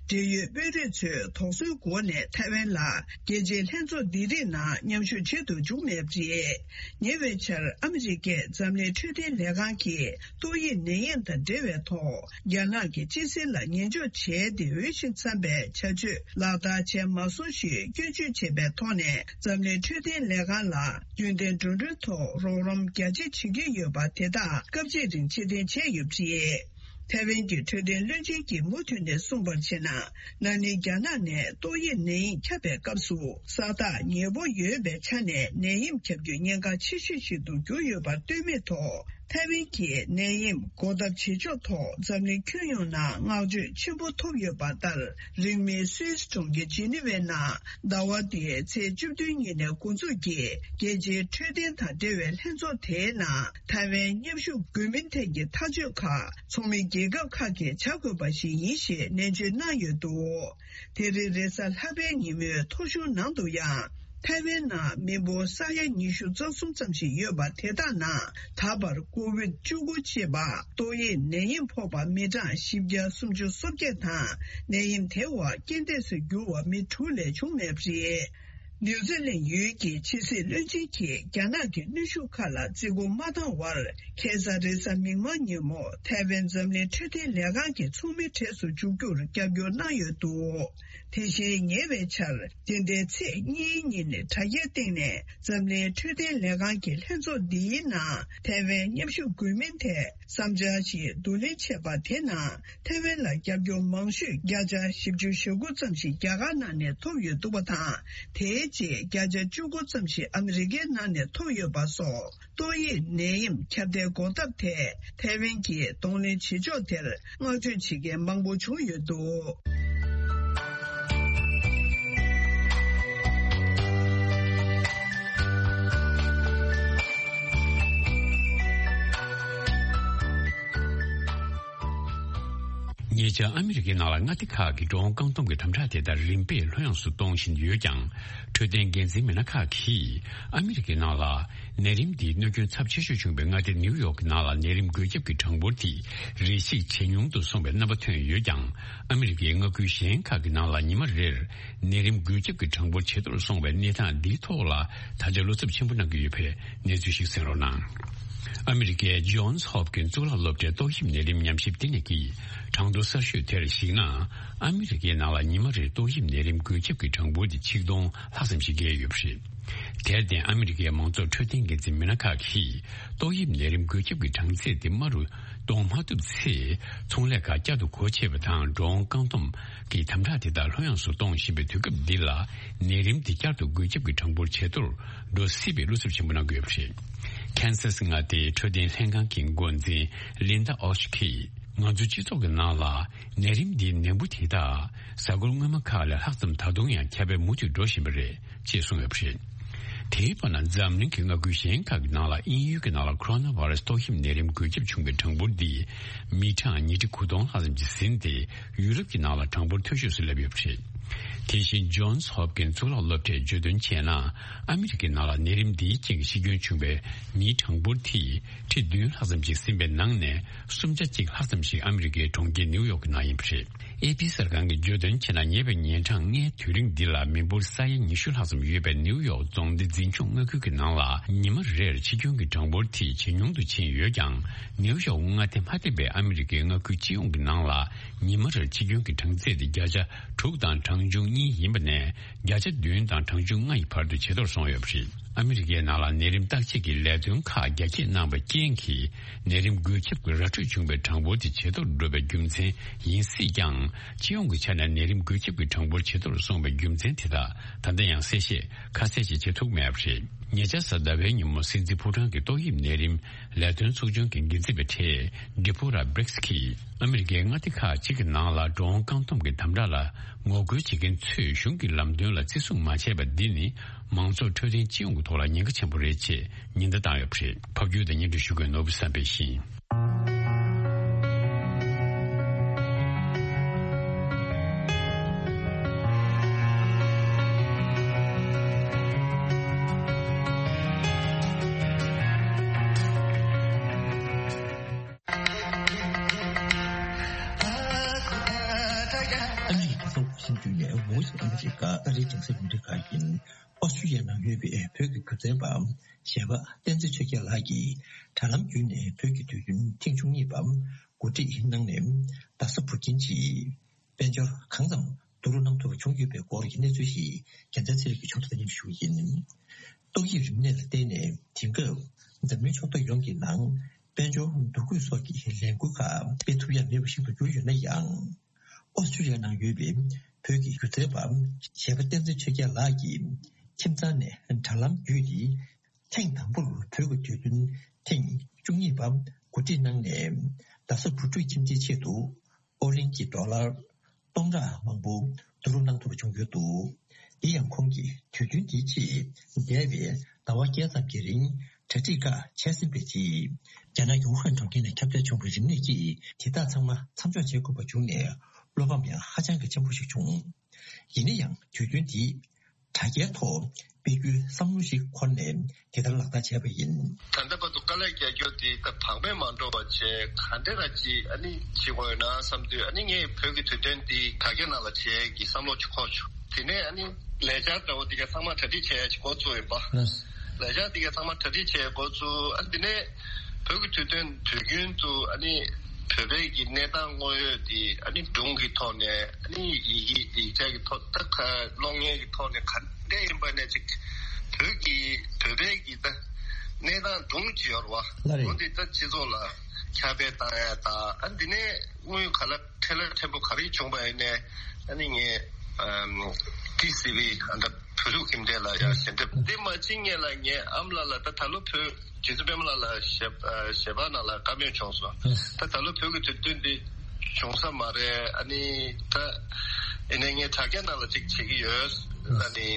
འབྲེལ་ཡོད་དཔོན་རིགས་ཚོས་དོགས་ཟོན་སྒོ་ནས་ཐའེ་ཝན་ལ་རྒྱལ་སྤྱིའི་ལྷན་ཚོགས་འདི་རིགས་ནང་མཉམ་ཞུགས་བྱེད་དུ་འཇུག་མེད་པ་རེད། ཉེ་བའི་ཆར་ཨ་མི་རི་ཀས་འཛམ་གླིང་འཕྲོད་བསྟེན་ལས་ཁང་གིས་ཏོག་དབྱིབས་ནད་ཡམས་དང་འབྲེལ་བའི་ཐོག་རྒྱ་ནག་གི་སྤྱི་སེལ་ལ་ཉན་འཇོག་བྱས་ཏེ། འོས་ཤིང་འཚམ་པའི་བྱ་སྤྱོད་ལག་བསྟར་བྱས་མ་སོང་ཞེས་སྐྱོན་བརྗོད་བྱས་པའི་ཐོག་ནས། འཛམ་གླིང་འཕྲོད་བསྟེན་ལས་ཁང་ལ་རྒྱུན་ལྡན་འགྲོ་གྲོན་ཐོག་རོགས་རམ་རྒྱ་ཆེ་བྱེད་ཀྱི་ཡོད་པ་དེ་དག་སྐབས་གཅིག་རིང་ཕྱིར་འཐེན་བྱས་ཡོད་པ་རེད། ཐའེ་ཝན་གྱི་འཕྲོད་བསྟེན་བློན་ཆེན་གྱིས་མུ་མཐུད་ནས་གསུངས་པར་བྱས་ན། ན་ནིང་རྒྱ་ནག་ནས་ཏོག་དབྱིབས་ནད་ཡམས་ཁྱབ་པའི་སྐབས་སུ་ས་རྟགས་ཉེ་པོ་ཡོད་པའི་ཆ་ནས། ནད་ཡམས་ཁྱབ་རྒྱུའི་ཉེན་ཁ་ཆེ་ཤོས་ཤིག་ཏུ་གྱུར་ཡོད་པར་ལྟོས་མེད་ཐོག་ཐའེ་ཝན་གྱིས་ནད་ཡམས་འགོག་ཐབས་བྱེད་ཕྱོགས་ཐོག་འཛམ་གླིང་ཁྱོན་ཡོངས་ནང་བསྔགས་བརྗོད་ཆེན་པོ་ཐོབ་ཡོད་པ་ལྟར། རིང་མིན་སུད་སི་གྲོང་ཁྱེར་ཇི་ནི་ཝའི་ནང་ཟླ་བ་འདིའི་ཚེས་བཅུ་བདུན་ཉིན་ནས་འགོ་འཛུགས་ཀྱིས་རྒྱལ་སྤྱིའི་འཕྲོད་བསྟེན་དང་འབྲེལ་བའི་ལྷན་ཚོགས་དེའི་ནང་ཐའེ་ཝན་མཉམ་ཞུགས་དགོས་མིན་ཐད་ཀྱི་ཐག་གཅོད་ཁག་ཚོགས་མི་རྒྱལ་ཁབ་ཁག་གིས་བྱ་དགོས་པ་ཞིག་ཡིན་ཞེས་ནན་བརྗོད་གནང་ཡོད་འདུག་དེ་རིང་རེས་གཟའ་ལྷག་པའི་ཉིན་མོའི་ཐོ་གཞུང་ནང་དུ་ཡང་། ཐའེ་ཝན་ནང་མི་འབོར་ས་ཡ་ཉི་ཤུ་རྩ་གསུམ་ཙམ་ཞིག་ཡོད་པ་དེ་དག་ནང་ད་བར་ཀོ་ཝིད་བཅུ་དགུ་ཅེས་པ་ཏོག་དབྱིབས་ནད་ཡམས་ཕོག་པ་མི་གྲངས་བཞི་བརྒྱ་སུམ་ཅུ་སོ་བརྒྱད་དང་། ནད་ཡམས་དེ་བ་རྐྱེན་འདས་སུ་གྱུར་བ་མི་དྲུག་ལས་བྱུང་མེད་པ་རེད། ནིའུ་ཛི་ལན་ཡུལ་གྱི་ཕྱི་སྲིད་བློན་ཆེན་གྱིས་རྒྱ་ནག་གི་གནོན་ཤུགས་ཁག་ལ་བརྩི་བཀུར་མ་བཏང་བར། ཁ་སང་རེས་གཟའ་མིག་དམར་ཉིན་མོ་ཐའེ་ཝན་འཛམ་གླིང་འཕྲོད་བསྟེན་ལས་ཁང་གི་ཚོགས་མི་གྲས་སུ་འཇུག་རྒྱུར་རྒྱབ་སྐྱོར་གནང་ཡོད་འདུག་དེ་བཞིན་ཉེ་བའི་ཆར། འདི་ཟླའི་ཚེས་གཉིས་ཉིན་དྲ་རྒྱའི་སྟེང་ནས་འཛམ་གླིང་འཕྲོད་བསྟེན་ལས་ཁང་གི་ལྷན་ཚོགས་འདིའི་ནང་ཐའེ་ཝན་མཉམ་ཞུགས་དགོས་མིན་ཐད་བསམ་འཆར་ཞིག་བསྡུ་ལེན་བྱས་པ་དེ་ནང་། ཐའེ་ཝན་ལ་རྒྱབ་སྐྱོར་མང་ཤོས་བརྒྱ་ཆ་བཞི་བཅུ་ཞེ་དགུ་ཙམ་ཞིག་རྒྱ་གར་ནང་ནས་ཐོབ་ཡོད་འདུག་པ་དང་། དེའི་རྗེས་བརྒྱ་ཆ་བཅུ་དགུ་ཙམ་ཞིག་ཨ་མི་རི་ཀའི་ནང་ནས་ཐོབ་ཡོད་པ་སོགས། ཏོག་དབྱིབས་ནད་ཡམས་ཁྱབ་གདལ་འགོག་ཐབས་ཐད་ཐའེ་ཝན་གྱིས་གདོང་ལེན་བྱེད་ཕྱོགས་དེར་བསྔགས་བརྗོད་བྱེད་མཁན་མང་པོ་བྱུང་ཡོད་འདུག་ཉེ་ཆར་ཨ་མི་རི་ཀའི་ནང་ལ་མངའ་སྡེ་ཁག་གི་འགྲོ་འོང་བཀག་སྡོམ་གྱི་དམ་དྲག་དེ་དག་རིམ་པས་ལྷོད་ཡངས་སུ་གཏོང་བཞིན་ཡོད་ཀྱང་། འཕྲོད་བསྟེན་འགན་འཛིན་མི་སྣ་ཁག་གིས་ཨ་མི་རི་ཀའི་ནང་ལ་ནད་རིམས་འདིའི་གནོད་སྐྱོན་ཚབས་ཆེ་ཤོས་བྱུང་བའི་མངའ་སྡེ་ནིའུ་ཡོག་གི་ནང་ལ་ནད་རིམས་འགོས་ཁྱབ་ཀྱི་གྲངས་འབོར་དེ་རེ་ཞིག་ཇེ་ཉུང་དུ་སོང་བའི་རྣམ་པ་ཐོན་ཡོད་ཀྱང་། ཨ་མི་རི་ཀའི་མངའ་ཁུལ་གཞན་ཁག་གི་ནང་ལ་ཉི་མ་རེར་ནད་རིམས་འགོས་ཁྱབ་ཀྱི་གྲངས་འབོར་ཇེ་མཐོར་སོང་བའི་གནས་སྟངས་འདིའི་ཐོག་ལ་ད་ཆ་བློ་འཚབ་ཆེན་པོ་གནང་གི་ཡོད་པའི་གནས་ཚུལ་ཞིག་གསན་རོགས་གནང་། ཨ་མི་རི་ཀའི་ཇོན་སི་ཧོབ་ཀིན་གཙུག་ལག་སློབ་གྲྭའི་ཏོག་དབྱིབས་ནད་རིམས་ཉམས་ཞིབ་ལྟེ་གནས་ཀྱིས་གྲངས་ཐོ་གསར་ཤོས་དེར་གཞིགས་ན། ཨ་མི་རི་ཀའི་ནང་ལ་ཉི་མ་རེར་ཏོག་དབྱིབས་ནད་རིམས་འགོས་ཁྱབ་ཀྱི་གྲངས་འབོར་དེ་ཆིག་སྟོང་ལྷག་ཙམ་ཞིག་བརྒལ་ཡོད་པ་རེད། དེར་བརྟེན་ཨ་མི་རི་ཀའི་མང་ཚོགས་འཕྲོད་བསྟེན་འགན་འཛིན་མི་སྣ་ཁག་གིས་ཏོག་དབྱིབས་ནད་རིམས་འགོས་ཁྱབ་ཀྱི་གྲངས་ཚད་དེ་དམའ་རུ་གཏོང་མ་ཐུབ་ཚེ། ཚོང་ལས་ཁག་བསྐྱར་དུ་སྒོ་ཕྱེ་བ་དང་འགྲོ་འོང་བཀག་སྡོམ་གྱི་དམ་དྲག་དེ་དག་ལྷོད་ཡངས་སུ་གཏོང་བཞིན་པའི་དུས་སྐབས་འདི་ལ། ནད་རིམས་དེ་བསྐྱར་དུ་འགོས་ཁྱབ་ཀྱི་གྲངས་འབོར་ཇེ་མཐོར་འགྲོ་སྲིད་པའི་བློ་འཚབ་ཆེན་པོ་གནང་གི་ཡོད་པ་རེད། ཁེན་སཱ་སི་མངའ་སྡེའི་འཕྲོད་བསྟེན་ལྷན་ཁང་གི་འགོ་འཛིན་ལིན་ད་ཨོ་ཤི་གིས། ང་ཚོའི་སྤྱི་ཚོགས་ཀྱི་ནང་ལ་ནད་རིམས་འདིའི་ནད་འབུ་དེ་དག་གཟའ་འཁོར་སྔོན་མ་ཁག་ལས་ལྷག་ཙམ་ད་དུང་ཡང་ཁྱབ་སྤེལ་མུ་མཐུད་འགྲོ་བཞིན་པ་རེད། ཅེས་གསུངས་ཡོད་པ་རེད། དེའི་བར་ན་འཛམ་གླིང་གི་མངའ་ཁུལ་གཞན་ཁག་གི་ནང་ལ་དབྱིན་ཡུལ་གྱི་ནང་ལ་ཁོ་རོ་ན་བྷ་ར་སི་ཏོག་དབྱིབས་ནད་རིམས་འགོས་ཁྱབ་བྱུང་བའི་གྲངས་འབོར་འདི་མི་གྲངས་ཉིས་ཁྲི་དགུ་སྟོང་ལྷག་ཙམ་ཅིག་ཟིན་ཏེ། ཡུ་རོབ་ཀྱི་ནང་ལ་གྲངས་འབོར་མཐོ་ཤོས་སུ་སླེབས་ཡོད་པ་རེད། དེ་བཞིན་ཇོན་སི་ཧོབ་ཀིན་གཙུག་ལག་སློབ་གྲྭས་བརྗོད་དོན་བྱས་ན། ཨ་མི་རི་ཀའི་ནང་ལ་ནད་རིམས་འདིའི་རྐྱེན་གྱིས་ཤི་སྐྱོན་བྱུང་བའི་མིའི་གྲངས་འབོར་དེ་ཁྲི་བདུན་ལྷག་ཙམ་ཞིག་ཟིན་པའི་ནང་ནས་སུམ་ཆ་གཅིག་ལྷག་ཙམ་ཞིག་ཨ་མི་རི་ཀའི་གྲོང་ཁྱེར་ནིའུ་ཡོག་གི་ནང་ཡིན་པ་རེད། ཨེ་པི་གསར་ཁང་གིས་བརྗོད་དོན་བྱས་ན། ཉེ་བའི་ཉིན་གྲངས་ལྔའི་དུས་རིང་འདི་ལ་མི་འབོར་ས་ཡ་ཉི་ཤུ་ལྷག་ཙམ་ཡོད་པའི་ནིའུ་ཡོག་རྫོང་སྡེ་འཛིན་སྐྱོང་མངའ་ཁུལ་གྱི་ནང་ལ་ཉི་མ་རེར་འཆི་སྐྱོན་གྱི་གྲངས་འབོར་དེ་ཇེ་ཉུང་དུ་ཕྱིན་ཡོད་ཀྱང་། ནིའུ་ཡོག་མངའ་སྡེ་མ་ཐེ་བའི་ཨ་མི་རི་ཀའི་མངའ་ཁུལ་སྤྱི་ཡོངས་ཀྱི་ནང་ལ་ཉི་མ་རེར་འཆི་སྐྱོན་གྱི་གྲངས་ཚད་དེ་བརྒྱ་ཆ་དྲུག་དང་གྲངས་ཆུང་གཉིས་ཡིན་པ་ནས། བརྒྱ་ཆ་བདུན་དང་གྲངས་ཆུང་ལྔ་ཡི་བར་དུ་ཇེ་མཐོར་སོང་ཡོད་པ་རེད། ཨ་མི་རི་ཀའི་ནང་ལ་ནད་རིམས་བརྟག་དཔྱད་ཀྱི་ལས་དོན་ཁག་རྒྱ་སྐྱེད་གནང་བའི་རྐྱེན་གྱིས། ནད་རིམས་འགོས་ཁྱབ་ཀྱི་ར་འཕྲོད་བྱུང་བའི་གྲངས་འབོར་དེ་ཇེ་མཐོར་འགྲོ་བའི་རྒྱུ་མཚན་ཡིན་སྲིད་ཀྱང་། སྤྱི་ཡོངས་ཀྱི་ཆ་ནས་ནད་རིམས་འགོས་ཁྱབ་ཀྱི་གྲངས་འབོར་ཇེ་མཐོར་སོང་བའི་རྒྱུ་མཚན་དེ་དག་ད་ལྟ་ཡང་གསལ་བཤད་ཁ་གསལ་ཞིག་བྱེད་ཐུབ་མེད་པ་རེད། ཉེ་ཆར་གཟའ་ཟླ་བའི་ཉིན་མོ་སྲིད་འཛིན་ཕོ་བྲང་གི་ཏོག་དབྱིབས་ནད་རིམས་ལས་དོན་ཚོགས་ཆུང་གི་འགན་འཛིན་པ་ཁྲེ་ཌི་ཕོ་ར་བྷི་རིགས་ཀྱིས། ཨ་མི་རི་ཀའི་མངའ་སྡེ་ཁག་ཅིག་གི་ནང་ལ་འགྲོ་འོང་བཀག་སྡོམ་གྱི་དམ་དྲག་ལ་ངོ་རྒོལ་བྱེད་མཁན་ཚོས་གཞུང་གི་ལམ་སྟོན་ལ་བརྩི་སྲུང་མ་བྱས་པ་འདི་ནི་མང་ཚོགས་འཕྲོད་བསྟེན་སྤྱི་ཡོངས་ཀྱི་ཐོག་ལ་ཉེན་ཁ་ཆེན་པོ་རེད་ཅེས་ཉེན་བརྡ་བཏང་ཡོད་པ་རེད། ཕབ་སྒྱུར་དང་སྙན་སྒྲོན་ཞུ་མཁན་ནོར་བུ་བསམ་འཕེལ་ཡིན། ཨ་མི་རི་ཀའི་གསར་འགོད་ཤིང་བརྒྱུད་ནས་ཝོ་ཡིས་ཨ་མི་རི་ཀ་ཨ་རིའི་རྒྱང་སྲིང་རླུང་འཕྲིན་ཁང་ཡིན། ཨོ་སི་ཀྲི་ཡ་ནང་ཡོད་པའི་བོད་ཀྱི་སྒྱུ་རྩལ་པ་གཞས་པ་བསྟན་འཛིན་ཆོས་རྒྱལ་ལགས་ཀྱིས་དྲ་ལམ་བརྒྱུད་ནས་བོད་ཀྱི་དུས་སྟོན་ཐེངས་བཅུ་གཉིས་པ་གོ་སྒྲིག་གནང་ནས། རྡ་ས་བུ་ཆེན་གྱི་དཔལ་འབྱོར་གང་ཙམ་བསྡུ་རུབ་གནང་ཐུབ་པ་བྱུང་ཡོད་པའི་སྐོར་གྱི་གནས་ཚུལ་ཞིག་རྒྱལ་མཚན་ཚེ་རིང་གིས་ཕྱོགས་བསྒྲིགས་སྙན་ཞུ་ཡིན། ཏོག་དབྱིབས་རིམས་ནད་ལ་བརྟེན་ནས་དེང་སྐབས་འཛམ་གླིང་ཕྱོགས་མཐའ་ཡོངས་ཀྱི་ནང་དཔལ་འབྱོར་འདུ་འགོད་སོགས་ཀྱི་ལས་འགུལ་ཁག་སྤེལ་ཐུབ་ཡ་མེད་པ་ཞིག་ཏུ་གྱུར་ཡོད་ན་ཡང་། ཨོ་སི་ཀྲི་ཡ་ནང་ཡོད་པའི་བོད་ཀྱི་སྒྱུ་རྩལ་པ་གཞས་པ་བསྟན་འཛིན་ཆོས་རྒྱལ་ལགས་ཀྱིས་ཁྱིམ་ཚང་ནས་དྲ་ལམ་བརྒྱུད་དེ། ཐེངས་དང་པོར་བོད་ཀྱི་དུས་སྟོན་ཐེངས་བཅུ་གཉིས་པ་གོ་སྒྲིག་གནང་ནས། རྡ་ས་བུ་ཕྲུག་ཁྱིམ་སྡེའི་ཆེད་དུ་ཨོ་གླིང་གི་ཌོ་ལར་སྟོང་ཕྲག་མང་པོ་བསྡུ་རུབ་གནང་ཐུབ་པ་བྱུང་ཡོད་འདུག་འདི་ཡང་ཁོང་གིས་དུས་སྟོན་འདིའི་ཆེད་འདས་པའི་ཟླ་བ་བརྒྱད་ཙམ་གྱི་རིང་གྲ་སྒྲིག་ཁག་བྱས་ཟིན་པའི་རྗེས། རྒྱ་ནག་གི་ཝུ་ཧན་གྲོང་ཁྱེར་ནས་ཁྱབ་གདལ་བྱུང་བའི་རིམས་ནད་ཀྱིས་དེ་དག་ཚང་མ་མཚམས་འཇོག་བྱེད་དགོས་པ་བྱུང་ནས། བློ་ཕམ་ཡང་ཧ་ཅང་གི་ཆེན་པོ་ཞིག་བྱུང་། ཡིན་ན་ཡང་དུས་སྟོན་འདིས་དྲ་རྒྱའི་ཐོག་སྤེལ་རྒྱུའི་བསམ་བློ་ཞིག་འཁོར་ནས་དེ་ལྟར་ལག་བསྟར་བྱས་པ་ཡིན། ད་ལྟ་བར་དུ་དཀའ་ལས་རྒྱག་རྒྱུ་དེ་ད་བག་མེད་མ་འགྲོ་བ་བྱས་ག་འདྲ་ར་ཅིག་ཨ་ནི་བྱེད་དགོས་ཡོད་ན་བསམ་དུས། ཨ་ནི་ངས་བོད་ཀྱི་དུས་སྟོན་འདི་དྲ་རྒྱ་ནང་ལ་བྱེད་ཀྱི་བསམ་བློ་ཅིག་འཁོར་བྱུང་། དེ་ནས་ཨ་ནི་ལས་འཆར་འདྲ་བོ་དེ་ག་ཚང་མ་གྲ་སྒྲིག་བྱས་ཅིག་འགོ་བཙུགས་ཡིན་པ། ལས་འཆར་དེ་ག་ཚང་མ་གྲ་སྒྲིག་བྱས་འགོ་བཙུགས། ཨ་དེ་ནས་བོད་ཀྱི་དུས་སྟོན་དུས་རྒྱུན་དུ་ཨ་ནི་བོད་པའི་གི་གནས་སྟངས་དངོས་ཡོད་དེ་ཨ་ནི་སྒྲུང་གི་ཐོག་ནས། ཨ་ནི་ཡི་གེ་ཡིག་ཆ་གི་ཐོག་ད་ག་གློག་བརྙན་གི་ཐོག་ནས་ག་འདྲ་ཡིན་པ་ནས་ཅིག་བོད་ཀྱི་བོད་པའི་གི་ད་གནས་སྟངས་སྒྲུང་ཅིག་ཡོད་རེད་བ། ལགས་རེད། འོ་འདི་ད་སྤྱི་ཚོགས་ལ་ཁྱབ་སྤེལ་བཏང་ཡ་དང་། ཨ་འདི་ནས་དངོས་ཡོད་ག་ལ་ཕྲན་ལ་ཕྲན་བུ་ག་རེ་བྱུང་བ་ཡིན་ནའི། ཨ་ནི་ངས་ཨམ་ཏི་སི་ཝི་ཨ་ད་བོད་ཕྲུག་ཁྱིམ་སྡེ་ལ་ཡང་ཞལ་འདེབས། དེ་མ་ཕྱིན་སྔོན་ལ་ངས་ཨ་མ་ལགས་ལ་ད་ད་ལོ་བོད་རྗེ་བཙུན་པད་མ་ལགས་ལ་ཞལ་ཨ་ཞལ་པར་ནང་ལ་བཀའ་མོལ་བྱུང་སོང་། ད་ད་ལོ་བོད་ཀྱི་དུས་སྟོན་འདི་བྱུང་ས་མ་རེད། ཨ་ནི་ད་ཡིན་ནའི་ངས་དྲ་རྒྱ་ནང་ལ་ཅིག་བྱེད་ཀྱི་ཡོད། ཨ་ནི་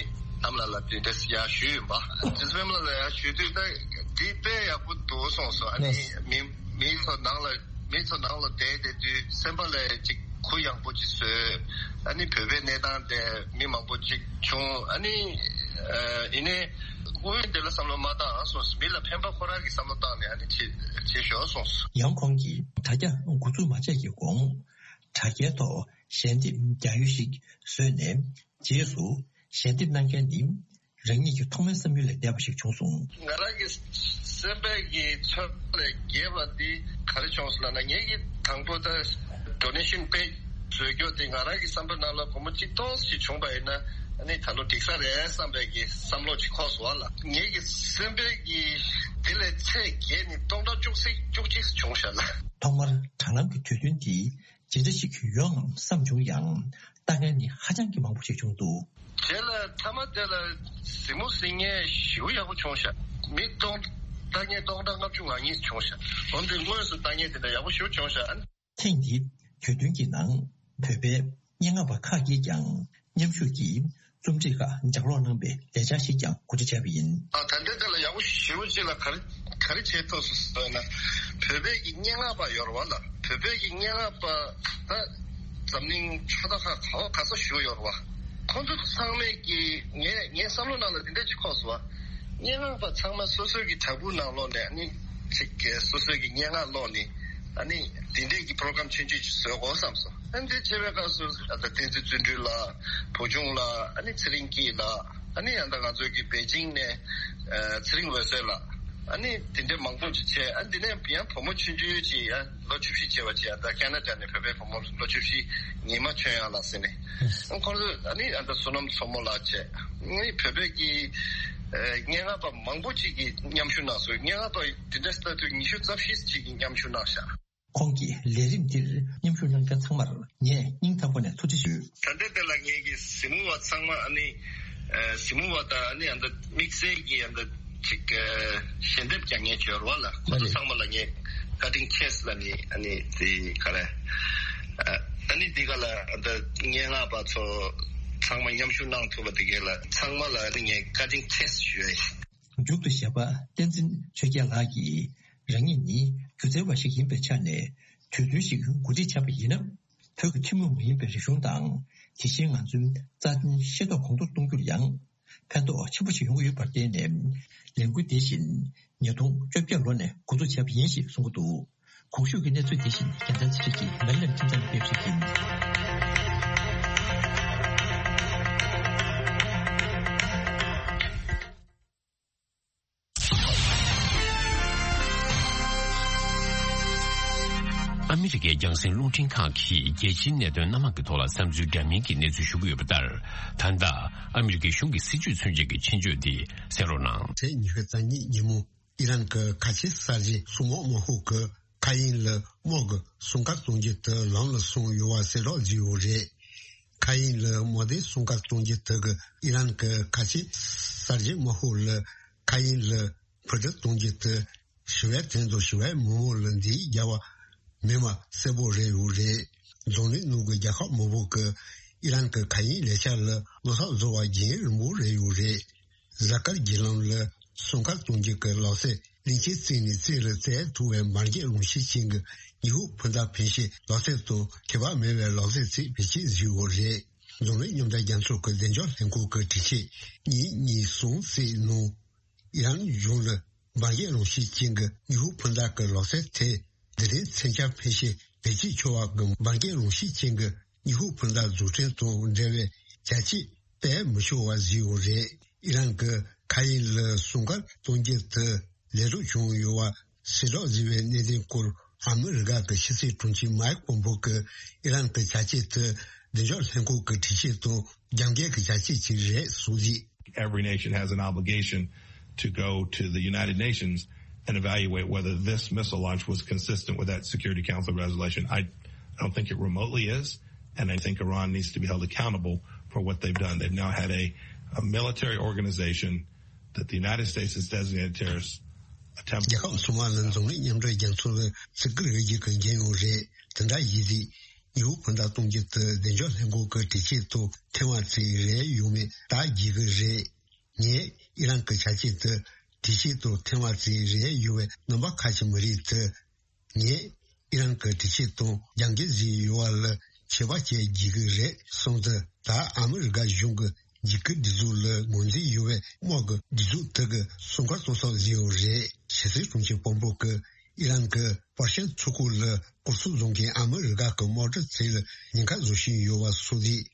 ཨ་མ་ལགས་ལ་དེ་འདྲ་ཡར་ཞུས་ཡིན་པ། རྗེ་བཙུན་པད་མ་ལགས་ལ་ཡར་ཞུས་དུས་ད་འདི་དཔེ་ཡག་པོ་འདུག་གསུངས་སོང་། ཨ་ནི་མི་མི་ཚོ་ནང་ལ་མི་ཚོ་ནང་ལ་བསྡད་བསྡད་དུས་སེམས་པ་ལ་ཅིག་ གུ་ཡངས་པོ་ཅིག་བཟོས། ཨ་ནི་བོད་པའི་གནས་སྟངས་དེ་མི་མང་པོ་ཅིག་བྱུང་། ཨ་ནི་ཨ་ཡིན་ནའི་དངོས་ཡོད་དེ་ལ་བསམ་བློ་མ་བཏང་སོང་། མི་ལ་ཕན་པ་ཁོ་རང་གི་བསམ་བློ་བཏང་ནས་ཨ་ནི་བྱེད་བྱེད་ཤོར་སོང་། ཡང་ཁོང་གིས་དྲ་རྒྱ་འགོ་འཛུགས་མ་བྱས་ཀྱི་གོང་། དྲ་རྒྱའི་ཐོག་ཞལ་འདེབས་རྒྱག་ཡུལ་ཞིག་བཟོས་ནས། རྗེས་སུ་ཞལ་འདེབས་གནང་མཁན་ནི་རང་ཉིད་ཀྱི་ཐོག་མའི་བསམ་ཡུལ་ལས་འདས་པ་ཞིག་བྱུང་སོང་། ང་རང་གི་སེམས་པའི་གི་ཚོར་བ་ལས་བརྒལ་བ་འདི་ག་རེ་བྱུང་སོང་ལབ་ན། ངེད་ཀྱིས་དང་པོ་ད་ཌོ་ནེ་ཤན་པེ་ཇི་བཟོས་རྒྱུ་དེ་ང་རང་གི་བསམ་པའི་ནང་ལ་སྒོར་མོ་གཅིག་སྟོང་ཞིག་བྱུང་པ་ཡིན་ན། ཨ་ནི་ད་ལོ་འགྲིག་ས་རེད་བསམ་པའི་གི་བསམ་བློ་ཅིག་འཁོར་སོང་བ་ལ། ངེད་ཀྱི་སེམས་པའི་གི་དེ་ལས་ཚད་བརྒལ་ནས་སྟོང་ཕྲག་བཅུ་གཅིག་བཅུ་གཅིག་བྱུང་ཤག་ལ། ཐོག་མར་དྲ་ལམ་གྱི་དུས་སྟོན་འདི་ཇི་འདྲ་ཞིག་ཡོང་ངམ་བསམ་བྱུང་ཡང་། ལྟ་མཁན་ནི་ཧ་ཅང་གི་མང་པོ་ཞིག་བྱུང་འདུག། རྗེས་ལ་མཐའ་མ་དེ་ལ་གཟིགས་མོ་གཟིགས་མཁན་ཞེ་པོ་ཡག་པོ་བྱུང་ཤག། མི་སྟོང་ལྟ་མཁན་སྟོང་ཕྲག་ལྔ་བཅུ་ང་གཉིས་བྱུང་ཤག། འོན་ཏེ་དངོས་སུ་ལྟ་མཁན་དེ་འདྲ་ཡག་པོ་ཞེ་པོ་བྱུང་ཤག། ཨ་ནི། ཐེངས་འདིའི་དུས་སྟོན་གྱི་ནང་བོད་པའི་སྙན་ངག་པ་ཁག་གིས་ཀྱང་མཉམ་ཞུགས་ཀྱིས་རྩོམ་སྒྲིག་ཁག་ལྗགས་ཀློག་གནང་བའི་ལས་འཆར་ཞིག་ཀྱང་གོ་སྒྲིག་བྱས་པ་ཡིན། ཨ་ད་ལྟའི་དེ་ལ་ཡག་པོ་ཞེ་པོ་ཅིག་ལ་ག་རེ་ག་རེ་བྱས་ཐུབ་སོང་ཟེར་ན། བོད་པའི་གི་སྙན་ངག་པ་ཡོད་རེད་བ་ལ། བོད་པའི་གི་སྙན་ངག་པ་ད་འཛམ་གླིང་ཕྱོགས་མཐའ་ཁག་ག་བ་ག་ས་བཞུགས་ཡོད་རེད་བ། ཁོང་ཚོ་ཚང་མས་ཀྱི་ངས་ངའི་བསམ་བློ་ནང་ལ་འདི་འདྲ་ཅིག་འཁོར་སོང་བ། སྙན་ངག་པ་ཚང་མ་སོ་སོའི་གི་བྲག་ཕུག་ནང་ལོགས་ནས་ཨ་ནི་ཅིག་གི་སོ་སོའི་གི་སྙན་ངག་ཀློག་ནས། ཨ་ནི་འདི་འདྲའི་གི་པྲོ་གྷ་རམ་ཆུང་ཆུང་ཅིག་བཟོ་དགོས་བསམ་སོང་། ཨ་ནི་འདི་བྱེད་པའི་སྐབས་སུ་ཨ་ད་བསྟན་འཛིན་བརྩོན་འགྲུས་ལགས། བུ་ཆུང་ལགས། ཨ་ནི་ཚེ་རིང་སྐྱིད་ལགས། ཨ་ནི་ཨ་ད་ང་ཚོའི་གི་པེ་ཅིང་ནས་ཨ་ཚེ་རིང་འོད་ཟེར་ལགས། ཨ་ནི་དེ་འདྲའི་མང་པོ་ཅིག་བྱས། ཨ་འདི་ནས་ཡང་བུ་མོ་ཆུང་ཆུང་ཅིག་ཡང་ལོ་བཅུ་བཞི་བྱས་པ་ཅིག་ཡང་ད་ཁེ་ན་ཌ་ནས་བོད་པའི་བུ་མོ་ལོ་བཅུ་བཞི། ཉི་མ་ཆོས་དབྱངས་ལགས་ཟེར་ནས། ཨ་ཁོང་ཚོ་ཨ་ནི་ཨ་ད་བསོད་ནམས་མཚོ་མོ་ལགས་བྱས། ཨ་ནི་བོད་པའི་གི་ཨ་སྙན་ངག་པ་མང་པོ་ཅིག་གིས་མཉམ་ཞུགས་གནང་སོང་། སྙན་ངག་པ་དེ་འདྲ་ལྟ་དུས་ཉི་ཤུ་རྩ་བཞི་ཅིག་གིས་མཉམ་ཞུགས་གནང་ཤག། ཁོང་གིས་ལས་རིམ་འདིར་མཉམ་ཞུགས་གནང་མཁན་ཚང་མར་ངས་སྙིང་ཐག་པ་ནས་ཐུགས་རྗེ་ཞུ། ད་ལྟའི་དེ་ལ་ངེད་ཀྱི་གཟིགས་མོ་བ་ཚང་མ་ཨ་ནི་ཨ་གཟིགས་མོ་བ་དང་ཨ་ནི་ཨ་ད་དམིགས་བསལ་གྱི་ཨ་ད་ཅིག་ཨ་ཞལ་འདེབས་རྒྱག་མཁན་ཅིག་ཡོད་རེད་བ་ལ། ཁོང་ཚོ་ཚང་མ་ལ་ངས་ཀ་ཊིང་ཆེས་ལ་ནི་ཨ་ནི་དེ་ག་རེ་ཨ་ནི་འདི་ག་ལ་ཨ་ད་སྙན་ངག་པ་ཚོ་ཚང་མ་མཉམ་ཞུགས་གནང་ཐུབ་པ་དེ་ག་ལ་ཚང་མ་ལ་ཨ་ནི་ངས་ཀ་ཊིང་ཆེས་ཞུ་ཡ་ཡིན། མཇུག་ཏུ་གཞས་པ་བསྟན་འཛིན་ཆོས་རྒྱལ་ལགས་ཀྱིས། རང་ཉིད་ནི་སྒྱུ་རྩལ་བ་ཞིག་ཡིན་པའི་ཆ་ནས། དུས་སྟོན་ཞིག་གོ་སྒྲིག་བྱས་པ་ཡིན་ན། བོད་ཀྱི་ཐུན་མོང་མ་ཡིན་པའི་རིག་གཞུང་དང་། དེ་བཞིན་ང་ཚོའི་རྩ་དོན་ཤེས་རྟོགས་གོང་མཐོར་གཏོང་རྒྱུར་ཡང་ཕན་ཐོགས་ཆེན་པོ་ཞིག་ཡོང་གི་ཡོད་པར་བརྟེན་ནས། ལས་འགུལ་འདི་བཞིན་ཉིས་སྟོང་བཅོ་བརྒྱད་ལོ་ནས་འགོ་འཛུགས་བྱས་པ་ཡིན་ཞེས་གསུང་གི་འདུག། གོང་ཞུས་ཀྱི་གནས་ཚུལ་འདི་བཞིན་རྒྱལ་མཚན་ཚེ་རིང་གིས་མེ་ལ་ལེན་ཁྲིམས་ཚང་ནས་སྤེལ་བ་ཞིག་ཡིན། ཨ་མི་རི་ཀའི་རྒྱང་སྲིང་རླུང་འཕྲིན་ཁང་གིས་རྒྱལ་སྤྱིའི་གནད་དོན་སྣ་མང་གི་ཐོག་ལ་བསམ་ཚུལ་འདྲ་མིན་གྱི་གནས་ཚུལ་ཞུ་གི་ཡོད་པ་ལྟར། ད་ལྟ་ཨ་མི་རི་ཀའི་གཞུང་གི་སྲིད་བྱུས་མཚོན་བྱེད་ཀྱི་ཆེད་བརྗོད་འདི་གསན་རོགས་གནང་། ཚེས་ཉི་ཤུ་རྩ་གཉིས་ཉིན་མོ། ཨི་རན་གྱི་ཁ་ཆེ་གསར་བརྗེ་སྲུང་དམག་དམག་ཤོག་གིས་མཁའ་དབྱིངས་ལ་དམག་གི་སྲུང་སྐར་གཏོང་རྒྱུ་དེ་ལམ་ལ་སོང་ཡོད་པ་གསལ་བསྒྲགས་བྱས་ཡོད་རེད། མཁའ་དབྱིངས་ལ་དམག་སྡེའི་སྲུང་སྐར་གཏོང་རྒྱུ་དེ་གིས་ཨི་རན་གྱི་ཁ་ཆེ་གསར་བརྗེ་དམག་ཤོག་ལ་མཁའ་དབྱིངས་ལ་འཕུར་གྲུ་གཏོང་རྒྱུ་དེ་ཞི་བའི་དོན་དུ་ཞི་བའི་མི་མང་ལ་འདི་རྒྱབ་པ་མིན་པ་གསལ་པོ་རེད་ཡོད་རེད། འཛམ་གླིང་ནང་གི་རྒྱལ་ཁབ་མང་པོ་གིས་ཨི་རན་གྱི་མཁའ་དབྱིངས་ལས་འཆར་ལ་བློ་འཚབ་བཟོ་བ་རྒྱུན་རིང་པོ་རེད་ཡོད་རེད། གཟའ་སྐར་བརྒྱུད་ལམ་ལ་སྲུང་སྐར་གཏོང་རྒྱུ་གི་ལག་རྩལ་གླིང་ཆེན་རྩེ་ནས་རྩེ་ལ་བཙལ་ཐུབ་པའི་འབར་གས་རླུང་ཤུགས་ཅན་གྱི་ཉི་ཧོང་འཕུར་མདའ་འཕེན་བྱེད་ལག་རྩལ་དང་ཁྱད་པར་མེད་པའི་ལག་རྩལ་ཅིག་བེད་སྤྱོད་བྱས་ཡོད་རེད། འཛམ་གླིང་མཉམ་འབྲེལ་རྒྱལ་ཚོགས་ཀྱི་བདེ་འཇགས་ལྷན་ཁང་གི་སྒྲིག་ཆས་གཉིས་གཉིས་གསུམ་གསེས་ནང་ཨི་རན་གཞུང་ལ་འབར་གས་རླུང་ཤུགས་ཅན་གྱི་ཉི་ཧོང་འཕུར་མདའ་གི་ལག་རྩལ་དེ་འདི་རིང་མཚོན་ཆ་འཕེན་བྱེད་བེད་སྤྱོད་ཆོག་པ་གི་འབར་གས་རླུང་ཤུགས་ཅན་གྱི་ཉི་ཧོང་འཕུར་མདའ་འཛུགས་སྐྲུན་དང་འབྲེལ་བའི་བྱ་སྤྱོད་སྤེལ་མི་ཆོག་པ་བཟོས་ཡོད་རེད། ཨི་རན་གྱི་མཁའ་དབྱིངས་ལ་སྲུང་སྐར་གཏོང་རྒྱུ་དེ་ལས་སྒྲུབ་བྱུང་ཡོད་པ་གསལ་བསྒྲགས་བཟོས་པའི་གནད་དོན་སྐོར་ཨ་མི་རི་ཀ་གི་ཕྱི་སྲིད་དྲུང་ཆེ་མའེག་པོམ་པེ་ཡོ་གིས་ཨི་རན་གྱི་བྱ་སྤྱོད་དེ་བདེ་འཇགས་ལྷན་ཁང་གི་གྲོས་ཆོད་དང་རྒྱབ་འགལ་གྱི་བྱ་སྤྱོད་ཅིག་རེད་གསུངས་རྗེས། Every nation has an obligation to go to the United Nations and evaluate whether this missile launch was consistent with that Security Council resolution. I don't think it remotely is, and I think Iran needs to be held accountable for what they've done. They've now had a, a military organization that the United States has designated terrorist attempt. རྒྱལ་ཁབ་ཚང་མ་ལ་འཛམ་གླིང་མཉམ་འབྲེལ་རྒྱལ་ཚོགས་ལ་བརྩི་བཀུར་ཡོད་རྒྱུ་གི་འགན་ཡོད་རེད། དེ་འདྲ་ཡིན་དུས་ཉི་ཧོང་འཕུར་མདའ་གཏོང་རྒྱུ་དེ་བདེ་འཇགས་ལྷན་ཁང་གི་གྲོས་ཆོད་དང་མཐུན་པ་ཅིག་རེད་ཡོད་མེད་བརྟག་དགོས་ཀྱི་རེད། ངས་ཨི་རན་གྱི་བྱ་སྤྱོད་དེ་གྲོས་ཆོད་དང་མཐུན་པ་ཅིག་རེད་ཡོད་པའི་རྣམ་པ་ཁ་ཅིག་མ་རེད་དེ། ངས་ཨི་རན་གྱི་གྲོས་ཆོད་དང་རྒྱབ་འགལ་བཟོས་ཡོད་པ་ལ་ ཆད་པ་བཅད་བགྱིད་ཀྱི་རེད་གསུངས་ཏེ། ད་ཨ་མི་རི་ཀ་གཞུང་གི་འཇིགས་སྐུལ་སྒྲིག་འཛུགས་ལ་ངོས་འཛིན་ཡོད་པའི་དམག་གི་སྒྲིག་འཛུགས་དག་གི་སྲུང་སྐར་གཏོང་ས་བཟོས་ཡོད་རེད། ཕྱི་སྲིད་དྲུང་ཆེ་དཔོན་པོ་གིས་ཨི་རན་གྱི་པར་ཤིན་མཚོ་ཁུག་ལ་སྐོར་ཚོགས་བཟོ་མཁན་ཨ་མི་རི་ཀ་གི་དམག་གྲུ་ཚོ་ལ་ཉེན་ཁ་བཟོ་བཞིན་ཡོད་པ་སོགས་རེད།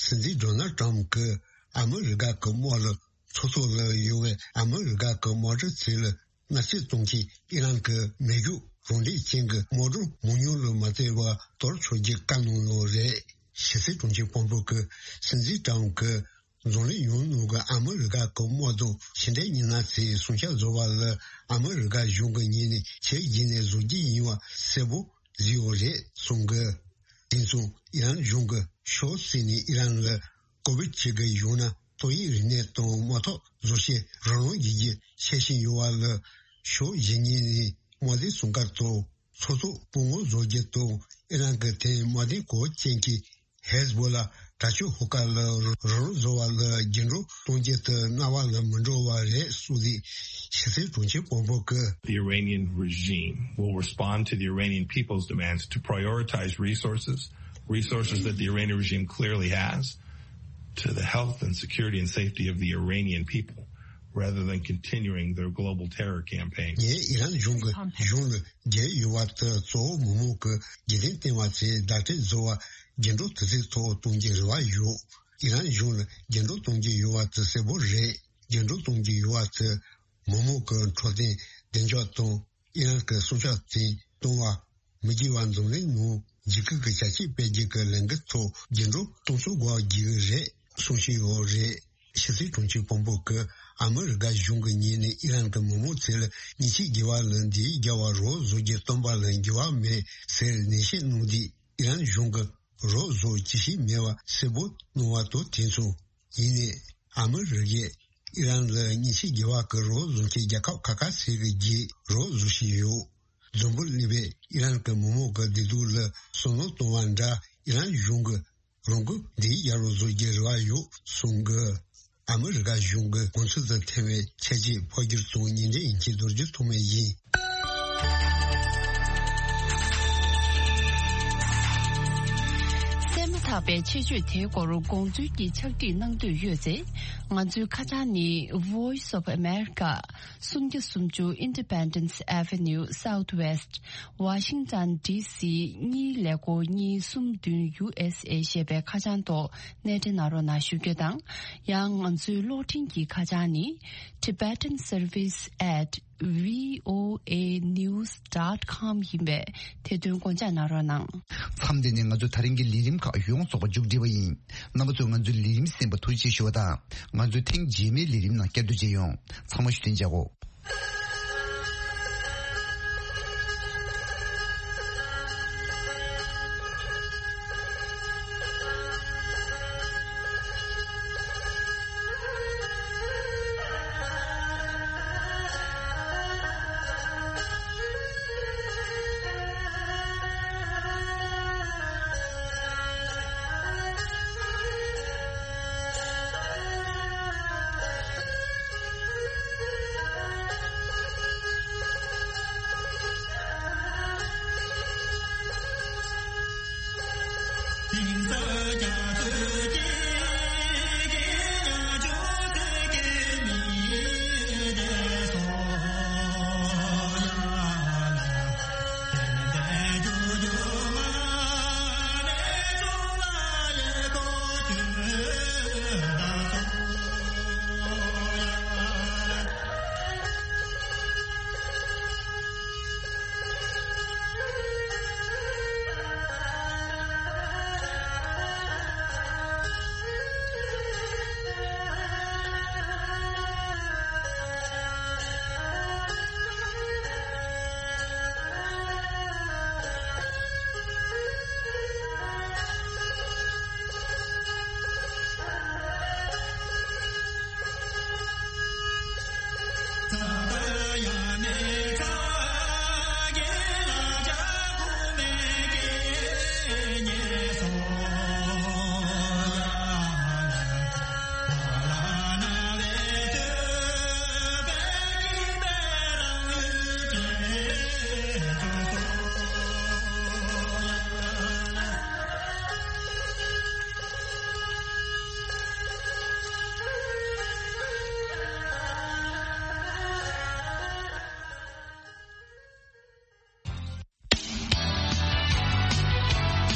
སྲིད་འཛིན་ཌོ་ནལ་ཊམ་གྱིས་ཨ་མི་རི་ཀ་གི་དམག་ལ་མཚོ་ཐོག་ལ་ཡོད་པའི་ཨ་མི་རི་ཀ་གི་དམག་གྲུ་ཚོ་ལ་མནར་གཅོད་གཏོང་མཁན་ཨི་རན་གྱི་མེ་ཤུགས་རང་འགྲེལ་ཅན་གྱི་དམག་སྒྲོན་མང་ཉུང་ལ་མ་བལྟས་པར་གཏོར་ཆོག་རྒྱུ་བཀའ་གནང་ཡོད་རེད། ཕྱི་སྲིད་དྲུང་ཆེ་དཔོན་པོ་གིས་སྲིད་འཛིན་ཊམ་གྱིས་འཛམ་གླིང་ཡོངས་ནང་གི་ཨ་མི་རི་ཀ་གི་དམག་དང་ཕྱི་འབྲེལ་མི་སྣ་ཚོས་སྲུང་སྐྱོབ་བཟོ་བ་ལ་ཨ་མི་རི་ཀ་གཞུང་གི་ངོས་ནས་ཆེད་བརྒྱུད་ནས་བཟོ་རྒྱུ་ཡིན་པ་གསལ་པོ་བཟོས་ཡོད་རེད་གསུངས་གི། དེ་མཚུངས་ཨི་རན་གཞུང་གིས་ཕྱོགས་གཅིག་ནས་ཨི་རན་ལ་ཀོ་བིཌ་བྱེད་ཀྱི་ཡོད་ན་ཏོག་དབྱིབས་རིམས་ནད་དང་དམག་ཐོག་བཟོ་བྱེད་རོགས་རམ་བྱེད་རྒྱུ་འཆར་བཞིན་ཡོད་པ་ལ། ཕྱོགས་བཞི་གཉིས་ནས་དམག་དོན་སྲུང་སྐར་དང་མཚོ་ཐོག་སྤོ་སྔོན་བཟོ་རྒྱུ་དང་ཨི་རན་གྱི་ཐད་དམག་དོན་གོ་སྐབས་ཅན་གྱི་ཧེ་ཟ་བྷོ་ལ་དྲག་སྤྱོད་ཤོག་ཁག་ལ་རོགས་རམ་བཟོ་བ་ལ་རྒྱུན་སྒྲོག་གཏོང་རྒྱུ་དེ་སྔ་བ་ལ་མི་འགྲོ་བ་རེད་གསུངས་ཏེ། ཕྱི་སྲིད་དྲུང་ཆེ་དཔོན་པོ་གིས། The Iranian regime will respond to the Iranian people's demands to prioritize resources, resources that the Iranian regime clearly has, to the health and security and safety of the Iranian people, rather than continuing their global terror campaign. ངས་ཨི་རན་གཞུང་གི་གཞུང་ལ་རྒྱལ་ཡོད་པ་དེ་གཙོ་བོ་མི་མང་གི་རྒྱུན་ལྡན་ལྟེ་བ་ཚོས་བརྡ་སྤྲོད་བཟོ་བ་རྒྱུན་སྒྲོག་དུས་ཚོད་ཐོག་གཏོང་རྒྱུའི་རེ་བ་ཡོད། ཨི་རན་གཞུང་ལ་རྒྱུན་སྒྲོག་གཏོང་རྒྱུ་ཡོད་པ་དེ་གསལ་པོ་རེད། རྒྱུན་སྒྲོག་གཏོང་རྒྱུ་ཡོད་པ་དེ་མི་མང་གི་འཕྲོད་བསྟེན་བདེ་འཇགས་དང་ཨི་རན་གྱི་སྲུང་སྐྱོབ་དེ་གཏོང་བ་མི་བགྱིད་པ་འཛམ་གླིང་ནང་འཇིགས་སྐུལ་གྱི་བྱ་སྤྱོད་སྤེལ་རྒྱུ་གི་ལས་འགུལ་ཐོག་རྒྱུན་སྒྲོག་གཏོང་ཚུལ་འགོག་རྒྱུ་རེད་གསུང་བཞིན་ཡོད་རེད། ཕྱི་སྲིད་དྲུང་ཆེ་དཔོན་པོ་གིས་ཨ་མི་རི་ཀ་གཞུང་གི་ངོས་ནས་ཨི་རན་གྱི་མི་མང་ཚོ་ལ་ཉེས་ཆད་འགེལ་བ་ལ་འདི་རྒྱལ་བ་རོགས་བཟོ་རྒྱུ་བཏོན་པ་ལ་འགྱུར་བ་མེད་ཟེར་ནན་བཤད་གནང་དུས། ཨི་རན་གཞུང་གིས་རོགས་བཟོ་ཅི་ཞིག་མེད་པ་གསལ་པོ་གནང་བ་དང་དེ་མཚུངས། ཡིན་ནའི་ཨ་མི་རི་ཀས་ཨི་རན་ལ་ཉེས་ཆད་འགེལ་བ་གི་རོགས་བཟོ་མཁན་རྒྱལ་ཁབ་ཁ་ཁ་ཟེར་གི་རྗེས་རོགས་བཟོ་བཞིན་ཡོད། འཛམ་བུ་གླིང་པས་ཨི་རན་གྱི་མི་མང་གི་བདེ་སྡུག་ལ་བསམ་བློ་གཏོང་བ་འདྲ་ཨི་རན་གཞུང་གིས་རང་འགུལ་འདི་ཡར་རོ་བཟོ་རྒྱུའི་རེ་བ་ཡོད་གསུང་གི། ཨ་མི་རི་ཀ་གཞུང་གི་གོ་མཚོན་དུ་ཐེ་བའི་ཆ་རྐྱེན་ཕབ་སྒྱུར་དང་ཉིན་རེའི་དབྱིན་ཇིའི་རྡོ་རྗེ་ཐོགས་མེད་ཡིན། གསན་མ་ཐག་པའི་ཆེད་བརྗོད་དེའི་སྐོར་དགོངས་ཚུལ་གྱི་ཕྱག་བྲིས་གནང་འདོད་ཡོད་ཚེ། ང་ཚོའི་ཁ་བྱང་ནི་Voice of America། སུམ་བརྒྱ་སུམ་ཅུ་Independence Avenue Southwest Washington D C གཉིས་ཀླད་ཀོར་གཉིས་གསུམ་བདུན་U S A ཞེས་པའི་ཁ་བྱང་ཐོག་གནས་འབྲེལ་གནང་རོགས་གནང་ཞུ་རྒྱུ་དང་། ཡང་ང་ཚོའི་གློག་འཕྲིན་གྱི་ཁ་བྱང་ནི་Tibetan Service at V O A news dot com ཡིན་པས་དེ་དོན་དགོངས་འཇགས་གནང་རོགས་གནང་། མཚམས་འདི་ནས་ང་ཚོ་ད་རིང་གི་ལས་རིམ་ཁག་ཡོངས་རྫོགས་པ་མཇུག་སྒྲིལ་བ་ཡིན། རྣམ་པ་ཚོས་ང་ཚོའི་ལས་རིམ་གསན་པར་ཐུགས་རྗེ་ཆེ་ཞུ་བ་དང་། ང་ཚོའི་ཐེངས་རྗེས་མའི་ལས་རིམ་ནང་བསྐྱར་དུ་མཇལ་ཡོང་། ཚང་མ་བཞུགས་གདན་འཇགས་གོ།